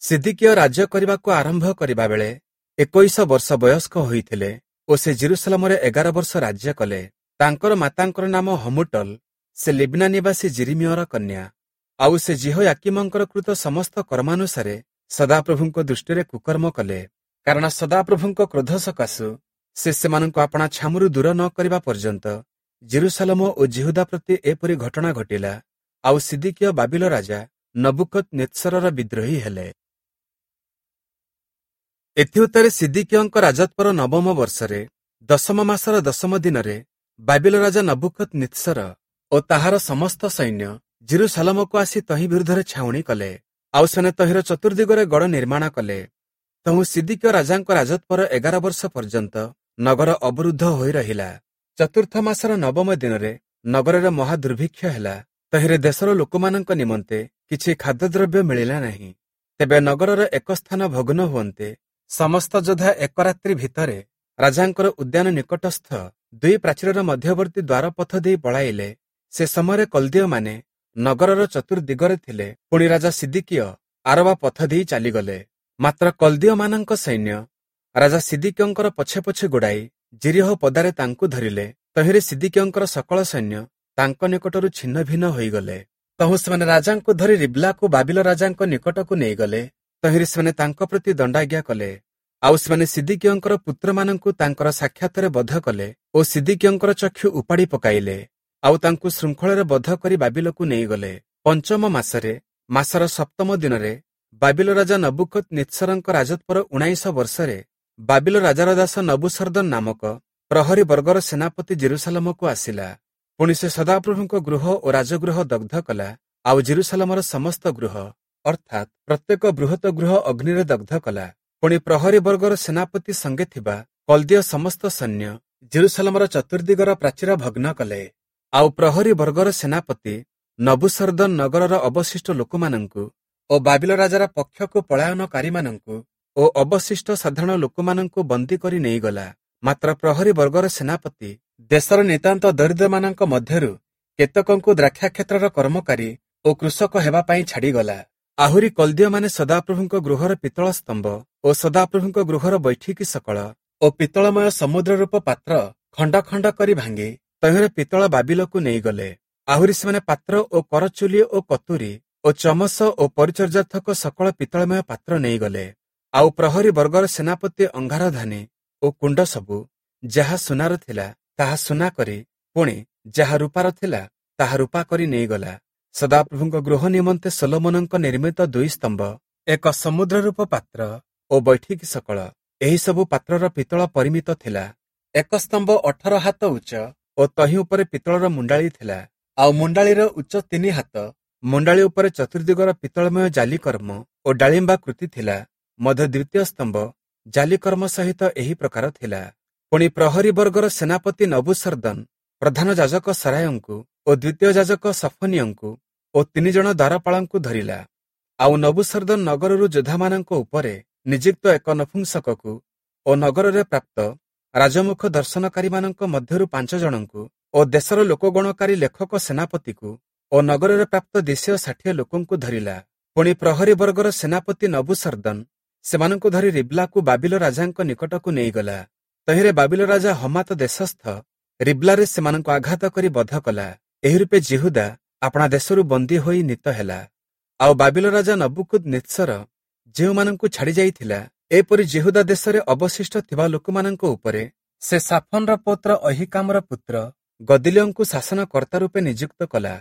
ସିଦିକିୟ ରାଜ୍ୟ କରିବାକୁ ଆରମ୍ଭ କରିବା ବେଳେ 21 ବର୍ଷ ବୟସ୍କ ହୋଇଥିଲେ ଓ ସେ ଯିରୂଶାଲମରେ 11 ବର୍ଷ ରାଜ୍ୟ କଲେ। ତାଙ୍କର ମାତାଙ୍କର ନାମ ହମୁଟଲ, ସେ ଲିବ୍ନା ନିବାସୀ ଯିରିମିୟର କନ୍ୟା। ଆଉ ସେ ଯିହୋୟାକୀମଙ୍କର କୃତ ସମସ୍ତ କର୍ମାନୁସାରେ ସଦାପ୍ରଭୁଙ୍କ ଦୃଷ୍ଟିରେ କୁକର୍ମ କଲେ, କାରଣ ସଦାପ୍ରଭୁଙ୍କ କ୍ରୋଧ ସକାଶୁ ସେ ସେମାନଙ୍କୁ ଆପଣା ଛାମୁରୁ ଦୂର ନ କରିବା ପର୍ଯ୍ୟନ୍ତ ଯିରୂଶାଲମ ଓ ଯିହୁଦା ପ୍ରତି ଏପରି ଘଟଣା ଘଟିଲା। ଆଉ ସିଦିକିୟ ବାବିଲ ରାଜା ନବୁଖଦନିତ୍ସରର ବିଦ୍ରୋହୀ ହେଲେ। ଏଥିଉତ୍ତାରେ ସିଦିକିୟଙ୍କ ରାଜତ୍ୱର 9ମ ବର୍ଷରେ 10ମ ମାସର 10ମ ଦିନରେ ବାବିଲ ରାଜା ନବୁଖଦନିତ୍ସର ଓ ତାହାର ସମସ୍ତ ସୈନ୍ୟ ଯିରୂଶାଲମକୁ ଆସି ତହିଁ ବିରୁଦ୍ଧରେ ଛାଉଣି କଲେ। ଆଉ ସେମାନେ ତହିଁର ଚତୁର୍ଦିଗରେ ଗଡ଼ ନିର୍ମାଣ କଲେ। ତହୁଁ ସିଦିକିୟ ରାଜାଙ୍କ ରାଜତ୍ୱର 11 ବର୍ଷ ପର୍ଯ୍ୟନ୍ତ ନଗର ଅବରୁଦ୍ଧ ହୋଇ ରହିଲା। ଚତୁର୍ଥ ମାସର 9ମ ଦିନରେ ନଗରରେ ମହାଦୁର୍ଭିକ୍ଷ ହେଲା। ତହିଁରେ ଦେଶର ଲୋକମାନଙ୍କ ନିମନ୍ତେ କିଛି ଖାଦ୍ୟଦ୍ରବ୍ୟ ମିଳିଲା ନାହିଁ। ତେବେ ନଗରର ଏକ ସ୍ଥାନ ଭଗ୍ନ ହୁଅନ୍ତେ ସମସ୍ତ ଯୋଦ୍ଧା ଏକ ରାତ୍ରି ଭିତରେ ରାଜାଙ୍କର ଉଦ୍ୟାନ ନିକଟସ୍ଥ 2 ପ୍ରାଚୀରର ମଧ୍ୟବର୍ତ୍ତୀ ଦ୍ୱାରପଥ ଦେଇ ପଳାଇଲେ। ସେ ସମୟରେ କଲ୍ଦୀୟମାନେ ନଗରର ଚତୁର୍ଦିଗରେ ଥିଲେ। ପୁଣି ରାଜା ସିଦିକିୟ ଆରବା ପଥ ଦେଇ ଚାଲିଗଲେ। ମାତ୍ର କଲ୍ଦୀୟମାନଙ୍କ ସୈନ୍ୟ ରାଜା ସିଦିକିୟଙ୍କର ପଛେ ପଛେ ଗୋଡ଼ାଇ ଯିରୀହୋ ପଦାରେ ତାଙ୍କୁ ଧରିଲେ। ତହିଁରେ ସିଦିକିୟଙ୍କର ସକଳ ସୈନ୍ୟ ତାଙ୍କ ନିକଟରୁ ଛିନ୍ନ ଭିନ୍ନ ହୋଇଗଲେ। ତହୁଁ ସେମାନେ ରାଜାଙ୍କୁ ଧରି ରିବ୍ଲାକୁ ବାବିଲ ରାଜାଙ୍କ ନିକଟକୁ ନେଇଗଲେ। ତହିଁରେ ସେମାନେ ତାଙ୍କ ପ୍ରତି ଦଣ୍ଡାଜ୍ଞା କଲେ। ଆଉ ସେମାନେ ସିଦିକିୟଙ୍କର ପୁତ୍ରମାନଙ୍କୁ ତାଙ୍କର ସାକ୍ଷାତରେ ବଧ କଲେ ଓ ସିଦିକିୟଙ୍କର ଚକ୍ଷୁ ଉପାଡ଼ି ପକାଇଲେ। ଆଉ ତାଙ୍କୁ ଶୃଙ୍ଖଳରେ ବଧ କରି ବାବିଲକୁ ନେଇଗଲେ। 5ମ ମାସରେ ମାସର 7ମ ଦିନରେ ବାବିଲ ରାଜା ନବୁଖଦନିତ୍ସରଙ୍କ ରାଜତ୍ୱର 19 ବର୍ଷରେ ବାବିଲ ରାଜାର ଦାସ ନବୁସର୍ଦନ ନାମକ ପ୍ରହରୀ ବର୍ଗର ସେନାପତି ଯିରୂଶାଲମକୁ ଆସିଲା। ପୁଣି ସେ ସଦାପ୍ରଭୁଙ୍କ ଗୃହ ଓ ରାଜଗୃହ ଦଗ୍ଧ କଲା। ଆଉ ଯିରୂଶାଲମର ସମସ୍ତ ଗୃହ ଅର୍ଥାତ୍ ପ୍ରତ୍ୟେକ ବୃହତ ଗୃହ ଅଗ୍ନିରେ ଦଗ୍ଧ କଲା। ପୁଣି ପ୍ରହରୀ ବର୍ଗର ସେନାପତି ସଙ୍ଗେ ଥିବା କଲ୍ଦୀୟ ସମସ୍ତ ସୈନ୍ୟ ଜେରୁସାଲମର ଚତୁର୍ଦିଗର ପ୍ରାଚୀର ଭଗ୍ନ କଲେ। ଆଉ ପ୍ରହରୀ ବର୍ଗର ସେନାପତି ନବୂସରଦନ ନଗରର ଅବଶିଷ୍ଟ ଲୋକମାନଙ୍କୁ ଓ ବାବିଲ ରାଜାର ପକ୍ଷକୁ ପଳାୟନକାରୀମାନଙ୍କୁ ଓ ଅବଶିଷ୍ଟ ସାଧାରଣ ଲୋକମାନଙ୍କୁ ବନ୍ଦୀ କରି ନେଇଗଲା। ମାତ୍ର ପ୍ରହରୀ ବର୍ଗର ସେନାପତି ଦେଶର ନିତାନ୍ତ ଦରିଦ୍ରମାନଙ୍କ ମଧ୍ୟରୁ କେତେକଙ୍କୁ ଦ୍ରାକ୍ଷାକ୍ଷେତ୍ରର କର୍ମକାରୀ ଓ କୃଷକ ହେବା ପାଇଁ ଛାଡ଼ିଗଲା। ଆହୁରି କଲ୍ଦୀୟମାନେ ସଦାପ୍ରଭୁଙ୍କ ଗୃହର ପିତ୍ତଳ ସ୍ତମ୍ଭ ଓ ସଦାପ୍ରଭୁଙ୍କ ଗୃହର ବୈଠିକୀ ସକଳ ଓ ପିତ୍ତଳମୟ ସମୁଦ୍ର ରୂପ ପାତ୍ର ଖଣ୍ଡ ଖଣ୍ଡ କରି ଭାଙ୍ଗି ତହିଁର ପିତ୍ତଳ ବାବିଲକୁ ନେଇଗଲେ। ଆହୁରି ସେମାନେ ପାତ୍ର ଓ କରଚୁଲି ଓ କତୁରୀ ଓ ଚମସ ଓ ପରିଚର୍ଯ୍ୟାର୍ଥକ ସକଳ ପିତ୍ତଳମୟ ପାତ୍ର ନେଇଗଲେ। ଆଉ ପ୍ରହରୀ ବର୍ଗର ସେନାପତି ଅଙ୍ଗାରଧାନୀ ଓ କୁଣ୍ଡ ସବୁ ଯାହା ସୁନାର ଥିଲା ତାହା ସୁନା କରି, ପୁଣି ଯାହା ରୂପାର ଥିଲା ତାହା ରୂପା କରି ନେଇଗଲା। ସଦାପ୍ରଭୁଙ୍କ ଗୃହ ନିମନ୍ତେ ସଲୋମନଙ୍କ ନିର୍ମିତ 2 ସ୍ତମ୍ଭ, ଏକ ସମୁଦ୍ର ରୂପ ପାତ୍ର ଓ ବୈଠିକୀ ସକଳ, ଏହି ସବୁ ପାତ୍ରର ପିତ୍ତଳ ପରିମିତ ଥିଲା। ଏକ ସ୍ତମ୍ଭ 18 ହାତ ଉଚ୍ଚ ଓ ତହିଁ ଉପରେ ପିତ୍ତଳର ମୁଣ୍ଡାଳି ଥିଲା। ଆଉ ମୁଣ୍ଡାଳିର ଉଚ୍ଚ 3 ହାତ। ମୁଣ୍ଡାଳି ଉପରେ ଚତୁର୍ଦିଗର ପିତ୍ତଳମୟ ଜାଲିକର୍ମ ଓ ଡାଳିମ୍ବା କୃତି ଥିଲା। ମଧ୍ୟ ଦ୍ୱିତୀୟ ସ୍ତମ୍ଭ ଜାଲିକର୍ମ ସହିତ ଏହି ପ୍ରକାର ଥିଲା। ପୁଣି ପ୍ରହରୀ ବର୍ଗର ସେନାପତି ନବୂସରଦନ ପ୍ରଧାନ ଯାଜକ ସରାୟଙ୍କୁ ଓ ଦ୍ୱିତୀୟ ଯାଜକ ସଫନିୟଙ୍କୁ ଓ 3 ଜଣ ଦ୍ୱାରପାଳଙ୍କୁ ଧରିଲା। ଆଉ ନବୂସରଦନ ନଗରରୁ ଯୋଦ୍ଧାମାନଙ୍କ ଉପରେ ନିଯୁକ୍ତ ଏକ ନପୁଂସକକୁ ଓ ନଗରରେ ପ୍ରାପ୍ତ ରାଜମୁଖ ଦର୍ଶନକାରୀମାନଙ୍କ ମଧ୍ୟରୁ 5 ଜଣଙ୍କୁ ଓ ଦେଶର ଲୋକଗଣକାରୀ ଲେଖକ ସେନାପତିକୁ ଓ ନଗରରେ ପ୍ରାପ୍ତ 260 ଲୋକଙ୍କୁ ଧରିଲା। ପୁଣି ପ୍ରହରୀ ବର୍ଗର ସେନାପତି ନବୂସରଦନ ସେମାନଙ୍କୁ ଧରି ରିବ୍ଲାକୁ ବାବିଲ ରାଜାଙ୍କ ନିକଟକୁ ନେଇଗଲା। ତହିଁରେ ବାବିଲ ରାଜା ହମାତ ଦେଶସ୍ଥ ରିବ୍ଲାରେ ସେମାନଙ୍କୁ ଆଘାତ କରି ବଧ କଲା। ଏହି ରୂପେ ଯିହୁଦା ଆପଣା ଦେଶରୁ ବନ୍ଦୀ ହୋଇ ନୀତ ହେଲା। ଆଉ ବାବିଲ ରାଜା ନବୂଖଦନିତ୍ସର ଯେଉଁମାନଙ୍କୁ ଛାଡ଼ି ଯାଇଥିଲା, ଏପରି ଯିହୁଦା ଦେଶରେ ଅବଶିଷ୍ଟ ଥିବା ଲୋକମାନଙ୍କ ଉପରେ ସେ ସାଫନର ପୌତ୍ର ଅହୀକାମର ପୁତ୍ର ଗଦଲିୟଙ୍କୁ ଶାସନକର୍ତ୍ତା ରୂପେ ନିଯୁକ୍ତ କଲା।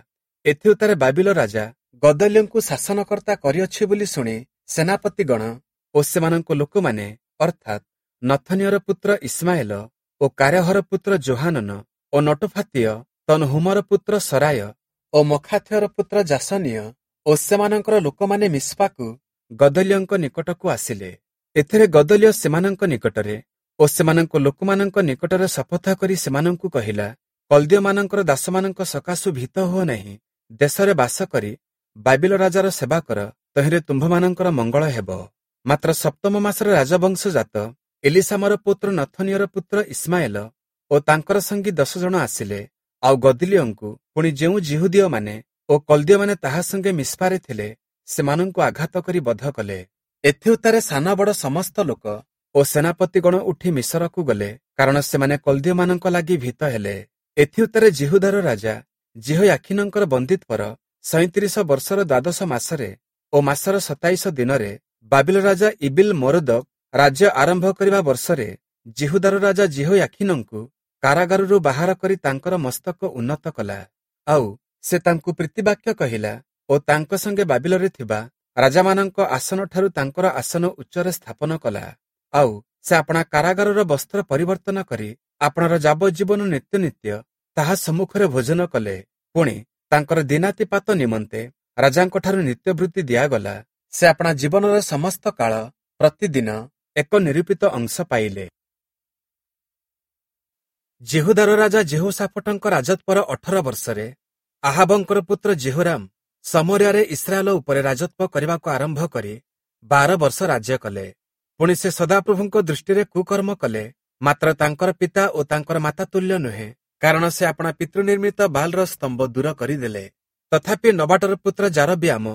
ଏଥିଉତ୍ତାରେ ବାବିଲ ରାଜା ଗଦଲିୟଙ୍କୁ ଶାସନକର୍ତ୍ତା କରିଅଛି ବୋଲି ଶୁଣି ସେନାପତିଗଣ ଓ ସେମାନଙ୍କ ଲୋକମାନେ, ଅର୍ଥାତ୍ ନଥନିୟର ପୁତ୍ର ଇସ୍ମାଏଲ ଓ କାରେହର ପୁତ୍ର ଯୋହାନନ ଓ ନଟୋଫାତୀୟ ତନହୁମର ପୁତ୍ର ସରାୟ ଓ ମଖାଥିୟର ପୁତ୍ର ଯାସନୀୟ ଓ ସେମାନଙ୍କର ଲୋକମାନେ ମିସ୍ପାକୁ ଗଦଲିୟଙ୍କ ନିକଟକୁ ଆସିଲେ। ଏଥିରେ ଗଦଲିୟ ସେମାନଙ୍କ ନିକଟରେ ଓ ସେମାନଙ୍କ ଲୋକମାନଙ୍କ ନିକଟରେ ଶପଥ କରି ସେମାନଙ୍କୁ କହିଲା, କଲ୍ଦୀୟମାନଙ୍କର ଦାସମାନଙ୍କ ସକାଶୁ ଭୀତ ହୁଅ ନାହିଁ। ଦେଶରେ ବାସ କରି ବାବିଲ ରାଜାର ସେବା କର, ତହିଁରେ ତୁମ୍ଭମାନଙ୍କର ମଙ୍ଗଳ ହେବ। ମାତ୍ର ସପ୍ତମ ମାସରେ ରାଜବଂଶଜାତ ଏଲିଶାମାର ପୁତ୍ର ନଥନିୟର ପୁତ୍ର ଇସ୍ମାଏଲ ଓ ତାଙ୍କର ସଙ୍ଗୀ 10 ଜଣ ଆସିଲେ। ଆଉ ଗଦଲିୟଙ୍କୁ ପୁଣି ଯେଉଁ ଯିହୁଦୀୟମାନେ ଓ କଲ୍ଦୀୟମାନେ ତାହା ସଙ୍ଗେ ମିସ୍ପାରେ ଥିଲେ, ସେମାନଙ୍କୁ ଆଘାତ କରି ବଧ କଲେ। ଏଥିଉତ୍ତାରେ ସାନ ବଡ଼ ସମସ୍ତ ଲୋକ ଓ ସେନାପତିଗଣ ଉଠି ମିଶରକୁ ଗଲେ, କାରଣ ସେମାନେ କଲ୍ଦୀୟମାନଙ୍କ ଲାଗି ଭୀତ ହେଲେ। ଏଥିଉତ୍ତାରେ ଯିହୁଦାର ରାଜା ଯିହୋୟାଖୀନଙ୍କର ବନ୍ଦୀତ୍ୱର 37 ବର୍ଷର ଦ୍ୱାଦଶ ମାସରେ ଓ ମାସର 27 ଦିନରେ ବାବିଲ ରାଜା ଇବିଲ ମୋରଦକ ରାଜ୍ୟ ଆରମ୍ଭ କରିବା ବର୍ଷରେ ଯିହୁଦାର ରାଜା ଯିହୋୟାଖୀନଙ୍କୁ କାରାଗାରରୁ ବାହାର କରି ତାଙ୍କର ମସ୍ତକ ଉନ୍ନତ କଲା। ଆଉ ସେ ତାଙ୍କୁ ପ୍ରୀତିବାକ୍ୟ କହିଲା ଓ ତାଙ୍କ ସଙ୍ଗେ ବାବିଲରେ ଥିବା ରାଜାମାନଙ୍କ ଆସନଠାରୁ ତାଙ୍କର ଆସନ ଉଚ୍ଚରେ ସ୍ଥାପନ କଲା। ଆଉ ସେ ଆପଣା କାରାଗାରର ବସ୍ତ୍ର ପରିବର୍ତ୍ତନ କରି ଆପଣାର ଯାବଜ୍ଜୀବନ ନିତ୍ୟ ନିତ୍ୟ ତାହା ସମ୍ମୁଖରେ ଭୋଜନ କଲେ। ପୁଣି ତାଙ୍କର ଦିନାତିପାତ ନିମନ୍ତେ ରାଜାଙ୍କଠାରୁ ନିତ୍ୟବୃତ୍ତି ଦିଆଗଲା। ସେ ଆପଣା ଜୀବନର ସମସ୍ତ କାଳ ପ୍ରତିଦିନ ଏକ ନିରୂପିତ ଅଂଶ ପାଇଲେ। ଯିହୁଦାର ରାଜା ଯିହୋଶାଫଟଙ୍କ ରାଜତ୍ୱର 18 ବର୍ଷରେ ଆହାବଙ୍କର ପୁତ୍ର ଯିହୋରାମ ସମରିଆରେ ଇସ୍ରାଏଲ ଉପରେ ରାଜତ୍ୱ କରିବାକୁ ଆରମ୍ଭ କରି 12 ବର୍ଷ ରାଜ୍ୟ କଲେ। ପୁଣି ସେ ସଦାପ୍ରଭୁଙ୍କ ଦୃଷ୍ଟିରେ କୁକର୍ମ କଲେ, ମାତ୍ର ତାଙ୍କର ପିତା ଓ ତାଙ୍କର ମାତା ତୁଲ୍ୟ ନୁହେଁ, କାରଣ ସେ ଆପଣା ପିତୃନିର୍ମିତ ବାଲ୍‌ର ସ୍ତମ୍ଭ ଦୂର କରିଦେଲେ। ତଥାପି ନବାଟର ପୁତ୍ର ଯାରବିଆମ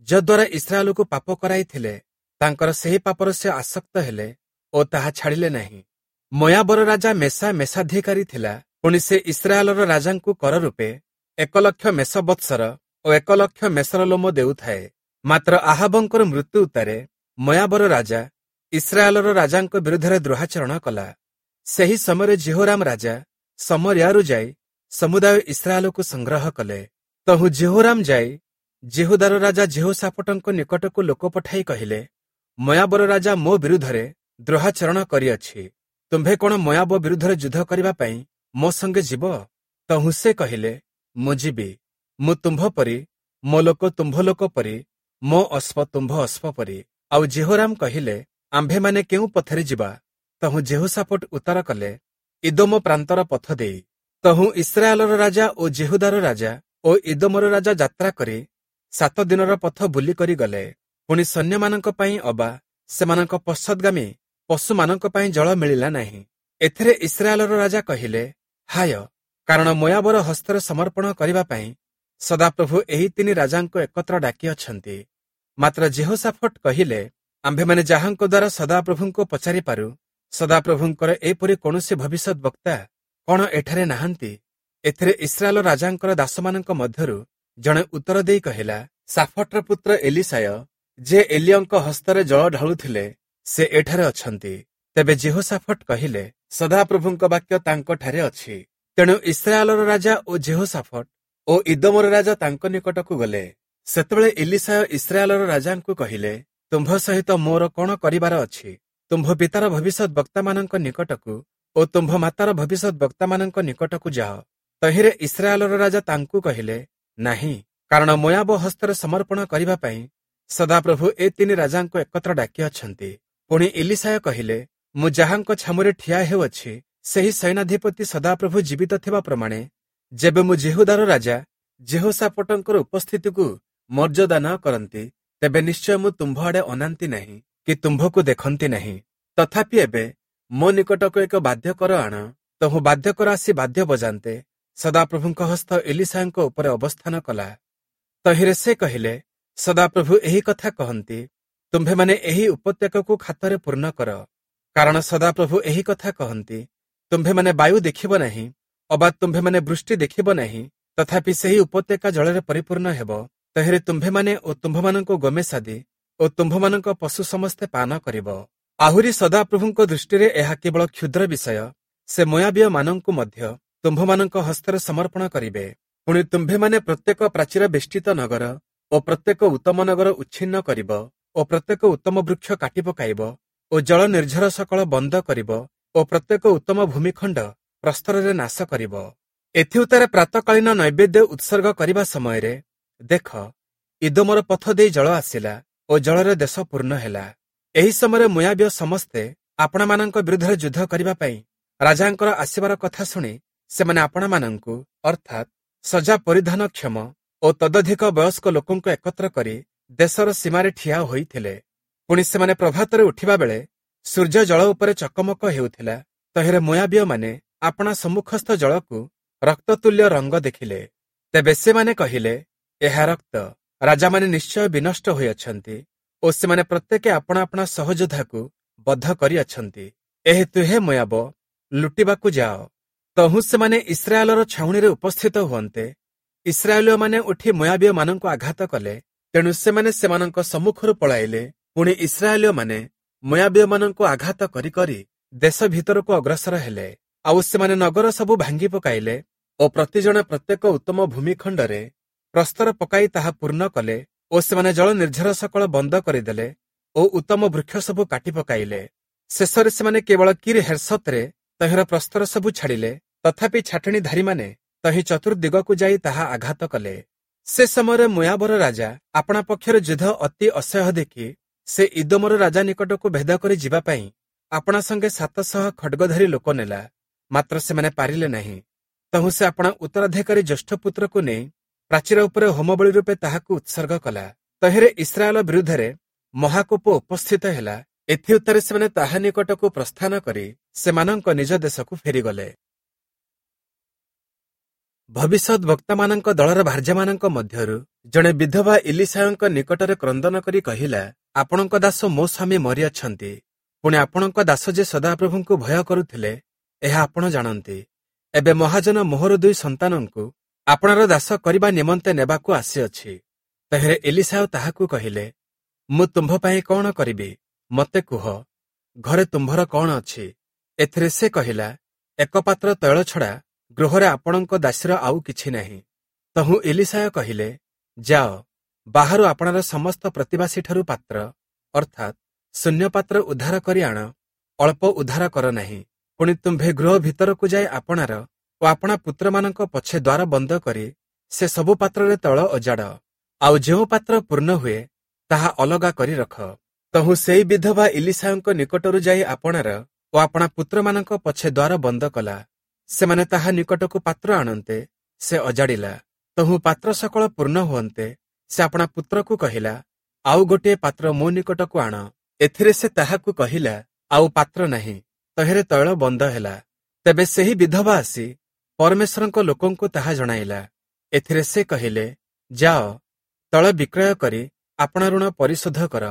ଯଦ୍ୱାରା ଇସ୍ରାଏଲକୁ ପାପ କରାଇଥିଲେ, ତାଙ୍କର ସେହି ପାପର ସେ ଆସକ୍ତ ହେଲେ ଓ ତାହା ଛାଡ଼ିଲେ ନାହିଁ। ମୋୟାବର ରାଜା ମେଷା ମେଷାଧିକାରୀ ଥିଲା। ପୁଣି ସେ ଇସ୍ରାଏଲର ରାଜାଙ୍କୁ କର ରୂପେ 1 ଲକ୍ଷ ମେଷ ବତ୍ସର ଓ 1 ଲକ୍ଷ ମେଷର ଲୋମ ଦେଉଥାଏ। ମାତ୍ର ଆହାବଙ୍କର ମୃତ୍ୟୁ ଉତ୍ତାରେ ମୋୟାବର ରାଜା ଇସ୍ରାଏଲର ରାଜାଙ୍କ ବିରୁଦ୍ଧରେ ଦ୍ରୋହାଚରଣ କଲା। ସେହି ସମୟରେ ଯିହୋରାମ ରାଜା ସମରିଆରୁ ଯାଇ ସମୁଦାୟ ଇସ୍ରାଏଲକୁ ସଂଗ୍ରହ କଲେ। ତହୁଁ ଯିହୋରାମ ଯାଇ ଯିହୁଦାର ରାଜା ଯିହୋଶାଫଟଙ୍କ ନିକଟକୁ ଲୋକ ପଠାଇ କହିଲେ, ମୋୟାବର ରାଜା ମୋ ବିରୁଦ୍ଧରେ ଦ୍ରୋହାଚରଣ କରିଅଛି। ତୁମ୍ଭେ କ'ଣ ମୋୟାବ ବିରୁଦ୍ଧରେ ଯୁଦ୍ଧ କରିବା ପାଇଁ ମୋ ସଙ୍ଗେ ଯିବ? ତହୁଁ ସେ କହିଲେ, ମୁଁ ଯିବି। ମୁଁ ତୁମ୍ଭ ପରି, ମୋ ଲୋକ ତୁମ୍ଭ ଲୋକ ପରି ମୋ ଅଶ୍ବ ତୁମ୍ଭ ଅଶ୍ବ ପରି। ଆଉ ଯିହୋରାମ କହିଲେ, ଆମ୍ଭେମାନେ କେଉଁ ପଥରେ ଯିବା? ତହୁଁ ଯିହୋଶାଫଟ ଉତ୍ତର କଲେ, ଇଦୋମ ପ୍ରାନ୍ତର ପଥ ଦେଇ। ତହୁଁ ଇସ୍ରାଏଲର ରାଜା ଓ ଯିହୁଦାର ରାଜା ଓ ଇଦୋମର ରାଜା ଯାତ୍ରା କରି 7 ଦିନର ପଥ ବୁଲି କରି ଗଲେ। ପୁଣି ସୈନ୍ୟମାନଙ୍କ ପାଇଁ ଅବା ସେମାନଙ୍କ ପଶ୍ଚାଦ୍‌ଗାମୀ ପଶୁମାନଙ୍କ ପାଇଁ ଜଳ ମିଳିଲା ନାହିଁ। ଏଥିରେ ଇସ୍ରାଏଲର ରାଜା କହିଲେ, ହାୟ, କାରଣ ମୋୟାବର ହସ୍ତରେ ସମର୍ପଣ କରିବା ପାଇଁ ସଦାପ୍ରଭୁ ଏହି 3 ରାଜାଙ୍କୁ ଏକତ୍ର ଡାକିଅଛନ୍ତି। ମାତ୍ର ଯିହୋଶାଫଟ କହିଲେ, ଆମ୍ଭେମାନେ ଯାହାଙ୍କ ଦ୍ୱାରା ସଦାପ୍ରଭୁଙ୍କୁ ପଚାରିପାରୁ, ସଦାପ୍ରଭୁଙ୍କର ଏପରି କୌଣସି ଭବିଷ୍ୟତ ବକ୍ତା କ'ଣ ଏଠାରେ ନାହାନ୍ତି? ଏଥିରେ ଇସ୍ରାଏଲ ରାଜାଙ୍କର ଦାସମାନଙ୍କ ମଧ୍ୟରୁ ଜଣେ ଉତ୍ତର ଦେଇ କହିଲା, ସାଫଟର ପୁତ୍ର ଏଲିଶାୟ, ଯେ ଏଲିୟଙ୍କ ହସ୍ତରେ ଜଳ ଢାଳୁଥିଲେ, ସେ ଏଠାରେ ଅଛନ୍ତି। ତେବେ ଯିହୋଶାଫଟ କହିଲେ, ସଦାପ୍ରଭୁଙ୍କ ବାକ୍ୟ ତାଙ୍କଠାରେ ଅଛି। ତେଣୁ ଇସ୍ରାଏଲର ରାଜା ଓ ଯିହୋଶାଫଟ ଓ ଇଦୋମର ରାଜା ତାଙ୍କ ନିକଟକୁ ଗଲେ। ସେତେବେଳେ ଏଲିଶାୟ ଇସ୍ରାଏଲର ରାଜାଙ୍କୁ କହିଲେ, ତୁମ୍ଭ ସହିତ ମୋର କ'ଣ କରିବାର ଅଛି? ତୁମ୍ଭ ପିତାର ଭବିଷ୍ୟତ ବକ୍ତାମାନଙ୍କ ନିକଟକୁ ଓ ତୁମ୍ଭ ମାତାର ଭବିଷ୍ୟତ ବକ୍ତାମାନଙ୍କ ନିକଟକୁ ଯାଅ। ତହିଁରେ ଇସ୍ରାଏଲର ରାଜା ତାଙ୍କୁ କହିଲେ, ନାହିଁ, କାରଣ ମୋୟାବ ହସ୍ତରେ ସମର୍ପଣ କରିବା ପାଇଁ ସଦାପ୍ରଭୁ ଏ 3 ରାଜାଙ୍କୁ ଏକତ୍ର ଡାକିଅଛନ୍ତି। ପୁଣି ଏଲିଶାୟ କହିଲେ, ମୁଁ ଯାହାଙ୍କ ଛାମୁରେ ଠିଆ ହେଉଅଛି, ସେହି ସୈନ୍ୟାଧିପତି ସଦାପ୍ରଭୁ ଜୀବିତ ଥିବା ପ୍ରମାଣେ ଯେବେ ମୁଁ ଯିହୁଦାର ରାଜା ଯିହୋଶାଫଟଙ୍କର ଉପସ୍ଥିତିକୁ ମର୍ଯ୍ୟାଦା ନ କରନ୍ତି, ତେବେ ନିଶ୍ଚୟ ମୁଁ ତୁମ୍ଭ ଆଡ଼େ ଅନାନ୍ତି ନାହିଁ କି ତୁମ୍ଭକୁ ଦେଖନ୍ତି ନାହିଁ। ତଥାପି ଏବେ ମୋ ନିକଟକୁ ଏକ ବାଦ୍ୟକର ଆଣ। ତହୁଁ ବାଦ୍ୟକର ଆସି ବାଦ୍ୟ ବଜାନ୍ତେ ସଦାପ୍ରଭୁଙ୍କ ହସ୍ତ ଏଲିଶାୟଙ୍କ ଉପରେ ଅବସ୍ଥାନ କଲା। ତହିଁରେ ସେ କହିଲେ, ସଦାପ୍ରଭୁ ଏହି କଥା କହନ୍ତି, ତୁମ୍ଭେମାନେ ଏହି ଉପତ୍ୟକାକୁ ଖାତରେ ପୂର୍ଣ୍ଣ କର। କାରଣ ସଦାପ୍ରଭୁ ଏହି କଥା କହନ୍ତି, ତୁମ୍ଭେମାନେ ବାୟୁ ଦେଖିବ ନାହିଁ, ଅବା ତୁମ୍ଭେମାନେ ବୃଷ୍ଟି ଦେଖିବ ନାହିଁ, ତଥାପି ସେହି ଉପତ୍ୟକା ଜଳରେ ପରିପୂର୍ଣ୍ଣ ହେବ। ତହିଁରେ ତୁମ୍ଭେମାନେ ଓ ତୁମ୍ଭମାନଙ୍କ ଗୋମେଷାଦି ଓ ତୁମ୍ଭମାନଙ୍କ ପଶୁ ସମସ୍ତେ ପାନ କରିବ। ଆହୁରି ସଦାପ୍ରଭୁଙ୍କ ଦୃଷ୍ଟିରେ ଏହା କେବଳ କ୍ଷୁଦ୍ର ବିଷୟ, ସେ ମୋୟାବୀୟମାନଙ୍କୁ ମଧ୍ୟ ତୁମ୍ଭମାନଙ୍କ ହସ୍ତରେ ସମର୍ପଣ କରିବେ। ପୁଣି ତୁମ୍ଭେମାନେ ପ୍ରତ୍ୟେକ ପ୍ରାଚୀର ବେଷ୍ଟିତ ନଗର ଓ ପ୍ରତ୍ୟେକ ଉତ୍ତମ ନଗର ଉଚ୍ଛିନ୍ନ କରିବ ଓ ପ୍ରତ୍ୟେକ ଉତ୍ତମ ବୃକ୍ଷ କାଟି ପକାଇବ ଓ ଜଳ ନିର୍ଝର ସକଳ ବନ୍ଦ କରିବ ଓ ପ୍ରତ୍ୟେକ ଉତ୍ତମ ଭୂମିଖଣ୍ଡ ପ୍ରସ୍ତରରେ ନାଶ କରିବ। ଏଥିଉତ୍ତାରେ ପ୍ରାତଃକାଳୀନ ନୈବେଦ୍ୟ ଉତ୍ସର୍ଗ କରିବା ସମୟରେ ଦେଖ, ଇଦୋମର ପଥ ଦେଇ ଜଳ ଆସିଲା ଓ ଜଳରେ ଦେଶ ପୂର୍ଣ୍ଣ ହେଲା। ଏହି ସମୟରେ ମୋୟାବୀୟ ସମସ୍ତେ ଆପଣମାନଙ୍କ ବିରୁଦ୍ଧରେ ଯୁଦ୍ଧ କରିବା ପାଇଁ ରାଜାଙ୍କର ଆସିବାର କଥା ଶୁଣି ସେମାନେ ଆପଣମାନଙ୍କୁ, ଅର୍ଥାତ୍ ସଜା ପରିଧାନ କ୍ଷମ ଓ ତଦଧିକ ବୟସ୍କ ଲୋକଙ୍କୁ ଏକତ୍ର କରି ଦେଶର ସୀମାରେ ଠିଆ ହୋଇଥିଲେ। ପୁଣି ସେମାନେ ପ୍ରଭାତରେ ଉଠିବା ବେଳେ ସୂର୍ଯ୍ୟ ଜଳ ଉପରେ ଚକମକ ହେଉଥିଲା। ତହିଁରେ ମୋୟାବୀୟମାନେ ଆପଣା ସମ୍ମୁଖସ୍ଥ ଜଳକୁ ରକ୍ତତୁଲ୍ୟ ରଙ୍ଗ ଦେଖିଲେ। ତେବେ ସେମାନେ କହିଲେ, ଏହା ରକ୍ତ, ରାଜାମାନେ ନିଶ୍ଚୟ ବିନଷ୍ଟ ହୋଇଅଛନ୍ତି ଓ ସେମାନେ ପ୍ରତ୍ୟେକ ଆପଣା ଆପଣା ସହଯୋଦ୍ଧାକୁ ବଦ୍ଧ କରିଅଛନ୍ତି। ଏହେତୁ ହେ ମୋୟାବ, ଲୁଟିବାକୁ ଯାଅ। ତହୁଁ ସେମାନେ ଇସ୍ରାଏଲର ଛାଉଣିରେ ଉପସ୍ଥିତ ହୁଅନ୍ତେ ଇସ୍ରାଏଲୀୟମାନେ ଉଠି ମୋୟାବୀୟମାନଙ୍କୁ ଆଘାତ କଲେ। ତେଣୁ ସେମାନେ ସେମାନଙ୍କ ସମ୍ମୁଖରୁ ପଳାଇଲେ। ପୁଣି ଇସ୍ରାଏଲୀୟମାନେ ମୋୟାବୀୟମାନଙ୍କୁ ଆଘାତ କରି କରି ଦେଶ ଭିତରକୁ ଅଗ୍ରସର ହେଲେ। ଆଉ ସେମାନେ ନଗର ସବୁ ଭାଙ୍ଗି ପକାଇଲେ ଓ ପ୍ରତିଜଣ ପ୍ରତ୍ୟେକ ଉତ୍ତମ ଭୂମିଖଣ୍ଡରେ ପ୍ରସ୍ତର ପକାଇ ତାହା ପୂର୍ଣ୍ଣ କଲେ ଓ ସେମାନେ ଜଳ ନିର୍ଝର ସକଳ ବନ୍ଦ କରିଦେଲେ ଓ ଉତ୍ତମ ବୃକ୍ଷ ସବୁ କାଟି ପକାଇଲେ। ଶେଷରେ ସେମାନେ କେବଳ କିର୍ ହେର୍ସତରେ ତହିଁର ପ୍ରସ୍ତର ସବୁ ଛାଡ଼ିଲେ। ତଥାପି ଛାଟଣୀଧାରୀମାନେ ତହିଁ ଚତୁର୍ଦିଗକୁ ଯାଇ ତାହା ଆଘାତ କଲେ। ସେ ସମୟରେ ମୋୟାବର ରାଜା ଆପଣା ପକ୍ଷରେ ଯୁଦ୍ଧ ଅତି ଅସହ୍ୟ ଦେଖି ସେ ଇଦୋମର ରାଜା ନିକଟକୁ ଭେଦ କରି ଯିବା ପାଇଁ ଆପଣା ସଙ୍ଗେ 700 ଖଡ୍ଗଧାରୀ ଲୋକ ନେଲା, ମାତ୍ର ସେମାନେ ପାରିଲେ ନାହିଁ। ତହୁଁ ସେ ଆପଣା ଉତ୍ତରାଧିକାରୀ ଜ୍ୟେଷ୍ଠ ପୁତ୍ରକୁ ନେଇ ପ୍ରାଚୀର ଉପରେ ହୋମବଳି ରୂପେ ତାହାକୁ ଉତ୍ସର୍ଗ କଲା। ତହିଁରେ ଇସ୍ରାଏଲ ବିରୁଦ୍ଧରେ ମହାକୋପ ଉପସ୍ଥିତ ହେଲା। ଏଥିଉତ୍ତାରେ ସେମାନେ ତାହା ନିକଟକୁ ପ୍ରସ୍ଥାନ କରି ସେମାନଙ୍କ ନିଜ ଦେଶକୁ ଫେରିଗଲେ। ଭବିଷ୍ୟତ ବକ୍ତାମାନଙ୍କ ଦଳର ଭାର୍ଯ୍ୟାମାନଙ୍କ ମଧ୍ୟରୁ ଜଣେ ବିଧବା ଇଲିଶାୟଙ୍କ ନିକଟରେ କ୍ରନ୍ଦନ କରି କହିଲା, ଆପଣଙ୍କ ଦାସ ମୋ ସ୍ୱାମୀ ମରିଅଛନ୍ତି। ପୁଣି ଆପଣଙ୍କ ଦାସ ଯେ ସଦାପ୍ରଭୁଙ୍କୁ ଭୟ କରୁଥିଲେ, ଏହା ଆପଣ ଜାଣନ୍ତି। ଏବେ ମହାଜନ ମୋହର 2 ସନ୍ତାନଙ୍କୁ ଆପଣାର ଦାସ କରିବା ନିମନ୍ତେ ନେବାକୁ ଆସିଅଛି। ତହିଁରେ ଏଲିଶାୟ ତାହାକୁ କହିଲେ, ମୁଁ ତୁମ୍ଭ ପାଇଁ କ'ଣ କରିବି? ମୋତେ କୁହ, ଘରେ ତୁମ୍ଭର କ'ଣ ଅଛି? ଏଥିରେ ସେ କହିଲା, ଏକ ପାତ୍ର ତୈଳ ଛଡ଼ା ଗୃହରେ ଆପଣଙ୍କ ଦାସୀର ଆଉ କିଛି ନାହିଁ। ତହୁଁ ଏଲିଶାୟ କହିଲେ, ଯାଅ, ବାହାରୁ ଆପଣାର ସମସ୍ତ ପ୍ରତିବାସୀଠାରୁ ପାତ୍ର, ଅର୍ଥାତ୍ ଶୂନ୍ୟ ପାତ୍ର ଉଦ୍ଧାର କରି ଆଣ, ଅଳ୍ପ ଉଦ୍ଧାର କର ନାହିଁ। ପୁଣି ତୁମ୍ଭେ ଗୃହ ଭିତରକୁ ଯାଇ ଆପଣାର ଓ ଆପଣା ପୁତ୍ରମାନଙ୍କ ପଛେ ଦ୍ୱାର ବନ୍ଦ କରି ସେ ସବୁ ପାତ୍ରରେ ତୈଳ ଅଜାଡ଼। ଆଉ ଯେଉଁ ପାତ୍ର ପୂର୍ଣ୍ଣ ହୁଏ, ତାହା ଅଲଗା କରି ରଖ। ତହୁଁ ସେଇ ବିଧବା ଇଲୀଶାୟଙ୍କ ନିକଟରୁ ଯାଇ ଆପଣାର ଓ ଆପଣା ପୁତ୍ରମାନଙ୍କ ପଛେ ଦ୍ୱାର ବନ୍ଦ କଲା। ସେମାନେ ତାହା ନିକଟକୁ ପାତ୍ର ଆଣନ୍ତେ ସେ ଅଜାଡ଼ିଲା। ତହୁଁ ପାତ୍ର ସକଳ ପୂର୍ଣ୍ଣ ହୁଅନ୍ତେ ସେ ଆପଣା ପୁତ୍ରକୁ କହିଲା, ଆଉ ଗୋଟିଏ ପାତ୍ର ମୋ ନିକଟକୁ ଆଣ। ଏଥିରେ ସେ ତାହାକୁ କହିଲା, ଆଉ ପାତ୍ର ନାହିଁ। ତହିଁରେ ତୈଳ ବନ୍ଦ ହେଲା। ତେବେ ସେହି ବିଧବା ଆସି ପରମେଶ୍ୱରଙ୍କ ଲୋକଙ୍କୁ ତାହା ଜଣାଇଲା। ଏଥିରେ ସେ କହିଲେ, ଯାଅ, ତୈଳ ବିକ୍ରୟ କରି ଆପଣା ଋଣ ପରିଶୋଧ କର,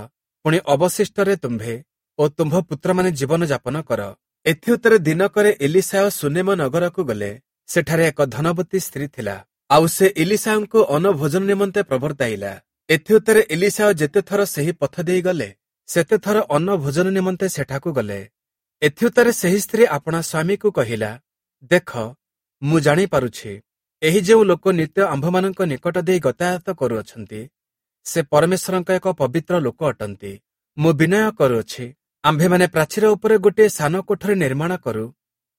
ପୁଣି ଅବଶିଷ୍ଟରେ ତୁମ୍ଭେ ଓ ତୁମ୍ଭ ପୁତ୍ରମାନେ ଜୀବନ ଯାପନ କର। ଏଥିଉତ୍ତରେ ଦିନକରେ ଇଲୀଶାୟ ସୁନେମ ନଗରକୁ ଗଲେ। ସେଠାରେ ଏକ ଧନବତୀ ସ୍ତ୍ରୀ ଥିଲା, ଆଉ ସେ ଇଲୀଶାୟଙ୍କୁ ଅନ୍ନଭୋଜନ ନିମନ୍ତେ ପ୍ରବର୍ତ୍ତାଇଲା। ଏଥିଉତ୍ତରେ ଇଲୀଶାୟ ଯେତେଥର ସେହି ପଥ ଦେଇ ଗଲେ, ସେତେଥର ଅନ୍ନଭୋଜନ ନିମନ୍ତେ ସେଠାକୁ ଗଲେ। ଏଥିଉତ୍ତରେ ସେହି ସ୍ତ୍ରୀ ଆପଣା ସ୍ୱାମୀକୁ କହିଲା, ଦେଖ, ମୁଁ ଜାଣିପାରୁଛି, ଏହି ଯେଉଁ ଲୋକ ନିତ୍ୟ ଆମ୍ଭମାନଙ୍କ ନିକଟ ଦେଇ ଗତାୟାତ କରୁଅଛନ୍ତି, ସେ ପରମେଶ୍ୱରଙ୍କ ଏକ ପବିତ୍ର ଲୋକ ଅଟନ୍ତି। ମୁଁ ବିନୟ କରୁଅଛି, ଆମ୍ଭେମାନେ ପ୍ରାଚୀର ଉପରେ ଗୋଟିଏ ସାନ କୋଠରୀ ନିର୍ମାଣ କରୁ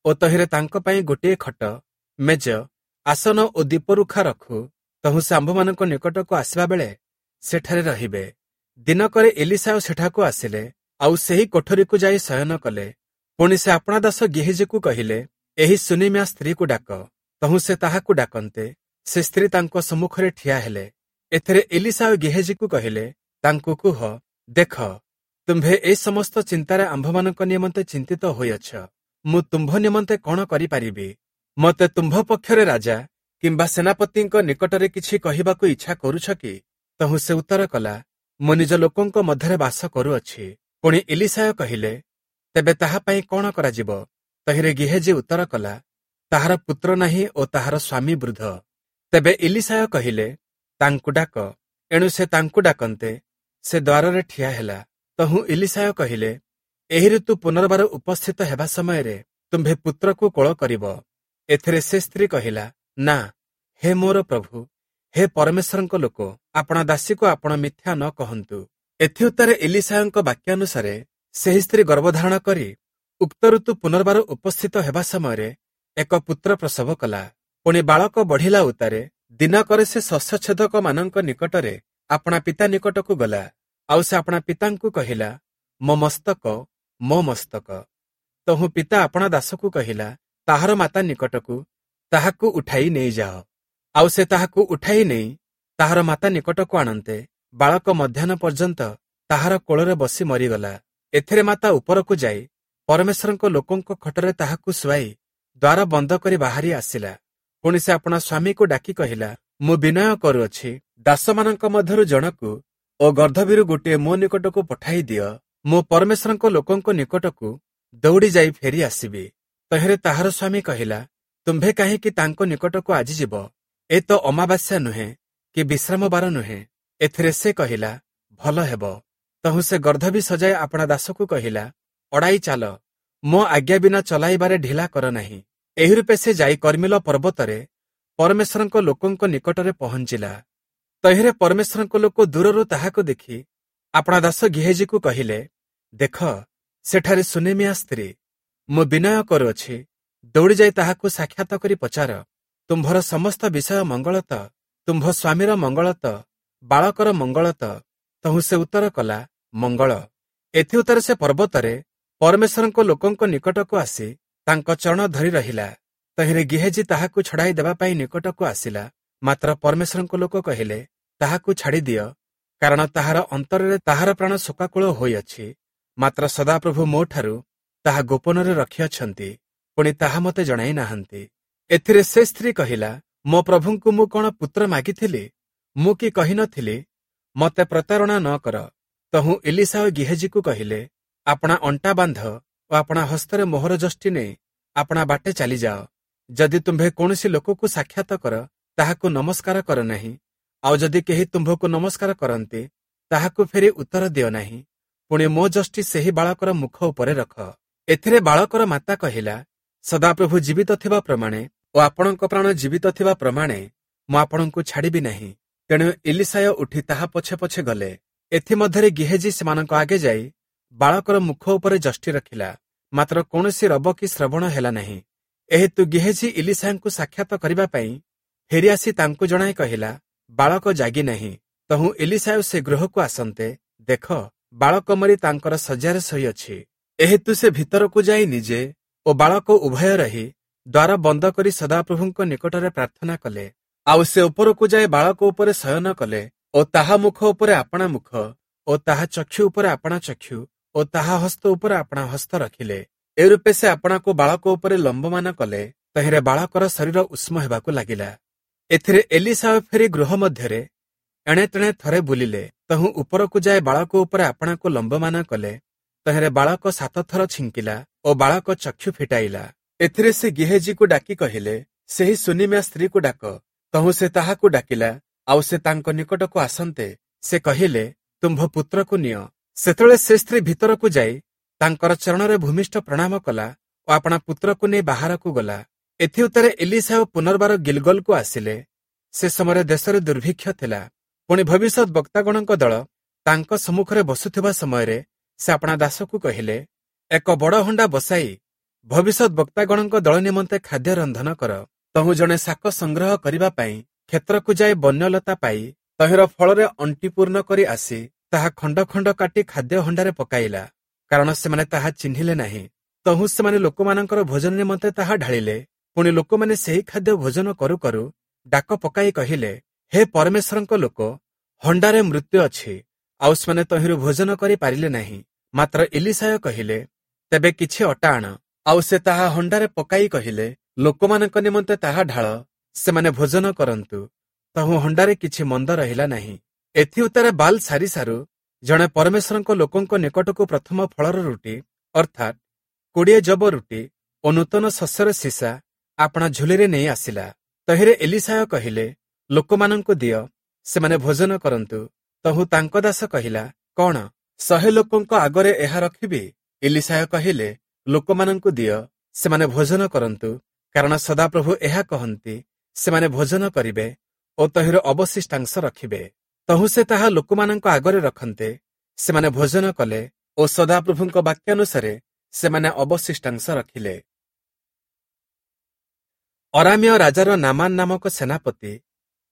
ଓ ତହିଁରେ ତାଙ୍କ ପାଇଁ ଗୋଟିଏ ଖଟ, ମେଜ, ଆସନ ଓ ଦୀପରୁଖା ରଖୁ। ତହୁଁ ସେ ଆମ୍ଭମାନଙ୍କ ନିକଟକୁ ଆସିବା ବେଳେ ସେଠାରେ ରହିବେ। ଦିନକରେ ଇଲୀଶାୟ ସେଠାକୁ ଆସିଲେ, ଆଉ ସେହି କୋଠରୀକୁ ଯାଇ ଶୟନ କଲେ। ପୁଣି ସେ ଆପଣା ଦାସ ଗିହେଜୀକୁ କହିଲେ, ଏହି ସୁନେମିଆ ସ୍ତ୍ରୀକୁ ଡାକ। ତହୁଁ ସେ ତାହାକୁ ଡାକନ୍ତେ ସେ ସ୍ତ୍ରୀ ତାଙ୍କ ସମ୍ମୁଖରେ ଠିଆ ହେଲେ। ଏଥିରେ ଇଲୀଶାୟ ଗିହେଜୀକୁ କହିଲେ, ତାଙ୍କୁ କୁହ, ଦେଖ, ତୁମ୍ଭେ ଏ ସମସ୍ତ ଚିନ୍ତାରେ ଆମ୍ଭମାନଙ୍କ ନିମନ୍ତେ ଚିନ୍ତିତ ହୋଇଅଛ। ମୁଁ ତୁମ୍ଭ ନିମନ୍ତେ କଣ କରିପାରିବି? ମୋତେ ତୁମ୍ଭ ପକ୍ଷରେ ରାଜା କିମ୍ବା ସେନାପତିଙ୍କ ନିକଟରେ କିଛି କହିବାକୁ ଇଚ୍ଛା କରୁଛ କି? ତହୁଁ ସେ ଉତ୍ତର କଲା, ମୁଁ ନିଜ ଲୋକଙ୍କ ମଧ୍ୟରେ ବାସ କରୁଅଛି। ପୁଣି ଇଲୀଶାୟ କହିଲେ, ତେବେ ତାହା ପାଇଁ କଣ କରାଯିବ? ତହିଁରେ ଗିହେଜୀ ଉତ୍ତର କଲା, ତାହାର ପୁତ୍ର ନାହିଁ ଓ ତାହାର ସ୍ୱାମୀ ବୃଦ୍ଧ। ତେବେ ଇଲୀଶାୟ କହିଲେ, ତାଙ୍କୁ ଡାକ। ଏଣୁ ସେ ତାଙ୍କୁ ଡାକନ୍ତେ ସେ ଦ୍ୱାରରେ ଠିଆ ହେଲା। ତହୁଁ ଇଲୀଶାୟ କହିଲେ, ଏହି ଋତୁ ପୁନର୍ବାର ଉପସ୍ଥିତ ହେବା ସମୟରେ ତୁମ୍ଭେ ପୁତ୍ରକୁ କୋଳ କରିବ। ଏଥିରେ ସେ ସ୍ତ୍ରୀ କହିଲା, ନା, ହେ ମୋର ପ୍ରଭୁ, ହେ ପରମେଶ୍ୱରଙ୍କ ଲୋକ, ଆପଣା ଦାସୀକୁ ଆପଣ ମିଥ୍ୟା ନ କହନ୍ତୁ। ଏଥିଉତ୍ତରେ ଇଲୀଶାୟଙ୍କ ବାକ୍ୟାନୁସାରେ ସେହି ସ୍ତ୍ରୀ ଗର୍ଭଧାରଣ କରି ଉକ୍ତ ଋତୁ ପୁନର୍ବାର ଉପସ୍ଥିତ ହେବା ସମୟରେ ଏକ ପୁତ୍ର ପ୍ରସବ କଲା। ପୁଣି ବାଳକ ବଢ଼ିଲା ଉତ୍ତାରେ ଦିନକରେ ସେ ଶସ୍ୟଛେଦକମାନଙ୍କ ନିକଟରେ ଆପଣା ପିତା ନିକଟକୁ ଗଲା। ଆଉ ସେ ଆପଣା ପିତାଙ୍କୁ କହିଲା, ମୋ ମସ୍ତକ, ମୋ ମସ୍ତକ। ତହୁଁ ପିତା ଆପଣା ଦାସକୁ କହିଲା, ତାହାର ମାତା ନିକଟକୁ ତାହାକୁ ଉଠାଇ ନେଇଯାଅ। ଆଉ ସେ ତାହାକୁ ଉଠାଇ ନେଇ ତାହାର ମାତା ନିକଟକୁ ଆଣନ୍ତେ ବାଳକ ମଧ୍ୟାହ୍ନ ପର୍ଯ୍ୟନ୍ତ ତାହାର କୋଳରେ ବସି ମରିଗଲା। ଏଥିରେ ମାତା ଉପରକୁ ଯାଇ ପରମେଶ୍ୱରଙ୍କ ଲୋକଙ୍କ ଖଟରେ ତାହାକୁ ଶୁଆଇ ଦ୍ୱାର ବନ୍ଦ କରି ବାହାରି ଆସିଲା। ପୁଣି ସେ ଆପଣା ସ୍ୱାମୀକୁ ଡାକି କହିଲା, ମୁଁ ବିନୟ କରୁଅଛି, ଦାସମାନଙ୍କ ମଧ୍ୟରୁ ଜଣକୁ ଓ ଗର୍ଦ୍ଦଭୀରୁ ଗୋଟିଏ ମୋ ନିକଟକୁ ପଠାଇ ଦିଅ, ମୁଁ ପରମେଶ୍ୱରଙ୍କ ଲୋକଙ୍କ ନିକଟକୁ ଦୌଡ଼ି ଯାଇ ଫେରି ଆସିବି। ତହିଁରେ ତାହାର ସ୍ୱାମୀ କହିଲା, ତୁମ୍ଭେ କାହିଁକି ତାଙ୍କ ନିକଟକୁ ଆଜି ଯିବ? ଏ ତ ଅମାବାସ୍ୟା ନୁହେଁ କି ବିଶ୍ରାମବାର ନୁହେଁ। ଏଥିରେ ସେ କହିଲା, ଭଲ ହେବ। ତହୁଁ ସେ ଗର୍ଦ୍ଦଭୀ ସଜାଇ ଆପଣା ଦାସକୁ କହିଲା, ଅଡ଼ାଇ ଚାଲ, ମୋ ଆଜ୍ଞା ବିନା ଚଲାଇବାରେ ଢିଲା କର ନାହିଁ। ଏହି ରୂପେ ସେ ଯାଇ କର୍ମିଲ ପର୍ବତରେ ପରମେଶ୍ୱରଙ୍କ ଲୋକଙ୍କ ନିକଟରେ ପହଞ୍ଚିଲା। ତହିଁରେ ପରମେଶ୍ୱରଙ୍କ ଲୋକ ଦୂରରୁ ତାହାକୁ ଦେଖି ଆପଣା ଦାସ ଗିହେଜୀକୁ କହିଲେ, ଦେଖ, ସେଠାରେ ସୁନେମିଆ ସ୍ତ୍ରୀ। ମୁଁ ବିନୟ କରୁଅଛି, ଦୌଡ଼ି ଯାଇ ତାହାକୁ ସାକ୍ଷାତ କରି ପଚାର, ତୁମ୍ଭର ସମସ୍ତ ବିଷୟ ମଙ୍ଗଳ ତ? ତୁମ୍ଭ ସ୍ୱାମୀର ମଙ୍ଗଳ ତ? ବାଳକର ମଙ୍ଗଳ ତ? ତହୁଁ ସେ ଉତ୍ତର କଲା, ମଙ୍ଗଳ। ଏଥିଉତ୍ତରେ ସେ ପର୍ବତରେ ପରମେଶ୍ୱରଙ୍କ ଲୋକଙ୍କ ନିକଟକୁ ଆସି ତାଙ୍କ ଚରଣ ଧରି ରହିଲା। ତହିଁରେ ଗିହେଜୀ ତାହାକୁ ଛଡ଼ାଇ ଦେବା ପାଇଁ ନିକଟକୁ ଆସିଲା। ମାତ୍ର ପରମେଶ୍ୱରଙ୍କ ଲୋକ କହିଲେ, ତାହାକୁ ଛାଡ଼ିଦିଅ, କାରଣ ତାହାର ଅନ୍ତରରେ ତାହାର ପ୍ରାଣ ଶୋକାକୁଳ ହୋଇଅଛି। ମାତ୍ର ସଦାପ୍ରଭୁ ମୋଠାରୁ ତାହା ଗୋପନରେ ରଖିଅଛନ୍ତି, ପୁଣି ତାହା ମୋତେ ଜଣାଇ ନାହାନ୍ତି। ଏଥିରେ ସେ ସ୍ତ୍ରୀ କହିଲା, ମୋ ପ୍ରଭୁଙ୍କୁ ମୁଁ କଣ ପୁତ୍ର ମାଗିଥିଲି? ମୁଁ କି କହିନଥିଲି, ମୋତେ ପ୍ରତାରଣା ନ କର? ତହୁଁ ଇଲୀଶାୟ ଗିହେଜୀକୁ କହିଲେ, ଆପଣା ଅଣ୍ଟା ବାନ୍ଧ ଓ ଆପଣା ହସ୍ତରେ ମୋହର ଯଷ୍ଟି ନେଇ ଆପଣା ବାଟେ ଚାଲିଯାଅ। ଯଦି ତୁମ୍ଭେ କୌଣସି ଲୋକକୁ ସାକ୍ଷାତ କର, ତାହାକୁ ନମସ୍କାର କର ନାହିଁ। ଆଉ ଯଦି କେହି ତୁମ୍ଭକୁ ନମସ୍କାର କରନ୍ତି, ତାହାକୁ ଫେରି ଉତ୍ତର ଦିଅ ନାହିଁ। ପୁଣି ମୋ ଯଷ୍ଟି ସେହି ବାଳକର ମୁଖ ଉପରେ ରଖ। ଏଥିରେ ବାଳକର ମାତା କହିଲା, ସଦାପ୍ରଭୁ ଜୀବିତ ଥିବା ପ୍ରମାଣେ ଓ ଆପଣଙ୍କ ପ୍ରାଣ ଜୀବିତ ଥିବା ପ୍ରମାଣେ ମୁଁ ଆପଣଙ୍କୁ ଛାଡ଼ିବି ନାହିଁ। ତେଣୁ ଇଲୀଶାୟ ଉଠି ତାହା ପଛେ ପଛେ ଗଲେ। ଏଥିମଧ୍ୟରେ ଗିହେଜୀ ସେମାନଙ୍କ ଆଗେ ଯାଇ ବାଳକର ମୁଖ ଉପରେ ଯଷ୍ଟି ରଖିଲା, ମାତ୍ର କୌଣସି ରବ କି ଶ୍ରବଣ ହେଲା ନାହିଁ। ଏହେତୁ ଗିହେଜୀ ଇଲୀଶାୟଙ୍କୁ ସାକ୍ଷାତ କରିବା ପାଇଁ ଫେରିଆସି ତାଙ୍କୁ ଜଣାଇ କହିଲା, ବାଳକ ଜାଗି ନାହିଁ। ତହୁଁ ଏଲିଶାୟ ସେ ଗୃହକୁ ଆସନ୍ତେ, ଦେଖ, ବାଳକ ମରି ତାଙ୍କର ଶଯ୍ୟାରେ ଶୋଇଅଛି। ଏହେତୁ ସେ ଭିତରକୁ ଯାଇ ନିଜେ ଓ ବାଳକ ଉଭୟ ରହି ଦ୍ୱାର ବନ୍ଦ କରି ସଦାପ୍ରଭୁଙ୍କ ନିକଟରେ ପ୍ରାର୍ଥନା କଲେ। ଆଉ ସେ ଉପରକୁ ଯାଇ ବାଳକ ଉପରେ ଶୟନ କଲେ ଓ ତାହା ମୁଖ ଉପରେ ଆପଣା ମୁଖ ଓ ତାହା ଚକ୍ଷୁ ଉପରେ ଆପଣା ଚକ୍ଷୁ ଓ ତାହା ହସ୍ତ ଉପରେ ଆପଣା ହସ୍ତ ରଖିଲେ। ଏ ରୂପେ ସେ ଆପଣାକୁ ବାଳକ ଉପରେ ଲମ୍ବମାନ କଲେ। ତହିଁରେ ବାଳକର ଶରୀର ଉଷ୍ମ ହେବାକୁ ଲାଗିଲା। ଏଥିରେ ଏଲିଶାୟ ଫେରି ଗୃହ ମଧ୍ୟରେ ଏଣେ ତେଣେ ଥରେ ବୁଲିଲେ। ତହୁଁ ଉପରକୁ ଯାଇ ବାଳକ ଉପରେ ଆପଣାକୁ ଲମ୍ବମାନ କଲେ। ତହିଁରେ ବାଳକ 7 ଥର ଛିଙ୍କିଲା ଓ ବାଳକ ଚକ୍ଷୁ ଫିଟାଇଲା। ଏଥିରେ ସେ ଗିହେଜିକୁ ଡାକି କହିଲେ, ସେହି ସୁନିମିଆ ସ୍ତ୍ରୀକୁ ଡାକ। ତହୁଁ ସେ ତାହାକୁ ଡାକିଲା। ଆଉ ସେ ତାଙ୍କ ନିକଟକୁ ଆସନ୍ତେ ସେ କହିଲେ, ତୁମ୍ଭ ପୁତ୍ରକୁ ନିଅ। ସେତେବେଳେ ସେ ସ୍ତ୍ରୀ ଭିତରକୁ ଯାଇ ତାଙ୍କର ଚରଣରେ ଭୂମିଷ୍ଠ ପ୍ରଣାମ କଲା ଓ ଆପଣା ପୁତ୍ରକୁ ନେଇ ବାହାରକୁ ଗଲା। ଏଥିଉତ୍ତାରେ ଏଲିଶାୟ ପୁନର୍ବାର ଗିଲଗଲକୁ ଆସିଲେ। ସେ ସମୟରେ ଦେଶରେ ଦୁର୍ଭିକ୍ଷ ଥିଲା। ପୁଣି ଭବିଷ୍ୟତ ବକ୍ତାଗଣଙ୍କ ଦଳ ତାଙ୍କ ସମ୍ମୁଖରେ ବସୁଥିବା ସମୟରେ ସେ ଆପଣା ଦାସକୁ କହିଲେ, ଏକ ବଡ଼ ହଣ୍ଡା ବସାଇ ଭବିଷ୍ୟତ ବକ୍ତାଗଣଙ୍କ ଦଳ ନିମନ୍ତେ ଖାଦ୍ୟ ରନ୍ଧନ କର। ତହୁଁ ଜଣେ ଶାକ ସଂଗ୍ରହ କରିବା ପାଇଁ କ୍ଷେତ୍ରକୁ ଯାଇ ବନ୍ୟଲତା ପାଇ ତହିଁର ଫଳରେ ଅଣ୍ଟି ପୂର୍ଣ୍ଣ କରି ଆସି ତାହା ଖଣ୍ଡ ଖଣ୍ଡ କାଟି ଖାଦ୍ୟ ହଣ୍ଡାରେ ପକାଇଲା, କାରଣ ସେମାନେ ତାହା ଚିହ୍ନିଲେ ନାହିଁ। ତହୁଁ ସେମାନେ ଲୋକମାନଙ୍କର ଭୋଜନ ନିମନ୍ତେ ତାହା ଢାଳିଲେ। ପୁଣି ଲୋକମାନେ ସେହି ଖାଦ୍ୟ ଭୋଜନ କରୁ କରୁ ଡାକ ପକାଇ କହିଲେ, ହେ ପରମେଶ୍ୱରଙ୍କ ଲୋକ, ହଣ୍ଡାରେ ମୃତ୍ୟୁ ଅଛି। ଆଉ ସେମାନେ ତହିଁରୁ ଭୋଜନ କରି ପାରିଲେ ନାହିଁ। ମାତ୍ର ଏଲିଶାୟ କହିଲେ, ତେବେ କିଛି ଅଟା ଆଣ। ଆଉ ସେ ତାହା ହଣ୍ଡାରେ ପକାଇ କହିଲେ, ଲୋକମାନଙ୍କ ନିମନ୍ତେ ତାହା ଢାଳ, ସେମାନେ ଭୋଜନ କରନ୍ତୁ। ତହୁଁ ହଣ୍ଡାରେ କିଛି ମନ୍ଦ ରହିଲା ନାହିଁ। ଏଥିଉତ୍ତାରେ ବାଲ ସାରିସାରୁ ଜଣେ ପରମେଶ୍ୱରଙ୍କ ଲୋକଙ୍କ ନିକଟକୁ ପ୍ରଥମ ଫଳର ରୁଟି, ଅର୍ଥାତ୍ 20 ଯବ ରୁଟି ଓ ନୂତନ ଶସ୍ୟର ସୀସା ଆପଣା ଝୁଲିରେ ନେଇ ଆସିଲା। ତହିଁରେ ଏଲିଶାୟ କହିଲେ, ଲୋକମାନଙ୍କୁ ଦିଅ, ସେମାନେ ଭୋଜନ କରନ୍ତୁ। ତହୁଁ ତାଙ୍କ ଦାସ କହିଲା, କଣ 100 ଲୋକଙ୍କ ଆଗରେ ଏହା ରଖିବି? ଏଲିଶାୟ କହିଲେ, ଲୋକମାନଙ୍କୁ ଦିଅ, ସେମାନେ ଭୋଜନ କରନ୍ତୁ। କାରଣ ସଦାପ୍ରଭୁ ଏହା କହନ୍ତି, ସେମାନେ ଭୋଜନ କରିବେ ଓ ତହିଁର ଅବଶିଷ୍ଟାଂଶ ରଖିବେ। ତହୁଁ ସେ ତାହା ଲୋକମାନଙ୍କ ଆଗରେ ରଖନ୍ତେ, ସେମାନେ ଭୋଜନ କଲେ ଓ ସଦାପ୍ରଭୁଙ୍କ ବାକ୍ୟାନୁସାରେ ସେମାନେ ଅବଶିଷ୍ଟାଂଶ ରଖିଲେ। ଅରାମୀୟ ରାଜାର ନାମାନ ନାମକ ସେନାପତି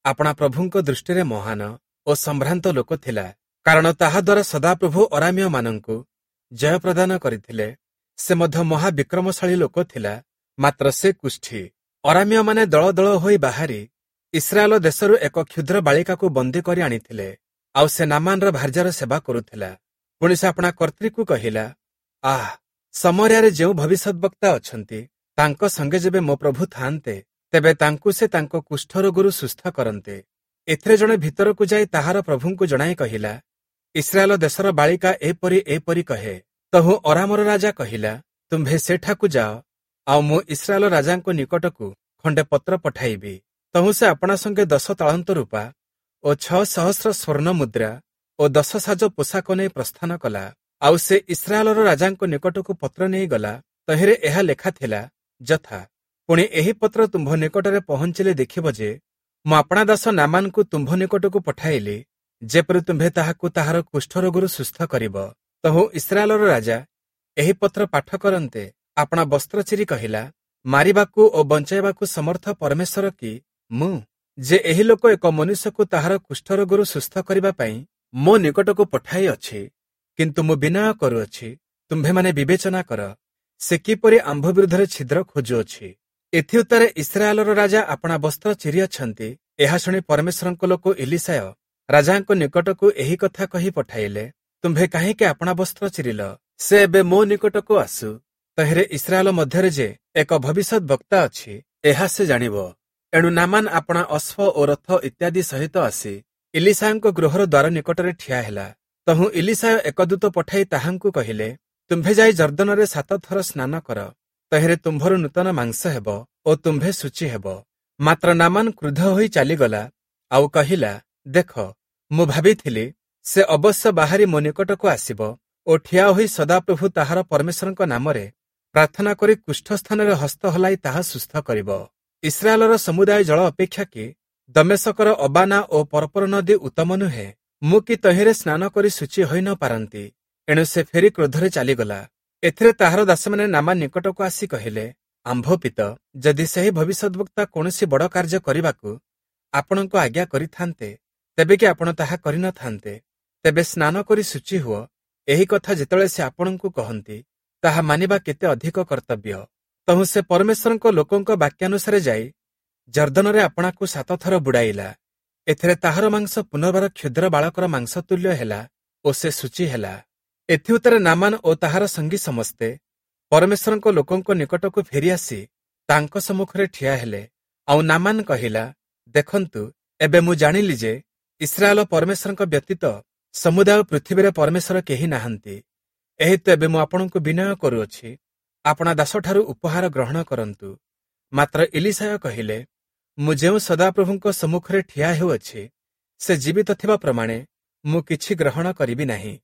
ଆପଣା ପ୍ରଭୁଙ୍କ ଦୃଷ୍ଟିରେ ମହାନ ଓ ସମ୍ଭ୍ରାନ୍ତ ଲୋକ ଥିଲା, କାରଣ ତାହାଦ୍ୱାରା ସଦାପ୍ରଭୁ ଅରାମୀୟମାନଙ୍କୁ ଜୟ ପ୍ରଦାନ କରିଥିଲେ। ସେ ମଧ୍ୟ ମହାବିକ୍ରମଶାଳୀ ଲୋକ ଥିଲା, ମାତ୍ର ସେ କୁଷ୍ଠି। ଅରାମୀୟମାନେ ଦଳ ଦଳ ହୋଇ ବାହାରି ଇସ୍ରାଏଲ ଦେଶରୁ ଏକ କ୍ଷୁଦ୍ର ବାଳିକାକୁ ବନ୍ଦୀ କରି ଆଣିଥିଲେ। ଆଉ ସେ ନାମାନର ଭାର୍ଯ୍ୟାର ସେବା କରୁଥିଲା। ପୁଣି ସେ ଆପଣା କର୍ତ୍ରୀକୁ କହିଲା, ଆଃ, ସମରିଆରେ ଯେଉଁ ଭବିଷ୍ୟଦ୍ବକ୍ତା ଅଛନ୍ତି, ତାଙ୍କ ସଙ୍ଗେ ଯେବେ ମୋ ପ୍ରଭୁ ଥାଆନ୍ତେ, ତେବେ ତାଙ୍କୁ ସେ ତାଙ୍କ କୁଷ୍ଠରୋଗରୁ ସୁସ୍ଥ କରନ୍ତେ। ଏଥିରେ ଜଣେ ଭିତରକୁ ଯାଇ ତାହାର ପ୍ରଭୁଙ୍କୁ ଜଣାଇ କହିଲା, ଇସ୍ରାଏଲ ଦେଶର ବାଳିକା ଏପରି ଏପରି କହେ। ତହୁଁ ଅରାମର ରାଜା କହିଲା, ତୁମ୍ଭେ ସେଠାକୁ ଯାଅ, ଆଉ ମୁଁ ଇସ୍ରାଏଲ ରାଜାଙ୍କ ନିକଟକୁ ଖଣ୍ଡେ ପତ୍ର ପଠାଇବି। ତହୁଁ ସେ ଆପଣା ସଙ୍ଗେ 10 ତାଳନ୍ତ ରୂପା ଓ 6 ସହସ୍ର ସ୍ୱର୍ଣ୍ଣ ମୁଦ୍ରା ଓ 10 ସାଜ ପୋଷାକ ନେଇ ପ୍ରସ୍ଥାନ କଲା। ଆଉ ସେ ଇସ୍ରାଏଲର ରାଜାଙ୍କ ନିକଟକୁ ପତ୍ର ନେଇଗଲା। ତହିଁରେ ଏହା ଲେଖା ଥିଲା, ଯଥା, ପୁଣି ଏହି ପତ୍ର ତୁମ୍ଭ ନିକଟରେ ପହଞ୍ଚିଲେ ଦେଖିବ ଯେ ମୁଁ ଆପଣା ଦାସ ନାମାନଙ୍କୁ ତୁମ୍ଭ ନିକଟକୁ ପଠାଇଲି, ଯେପରି ତୁମ୍ଭେ ତାହାକୁ ତାହାର କୁଷ୍ଠରୋଗରୁ ସୁସ୍ଥ କରିବ। ତହୁଁ ଇସ୍ରାଏଲର ରାଜା ଏହି ପତ୍ର ପାଠ କରନ୍ତେ ଆପଣା ବସ୍ତ୍ର ଚିରି କହିଲା, ମାରିବାକୁ ଓ ବଞ୍ଚାଇବାକୁ ସମର୍ଥ ପରମେଶ୍ୱର କି ମୁଁ, ଯେ ଏହି ଲୋକ ଏକ ମନୁଷ୍ୟକୁ ତାହାର କୁଷ୍ଠରୋଗରୁ ସୁସ୍ଥ କରିବା ପାଇଁ ମୋ ନିକଟକୁ ପଠାଇଅଛି? କିନ୍ତୁ ମୁଁ ବିନୟ କରୁଅଛି, ତୁମ୍ଭେମାନେ ବିବେଚନା କର, ସେ କିପରି ଆମ୍ଭ ବିରୁଦ୍ଧରେ ଛିଦ୍ର ଖୋଜୁଅଛି। ଏଥିଉତ୍ତାରେ ଇସ୍ରାଏଲର ରାଜା ଆପଣା ବସ୍ତ୍ର ଚିରିଅଛନ୍ତି, ଏହା ଶୁଣି ପରମେଶ୍ୱରଙ୍କ ଲୋକ ଏଲିଶାୟ ରାଜାଙ୍କ ନିକଟକୁ ଏହି କଥା କହି ପଠାଇଲେ, ତୁମ୍ଭେ କାହିଁକି ଆପଣା ବସ୍ତ୍ର ଚିରିଲ? ସେ ଏବେ ମୋ ନିକଟକୁ ଆସୁ। ତହିଁରେ ଇସ୍ରାଏଲ ମଧ୍ୟରେ ଯେ ଏକ ଭବିଷ୍ୟତ ବକ୍ତା ଅଛି, ଏହା ସେ ଜାଣିବ। ଏଣୁ ନାମାନ ଆପଣା ଅଶ୍ୱ ଓ ରଥ ଇତ୍ୟାଦି ସହିତ ଆସି ଇଲିଶାୟଙ୍କ ଗୃହର ଦ୍ୱାର ନିକଟରେ ଠିଆ ହେଲା। ତହୁଁ ଇଲିଶାୟ ଏକ ଦୂତ ପଠାଇ ତାହାଙ୍କୁ କହିଲେ, ତୁମ୍ଭେ ଯାଇ ଜର୍ଦ୍ଦନରେ 7 ଥର ସ୍ନାନ କର, ତହିଁରେ ତୁମ୍ଭର ନୂତନ ମାଂସ ହେବ ଓ ତୁମ୍ଭେ ଶୁଚି ହେବ। ମାତ୍ର ନାମାନ କ୍ରୁଦ୍ଧ ହୋଇ ଚାଲିଗଲା ଆଉ କହିଲା, ଦେଖ, ମୁଁ ଭାବିଥିଲି ସେ ଅବଶ୍ୟ ବାହାରି ମୋ ନିକଟକୁ ଆସିବ ଓ ଠିଆ ହୋଇ ସଦାପ୍ରଭୁ ତାହାର ପରମେଶ୍ୱରଙ୍କ ନାମରେ ପ୍ରାର୍ଥନା କରି କୁଷ୍ଠ ସ୍ଥାନରେ ହସ୍ତ ହଲାଇ ତାହା ସୁସ୍ଥ କରିବ। ଇସ୍ରାଏଲର ସମୁଦାୟ ଜଳ ଅପେକ୍ଷା କି ଦମେଶକର ଅବାନା ଓ ପରପର ନଦୀ ଉତ୍ତମ ନୁହେଁ? ମୁଁ କି ତହିଁରେ ସ୍ନାନ କରି ଶୁଚି ହୋଇ ନ ପାରନ୍ତି? ଏଣୁ ସେ ଫେରି କ୍ରୋଧରେ ଚାଲିଗଲା। ଏଥିରେ ତାହାର ଦାସମାନେ ନାମାନ ନିକଟକୁ ଆସି କହିଲେ, ଆମ୍ଭ ପିତ, ଯଦି ସେହି ଭବିଷ୍ୟଦ୍ବକ୍ତା କୌଣସି ବଡ଼ କାର୍ଯ୍ୟ କରିବାକୁ ଆପଣଙ୍କୁ ଆଜ୍ଞା କରିଥାନ୍ତେ, ତେବେ କି ଆପଣ ତାହା କରିନଥାନ୍ତେ? ତେବେ ସ୍ନାନ କରି ଶୁଚି ହୁଅ, ଏହି କଥା ଯେତେବେଳେ ସେ ଆପଣଙ୍କୁ କହନ୍ତି, ତାହା ମାନିବା କେତେ ଅଧିକ କର୍ତ୍ତବ୍ୟ। ତହୁଁ ସେ ପରମେଶ୍ୱରଙ୍କ ଲୋକଙ୍କ ବାକ୍ୟାନୁସାରେ ଯାଇ ଯର୍ଦ୍ଦନରେ ଆପଣାକୁ 7 ଥର ବୁଡ଼ାଇଲା। ଏଥିରେ ତାହାର ମାଂସ ପୁନର୍ବାର କ୍ଷୁଦ୍ର ବାଳକର ମାଂସ ତୁଲ୍ୟ ହେଲା ଓ ସେ ଶୁଚି ହେଲା। ଏଥିଉତ୍ତରେ ନାମାନ ଓ ତାହାର ସଙ୍ଗୀ ସମସ୍ତେ ପରମେଶ୍ୱରଙ୍କ ଲୋକଙ୍କ ନିକଟକୁ ଫେରିଆସି ତାଙ୍କ ସମ୍ମୁଖରେ ଠିଆ ହେଲେ। ଆଉ ନାମାନ କହିଲା, ଦେଖନ୍ତୁ, ଏବେ ମୁଁ ଜାଣିଲି ଯେ ଇସ୍ରାଏଲ ପରମେଶ୍ୱରଙ୍କ ବ୍ୟତୀତ ସମୁଦାୟ ପୃଥିବୀରେ ପରମେଶ୍ୱର କେହି ନାହାନ୍ତି। ଏହେତୁ ଏବେ ମୁଁ ଆପଣଙ୍କୁ ବିନୟ କରୁଅଛି, ଆପଣା ଦାସଠାରୁ ଉପହାର ଗ୍ରହଣ କରନ୍ତୁ। ମାତ୍ର ଇଲିଶାୟ କହିଲେ, ମୁଁ ଯେଉଁ ସଦାପ୍ରଭୁଙ୍କ ସମ୍ମୁଖରେ ଠିଆ ହେଉଅଛି, ସେ ଜୀବିତ ଥିବା ପ୍ରମାଣେ ମୁଁ କିଛି ଗ୍ରହଣ କରିବି ନାହିଁ।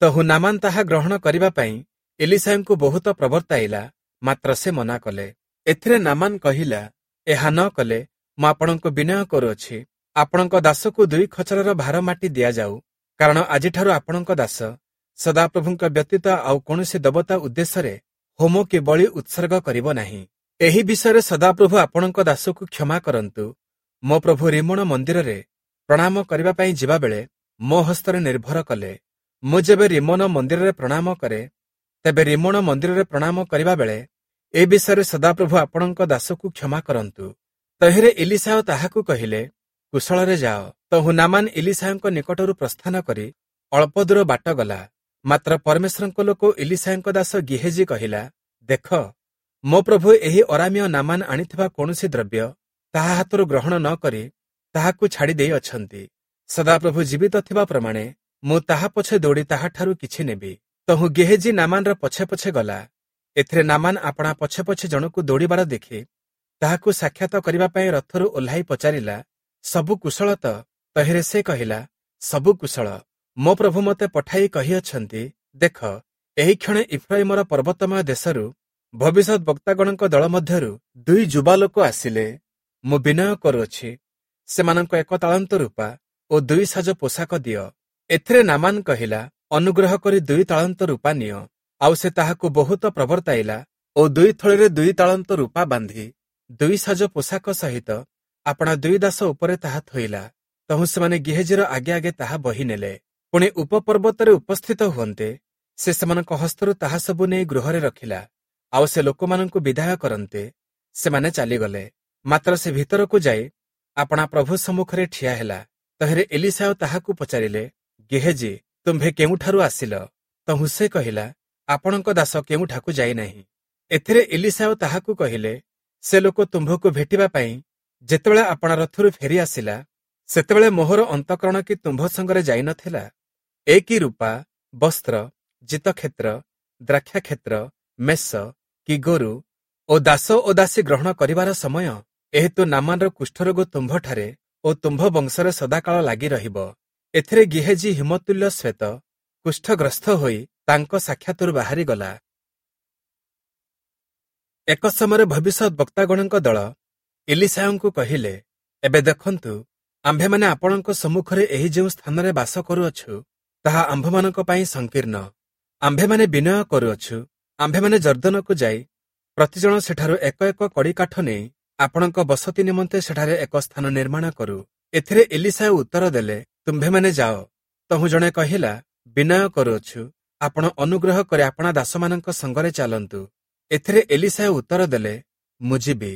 ତହୁ ନାମାନ ତାହା ଗ୍ରହଣ କରିବା ପାଇଁ ଇଲିଶାୟଙ୍କୁ ବହୁତ ପ୍ରବର୍ତ୍ତାଇଲା, ମାତ୍ର ସେ ମନା କଲେ। ଏଥିରେ ନାମାନ କହିଲା, ଏହା ନ କଲେ ମୁଁ ଆପଣଙ୍କୁ ବିନୟ କରୁଅଛି, ଆପଣଙ୍କ ଦାସକୁ 2 ଖଚରର ଭାର ମାଟି ଦିଆଯାଉ, କାରଣ ଆଜିଠାରୁ ଆପଣଙ୍କ ଦାସ ସଦାପ୍ରଭୁଙ୍କ ବ୍ୟତୀତ ଆଉ କୌଣସି ଦେବତା ଉଦ୍ଦେଶ୍ୟରେ ହୋମ କି ବଳି ଉତ୍ସର୍ଗ କରିବ ନାହିଁ। ଏହି ବିଷୟରେ ସଦାପ୍ରଭୁ ଆପଣଙ୍କ ଦାସକୁ କ୍ଷମା କରନ୍ତୁ। ମୋ ପ୍ରଭୁ ରିମୋଣ ମନ୍ଦିରରେ ପ୍ରଣାମ କରିବା ପାଇଁ ଯିବାବେଳେ ମୋ ହସ୍ତରେ ନିର୍ଭର କଲେ। ମୁଁ ଯେବେ ରିମୋନ ମନ୍ଦିରରେ ପ୍ରଣାମ କରେ, ତେବେ ରିମୋଣ ମନ୍ଦିରରେ ପ୍ରଣାମ କରିବା ବେଳେ ଏ ବିଷୟରେ ସଦାପ୍ରଭୁ ଆପଣଙ୍କ ଦାସକୁ କ୍ଷମା କରନ୍ତୁ। ତହିଁରେ ଇଲିଶାୟ ତାହାକୁ କହିଲେ, କୁଶଳରେ ଯାଅ। ତହୁ ନାମାନ ଇଲିଶାୟଙ୍କ ନିକଟରୁ ପ୍ରସ୍ଥାନ କରି ଅଳ୍ପ ଦୂର ବାଟ ଗଲା। ମାତ୍ର ପରମେଶ୍ୱରଙ୍କ ଲୋକ ଇଲିଶାୟଙ୍କ ଦାସ ଗିହେଜି କହିଲା, ଦେଖ, ମୋ ପ୍ରଭୁ ଏହି ଅରାମୀୟ ନାମାନ ଆଣିଥିବା କୌଣସି ଦ୍ରବ୍ୟ ତାହା ହାତରୁ ଗ୍ରହଣ ନ କରି ତାହାକୁ ଛାଡ଼ି ଦେଇ ଅଛନ୍ତି। ସଦାପ୍ରଭୁ ଜୀବିତ ଥିବା ପ୍ରମାଣେ ମୁଁ ତାହା ପଛେ ଦୌଡ଼ି ତାହାଠାରୁ କିଛି ନେବି। ତହୁ ଗେହେଜି ନାମାନର ପଛେ ପଛେ ଗଲା। ଏଥିରେ ନାମାନ ଆପଣା ପଛେ ପଛେ ଜଣକୁ ଦୌଡ଼ିବାର ଦେଖି ତାହାକୁ ସାକ୍ଷାତ କରିବା ପାଇଁ ରଥରୁ ଓହ୍ଲାଇ ପଚାରିଲା, ସବୁ କୁଶଳ ତ? ତହିଁରେ ସେ କହିଲା, ସବୁ କୁଶଳ। ମୋ ପ୍ରଭୁ ମୋତେ ପଠାଇ କହିଅଛନ୍ତି, ଦେଖ, ଏହି କ୍ଷଣେ ଇଫ୍ରାଇମର ପର୍ବତମୟ ଦେଶରୁ ଭବିଷ୍ୟତ ବକ୍ତାଗଣଙ୍କ ଦଳ ମଧ୍ୟରୁ 2 ଯୁବା ଲୋକ ଆସିଲେ। ମୁଁ ବିନୟ କରୁଅଛି, ସେମାନଙ୍କ 1 ତାଳନ୍ତ ରୂପା ଓ 2 ସାଜ ପୋଷାକ ଦିଅ। ଏଥିରେ ନାମାନ କହିଲା, ଅନୁଗ୍ରହ କରି 2 ତାଳନ୍ତ ରୂପା ନିଅ। ଆଉ ସେ ତାହାକୁ ବହୁତ ପ୍ରବର୍ତ୍ତାଇଲା ଓ 2 ଥଳିରେ 2 ତାଳନ୍ତ ରୂପା ବାନ୍ଧି 2 ସାଜ ପୋଷାକ ସହିତ ଆପଣା 2 ଦାସ ଉପରେ ତାହା ଥୋଇଲା। ତହୁଁ ସେମାନେ ଗିହେଜିର ଆଗେ ଆଗେ ତାହା ବହି ନେଲେ। ପୁଣି ଉପପର୍ବତରେ ଉପସ୍ଥିତ ହୁଅନ୍ତେ ସେ ସେମାନଙ୍କ ହସ୍ତରୁ ତାହା ସବୁ ନେଇ ଗୃହରେ ରଖିଲା। ଆଉ ସେ ଲୋକମାନଙ୍କୁ ବିଦାୟ କରନ୍ତେ ସେମାନେ ଚାଲିଗଲେ। ମାତ୍ର ସେ ଭିତରକୁ ଯାଇ ଆପଣା ପ୍ରଭୁ ସମ୍ମୁଖରେ ଠିଆ ହେଲା। ତହିଁରେ ଏଲିଶାୟ ତାହାକୁ ପଚାରିଲେ, ଗେହେଜି, ତୁମ୍ଭେ କେଉଁଠାରୁ ଆସିଲ? ତହୁଁ ସେ କହିଲା, ଆପଣଙ୍କ ଦାସ କେଉଁଠାକୁ ଯାଇନାହିଁ। ଏଥିରେ ଏଲିଶାୟ ତାହାକୁ କହିଲେ, ସେ ଲୋକ ତୁମ୍ଭକୁ ଭେଟିବା ପାଇଁ ଯେତେବେଳେ ଆପଣା ରଥରୁ ଫେରି ଆସିଲା, ସେତେବେଳେ ମୋହର ଅନ୍ତଃକରଣ କି ତୁମ୍ଭ ସଙ୍ଗରେ ଯାଇନଥିଲା? ଏ କି ରୂପା, ବସ୍ତ୍ର, ଜିତକ୍ଷେତ୍ର, ଦ୍ରାକ୍ଷାକ୍ଷେତ୍ର, ମେଷ କି ଗୋରୁ ଓ ଦାସ ଓ ଦାସୀ ଗ୍ରହଣ କରିବାର ସମୟ? ଏହେତୁ ନାମାନର କୁଷ୍ଠରୋଗ ତୁମ୍ଭଠାରେ ଓ ତୁମ୍ଭ ବଂଶରେ ସଦାକାଳ ଲାଗି ରହିବ। ଏଥିରେ ଗିହେଜି ହିମତୁଲ୍ୟ ଶ୍ୱେତ କୁଷ୍ଠଗ୍ରସ୍ତ ହୋଇ ତାଙ୍କ ସାକ୍ଷାତରୁ ବାହାରିଗଲା। ଏକ ସମୟରେ ଭବିଷ୍ୟତ ବକ୍ତାଗଣଙ୍କ ଦଳ ଇଲିଶାୟଙ୍କୁ କହିଲେ, ଏବେ ଦେଖନ୍ତୁ, ଆମ୍ଭେମାନେ ଆପଣଙ୍କ ସମ୍ମୁଖରେ ଏହି ଯେଉଁ ସ୍ଥାନରେ ବାସ କରୁଅଛୁ, ତାହା ଆମ୍ଭମାନଙ୍କ ପାଇଁ ସଂକୀର୍ଣ୍ଣ। ଆମ୍ଭେମାନେ ବିନୟ କରୁଅଛୁ, ଆମ୍ଭେମାନେ ଯର୍ଦ୍ଦନକୁ ଯାଇ ପ୍ରତିଜଣ ସେଠାରୁ ଏକ ଏକ କଡ଼ିକାଠ ନେଇ ଆପଣଙ୍କ ବସତି ନିମନ୍ତେ ସେଠାରେ ଏକ ସ୍ଥାନ ନିର୍ମାଣ କରୁ। ଏଥିରେ ଏଲିଶାୟ ଉତ୍ତର ଦେଲେ, ତୁମ୍ଭେମାନେ ଯାଅ। ତହୁଁ ଜଣେ କହିଲା, ବିନୟ କରୁଅଛୁ, ଆପଣ ଅନୁଗ୍ରହ କରି ଆପଣା ଦାସମାନଙ୍କ ସଙ୍ଗରେ ଚାଲନ୍ତୁ। ଏଥିରେ ଏଲିଶାୟ ଉତ୍ତର ଦେଲେ, ମୁଁ ଯିବି।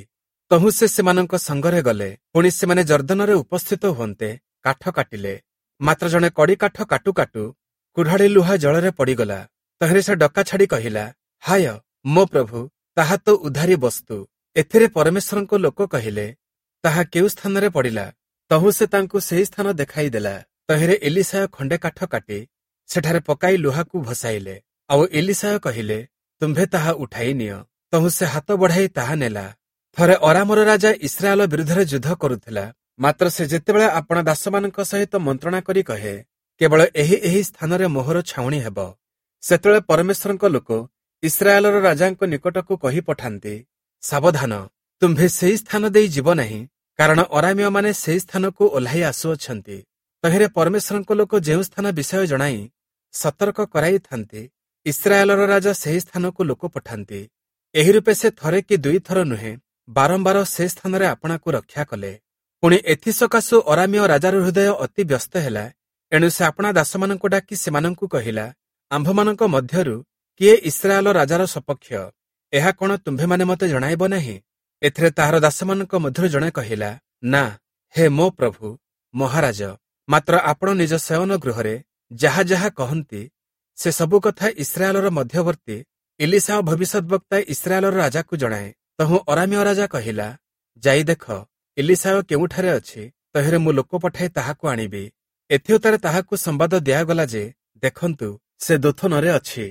ତହୁଁ ସେ ସେମାନଙ୍କ ସଙ୍ଗରେ ଗଲେ। ପୁଣି ସେମାନେ ଯର୍ଦ୍ଦନରେ ଉପସ୍ଥିତ ହୁଅନ୍ତେ କାଠ କାଟିଲେ। ମାତ୍ର ଜଣେ କଡ଼ିକାଠ କାଟୁ କାଟୁ କୁଢାଳି ଲୁହା ଜଳରେ ପଡ଼ିଗଲା। ତହିଁରେ ସେ ଡକା ଛାଡ଼ି କହିଲା, ହାୟ ମୋ ପ୍ରଭୁ, ତାହା ତ ଉଧାରୀ ବସ୍ତୁ। ଏଥିରେ ପରମେଶ୍ୱରଙ୍କ ଲୋକ କହିଲେ, ତାହା କେଉଁ ସ୍ଥାନରେ ପଡ଼ିଲା? ତହୁଁ ସେ ତାଙ୍କୁ ସେହି ସ୍ଥାନ ଦେଖାଇଦେଲା। ତହିଁରେ ଏଲିଶାୟ ଖଣ୍ଡେ କାଠ କାଟି ସେଠାରେ ପକାଇ ଲୁହାକୁ ଭସାଇଲେ। ଆଉ ଏଲିଶାୟ କହିଲେ, ତୁମ୍ଭେ ତାହା ଉଠାଇ ନିଅ। ତହୁଁ ସେ ହାତ ବଢ଼ାଇ ତାହା ନେଲା। ଥରେ ଅରାମର ରାଜା ଇସ୍ରାଏଲ ବିରୁଦ୍ଧରେ ଯୁଦ୍ଧ କରୁଥିଲା। ମାତ୍ର ସେ ଯେତେବେଳେ ଆପଣା ଦାସମାନଙ୍କ ସହିତ ମନ୍ତ୍ରଣା କରି କହେ, କେବଳ ଏହି ଏହି ସ୍ଥାନରେ ମୋହର ଛାଉଣି ହେବ, ସେତେବେଳେ ପରମେଶ୍ୱରଙ୍କ ଲୋକ ଇସ୍ରାଏଲର ରାଜାଙ୍କ ନିକଟକୁ କହି ପଠାନ୍ତି, ସାବଧାନ, ତୁମ୍ଭେ ସେହି ସ୍ଥାନ ଦେଇ ଯିବ ନାହିଁ, କାରଣ ଅରାମୀୟମାନେ ସେହି ସ୍ଥାନକୁ ଓହ୍ଲାଇ ଆସୁଅଛନ୍ତି। ତହିଁରେ ପରମେଶ୍ୱରଙ୍କ ଲୋକ ଯେଉଁ ସ୍ଥାନ ବିଷୟ ଜଣାଇ ସତର୍କ କରାଇଥାନ୍ତି, ଇସ୍ରାଏଲର ରାଜା ସେହି ସ୍ଥାନକୁ ଲୋକ ପଠାନ୍ତି। ଏହି ରୂପେ ସେ ଥରେ କି 2 ଥର ନୁହେଁ, ବାରମ୍ବାର ସେ ସ୍ଥାନରେ ଆପଣାକୁ ରକ୍ଷା କଲେ। ପୁଣି ଏଥିସକାଶୁ ଅରାମୀୟ ରାଜାର ହୃଦୟ ଅତି ବ୍ୟସ୍ତ ହେଲା। ଏଣୁ ସେ ଆପଣା ଦାସମାନଙ୍କୁ ଡାକି ସେମାନଙ୍କୁ କହିଲା, ଆମ୍ଭମାନଙ୍କ ମଧ୍ୟରୁ କିଏ ଇସ୍ରାଏଲ ରାଜାର ସପକ୍ଷ? ଏହା କଣ ତୁମ୍ଭେମାନେ ମୋତେ ଜଣାଇବ ନାହିଁ? ଏଥିରେ ତାହାର ଦାସମାନଙ୍କ ମଧ୍ୟରୁ ଜଣେ କହିଲା, ନା ହେ ମୋ ପ୍ରଭୁ ମହାରାଜ, ମାତ୍ର ଆପଣ ନିଜ ଶୟନ ଗୃହରେ ଯାହା ଯାହା କହନ୍ତି ସେ ସବୁ କଥା ଇସ୍ରାଏଲର ମଧ୍ୟବର୍ତ୍ତୀ ଇଲିଶାଅ ଭବିଷ୍ୟଦ୍‌ବକ୍ତା ଇସ୍ରାଏଲର ରାଜାକୁ ଜଣାଏ। ତହୁଁ ଅରାମୀୟ ରାଜା କହିଲା, ଯାଇ ଦେଖ ଇଲିଶାୟ କେଉଁଠାରେ ଅଛି, ତହିଁରେ ମୁଁ ଲୋକ ପଠାଇ ତାହାକୁ ଆଣିବି। ଏଥିଉତ୍ତାରେ ତାହାକୁ ସମ୍ବାଦ ଦିଆଗଲା ଯେ, ଦେଖନ୍ତୁ ସେ ଦୋଥନରେ ଅଛି।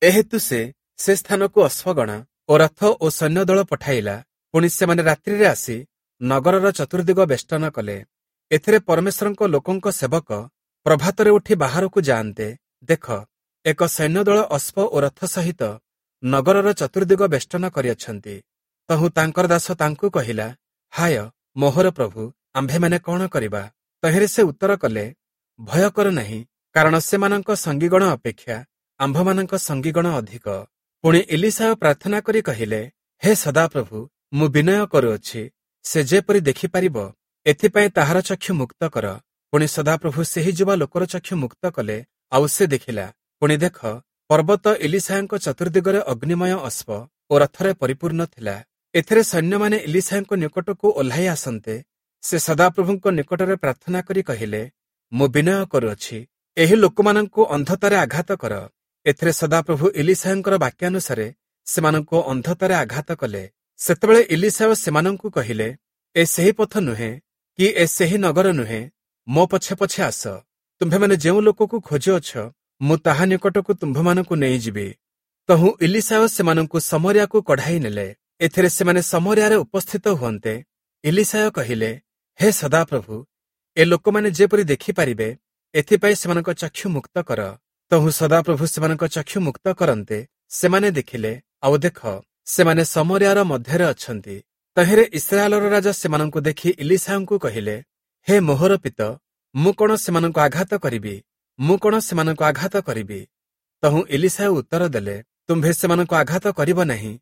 ଏହେତୁ ସେ ସେ ସ୍ଥାନକୁ ଅଶ୍ୱଗଣ ଓ ରଥ ଓ ସୈନ୍ୟଦଳ ପଠାଇଲା। ପୁଣି ସେମାନେ ରାତ୍ରିରେ ଆସି ନଗରର ଚତୁର୍ଦିଗ ବେଷ୍ଟନ କଲେ। ଏଥିରେ ପରମେଶ୍ୱରଙ୍କ ଲୋକଙ୍କ ସେବକ ପ୍ରଭାତରେ ଉଠି ବାହାରକୁ ଯାଆନ୍ତେ, ଦେଖ ଏକ ସୈନ୍ୟଦଳ ଅଶ୍ୱ ଓ ରଥ ସହିତ ନଗରର ଚତୁର୍ଦିଗ ବେଷ୍ଟନ କରିଅଛନ୍ତି। ତହୁଁ ତାଙ୍କର ଦାସ ତାଙ୍କୁ କହିଲା, ହାୟ ମୋହର ପ୍ରଭୁ, ଆମ୍ଭେମାନେ କଣ କରିବା? ତହିଁରେ ସେ ଉତ୍ତର କଲେ, ଭୟ କର ନାହିଁ, କାରଣ ସେମାନଙ୍କ ସଙ୍ଗୀଗଣ ଅପେକ୍ଷା ଆମ୍ଭମାନଙ୍କ ସଙ୍ଗୀଗଣ ଅଧିକ। ପୁଣି ଇଲିଶାୟ ପ୍ରାର୍ଥନା କରି କହିଲେ, ହେ ସଦାପ୍ରଭୁ, ମୁଁ ବିନୟ କରୁଅଛି, ସେ ଯେପରି ଦେଖିପାରିବ ଏଥିପାଇଁ ତାହାର ଚକ୍ଷୁ ମୁକ୍ତ କର। ପୁଣି ସଦାପ୍ରଭୁ ସେହି ଯୁବା ଲୋକର ଚକ୍ଷୁ ମୁକ୍ତ କଲେ, ଆଉ ସେ ଦେଖିଲା। ପୁଣି ଦେଖ, ପର୍ବତ ଇଲିଶାୟଙ୍କ ଚତୁର୍ଦିଗରେ ଅଗ୍ନିମୟ ଅଶ୍ୱ ଓ ରଥରେ ପରିପୂର୍ଣ୍ଣ ଥିଲା। ଏଥିରେ ସୈନ୍ୟମାନେ ଇଲିଶାୟଙ୍କ ନିକଟକୁ ଓହ୍ଲାଇ ଆସନ୍ତେ, ସେ ସଦାପ୍ରଭୁଙ୍କ ନିକଟରେ ପ୍ରାର୍ଥନା କରି କହିଲେ, ମୁଁ ବିନୟ କରୁଅଛି, ଏହି ଲୋକମାନଙ୍କୁ ଅନ୍ଧତାରେ ଆଘାତ କର। ଏଥିରେ ସଦାପ୍ରଭୁ ଇଲିଶାୟଙ୍କର ବାକ୍ୟାନୁସାରେ ସେମାନଙ୍କୁ ଅନ୍ଧତାରେ ଆଘାତ କଲେ। ସେତେବେଳେ ଇଲିଶାୟ ସେମାନଙ୍କୁ କହିଲେ, ଏ ସେହି ପଥ ନୁହେଁ କି ଏ ସେହି ନଗର ନୁହେଁ, ମୋ ପଛେ ପଛେ ଆସ। ତୁମ୍ଭେମାନେ ଯେଉଁ ଲୋକକୁ ଖୋଜୁଅଛ, ମୁଁ ତାହା ନିକଟକୁ ତୁମ୍ଭମାନଙ୍କୁ ନେଇଯିବି। ତହୁଁ ଇଲିଶାୟ ସେମାନଙ୍କୁ ସମରିଆକୁ କଢ଼ାଇ ନେଲେ। ଏଥିରେ ସେମାନେ ସମରିଆରେ ଉପସ୍ଥିତ ହୁଅନ୍ତେ, ଇଲିଶାୟ କହିଲେ, ହେ ସଦାପ୍ରଭୁ, ଏ ଲୋକମାନେ ଯେପରି ଦେଖିପାରିବେ ଏଥିପାଇଁ ସେମାନଙ୍କ ଚକ୍ଷୁ ମୁକ୍ତ କର। ତହୁଁ ସଦାପ୍ରଭୁ ସେମାନଙ୍କ ଚକ୍ଷୁ ମୁକ୍ତ କରନ୍ତେ, ସେମାନେ ଦେଖିଲେ, ଆଉ ଦେଖ ସେମାନେ ସମରିଆର ମଧ୍ୟରେ ଅଛନ୍ତି। ତହିଁରେ ଇସ୍ରାଏଲର ରାଜା ସେମାନଙ୍କୁ ଦେଖି ଇଲିଶାୟଙ୍କୁ କହିଲେ, ହେ ମୋହର ପିତ, ମୁଁ କଣ ସେମାନଙ୍କୁ ଆଘାତ କରିବି? ମୁଁ କଣ ସେମାନଙ୍କୁ ଆଘାତ କରିବି? ତହୁଁ ଇଲିଶାୟ ଉତ୍ତର ଦେଲେ, ତୁମ୍ଭେ ସେମାନଙ୍କୁ ଆଘାତ କରିବ ନାହିଁ।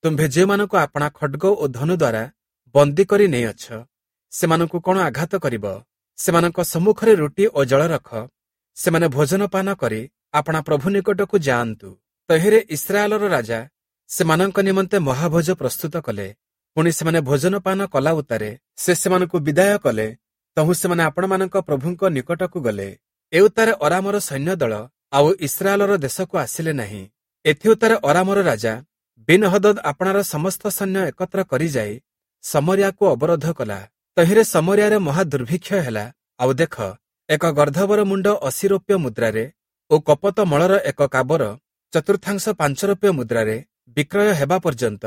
ତୁମ୍ଭେ ଯେଉଁମାନଙ୍କୁ ଆପଣା ଖଡ୍ଗ ଓ ଧନୁ ଦ୍ୱାରା ବନ୍ଦୀ କରି ନେଇଅଛ, ସେମାନଙ୍କୁ କଣ ଆଘାତ କରିବ? ସେମାନଙ୍କ ସମ୍ମୁଖରେ ରୁଟି ଓ ଜଳ ରଖ, ସେମାନେ ଭୋଜନ ପାନ କରି ଆପଣା ପ୍ରଭୁ ନିକଟକୁ ଯାଆନ୍ତୁ। ତହିଁରେ ଇସ୍ରାଏଲର ରାଜା ସେମାନଙ୍କ ନିମନ୍ତେ ମହାଭୋଜ ପ୍ରସ୍ତୁତ କଲେ। ପୁଣି ସେମାନେ ଭୋଜନ ପାନ କଲା ଉତ୍ତାରେ ସେ ସେମାନଙ୍କୁ ବିଦାୟ କଲେ। ତହୁଁ ସେମାନେ ଆପଣମାନଙ୍କ ପ୍ରଭୁଙ୍କ ନିକଟକୁ ଗଲେ। ଏଉତ୍ତାରେ ଅରାମର ସୈନ୍ୟଦଳ ଆଉ ଇସ୍ରାଏଲର ଦେଶକୁ ଆସିଲେ ନାହିଁ। ଏଥିଉତ୍ତାରେ ଅରାମର ରାଜା ବିନହଦଦ ଆପଣାର ସମସ୍ତ ସୈନ୍ୟ ଏକତ୍ର କରିଯାଇ ସମରିଆକୁ ଅବରୋଧ କଲା। ତହିଁରେ ସମରିଆରେ ମହା ଦୁର୍ଭିକ୍ଷ ହେଲା। ଆଉ ଦେଖ, ଏକ ଗର୍ଦ୍ଧବର ମୁଣ୍ଡ 80 ରୌପ୍ୟ ମୁଦ୍ରାରେ ଓ କପତ ମଳର ଏକ କାବର ଚତୁର୍ଥାଂଶ 5 ରୌପ୍ୟ ମୁଦ୍ରାରେ ବିକ୍ରୟ ହେବା ପର୍ଯ୍ୟନ୍ତ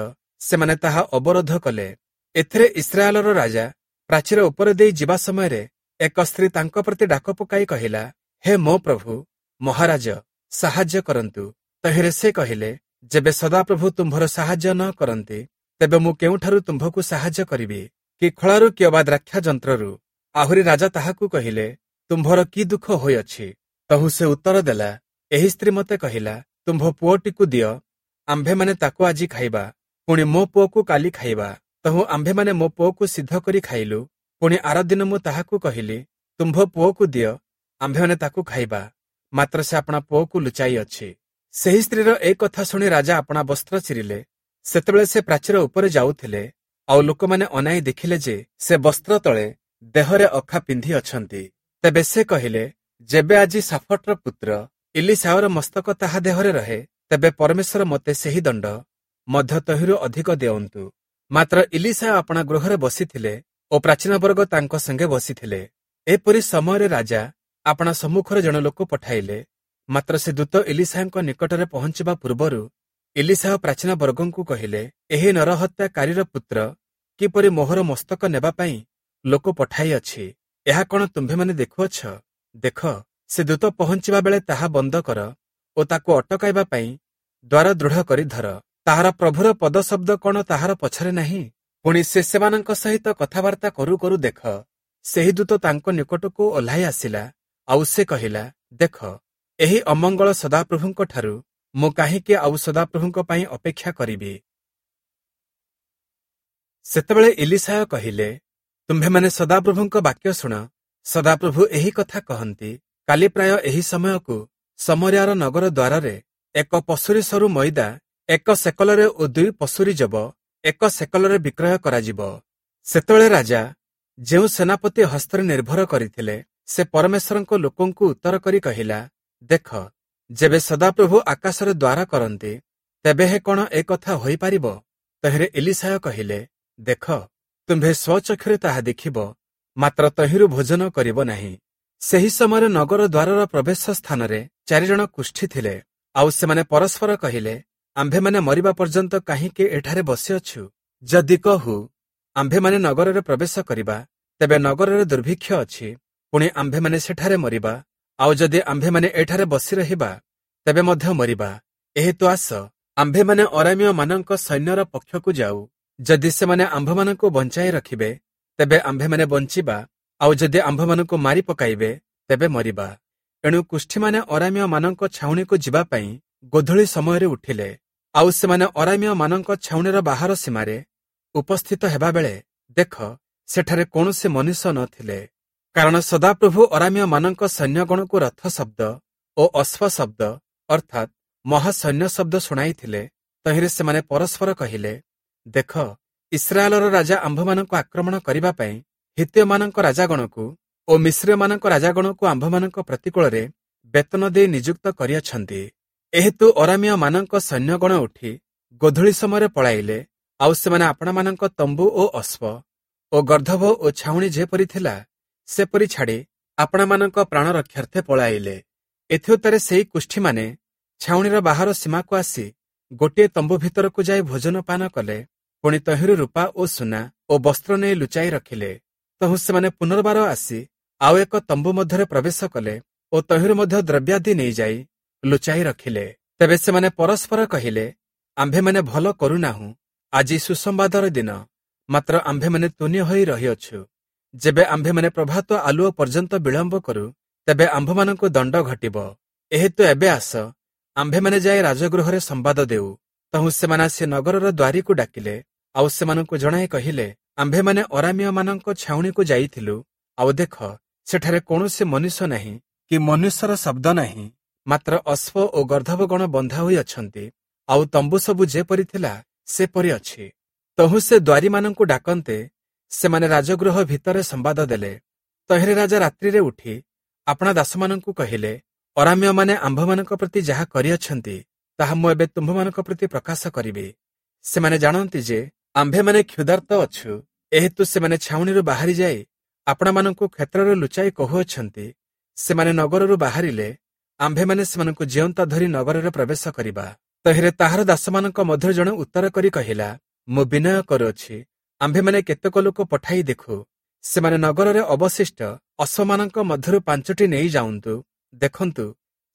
ସେମାନେ ତାହା ଅବରୋଧ କଲେ। ଏଥିରେ ଇସ୍ରାଏଲର ରାଜା ପ୍ରାଚୀର ଉପରେ ଦେଇ ଯିବା ସମୟରେ ଏକ ସ୍ତ୍ରୀ ତାଙ୍କ ପ୍ରତି ଡାକ ପକାଇ କହିଲା, ହେ ମୋ ପ୍ରଭୁ ମହାରାଜ, ସାହାଯ୍ୟ କରନ୍ତୁ। ତହିଁରେ ସେ କହିଲେ, ଯେବେ ସଦାପ୍ରଭୁ ତୁମ୍ଭର ସାହାଯ୍ୟ ନ କରନ୍ତି, ତେବେ ମୁଁ କେଉଁଠାରୁ ତୁମ୍ଭକୁ ସାହାଯ୍ୟ କରିବି? କି ଖଳାରୁ କି ଅବା ଦ୍ରାକ୍ଷା ଯନ୍ତ୍ରରୁ? ଆହୁରି ରାଜା ତାହାକୁ କହିଲେ, ତୁମ୍ଭର କି ଦୁଃଖ ହୋଇଅଛି? ତହୁଁ ସେ ଉତ୍ତର ଦେଲା, ଏହି ସ୍ତ୍ରୀ ମୋତେ କହିଲା, ତୁମ୍ଭ ପୁଅଟିକୁ ଦିଅ, ଆମ୍ଭେମାନେ ତାକୁ ଆଜି ଖାଇବା, ପୁଣି ମୋ ପୁଅକୁ କାଲି ଖାଇବା। ତହୁଁ ଆମ୍ଭେମାନେ ମୋ ପୁଅକୁ ସିଦ୍ଧ କରି ଖାଇଲୁ। ପୁଣି ଆର ଦିନ ମୁଁ ତାହାକୁ କହିଲି, ତୁମ୍ଭ ପୁଅକୁ ଦିଅ, ଆମ୍ଭେମାନେ ତାକୁ ଖାଇବା। ମାତ୍ର ସେ ଆପଣା ପୁଅକୁ ଲୁଚାଇ ଅଛି। ସେହି ସ୍ତ୍ରୀର ଏ କଥା ଶୁଣି ରାଜା ଆପଣା ବସ୍ତ୍ର ଚିରିଲେ। ସେତେବେଳେ ସେ ପ୍ରାଚୀର ଉପରେ ଯାଉଥିଲେ, ଆଉ ଲୋକମାନେ ଅନାଇ ଦେଖିଲେ ଯେ ସେ ବସ୍ତ୍ର ତଳେ ଦେହରେ ଅଖା ପିନ୍ଧି ଅଛନ୍ତି। ତେବେ ସେ କହିଲେ, ଯେବେ ଆଜି ସାଫଟର ପୁତ୍ର ଇଲିଶାୟର ମସ୍ତକ ତାହା ଦେହରେ ରହେ, ତେବେ ପରମେଶ୍ୱର ମୋତେ ସେହି ଦଣ୍ଡ ମଧ୍ୟ ତହିଁରୁ ଅଧିକ ଦେଅନ୍ତୁ। ମାତ୍ର ଇଲିଶାୟ ଆପଣା ଗୃହରେ ବସିଥିଲେ ଓ ପ୍ରାଚୀନବର୍ଗ ତାଙ୍କ ସଙ୍ଗେ ବସିଥିଲେ। ଏପରି ସମୟରେ ରାଜା ଆପଣା ସମ୍ମୁଖରେ ଜଣେ ଲୋକ ପଠାଇଲେ। ମାତ୍ର ସେ ଦୂତ ଇଲିଶାୟଙ୍କ ନିକଟରେ ପହଞ୍ଚିବା ପୂର୍ବରୁ ଇଲିଶାୟ ପ୍ରାଚୀନ ବର୍ଗଙ୍କୁ କହିଲେ, ଏହି ନରହତ୍ୟାକାରୀର ପୁତ୍ର କିପରି ମୋହର ମସ୍ତକ ନେବା ପାଇଁ ଲୋକ ପଠାଇଅଛି, ଏହା କଣ ତୁମ୍ଭେମାନେ ଦେଖୁଅଛ? ଦେଖ, ସେ ଦୂତ ପହଞ୍ଚିବା ବେଳେ ତାହା ବନ୍ଦ କର ଓ ତାକୁ ଅଟକାଇବା ପାଇଁ ଦ୍ୱାର ଦୃଢ଼ କରି ଧର। ତାହାର ପ୍ରଭୁର ପଦଶବ୍ଦ କଣ ତାହାର ପଛରେ ନାହିଁ? ପୁଣି ସେ ସେମାନଙ୍କ ସହିତ କଥାବାର୍ତ୍ତା କରୁ କରୁ ଦେଖ, ସେହି ଦୂତ ତାଙ୍କ ନିକଟକୁ ଓହ୍ଲାଇ ଆସିଲା। ଆଉ ସେ କହିଲା, ଦେଖ, ଏହି ଅମଙ୍ଗଳ ସଦାପ୍ରଭୁଙ୍କ ଠାରୁ ମୁଁ କାହିଁକି ଆଉ ସଦାପ୍ରଭୁଙ୍କ ପାଇଁ ଅପେକ୍ଷା କରିବି? ସେତେବେଳେ ଇଲିଶାୟ କହିଲେ, ତୁମ୍ଭେମାନେ ସଦାପ୍ରଭୁଙ୍କ ବାକ୍ୟ ଶୁଣ। ସଦାପ୍ରଭୁ ଏହି କଥା କହନ୍ତି, କାଲି ପ୍ରାୟ ଏହି ସମୟକୁ ଶମରିୟାର ନଗର ଦ୍ୱାରରେ 1 ପଶୁରୀ ସରୁ ମଇଦା 1 ସେକଲରେ ଓ 2 ପଶୁରୀ ଯବ 1 ସେକଲରେ ବିକ୍ରୟ କରାଯିବ। ସେତେବେଳେ ରାଜା ଯେଉଁ ସେନାପତି ହସ୍ତରେ ନିର୍ଭର କରିଥିଲେ, ସେ ପରମେଶ୍ୱରଙ୍କ ଲୋକଙ୍କୁ ଉତ୍ତର କରି କହିଲା, ଦେଖ, ଯେବେ ସଦାପ୍ରଭୁ ଆକାଶରେ ଦ୍ୱାର କରନ୍ତି, ତେବେ ହେ କଣ ଏ କଥା ହୋଇପାରିବ? ତହିଁରେ ଇଲିଶାୟ କହିଲେ, ଦେଖ, ତୁମ୍ଭେ ସ୍ୱଚକ୍ଷୁରେ ତାହା ଦେଖିବ, ମାତ୍ର ତହିଁରୁ ଭୋଜନ କରିବ ନାହିଁ। ସେହି ସମୟରେ ନଗର ଦ୍ୱାରର ପ୍ରବେଶ ସ୍ଥାନରେ 4 ଜଣ କୁଷ୍ଠୀ ଥିଲେ। ଆଉ ସେମାନେ ପରସ୍ପର କହିଲେ, ଆମ୍ଭେମାନେ ମରିବା ପର୍ଯ୍ୟନ୍ତ କାହିଁକି ଏଠାରେ ବସିଅଛୁ? ଯଦି କହୁ ଆମ୍ଭେମାନେ ନଗରରେ ପ୍ରବେଶ କରିବା, ତେବେ ନଗରରେ ଦୁର୍ଭିକ୍ଷ ଅଛି, ପୁଣି ଆମ୍ଭେମାନେ ସେଠାରେ ମରିବା। ଆଉ ଯଦି ଆମ୍ଭେମାନେ ଏଠାରେ ବସି ରହିବା, ତେବେ ମଧ୍ୟ ମରିବା। ଏହେତୁ ଆସ, ଆମ୍ଭେମାନେ ଅରାମୀୟମାନଙ୍କ ସୈନ୍ୟର ପକ୍ଷକୁ ଯାଉ। ଯଦି ସେମାନେ ଆମ୍ଭମାନଙ୍କୁ ବଞ୍ଚାଇ ରଖିବେ, ତେବେ ଆମ୍ଭେମାନେ ବଞ୍ଚିବା, ଆଉ ଯଦି ଆମ୍ଭମାନଙ୍କୁ ମାରି ପକାଇବେ, ତେବେ ମରିବା। ଏଣୁ କୁଷ୍ଠୀମାନେ ଅରାମୀୟମାନଙ୍କ ଛାଉଣିକୁ ଯିବା ପାଇଁ ଗୋଧୂଳି ସମୟରେ ଉଠିଲେ। ଆଉ ସେମାନେ ଅରାମୀୟମାନଙ୍କ ଛାଉଣିର ବାହାର ସୀମାରେ ଉପସ୍ଥିତ ହେବାବେଳେ ଦେଖ, ସେଠାରେ କୌଣସି ମନୁଷ୍ୟ ନଥିଲେ। କାରଣ ସଦାପ୍ରଭୁ ଅରାମୀୟମାନଙ୍କ ସୈନ୍ୟଗଣକୁ ରଥ ଶବ୍ଦ ଓ ଅଶ୍ୱ ଶବ୍ଦ, ଅର୍ଥାତ୍ ମହାସୈନ୍ୟ ଶବ୍ଦ ଶୁଣାଇଥିଲେ। ତହିଁରେ ସେମାନେ ପରସ୍ପର କହିଲେ, ଦେଖ, ଇସ୍ରାଏଲର ରାଜା ଆମ୍ଭମାନଙ୍କୁ ଆକ୍ରମଣ କରିବା ପାଇଁ ହିତ୍ତୀୟମାନଙ୍କ ରାଜାଗଣକୁ ଓ ମିଶ୍ରୀୟମାନଙ୍କ ରାଜାଗଣକୁ ଆମ୍ଭମାନଙ୍କ ପ୍ରତିକୂଳରେ ବେତନ ଦେଇ ନିଯୁକ୍ତ କରିଅଛନ୍ତି। ଏହେତୁ ଅରାମୀୟମାନଙ୍କ ସୈନ୍ୟଗଣ ଉଠି ଗୋଧୂଳି ସମୟରେ ପଳାଇଲେ। ଆଉ ସେମାନେ ଆପଣାମାନଙ୍କ ତମ୍ବୁ ଓ ଅଶ୍ୱ ଓ ଗର୍ଦ୍ଦଭ ଓ ଛାଉଣି ଯେପରି ଥିଲା, ସେପରି ଛାଡ଼ି ଆପଣାମାନଙ୍କ ପ୍ରାଣ ରକ୍ଷାର୍ଥେ ପଳାଇଲେ। ଏଥିଉତ୍ତାରେ ସେହି କୁଷ୍ଠୀମାନେ ଛାଉଣିର ବାହାର ସୀମାକୁ ଆସି ଗୋଟିଏ ତମ୍ବୁ ଭିତରକୁ ଯାଇ ଭୋଜନ ପାନ କଲେ। ପୁଣି ତହିଁରୁ ରୂପା ଓ ସୁନା ଓ ବସ୍ତ୍ର ନେଇ ଲୁଚାଇ ରଖିଲେ। ତହୁଁ ସେମାନେ ପୁନର୍ବାର ଆସି ଆଉ ଏକ ତମ୍ବୁ ମଧ୍ୟରେ ପ୍ରବେଶ କଲେ ଓ ତହିଁରୁ ମଧ୍ୟ ଦ୍ରବ୍ୟାଦି ନେଇଯାଇ ଲୁଚାଇ ରଖିଲେ। ତେବେ ସେମାନେ ପରସ୍ପର କହିଲେ, ଆମ୍ଭେମାନେ ଭଲ କରୁନାହୁଁ, ଆଜି ସୁସମ୍ବାଦର ଦିନ, ମାତ୍ର ଆମ୍ଭେମାନେ ତୁନି ହୋଇ ରହିଅଛୁ। ଯେବେ ଆମ୍ଭେମାନେ ପ୍ରଭାତ ଆଲୁଅ ପର୍ଯ୍ୟନ୍ତ ବିଳମ୍ବ କରୁ, ତେବେ ଆମ୍ଭମାନଙ୍କୁ ଦଣ୍ଡ ଘଟିବ। ଏହେତୁ ଏବେ ଆସ, ଆମ୍ଭେମାନେ ଯାଇ ରାଜଗୃହରେ ସମ୍ବାଦ ଦେଉ। ତହୁଁ ସେମାନେ ଆସି ନଗରର ଦ୍ୱାରୀକୁ ଡାକିଲେ, ଆଉ ସେମାନଙ୍କୁ ଜଣାଇ କହିଲେ, ଆମ୍ଭେମାନେ ଅରାମୀୟମାନଙ୍କ ଛାଉଣିକୁ ଯାଇଥିଲୁ, ଆଉ ଦେଖ, ସେଠାରେ କୌଣସି ମନୁଷ୍ୟ ନାହିଁ କି ମନୁଷ୍ୟର ଶବ୍ଦ ନାହିଁ, ମାତ୍ର ଅଶ୍ୱ ଓ ଗର୍ଦ୍ଦଭଗଣ ବନ୍ଧା ହୋଇ ଅଛନ୍ତି, ଆଉ ତମ୍ବୁ ସବୁ ଯେପରି ଥିଲା ସେପରି ଅଛି। ତହୁଁ ସେ ଦ୍ୱାରୀମାନଙ୍କୁ ଡାକନ୍ତେ ସେମାନେ ରାଜଗୃହ ଭିତରେ ସମ୍ବାଦ ଦେଲେ। ତହିଁରେ ରାଜା ରାତ୍ରିରେ ଉଠି ଆପଣା ଦାସମାନଙ୍କୁ କହିଲେ, ଅରାମୀୟମାନେ ଆମ୍ଭମାନଙ୍କ ପ୍ରତି ଯାହା କରିଅଛନ୍ତି, ତାହା ମୁଁ ଏବେ ତୁମ୍ଭମାନଙ୍କ ପ୍ରତି ପ୍ରକାଶ କରିବି। ସେମାନେ ଜାଣନ୍ତି ଯେ ଆମ୍ଭେମାନେ କ୍ଷୁଧାର୍ତ୍ତ ଅଛୁ, ଏହେତୁ ସେମାନେ ଛାଉଣିରୁ ବାହାରି ଯାଇ ଆପଣାମାନଙ୍କୁ କ୍ଷେତ୍ରରେ ଲୁଚାଇ କହୁଅଛନ୍ତି। ସେମାନେ ନଗରରୁ ବାହାରିଲେ ଆମ୍ଭେମାନେ ସେମାନଙ୍କୁ ଜିଅନ୍ତା ଧରି ନଗରରେ ପ୍ରବେଶ କରିବା। ତହିଁରେ ତାହାର ଦାସମାନଙ୍କ ମଧ୍ୟରୁ ଜଣେ ଉତ୍ତର କରି କହିଲା, ମୁଁ ବିନୟ କରୁଅଛି, ଆମ୍ଭେମାନେ କେତେକ ଲୋକ ପଠାଇ ଦେଖୁ, ସେମାନେ ନଗରରେ ଅବଶିଷ୍ଟ ଅଶ୍ୱମାନଙ୍କ ମଧ୍ୟରୁ 5ଟି ନେଇ ଯାଉନ୍ତୁ। ଦେଖନ୍ତୁ,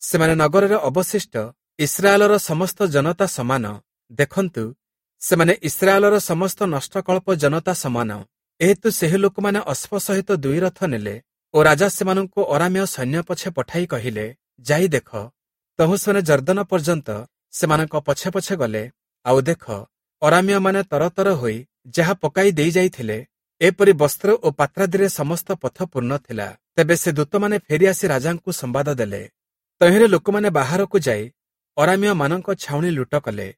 ସେମାନେ ନଗରରେ ଅବଶିଷ୍ଟ ଇସ୍ରାଏଲର ସମସ୍ତ ଜନତା ସମାନ। ଦେଖନ୍ତୁ, ସେମାନେ ଇସ୍ରାଏଲର ସମସ୍ତ ନଷ୍ଟକଳ୍ପ ଜନତା ସମାନ। ଏହେତୁ ସେହି ଲୋକମାନେ ଅଶ୍ୱ ସହିତ 2 ରଥ ନେଲେ ଓ ରାଜା ସେମାନଙ୍କୁ ଅରାମୀୟ ସୈନ୍ୟ ପଛେ ପଠାଇ କହିଲେ, ଯାଇ ଦେଖ। ତହୁଁ ସେମାନେ ଯର୍ଦ୍ଦନ ପର୍ଯ୍ୟନ୍ତ ସେମାନଙ୍କ ପଛେ ପଛେ ଗଲେ। ଆଉ ଦେଖ, ଅରାମୀୟମାନେ ତରତର ହୋଇ ଯାହା ପକାଇ ଦେଇଯାଇଥିଲେ, ଏପରି ବସ୍ତ୍ର ଓ ପାତ୍ରାଦିରେ ସମସ୍ତ ପଥ ପୂର୍ଣ୍ଣ ଥିଲା। ତେବେ ସେ ଦୂତମାନେ ଫେରିଆସି ରାଜାଙ୍କୁ ସମ୍ବାଦ ଦେଲେ। ତହିଁରେ ଲୋକମାନେ ବାହାରକୁ ଯାଇ ଅରାମୀୟମାନଙ୍କ ଛାଉଣି ଲୁଟ କଲେ।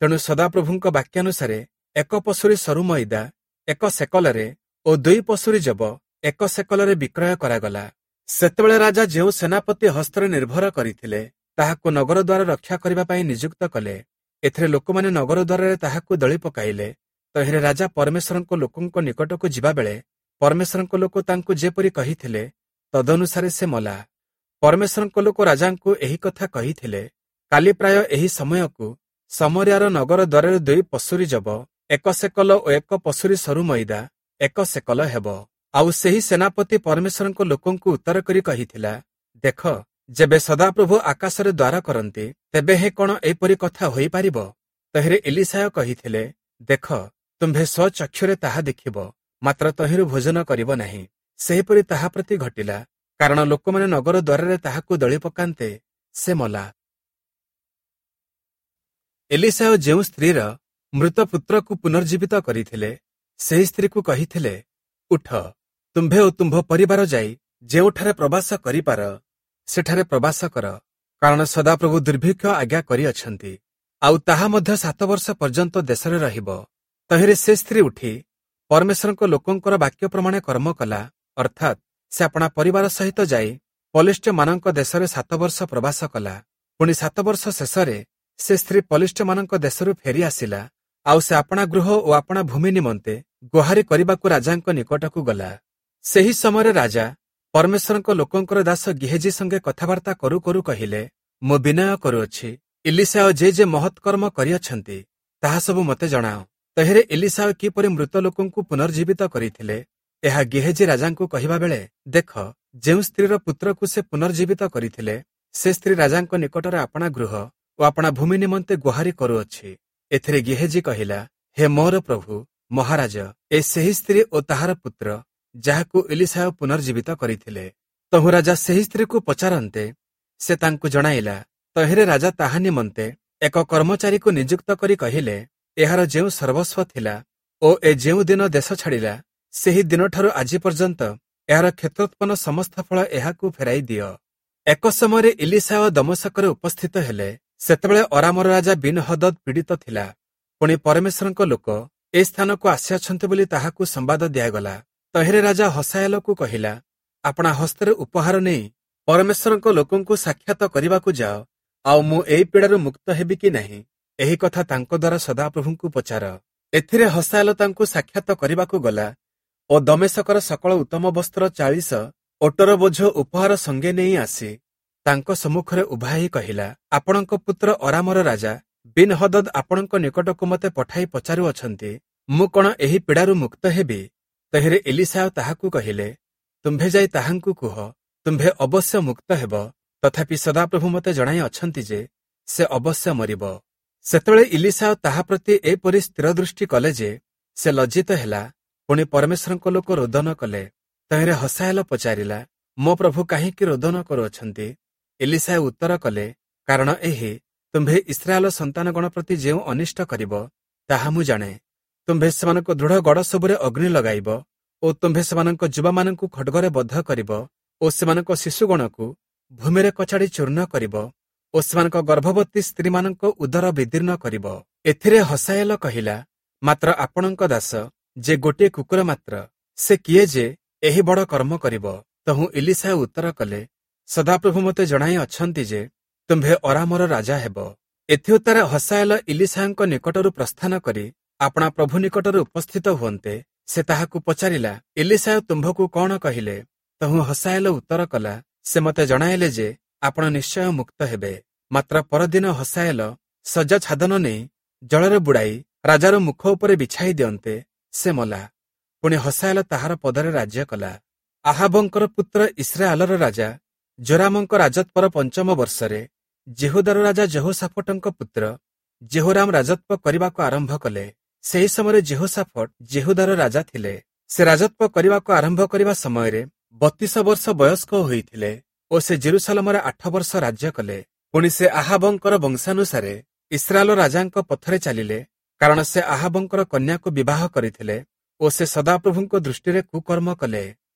ତେଣୁ ସଦାପ୍ରଭୁଙ୍କ ବାକ୍ୟାନୁସାରେ 1 ପଶୁରୀ ସରୁ ମଇଦା 1 ସେକଲରେ ଓ 2 ପଶୁରୀ ଯବ 1 ସେକଲରେ ବିକ୍ରୟ କରାଗଲା। ସେତେବେଳେ ରାଜା ଯେଉଁ ସେନାପତି ହସ୍ତରେ ନିର୍ଭର କରିଥିଲେ, ତାହାକୁ ନଗର ଦ୍ୱାର ରକ୍ଷା କରିବା ପାଇଁ ନିଯୁକ୍ତ କଲେ। ଏଥିରେ ଲୋକମାନେ ନଗର ଦ୍ୱାରରେ ତାହାକୁ ଦଳି ପକାଇଲେ। ତହିଁରେ ରାଜା ପରମେଶ୍ୱରଙ୍କ ଲୋକଙ୍କ ନିକଟକୁ ଯିବାବେଳେ ପରମେଶ୍ୱରଙ୍କ ଲୋକ ତାଙ୍କୁ ଯେପରି କହିଥିଲେ, ତଦନୁସାରେ ସେ ମଲା। ପରମେଶ୍ୱରଙ୍କ ଲୋକ ରାଜାଙ୍କୁ ଏହି କଥା କହିଥିଲେ, କାଲି ପ୍ରାୟ ଏହି ସମୟକୁ ଶମରିୟାର ନଗର ଦ୍ୱାରରେ 2 ପଶୁରୀ ଯବ 1 ସେକଲ ଓ 1 ପଶୁରୀ ସରୁ ମଇଦା 1 ସେକଲ ହେବ। ଆଉ ସେହି ସେନାପତି ପରମେଶ୍ୱରଙ୍କ ଲୋକଙ୍କୁ ଉତ୍ତର କରି କହିଥିଲା, ଦେଖ, ଯେବେ ସଦାପ୍ରଭୁ ଆକାଶରେ ଦ୍ୱାର କରନ୍ତି, ତେବେ ହେ କଣ ଏପରି କଥା ହୋଇପାରିବ? ତହିଁରେ ଇଲିଶାୟ କହିଥିଲେ, ଦେଖ, ତୁମ୍ଭେ ସ୍ୱଚକ୍ଷୁରେ ତାହା ଦେଖିବ, ମାତ୍ର ତହିଁରୁ ଭୋଜନ କରିବ ନାହିଁ। ସେହିପରି ତାହା ପ୍ରତି ଘଟିଲା, କାରଣ ଲୋକମାନେ ନଗର ଦ୍ୱାରରେ ତାହାକୁ ଦଳି ପକାନ୍ତେ ସେ ମଲା। ଏଲିଶାୟ ଯେଉଁ ସ୍ତ୍ରୀର ମୃତ ପୁତ୍ରକୁ ପୁନର୍ଜୀବିତ କରିଥିଲେ, ସେହି ସ୍ତ୍ରୀକୁ କହିଥିଲେ, ଉଠ, ତୁମ୍ଭେ ଓ ତୁମ୍ଭ ପରିବାର ଯାଇ ଯେଉଁଠାରେ ପ୍ରବାସ କରିପାର ସେଠାରେ ପ୍ରବାସ କର, କାରଣ ସଦାପ୍ରଭୁ ଦୁର୍ଭିକ୍ଷ ଆଜ୍ଞା କରିଅଛନ୍ତି, ଆଉ ତାହା ମଧ୍ୟ 7 ବର୍ଷ ପର୍ଯ୍ୟନ୍ତ ଦେଶରେ ରହିବ। ତହିଁରେ ସେ ସ୍ତ୍ରୀ ଉଠି ପରମେଶ୍ୱରଙ୍କ ଲୋକଙ୍କର ବାକ୍ୟ ପ୍ରମାଣେ କର୍ମ କଲା, ଅର୍ଥାତ୍ ସେ ଆପଣା ପରିବାର ସହିତ ଯାଇ ପଲିଷ୍ଠ୍ୟମାନଙ୍କ ଦେଶରେ 7 ବର୍ଷ ପ୍ରବାସ କଲା। ପୁଣି 7 ବର୍ଷ ଶେଷରେ ସେ ସ୍ତ୍ରୀ ପଲିଷ୍ଠ୍ୟମାନଙ୍କ ଦେଶରୁ ଫେରି ଆସିଲା, ଆଉ ସେ ଆପଣା ଗୃହ ଓ ଆପଣା ଭୂମି ନିମନ୍ତେ ଗୁହାରି କରିବାକୁ ରାଜାଙ୍କ ନିକଟକୁ ଗଲା। ସେହି ସମୟରେ ରାଜା ପରମେଶ୍ୱରଙ୍କ ଲୋକଙ୍କର ଦାସ ଗିହେଜି ସଙ୍ଗେ କଥାବାର୍ତ୍ତା କରୁ କରୁ କହିଲେ, ମୁଁ ବିନୟ କରୁଅଛି, ଇଲିଶାୟ ଯେ ଯେ ମହତ୍କର୍ମ କରିଅଛନ୍ତି ତାହା ସବୁ ମୋତେ ଜଣାଅ। ତହିଁରେ ଇଲିଶାୟ କିପରି ମୃତ ଲୋକଙ୍କୁ ପୁନର୍ଜୀବିତ କରିଥିଲେ ଏହା ଗିହେଜି ରାଜାଙ୍କୁ କହିବା ବେଳେ, ଦେଖ, ଯେଉଁ ସ୍ତ୍ରୀର ପୁତ୍ରକୁ ସେ ପୁନର୍ଜୀବିତ କରିଥିଲେ ସେ ସ୍ତ୍ରୀ ରାଜାଙ୍କ ନିକଟରେ ଆପଣା ଗୃହ ଓ ଆପଣା ଭୂମି ନିମନ୍ତେ ଗୁହାରି କରୁଅଛି। ଏଥିରେ ଗିହେଜି କହିଲା, ହେ ମୋର ପ୍ରଭୁ ମହାରାଜ, ଏ ସେହି ସ୍ତ୍ରୀ ଓ ତାହାର ପୁତ୍ର ଯାହାକୁ ଇଲିଶାୟ ପୁନର୍ଜୀବିତ କରିଥିଲେ। ତହୁଁ ରାଜା ସେହି ସ୍ତ୍ରୀକୁ ପଚାରନ୍ତେ ସେ ତାଙ୍କୁ ଜଣାଇଲା। ତହିଁରେ ରାଜା ତାହା ନିମନ୍ତେ ଏକ କର୍ମଚାରୀକୁ ନିଯୁକ୍ତ କରି କହିଲେ, ଏହାର ଯେଉଁ ସର୍ବସ୍ୱ ଥିଲା ଓ ଏ ଯେଉଁ ଦିନ ଦେଶ ଛାଡ଼ିଲା ସେହି ଦିନଠାରୁ ଆଜି ପର୍ଯ୍ୟନ୍ତ ଏହାର କ୍ଷେତ୍ରୋତ୍ପନ୍ନ ସମସ୍ତ ଫଳ ଏହାକୁ ଫେରାଇ ଦିଅ। ଏକ ସମୟରେ ଇଲିଶାୟ ଦମଶକରେ ଉପସ୍ଥିତ ହେଲେ। ସେତେବେଳେ ଅରାମର ରାଜା ବିନହଦଦ ପୀଡ଼ିତ ଥିଲା। ପୁଣି ପରମେଶ୍ୱରଙ୍କ ଲୋକ ଏ ସ୍ଥାନକୁ ଆସିଅଛନ୍ତି ବୋଲି ତାହାକୁ ସମ୍ବାଦ ଦିଆଗଲା। ତହିଁରେ ରାଜା ହସାଏଲକୁ କହିଲା, ଆପଣା ହସ୍ତରେ ଉପହାର ନେଇ ପରମେଶ୍ୱରଙ୍କ ଲୋକଙ୍କୁ ସାକ୍ଷାତ କରିବାକୁ ଯାଅ, ଆଉ ମୁଁ ଏହି ପୀଡ଼ାରୁ ମୁକ୍ତ ହେବି କି ନାହିଁ ଏହି କଥା ତାଙ୍କ ଦ୍ୱାରା ସଦାପ୍ରଭୁଙ୍କୁ ପଚାର। ଏଥିରେ ହସାଏଲ ତାଙ୍କୁ ସାକ୍ଷାତ କରିବାକୁ ଗଲା ଓ ଦମେଶକର ସକଳ ଉତ୍ତମ ବସ୍ତ୍ର 40 ଓଟର ବୋଝ ଉପହାର ସଙ୍ଗେ ନେଇ ଆସି ତାଙ୍କ ସମ୍ମୁଖରେ ଉଭା ହେଇ କହିଲା, ଆପଣଙ୍କ ପୁତ୍ର ଅରାମର ରାଜା ବିନହଦଦ ଆପଣଙ୍କ ନିକଟକୁ ମୋତେ ପଠାଇ ପଚାରୁଅଛନ୍ତି, ମୁଁ କଣ ଏହି ପୀଡ଼ାରୁ ମୁକ୍ତ ହେବି? ତହିଁରେ ଇଲିଶାୟ ତାହାକୁ କହିଲେ, ତୁମ୍ଭେ ଯାଇ ତାହାଙ୍କୁ କୁହ, ତୁମ୍ଭେ ଅବଶ୍ୟ ମୁକ୍ତ ହେବ, ତଥାପି ସଦାପ୍ରଭୁ ମୋତେ ଜଣାଇ ଅଛନ୍ତି ଯେ ସେ ଅବଶ୍ୟ ମରିବ। ସେତେବେଳେ ଇଲିଶାୟ ତାହା ପ୍ରତି ଏପରି ସ୍ଥିର ଦୃଷ୍ଟି କଲେ ଯେ ସେ ଲଜ୍ଜିତ ହେଲା। ପୁଣି ପରମେଶ୍ୱରଙ୍କ ଲୋକ ରୋଦନ କଲେ। ତହିଁରେ ହସାଏଲ ପଚାରିଲା, ମୋ ପ୍ରଭୁ କାହିଁକି ରୋଦନ କରୁଅଛନ୍ତି? ଇଲିଶାୟ ଉତ୍ତର କଲେ, କାରଣ ଏହି, ତୁମ୍ଭେ ଇସ୍ରାଏଲ ସନ୍ତାନଗଣ ପ୍ରତି ଯେଉଁ ଅନିଷ୍ଟ କରିବ ତାହା ମୁଁ ଜାଣେ। ତୁମ୍ଭେ ସେମାନଙ୍କ ଦୃଢ଼ ଗଡ଼ ସବୁରେ ଅଗ୍ନି ଲଗାଇବ ଓ ତୁମ୍ଭେ ସେମାନଙ୍କ ଯୁବାମାନଙ୍କୁ ଖଡ଼ଗରେ ବଦ୍ଧ କରିବ ଓ ସେମାନଙ୍କ ଶିଶୁଗଣକୁ ଭୂମିରେ କଚାଡ଼ି ଚୂର୍ଣ୍ଣ କରିବ ଓ ସେମାନଙ୍କ ଗର୍ଭବତୀ ସ୍ତ୍ରୀମାନଙ୍କ ଉଦର ବିଦୀର୍ଣ୍ଣ କରିବ। ଏଥିରେ ହସାଏଲ କହିଲା, ମାତ୍ର ଆପଣଙ୍କ ଦାସ ଯେ ଗୋଟିଏ କୁକୁର ମାତ୍ର, ସେ କିଏ ଯେ ଏହି ବଡ଼ କର୍ମ କରିବ? ତହୁଁ ଇଲିଶାୟ ଉତ୍ତର କଲେ, ସଦାପ୍ରଭୁ ମୋତେ ଜଣାଇ ଅଛନ୍ତି ଯେ ତୁମ୍ଭେ ଅରାମର ରାଜା ହେବ। ଏଥିଉତ୍ତାରେ ହସାଏଲ ଇଲିଶାୟଙ୍କ ନିକଟରୁ ପ୍ରସ୍ଥାନ କରି ଆପଣା ପ୍ରଭୁ ନିକଟରେ ଉପସ୍ଥିତ ହୁଅନ୍ତେ ସେ ତାହାକୁ ପଚାରିଲା, ଇଲିଶାୟ ତୁମ୍ଭକୁ କଣ କହିଲେ? ତହୁଁ ହସାଏଲ ଉତ୍ତର କଲା, ସେ ମୋତେ ଜଣାଇଲେ ଯେ ଆପଣ ନିଶ୍ଚୟ ମୁକ୍ତ ହେବେ। ମାତ୍ର ପରଦିନ ହସାଏଲ ଶଯ୍ୟା ଛାଦନ ନେଇ ଜଳରେ ବୁଡ଼ାଇ ରାଜାର ମୁଖ ଉପରେ ବିଛାଇ ଦିଅନ୍ତେ ସେ ମଲା। ପୁଣି ହସାଏଲ ତାହାର ପଦରେ ରାଜ୍ୟ କଲା। ଆହାବଙ୍କର ପୁତ୍ର ଇସ୍ରାଏଲର ରାଜା ଜୋରାମଙ୍କ ରାଜତ୍ୱର 5ମ ବର୍ଷରେ ଯିହୁଦାର ରାଜା ଯେହୋଶାଫଟଙ୍କ ପୁତ୍ର ଜେହୋରାମ ରାଜତ୍ୱ କରିବାକୁ ଆରମ୍ଭ କଲେ। ସେହି ସମୟରେ ଯେହୋଶାଫଟ ଯିହୁଦାର ରାଜା ଥିଲେ। ସେ ରାଜତ୍ୱ କରିବାକୁ ଆରମ୍ଭ କରିବା ସମୟରେ 32 ବର୍ଷ ବୟସ୍କ ହୋଇଥିଲେ ଓ ସେ ଜେରୁସାଲମରେ 8 ବର୍ଷ ରାଜ୍ୟ କଲେ। ପୁଣି ସେ ଆହାବଙ୍କର ବଂଶାନୁସାରେ ଇସ୍ରାଏଲ ରାଜାଙ୍କ ପଥରେ ଚାଲିଲେ, କାରଣ ସେ ଆହାବଙ୍କର କନ୍ୟାକୁ ବିବାହ କରିଥିଲେ ଓ ସେ ସଦାପ୍ରଭୁଙ୍କ ଦୃଷ୍ଟିରେ କୁକର୍ମ କଲେ।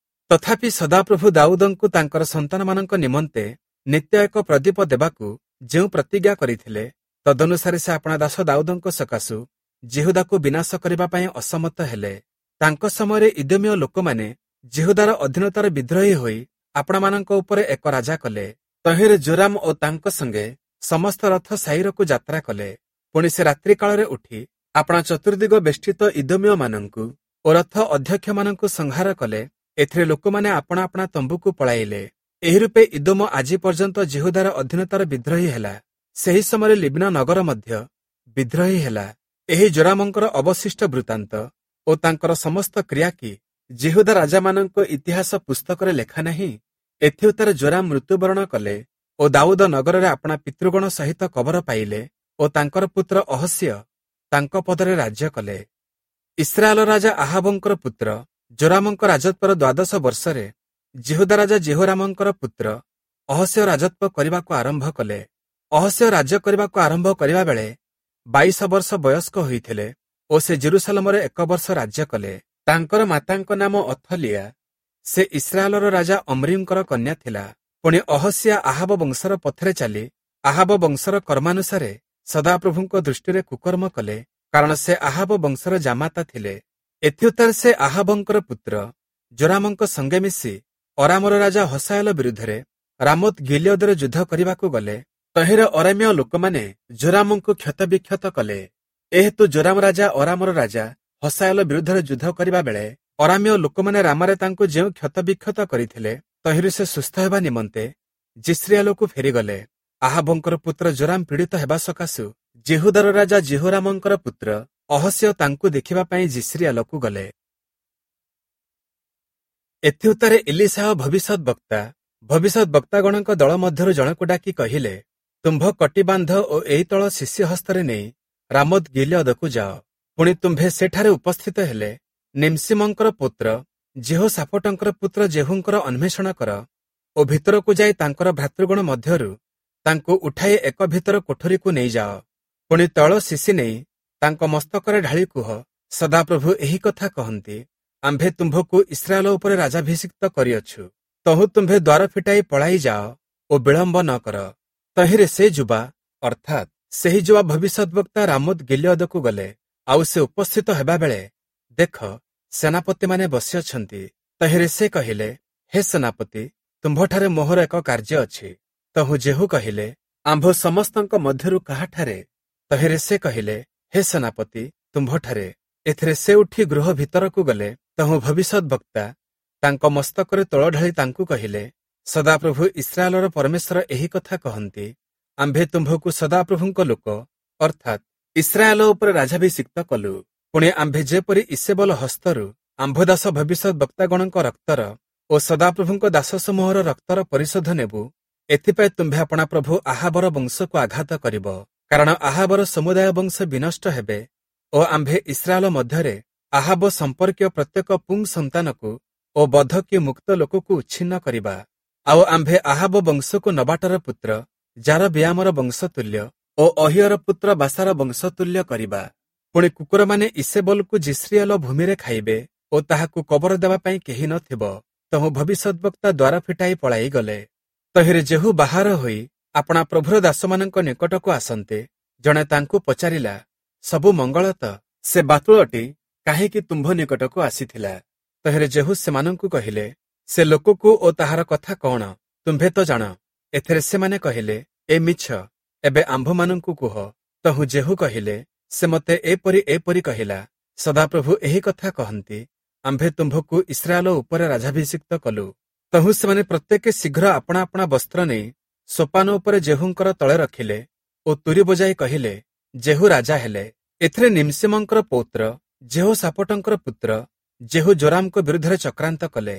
ତଥାପି ସଦାପ୍ରଭୁ ଦାଉଦଙ୍କୁ ତାଙ୍କର ସନ୍ତାନମାନଙ୍କ ନିମନ୍ତେ ନିତ୍ୟ ଏକ ପ୍ରଦୀପ ଦେବାକୁ ଯେଉଁ ପ୍ରତିଜ୍ଞା କରିଥିଲେ, ତଦନୁସାରେ ସେ ଆପଣା ଦାସ ଦାଉଦଙ୍କ ସକାଶୁ ଯିହୁଦାକୁ ବିନାଶ କରିବା ପାଇଁ ଅସମର୍ଥ ହେଲେ। ତାଙ୍କ ସମୟରେ ଇଦୋମୀୟ ଲୋକମାନେ ଯିହୁଦାର ଅଧୀନତାର ବିଦ୍ରୋହୀ ହୋଇ ଆପଣାମାନଙ୍କ ଉପରେ ଏକ ରାଜା କଲେ। ତହିଁରେ ଜୋରାମ ଓ ତାଙ୍କ ସଙ୍ଗେ ସମସ୍ତ ରଥ ସାଇରକୁ ଯାତ୍ରା କଲେ। ପୁଣି ସେ ରାତ୍ରି କାଳରେ ଉଠି ଆପଣା ଚତୁର୍ଦିଗ ବେଷ୍ଟିତ ଇଦୋମୀୟମାନଙ୍କୁ ଓ ରଥ ଅଧ୍ୟକ୍ଷମାନଙ୍କୁ ସଂହାର କଲେ। ଏଥିରେ ଲୋକମାନେ ଆପଣା ଆପଣା ତମ୍ବୁକୁ ପଳାଇଲେ। ଏହି ରୂପେ ଇଦୋମ ଆଜି ପର୍ଯ୍ୟନ୍ତ ଯିହୁଦାର ଅଧୀନତାର ବିଦ୍ରୋହୀ ହେଲା। ସେହି ସମୟରେ ଲିବ୍ନା ନଗର ମଧ୍ୟ ବିଦ୍ରୋହୀ ହେଲା। ଏହି ଜୋରାମଙ୍କର ଅବଶିଷ୍ଟ ବୃତ୍ତାନ୍ତ ଓ ତାଙ୍କର ସମସ୍ତ କ୍ରିୟା କି ଯିହୁଦା ରାଜାମାନଙ୍କ ଇତିହାସ ପୁସ୍ତକରେ ଲେଖା ନାହିଁ? ଏଥିଉତ୍ତାରେ ଜୋରାମ ମୃତ୍ୟୁବରଣ କଲେ ଓ ଦାଉଦ ନଗରରେ ଆପଣା ପିତୃଗଣ ସହିତ କବର ପାଇଲେ ଓ ତାଙ୍କର ପୁତ୍ର ଅହସ୍ୟ ତାଙ୍କ ପଦରେ ରାଜ୍ୟ କଲେ। ଇସ୍ରାଏଲ ରାଜା ଆହାବଙ୍କର ପୁତ୍ର ଜୋରାମଙ୍କ ରାଜତ୍ୱର 12 ବର୍ଷରେ ଯିହୁଦା ରାଜା ଜେହୋରାମଙ୍କର ପୁତ୍ର ଅହସ୍ୟ ରାଜତ୍ୱ କରିବାକୁ ଆରମ୍ଭ କଲେ। ଅହସ୍ୟ ରାଜ୍ୟ କରିବାକୁ ଆରମ୍ଭ କରିବା ବେଳେ 22 ବର୍ଷ ବୟସ୍କ ହୋଇଥିଲେ ଓ ସେ ଜେରୁସାଲମରେ 1 ବର୍ଷ ରାଜ୍ୟ କଲେ। ତାଙ୍କର ମାତାଙ୍କ ନାମ ଅଥଲିଆ, ସେ ଇସ୍ରାଏଲର ରାଜା ଅମ୍ରିଙ୍କର କନ୍ୟା ଥିଲା। ପୁଣି ଅହସିଆ ଆହାବ ବଂଶର ପଥରେ ଚାଲି ଆହାବ ବଂଶର କର୍ମାନୁସାରେ ସଦାପ୍ରଭୁଙ୍କ ଦୃଷ୍ଟିରେ କୁକର୍ମ କଲେ, କାରଣ ସେ ଆହାବ ବଂଶର ଜାମାତା ଥିଲେ। ଏଥିଉତ୍ତାରେ ସେ ଆହାବଙ୍କର ପୁତ୍ର ଜୋରାମଙ୍କ ସଙ୍ଗେ ମିଶି ଅରାମର ରାଜା ହସାଏଲ ବିରୁଦ୍ଧରେ ରାମୋତ ଗିଲିୟଦରେ ଯୁଦ୍ଧ କରିବାକୁ ଗଲେ। ତହିଁରେ ଅରାମୀୟ ଲୋକମାନେ ଜୋରାମଙ୍କୁ କ୍ଷତବିକ୍ଷତ କଲେ। ଏହେତୁ ଜୋରାମ ରାଜା ଅରାମର ରାଜା ହସାଏଲ ବିରୁଦ୍ଧରେ ଯୁଦ୍ଧ କରିବା ବେଳେ ଅରାମୀୟ ଲୋକମାନେ ରାମାରେ ତାଙ୍କୁ ଯେଉଁ କ୍ଷତବିକ୍ଷତ କରିଥିଲେ, ତହିଁରୁ ସେ ସୁସ୍ଥ ହେବା ନିମନ୍ତେ ଯିଷ୍ରିଏଲକୁ ଫେରିଗଲେ। ଆହାବଙ୍କର ପୁତ୍ର ଜୋରାମ ପୀଡ଼ିତ ହେବା ସକାଶୁ ଯିହୁଦାର ରାଜା ଯିହୋରାମଙ୍କର ପୁତ୍ର ଅହସିୟ ତାଙ୍କୁ ଦେଖିବା ପାଇଁ ଯିଷ୍ରିଏଲକୁ ଗଲେ। ଏଥିଉତ୍ତାରେ ଇଲୀଶାହ ଭବିଷ୍ୟତ ବକ୍ତା ଭବିଷ୍ୟତ ବକ୍ତାଗଣଙ୍କ ଦଳ ମଧ୍ୟରୁ ଜଣକୁ ଡାକି କହିଲେ, ତୁମ୍ଭ କଟିବାନ୍ଧ ଓ ଏଇ ତଳ ଶିଷ୍ୟ ହସ୍ତରେ ନେଇ ରାମୋତ ଗିଲିୟଦକୁ ଯାଅ। ପୁଣି ତୁମ୍ଭେ ସେଠାରେ ଉପସ୍ଥିତ ହେଲେ ନିମ୍ସିମଙ୍କର ପୁତ୍ର ଯିହୋଶାଫଟଙ୍କର ପୁତ୍ର ଯେହୂଙ୍କର ଅନ୍ୱେଷଣ କର ଓ ଭିତରକୁ ଯାଇ ତାଙ୍କର ଭ୍ରାତୃଗଣ ମଧ୍ୟରୁ ତାଙ୍କୁ ଉଠାଇ ଏକ ଭିତର କୋଠରୀକୁ ନେଇଯାଅ। ପୁଣି ତୈଳ ଶିଶି ନେଇ ତାଙ୍କ ମସ୍ତକରେ ଢାଳି କୁହ, ସଦାପ୍ରଭୁ ଏହି କଥା କହନ୍ତି, ଆମ୍ଭେ ତୁମ୍ଭକୁ ଇସ୍ରାଏଲ ଉପରେ ରାଜାଭିଷିକ୍ତ କରିଅଛୁ। ତହୁଁ ତୁମ୍ଭେ ଦ୍ୱାର ଫିଟାଇ ପଳାଇ ଯାଅ ଓ ବିଳମ୍ବ ନ କର। ତହିଁରେ ସେ ଯୁବା, ଅର୍ଥାତ୍ ସେହି ଯୁବା ଭବିଷ୍ୟଦ୍‌ବକ୍ତା ରାମୋତ ଗିଲିୟଦକୁ ଗଲେ। ଆଉ ସେ ଉପସ୍ଥିତ ହେବା ବେଳେ ଦେଖ, ସେନାପତିମାନେ ବସିଅଛନ୍ତି। ତହିଁରେ ସେ କହିଲେ, ହେ ସେନାପତି, ତୁମ୍ଭଠାରେ ମୋହର ଏକ କାର୍ଯ୍ୟ ଅଛି। ତହୁଁ ଯେହୂ କହିଲେ, ଆମ୍ଭ ସମସ୍ତଙ୍କ ମଧ୍ୟରୁ କାହାଠାରେ? ତହିଁରେ ସେ କହିଲେ, ହେ ସେନାପତି, ତୁମ୍ଭଠାରେ। ଏଥିରେ ସେ ଉଠି ଗୃହ ଭିତରକୁ ଗଲେ। ତହୁଁ ଭବିଷ୍ୟଦ୍‌ବକ୍ତା ତାଙ୍କ ମସ୍ତକରେ ତୈଳ ଢାଳି ତାଙ୍କୁ କହିଲେ, ସଦାପ୍ରଭୁ ଇସ୍ରାଏଲର ପରମେଶ୍ୱର ଏହି କଥା କହନ୍ତି, ଆମ୍ଭେ ତୁମ୍ଭକୁ ସଦାପ୍ରଭୁଙ୍କ ଲୋକ, ଅର୍ଥାତ୍ ଇସ୍ରାଏଲ ଉପରେ ରାଜାଭିଷିକ୍ତ କଲୁ। ପୁଣି ଆମ୍ଭେ ଯେପରି ଇସେବଲ ହସ୍ତରୁ ଆମ୍ଭ ଦାସ ଭବିଷ୍ୟଦ୍‌ବକ୍ତାଗଣଙ୍କ ରକ୍ତର ଓ ସଦାପ୍ରଭୁଙ୍କ ଦାସ ସମୂହର ରକ୍ତର ପରିଶୋଧ ନେବୁ, ଏଥିପାଇଁ ତୁମ୍ଭେ ଆପଣା ପ୍ରଭୁ ଆହାବର ବଂଶକୁ ଆଘାତ କରିବ। କାରଣ ଆହାବର ସମୁଦାୟ ବଂଶ ବିନଷ୍ଟ ହେବେ ଓ ଆମ୍ଭେ ଇସ୍ରାଏଲ ମଧ୍ୟରେ ଆହାବ ସମ୍ପର୍କୀୟ ପ୍ରତ୍ୟେକ ପୁଂ ସନ୍ତାନକୁ ଓ ବଧ କି ମୁକ୍ତ ଲୋକକୁ ଉଚ୍ଛିନ୍ନ କରିବା। ଆଉ ଆମ୍ଭେ ଆହାବ ବଂଶକୁ ନବାଟର ପୁତ୍ର ଯାରବିୟାମର ବଂଶତୁଲ୍ୟ ଓ ଅହିୟର ପୁତ୍ର ବାସାର ବଂଶତୁଲ୍ୟ କରିବା। ପୁଣି କୁକୁରମାନେ ଇସେବଲକୁ ଯିଷ୍ରିଏଲ ଭୂମିରେ ଖାଇବେ ଓ ତାହାକୁ କବର ଦେବା ପାଇଁ କେହି ନଥିବ। ତହୁଁ ଭବିଷ୍ୟଦ୍‌ବକ୍ତା ଦ୍ୱାର ଫିଟାଇ ପଳାଇ ଗଲେ। ତହିଁରେ ଯେହୂ ବାହାର ହୋଇ ଆପଣା ପ୍ରଭୁର ଦାସମାନଙ୍କ ନିକଟକୁ ଆସନ୍ତେ, ଜଣେ ତାଙ୍କୁ ପଚାରିଲା, ସବୁ ମଙ୍ଗଳ ତ? ସେ ବାତୁଳଟି କାହିଁକି ତୁମ୍ଭ ନିକଟକୁ ଆସିଥିଲା? ତହିଁରେ ଯେହୂ ସେମାନଙ୍କୁ କହିଲେ, ସେ ଲୋକକୁ ଓ ତାହାର କଥା କଣ ତୁମ୍ଭେ ତ ଜାଣ। ଏଥିରେ ସେମାନେ କହିଲେ, ଏ ମିଛ, ଏବେ ଆମ୍ଭମାନଙ୍କୁ କୁହ। ତହୁଁ ଯେହୂ କହିଲେ, ସେ ମୋତେ ଏପରି ଏପରି କହିଲା, ସଦାପ୍ରଭୁ ଏହି କଥା କହନ୍ତି, ଆମ୍ଭେ ତୁମ୍ଭକୁ ଇସ୍ରାଏଲ ଉପରେ ରାଜାଭିଷିକ୍ତ କଲୁ। ତହୁଁ ସେମାନେ ପ୍ରତ୍ୟେକେ ଶୀଘ୍ର ଆପଣା ଆପଣା ବସ୍ତ୍ର ନେଇ ସୋପାନ ଉପରେ ଯେହୂଙ୍କର ତଳେ ରଖିଲେ ଓ ତୁରୀ ବଜାଇ କହିଲେ, ଯେହୂ ରାଜା ହେଲେ। ଏଥିରେ ନିମ୍ସିମଙ୍କର ପୌତ୍ର ଯେହୋଶାଫଟଙ୍କର ପୁତ୍ର ଯେହୂ ଜୋରାମଙ୍କ ବିରୁଦ୍ଧରେ ଚକ୍ରାନ୍ତ କଲେ।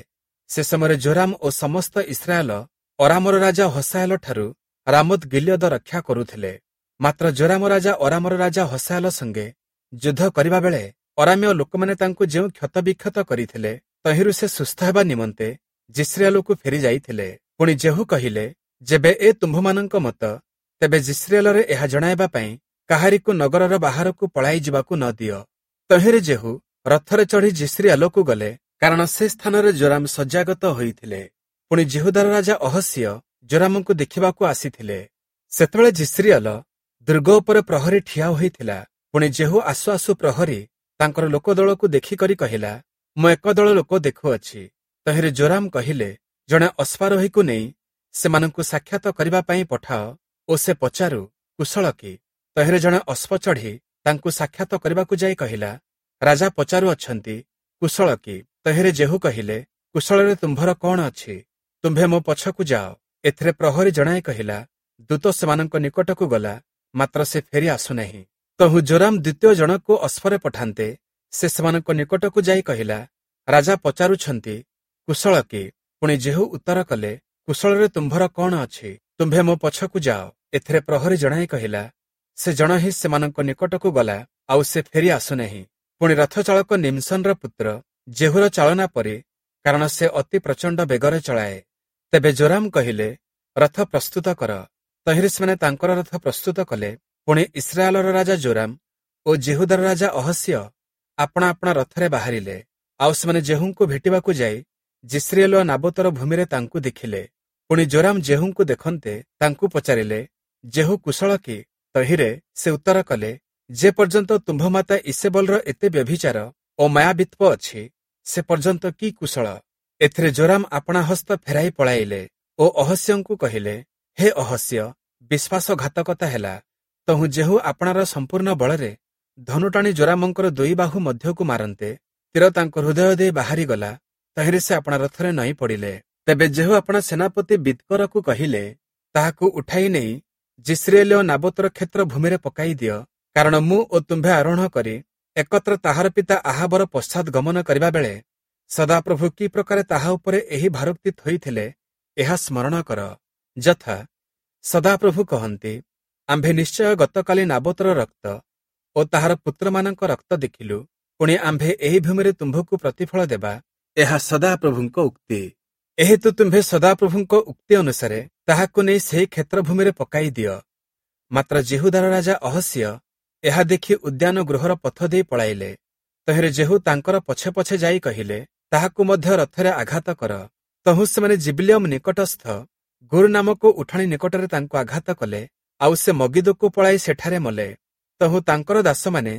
ସେ ସମୟରେ ଜୋରାମ ଓ ସମସ୍ତ ଇସ୍ରାଏଲ ଅରାମର ରାଜା ହସାଏଲ ଠାରୁ ରାମୋତ ଗିଲିୟଦ ରକ୍ଷା କରୁଥିଲେ। ମାତ୍ର ଜୋରାମ ରାଜା ଅରାମର ରାଜା ହସାଏଲ ସଙ୍ଗେ ଯୁଦ୍ଧ କରିବା ବେଳେ ଅରାମୀୟ ଲୋକମାନେ ତାଙ୍କୁ ଯେଉଁ କ୍ଷତବିକ୍ଷତ କରିଥିଲେ, ତହିଁରୁ ସେ ସୁସ୍ଥ ହେବା ନିମନ୍ତେ ଯିଷ୍ରିଏଲକୁ ଫେରି ଯାଇଥିଲେ। ପୁଣି ଯେହୂ କହିଲେ, ଯେବେ ଏ ତୁମ୍ଭମାନଙ୍କ ମତ, ତେବେ ଯିଷ୍ରିଏଲରେ ଏହା ଜଣାଇବା ପାଇଁ କାହାରିକୁ ନଗରର ବାହାରକୁ ପଳାଇ ଯିବାକୁ ନ ଦିଅ। ତହିଁରେ ଯେହୂ ରଥରେ ଚଢ଼ି ଯିଷ୍ରିଏଲକୁ ଗଲେ, କାରଣ ସେ ସ୍ଥାନରେ ଜୋରାମ ଶଯ୍ୟାଗତ ହୋଇଥିଲେ। ପୁଣି ଯିହୁଦାର ରାଜା ଅହସିୟ ଜୋରାମଙ୍କୁ ଦେଖିବାକୁ ଆସିଥିଲେ। ସେତେବେଳେ ଯିଷ୍ରିଏଲ ଦୁର୍ଗ ଉପରେ ପ୍ରହରୀ ଠିଆ ହୋଇଥିଲା। ପୁଣି ଯେହୂ ଆସୁ ଆସୁ ପ୍ରହରୀ ତାଙ୍କର ଲୋକଦଳକୁ ଦେଖିକରି କହିଲା, ମୁଁ ଏକ ଦଳ ଲୋକ ଦେଖୁଅଛି। ତହିଁରେ ଜୋରାମ କହିଲେ, ଜଣେ ଅଶ୍ୱାରୋହୀକୁ ନେଇ ସେମାନଙ୍କୁ ସାକ୍ଷାତ କରିବା ପାଇଁ ପଠାଅ ଓ ସେ ପଚାରୁ, କୁଶଳ କି? ତହିଁରେ ଜଣେ ଅଶ୍ୱ ଚଢ଼ି ତାଙ୍କୁ ସାକ୍ଷାତ କରିବାକୁ ଯାଇ କହିଲା, ରାଜା ପଚାରୁଅଛନ୍ତି, କୁଶଳ କି? ତହିଁରେ ଯେହୂ କହିଲେ, କୁଶଳରେ ତୁମ୍ଭର କଣ ଅଛି? ତୁମ୍ଭେ ମୋ ପଛକୁ ଯାଅ। ଏଥିରେ ପ୍ରହରୀ ଜଣାଇ କହିଲା, ଦୂତ ସେମାନଙ୍କ ନିକଟକୁ ଗଲା, ମାତ୍ର ସେ ଫେରି ଆସୁନାହିଁ। ତହୁଁ ଜୋରାମ ଦ୍ୱିତୀୟ ଜଣକୁ ଅଶ୍ୱରେ ପଠାନ୍ତେ, ସେ ସେମାନଙ୍କ ନିକଟକୁ ଯାଇ କହିଲା, ରାଜା ପଚାରୁଛନ୍ତି, କୁଶଳ କି? ପୁଣି ଯେହୂ ଉତ୍ତର କଲେ, କୁଶଳରେ ତୁମ୍ଭର କଣ ଅଛି? ତୁମ୍ଭେ ମୋ ପଛକୁ ଯାଅ। ଏଥିରେ ପ୍ରହରୀ ଜଣାଇ କହିଲା, ସେ ଜଣ ହିଁ ସେମାନଙ୍କ ନିକଟକୁ ଗଲା, ଆଉ ସେ ଫେରି ଆସୁନାହିଁ। ପୁଣି ରଥଚାଳକ ନିମ୍ସନର ପୁତ୍ର ଯେହୂର ଚାଳନା ପରି, କାରଣ ସେ ଅତି ପ୍ରଚଣ୍ଡ ବେଗରେ ଚଳାଏ। ତେବେ ଜୋରାମ କହିଲେ, ରଥ ପ୍ରସ୍ତୁତ କର। ତହିଁରେ ସେମାନେ ତାଙ୍କର ରଥ ପ୍ରସ୍ତୁତ କଲେ। ପୁଣି ଇସ୍ରାଏଲର ରାଜା ଜୋରାମ ଓ ଯିହୁଦାର ରାଜା ଅହସିୟ ଆପଣା ଆପଣା ରଥରେ ବାହାରିଲେ। ଆଉ ସେମାନେ ଯେହୂଙ୍କୁ ଭେଟିବାକୁ ଯାଇ ଯିଷ୍ରିଏଲୀୟ ନାବୋତର ଭୂମିରେ ତାଙ୍କୁ ଦେଖିଲେ। ପୁଣି ଯୋରାମ ଯେହୂଙ୍କୁ ଦେଖନ୍ତେ ତାଙ୍କୁ ପଚାରିଲେ, ଯେହୂ କୁଶଳ କି? ତହିଁରେ ସେ ଉତ୍ତର କଲେ, ଯେ ପର୍ଯ୍ୟନ୍ତ ତୁମ୍ଭ ମାତା ଈସେବଲର ଏତେ ବ୍ୟଭିଚାର ଓ ମାୟାବିତ୍ବ ଅଛି, ସେ ପର୍ଯ୍ୟନ୍ତ କି କୁଶଳ? ଏଥିରେ ଯୋରାମ ଆପଣା ହସ୍ତ ଫେରାଇ ପଳାଇଲେ ଓ ଅହସ୍ୟଙ୍କୁ କହିଲେ, ହେ ଅହସ୍ୟ, ବିଶ୍ୱାସଘାତକତା ହେଲା। ତହୁଁ ଯେହୂ ଆପଣାର ସମ୍ପୂର୍ଣ୍ଣ ବଳରେ ଧନୁ ଟାଣି ଯୋରାମଙ୍କର ଦୁଇ ବାହୁ ମଧ୍ୟକୁ ମାରନ୍ତେ ତୀର ତାଙ୍କ ହୃଦୟ ଦେଇ ବାହାରିଗଲା। ତହିଁରେ ସେ ଆପଣା ରଥରେ ନଇଁ ପଡ଼ିଲେ। ତେବେ ଯେହୂ ଆପଣା ସେନାପତି ବିଦ୍କରକୁ କହିଲେ, ତାହାକୁ ଉଠାଇ ନେଇ ଯିଷ୍ରିଏଲୀୟ ନାବୋତର କ୍ଷେତ୍ର ଭୂମିରେ ପକାଇ ଦିଅ, କାରଣ ମୁଁ ଓ ତୁମ୍ଭେ ଆରୋହଣ କରି ଏକତ୍ର ତାହାର ପିତା ଆହାବର ପଶ୍ଚାତ୍ ଗମନ କରିବା ବେଳେ ସଦାପ୍ରଭୁ କି ପ୍ରକାରେ ତାହା ଉପରେ ଏହି ଭାରୋକ୍ତି ଥୋଇଥିଲେ, ଏହା ସ୍ମରଣ କର। ଯଥା ସଦାପ୍ରଭୁ କହନ୍ତି, ଆମ୍ଭେ ନିଶ୍ଚୟ ଗତକାଲି ନାବୋତର ରକ୍ତ ଓ ତାହାର ପୁତ୍ରମାନଙ୍କ ରକ୍ତ ଦେଖିଲୁ, ପୁଣି ଆମ୍ଭେ ଏହି ଭୂମିରେ ତୁମ୍ଭକୁ ପ୍ରତିଫଳ ଦେବା, ଏହା ସଦାପ୍ରଭୁଙ୍କ ଉକ୍ତି। ଏହେତୁ ତୁମ୍ଭେ ସଦାପ୍ରଭୁଙ୍କ ଉକ୍ତି ଅନୁସାରେ ତାହାକୁ ନେଇ ସେହି କ୍ଷେତ୍ରଭୂମିରେ ପକାଇ ଦିଅ। ମାତ୍ର ଯିହୁଦାର ରାଜା ଅହସ୍ୟ ଏହା ଦେଖି ଉଦ୍ୟାନ ଗୃହର ପଥ ଦେଇ ପଳାଇଲେ। ତହିଁରେ ଯେହୂ ତାଙ୍କର ପଛେ ପଛେ ଯାଇ କହିଲେ, ତାହାକୁ ମଧ୍ୟ ରଥରେ ଆଘାତ କର। ତହୁଁ ସେମାନେ ଜିବଲିୟମ ନିକଟସ୍ଥ ଗୁରୁ ନାମକ ଉଠାଣି ନିକଟରେ ତାଙ୍କୁ ଆଘାତ କଲେ, ଆଉ ସେ ମଗିଦୋକୁ ପଳାଇ ସେଠାରେ ମଲେ। ତହୁଁ ତାଙ୍କର ଦାସମାନେ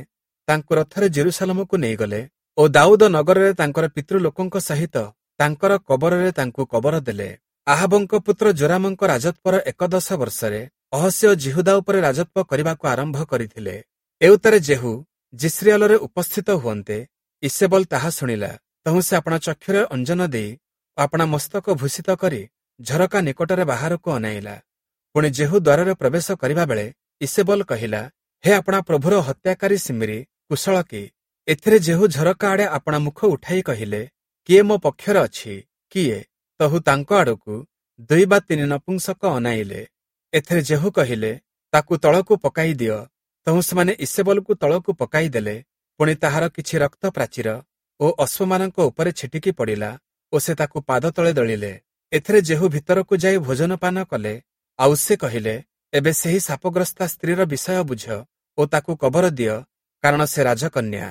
ତାଙ୍କୁ ରଥରେ ଜେରୁସାଲମକୁ ନେଇଗଲେ ଓ ଦାଉଦ ନଗରରେ ତାଙ୍କର ପିତୃଲୋକଙ୍କ ସହିତ ତାଙ୍କର କବରରେ ତାଙ୍କୁ କବର ଦେଲେ। ଆହାବଙ୍କ ପୁତ୍ର ଯୋରାମଙ୍କ ରାଜତ୍ୱର 11 ବର୍ଷରେ ଅହସ୍ୟ ଯିହୁଦା ଉପରେ ରାଜତ୍ୱ କରିବାକୁ ଆରମ୍ଭ କରିଥିଲେ। ଏଉତ୍ତାରେ ଯେହୂ ଯିଷ୍ରିଏଲରେ ଉପସ୍ଥିତ ହୁଅନ୍ତେ ଈସେବଲ ତାହା ଶୁଣିଲା। ତହୁଁ ସେ ଆପଣା ଚକ୍ଷୁରେ ଅଞ୍ଜନ ଦେଇ ଓ ଆପଣା ମସ୍ତକ ଭୂଷିତ କରି ଝରକା ନିକଟରେ ବାହାରକୁ ଅନାଇଲା। ପୁଣି ଯେହୂ ଦ୍ୱାରରେ ପ୍ରବେଶ କରିବା ବେଳେ ଈସେବଲ କହିଲା, ହେ ଆପଣା ପ୍ରଭୁର ହତ୍ୟାକାରୀ ସିମ୍ରି, କୁଶଳ କି? ଏଥିରେ ଯେହୂ ଝରକା ଆଡ଼େ ଆପଣା ମୁଖ ଉଠାଇ କହିଲେ, କିଏ ମୋ ପକ୍ଷରେ ଅଛି, କିଏ? ତହୁ ତାଙ୍କ ଆଡ଼କୁ 2 ବା 3 ନପୁଂସକ ଅନାଇଲେ। ଏଥିରେ ଯେହୂ କହିଲେ, ତାକୁ ତଳକୁ ପକାଇ ଦିଅ। ତହୁଁ ସେମାନେ ଈସେବଲକୁ ତଳକୁ ପକାଇ ଦେଲେ। ପୁଣି ତାହାର କିଛି ରକ୍ତ ପ୍ରାଚୀର ଓ ଅଶ୍ୱମାନଙ୍କ ଉପରେ ଛିଟିକି ପଡ଼ିଲା ଓ ସେ ତାକୁ ପାଦ ତଳେ ଦଳିଲେ। ଏଥିରେ ଯେହୂ ଭିତରକୁ ଯାଇ ଭୋଜନପାନ କଲେ। ଆଉ ସେ କହିଲେ, ଏବେ ସେହି ଶାପଗ୍ରସ୍ତା ସ୍ତ୍ରୀର ବିଷୟ ବୁଝ ଓ ତାକୁ କବର ଦିଅ, କାରଣ ସେ ରାଜକନ୍ୟା।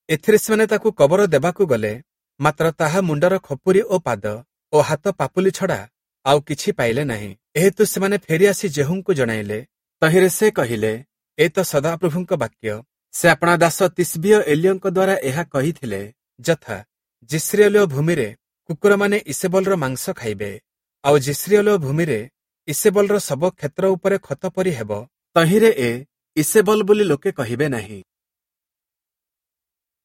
ଏଥିରେ ସେମାନେ ତାକୁ କବର ଦେବାକୁ ଗଲେ, ମାତ୍ର ତାହା ମୁଣ୍ଡର ଖପୁରୀ ଓ ପାଦ ଓ ହାତ ପାପୁଲି ଛଡ଼ା ଆଉ କିଛି ପାଇଲେ ନାହିଁ। ଏହେତୁ ସେମାନେ ଫେରିଆସି ଯେହୂଙ୍କୁ ଜଣାଇଲେ। ତହିଁରେ ସେ କହିଲେ, ଏ ତ ସଦାପ୍ରଭୁଙ୍କ ବାକ୍ୟ, ସେ ଆପଣା ଦାସ ତିସ୍ବୀୟ ଏଲିୟଙ୍କ ଦ୍ୱାରା ଏହା କହିଥିଲେ, ଯଥା ଯିଷ୍ରିଏଲୀୟ ଭୂମିରେ କୁକୁରମାନେ ଈସେବଲର ମାଂସ ଖାଇବେ, ଆଉ ଯିଷ୍ରିଏଲୀୟ ଭୂମିରେ ଈସେବଲର ଶବ କ୍ଷେତ୍ର ଉପରେ ଖତ ପରି ହେବ। ତହିଁରେ ଏ ଈସେବଲ ବୋଲି ଲୋକେ କହିବେ ନାହିଁ।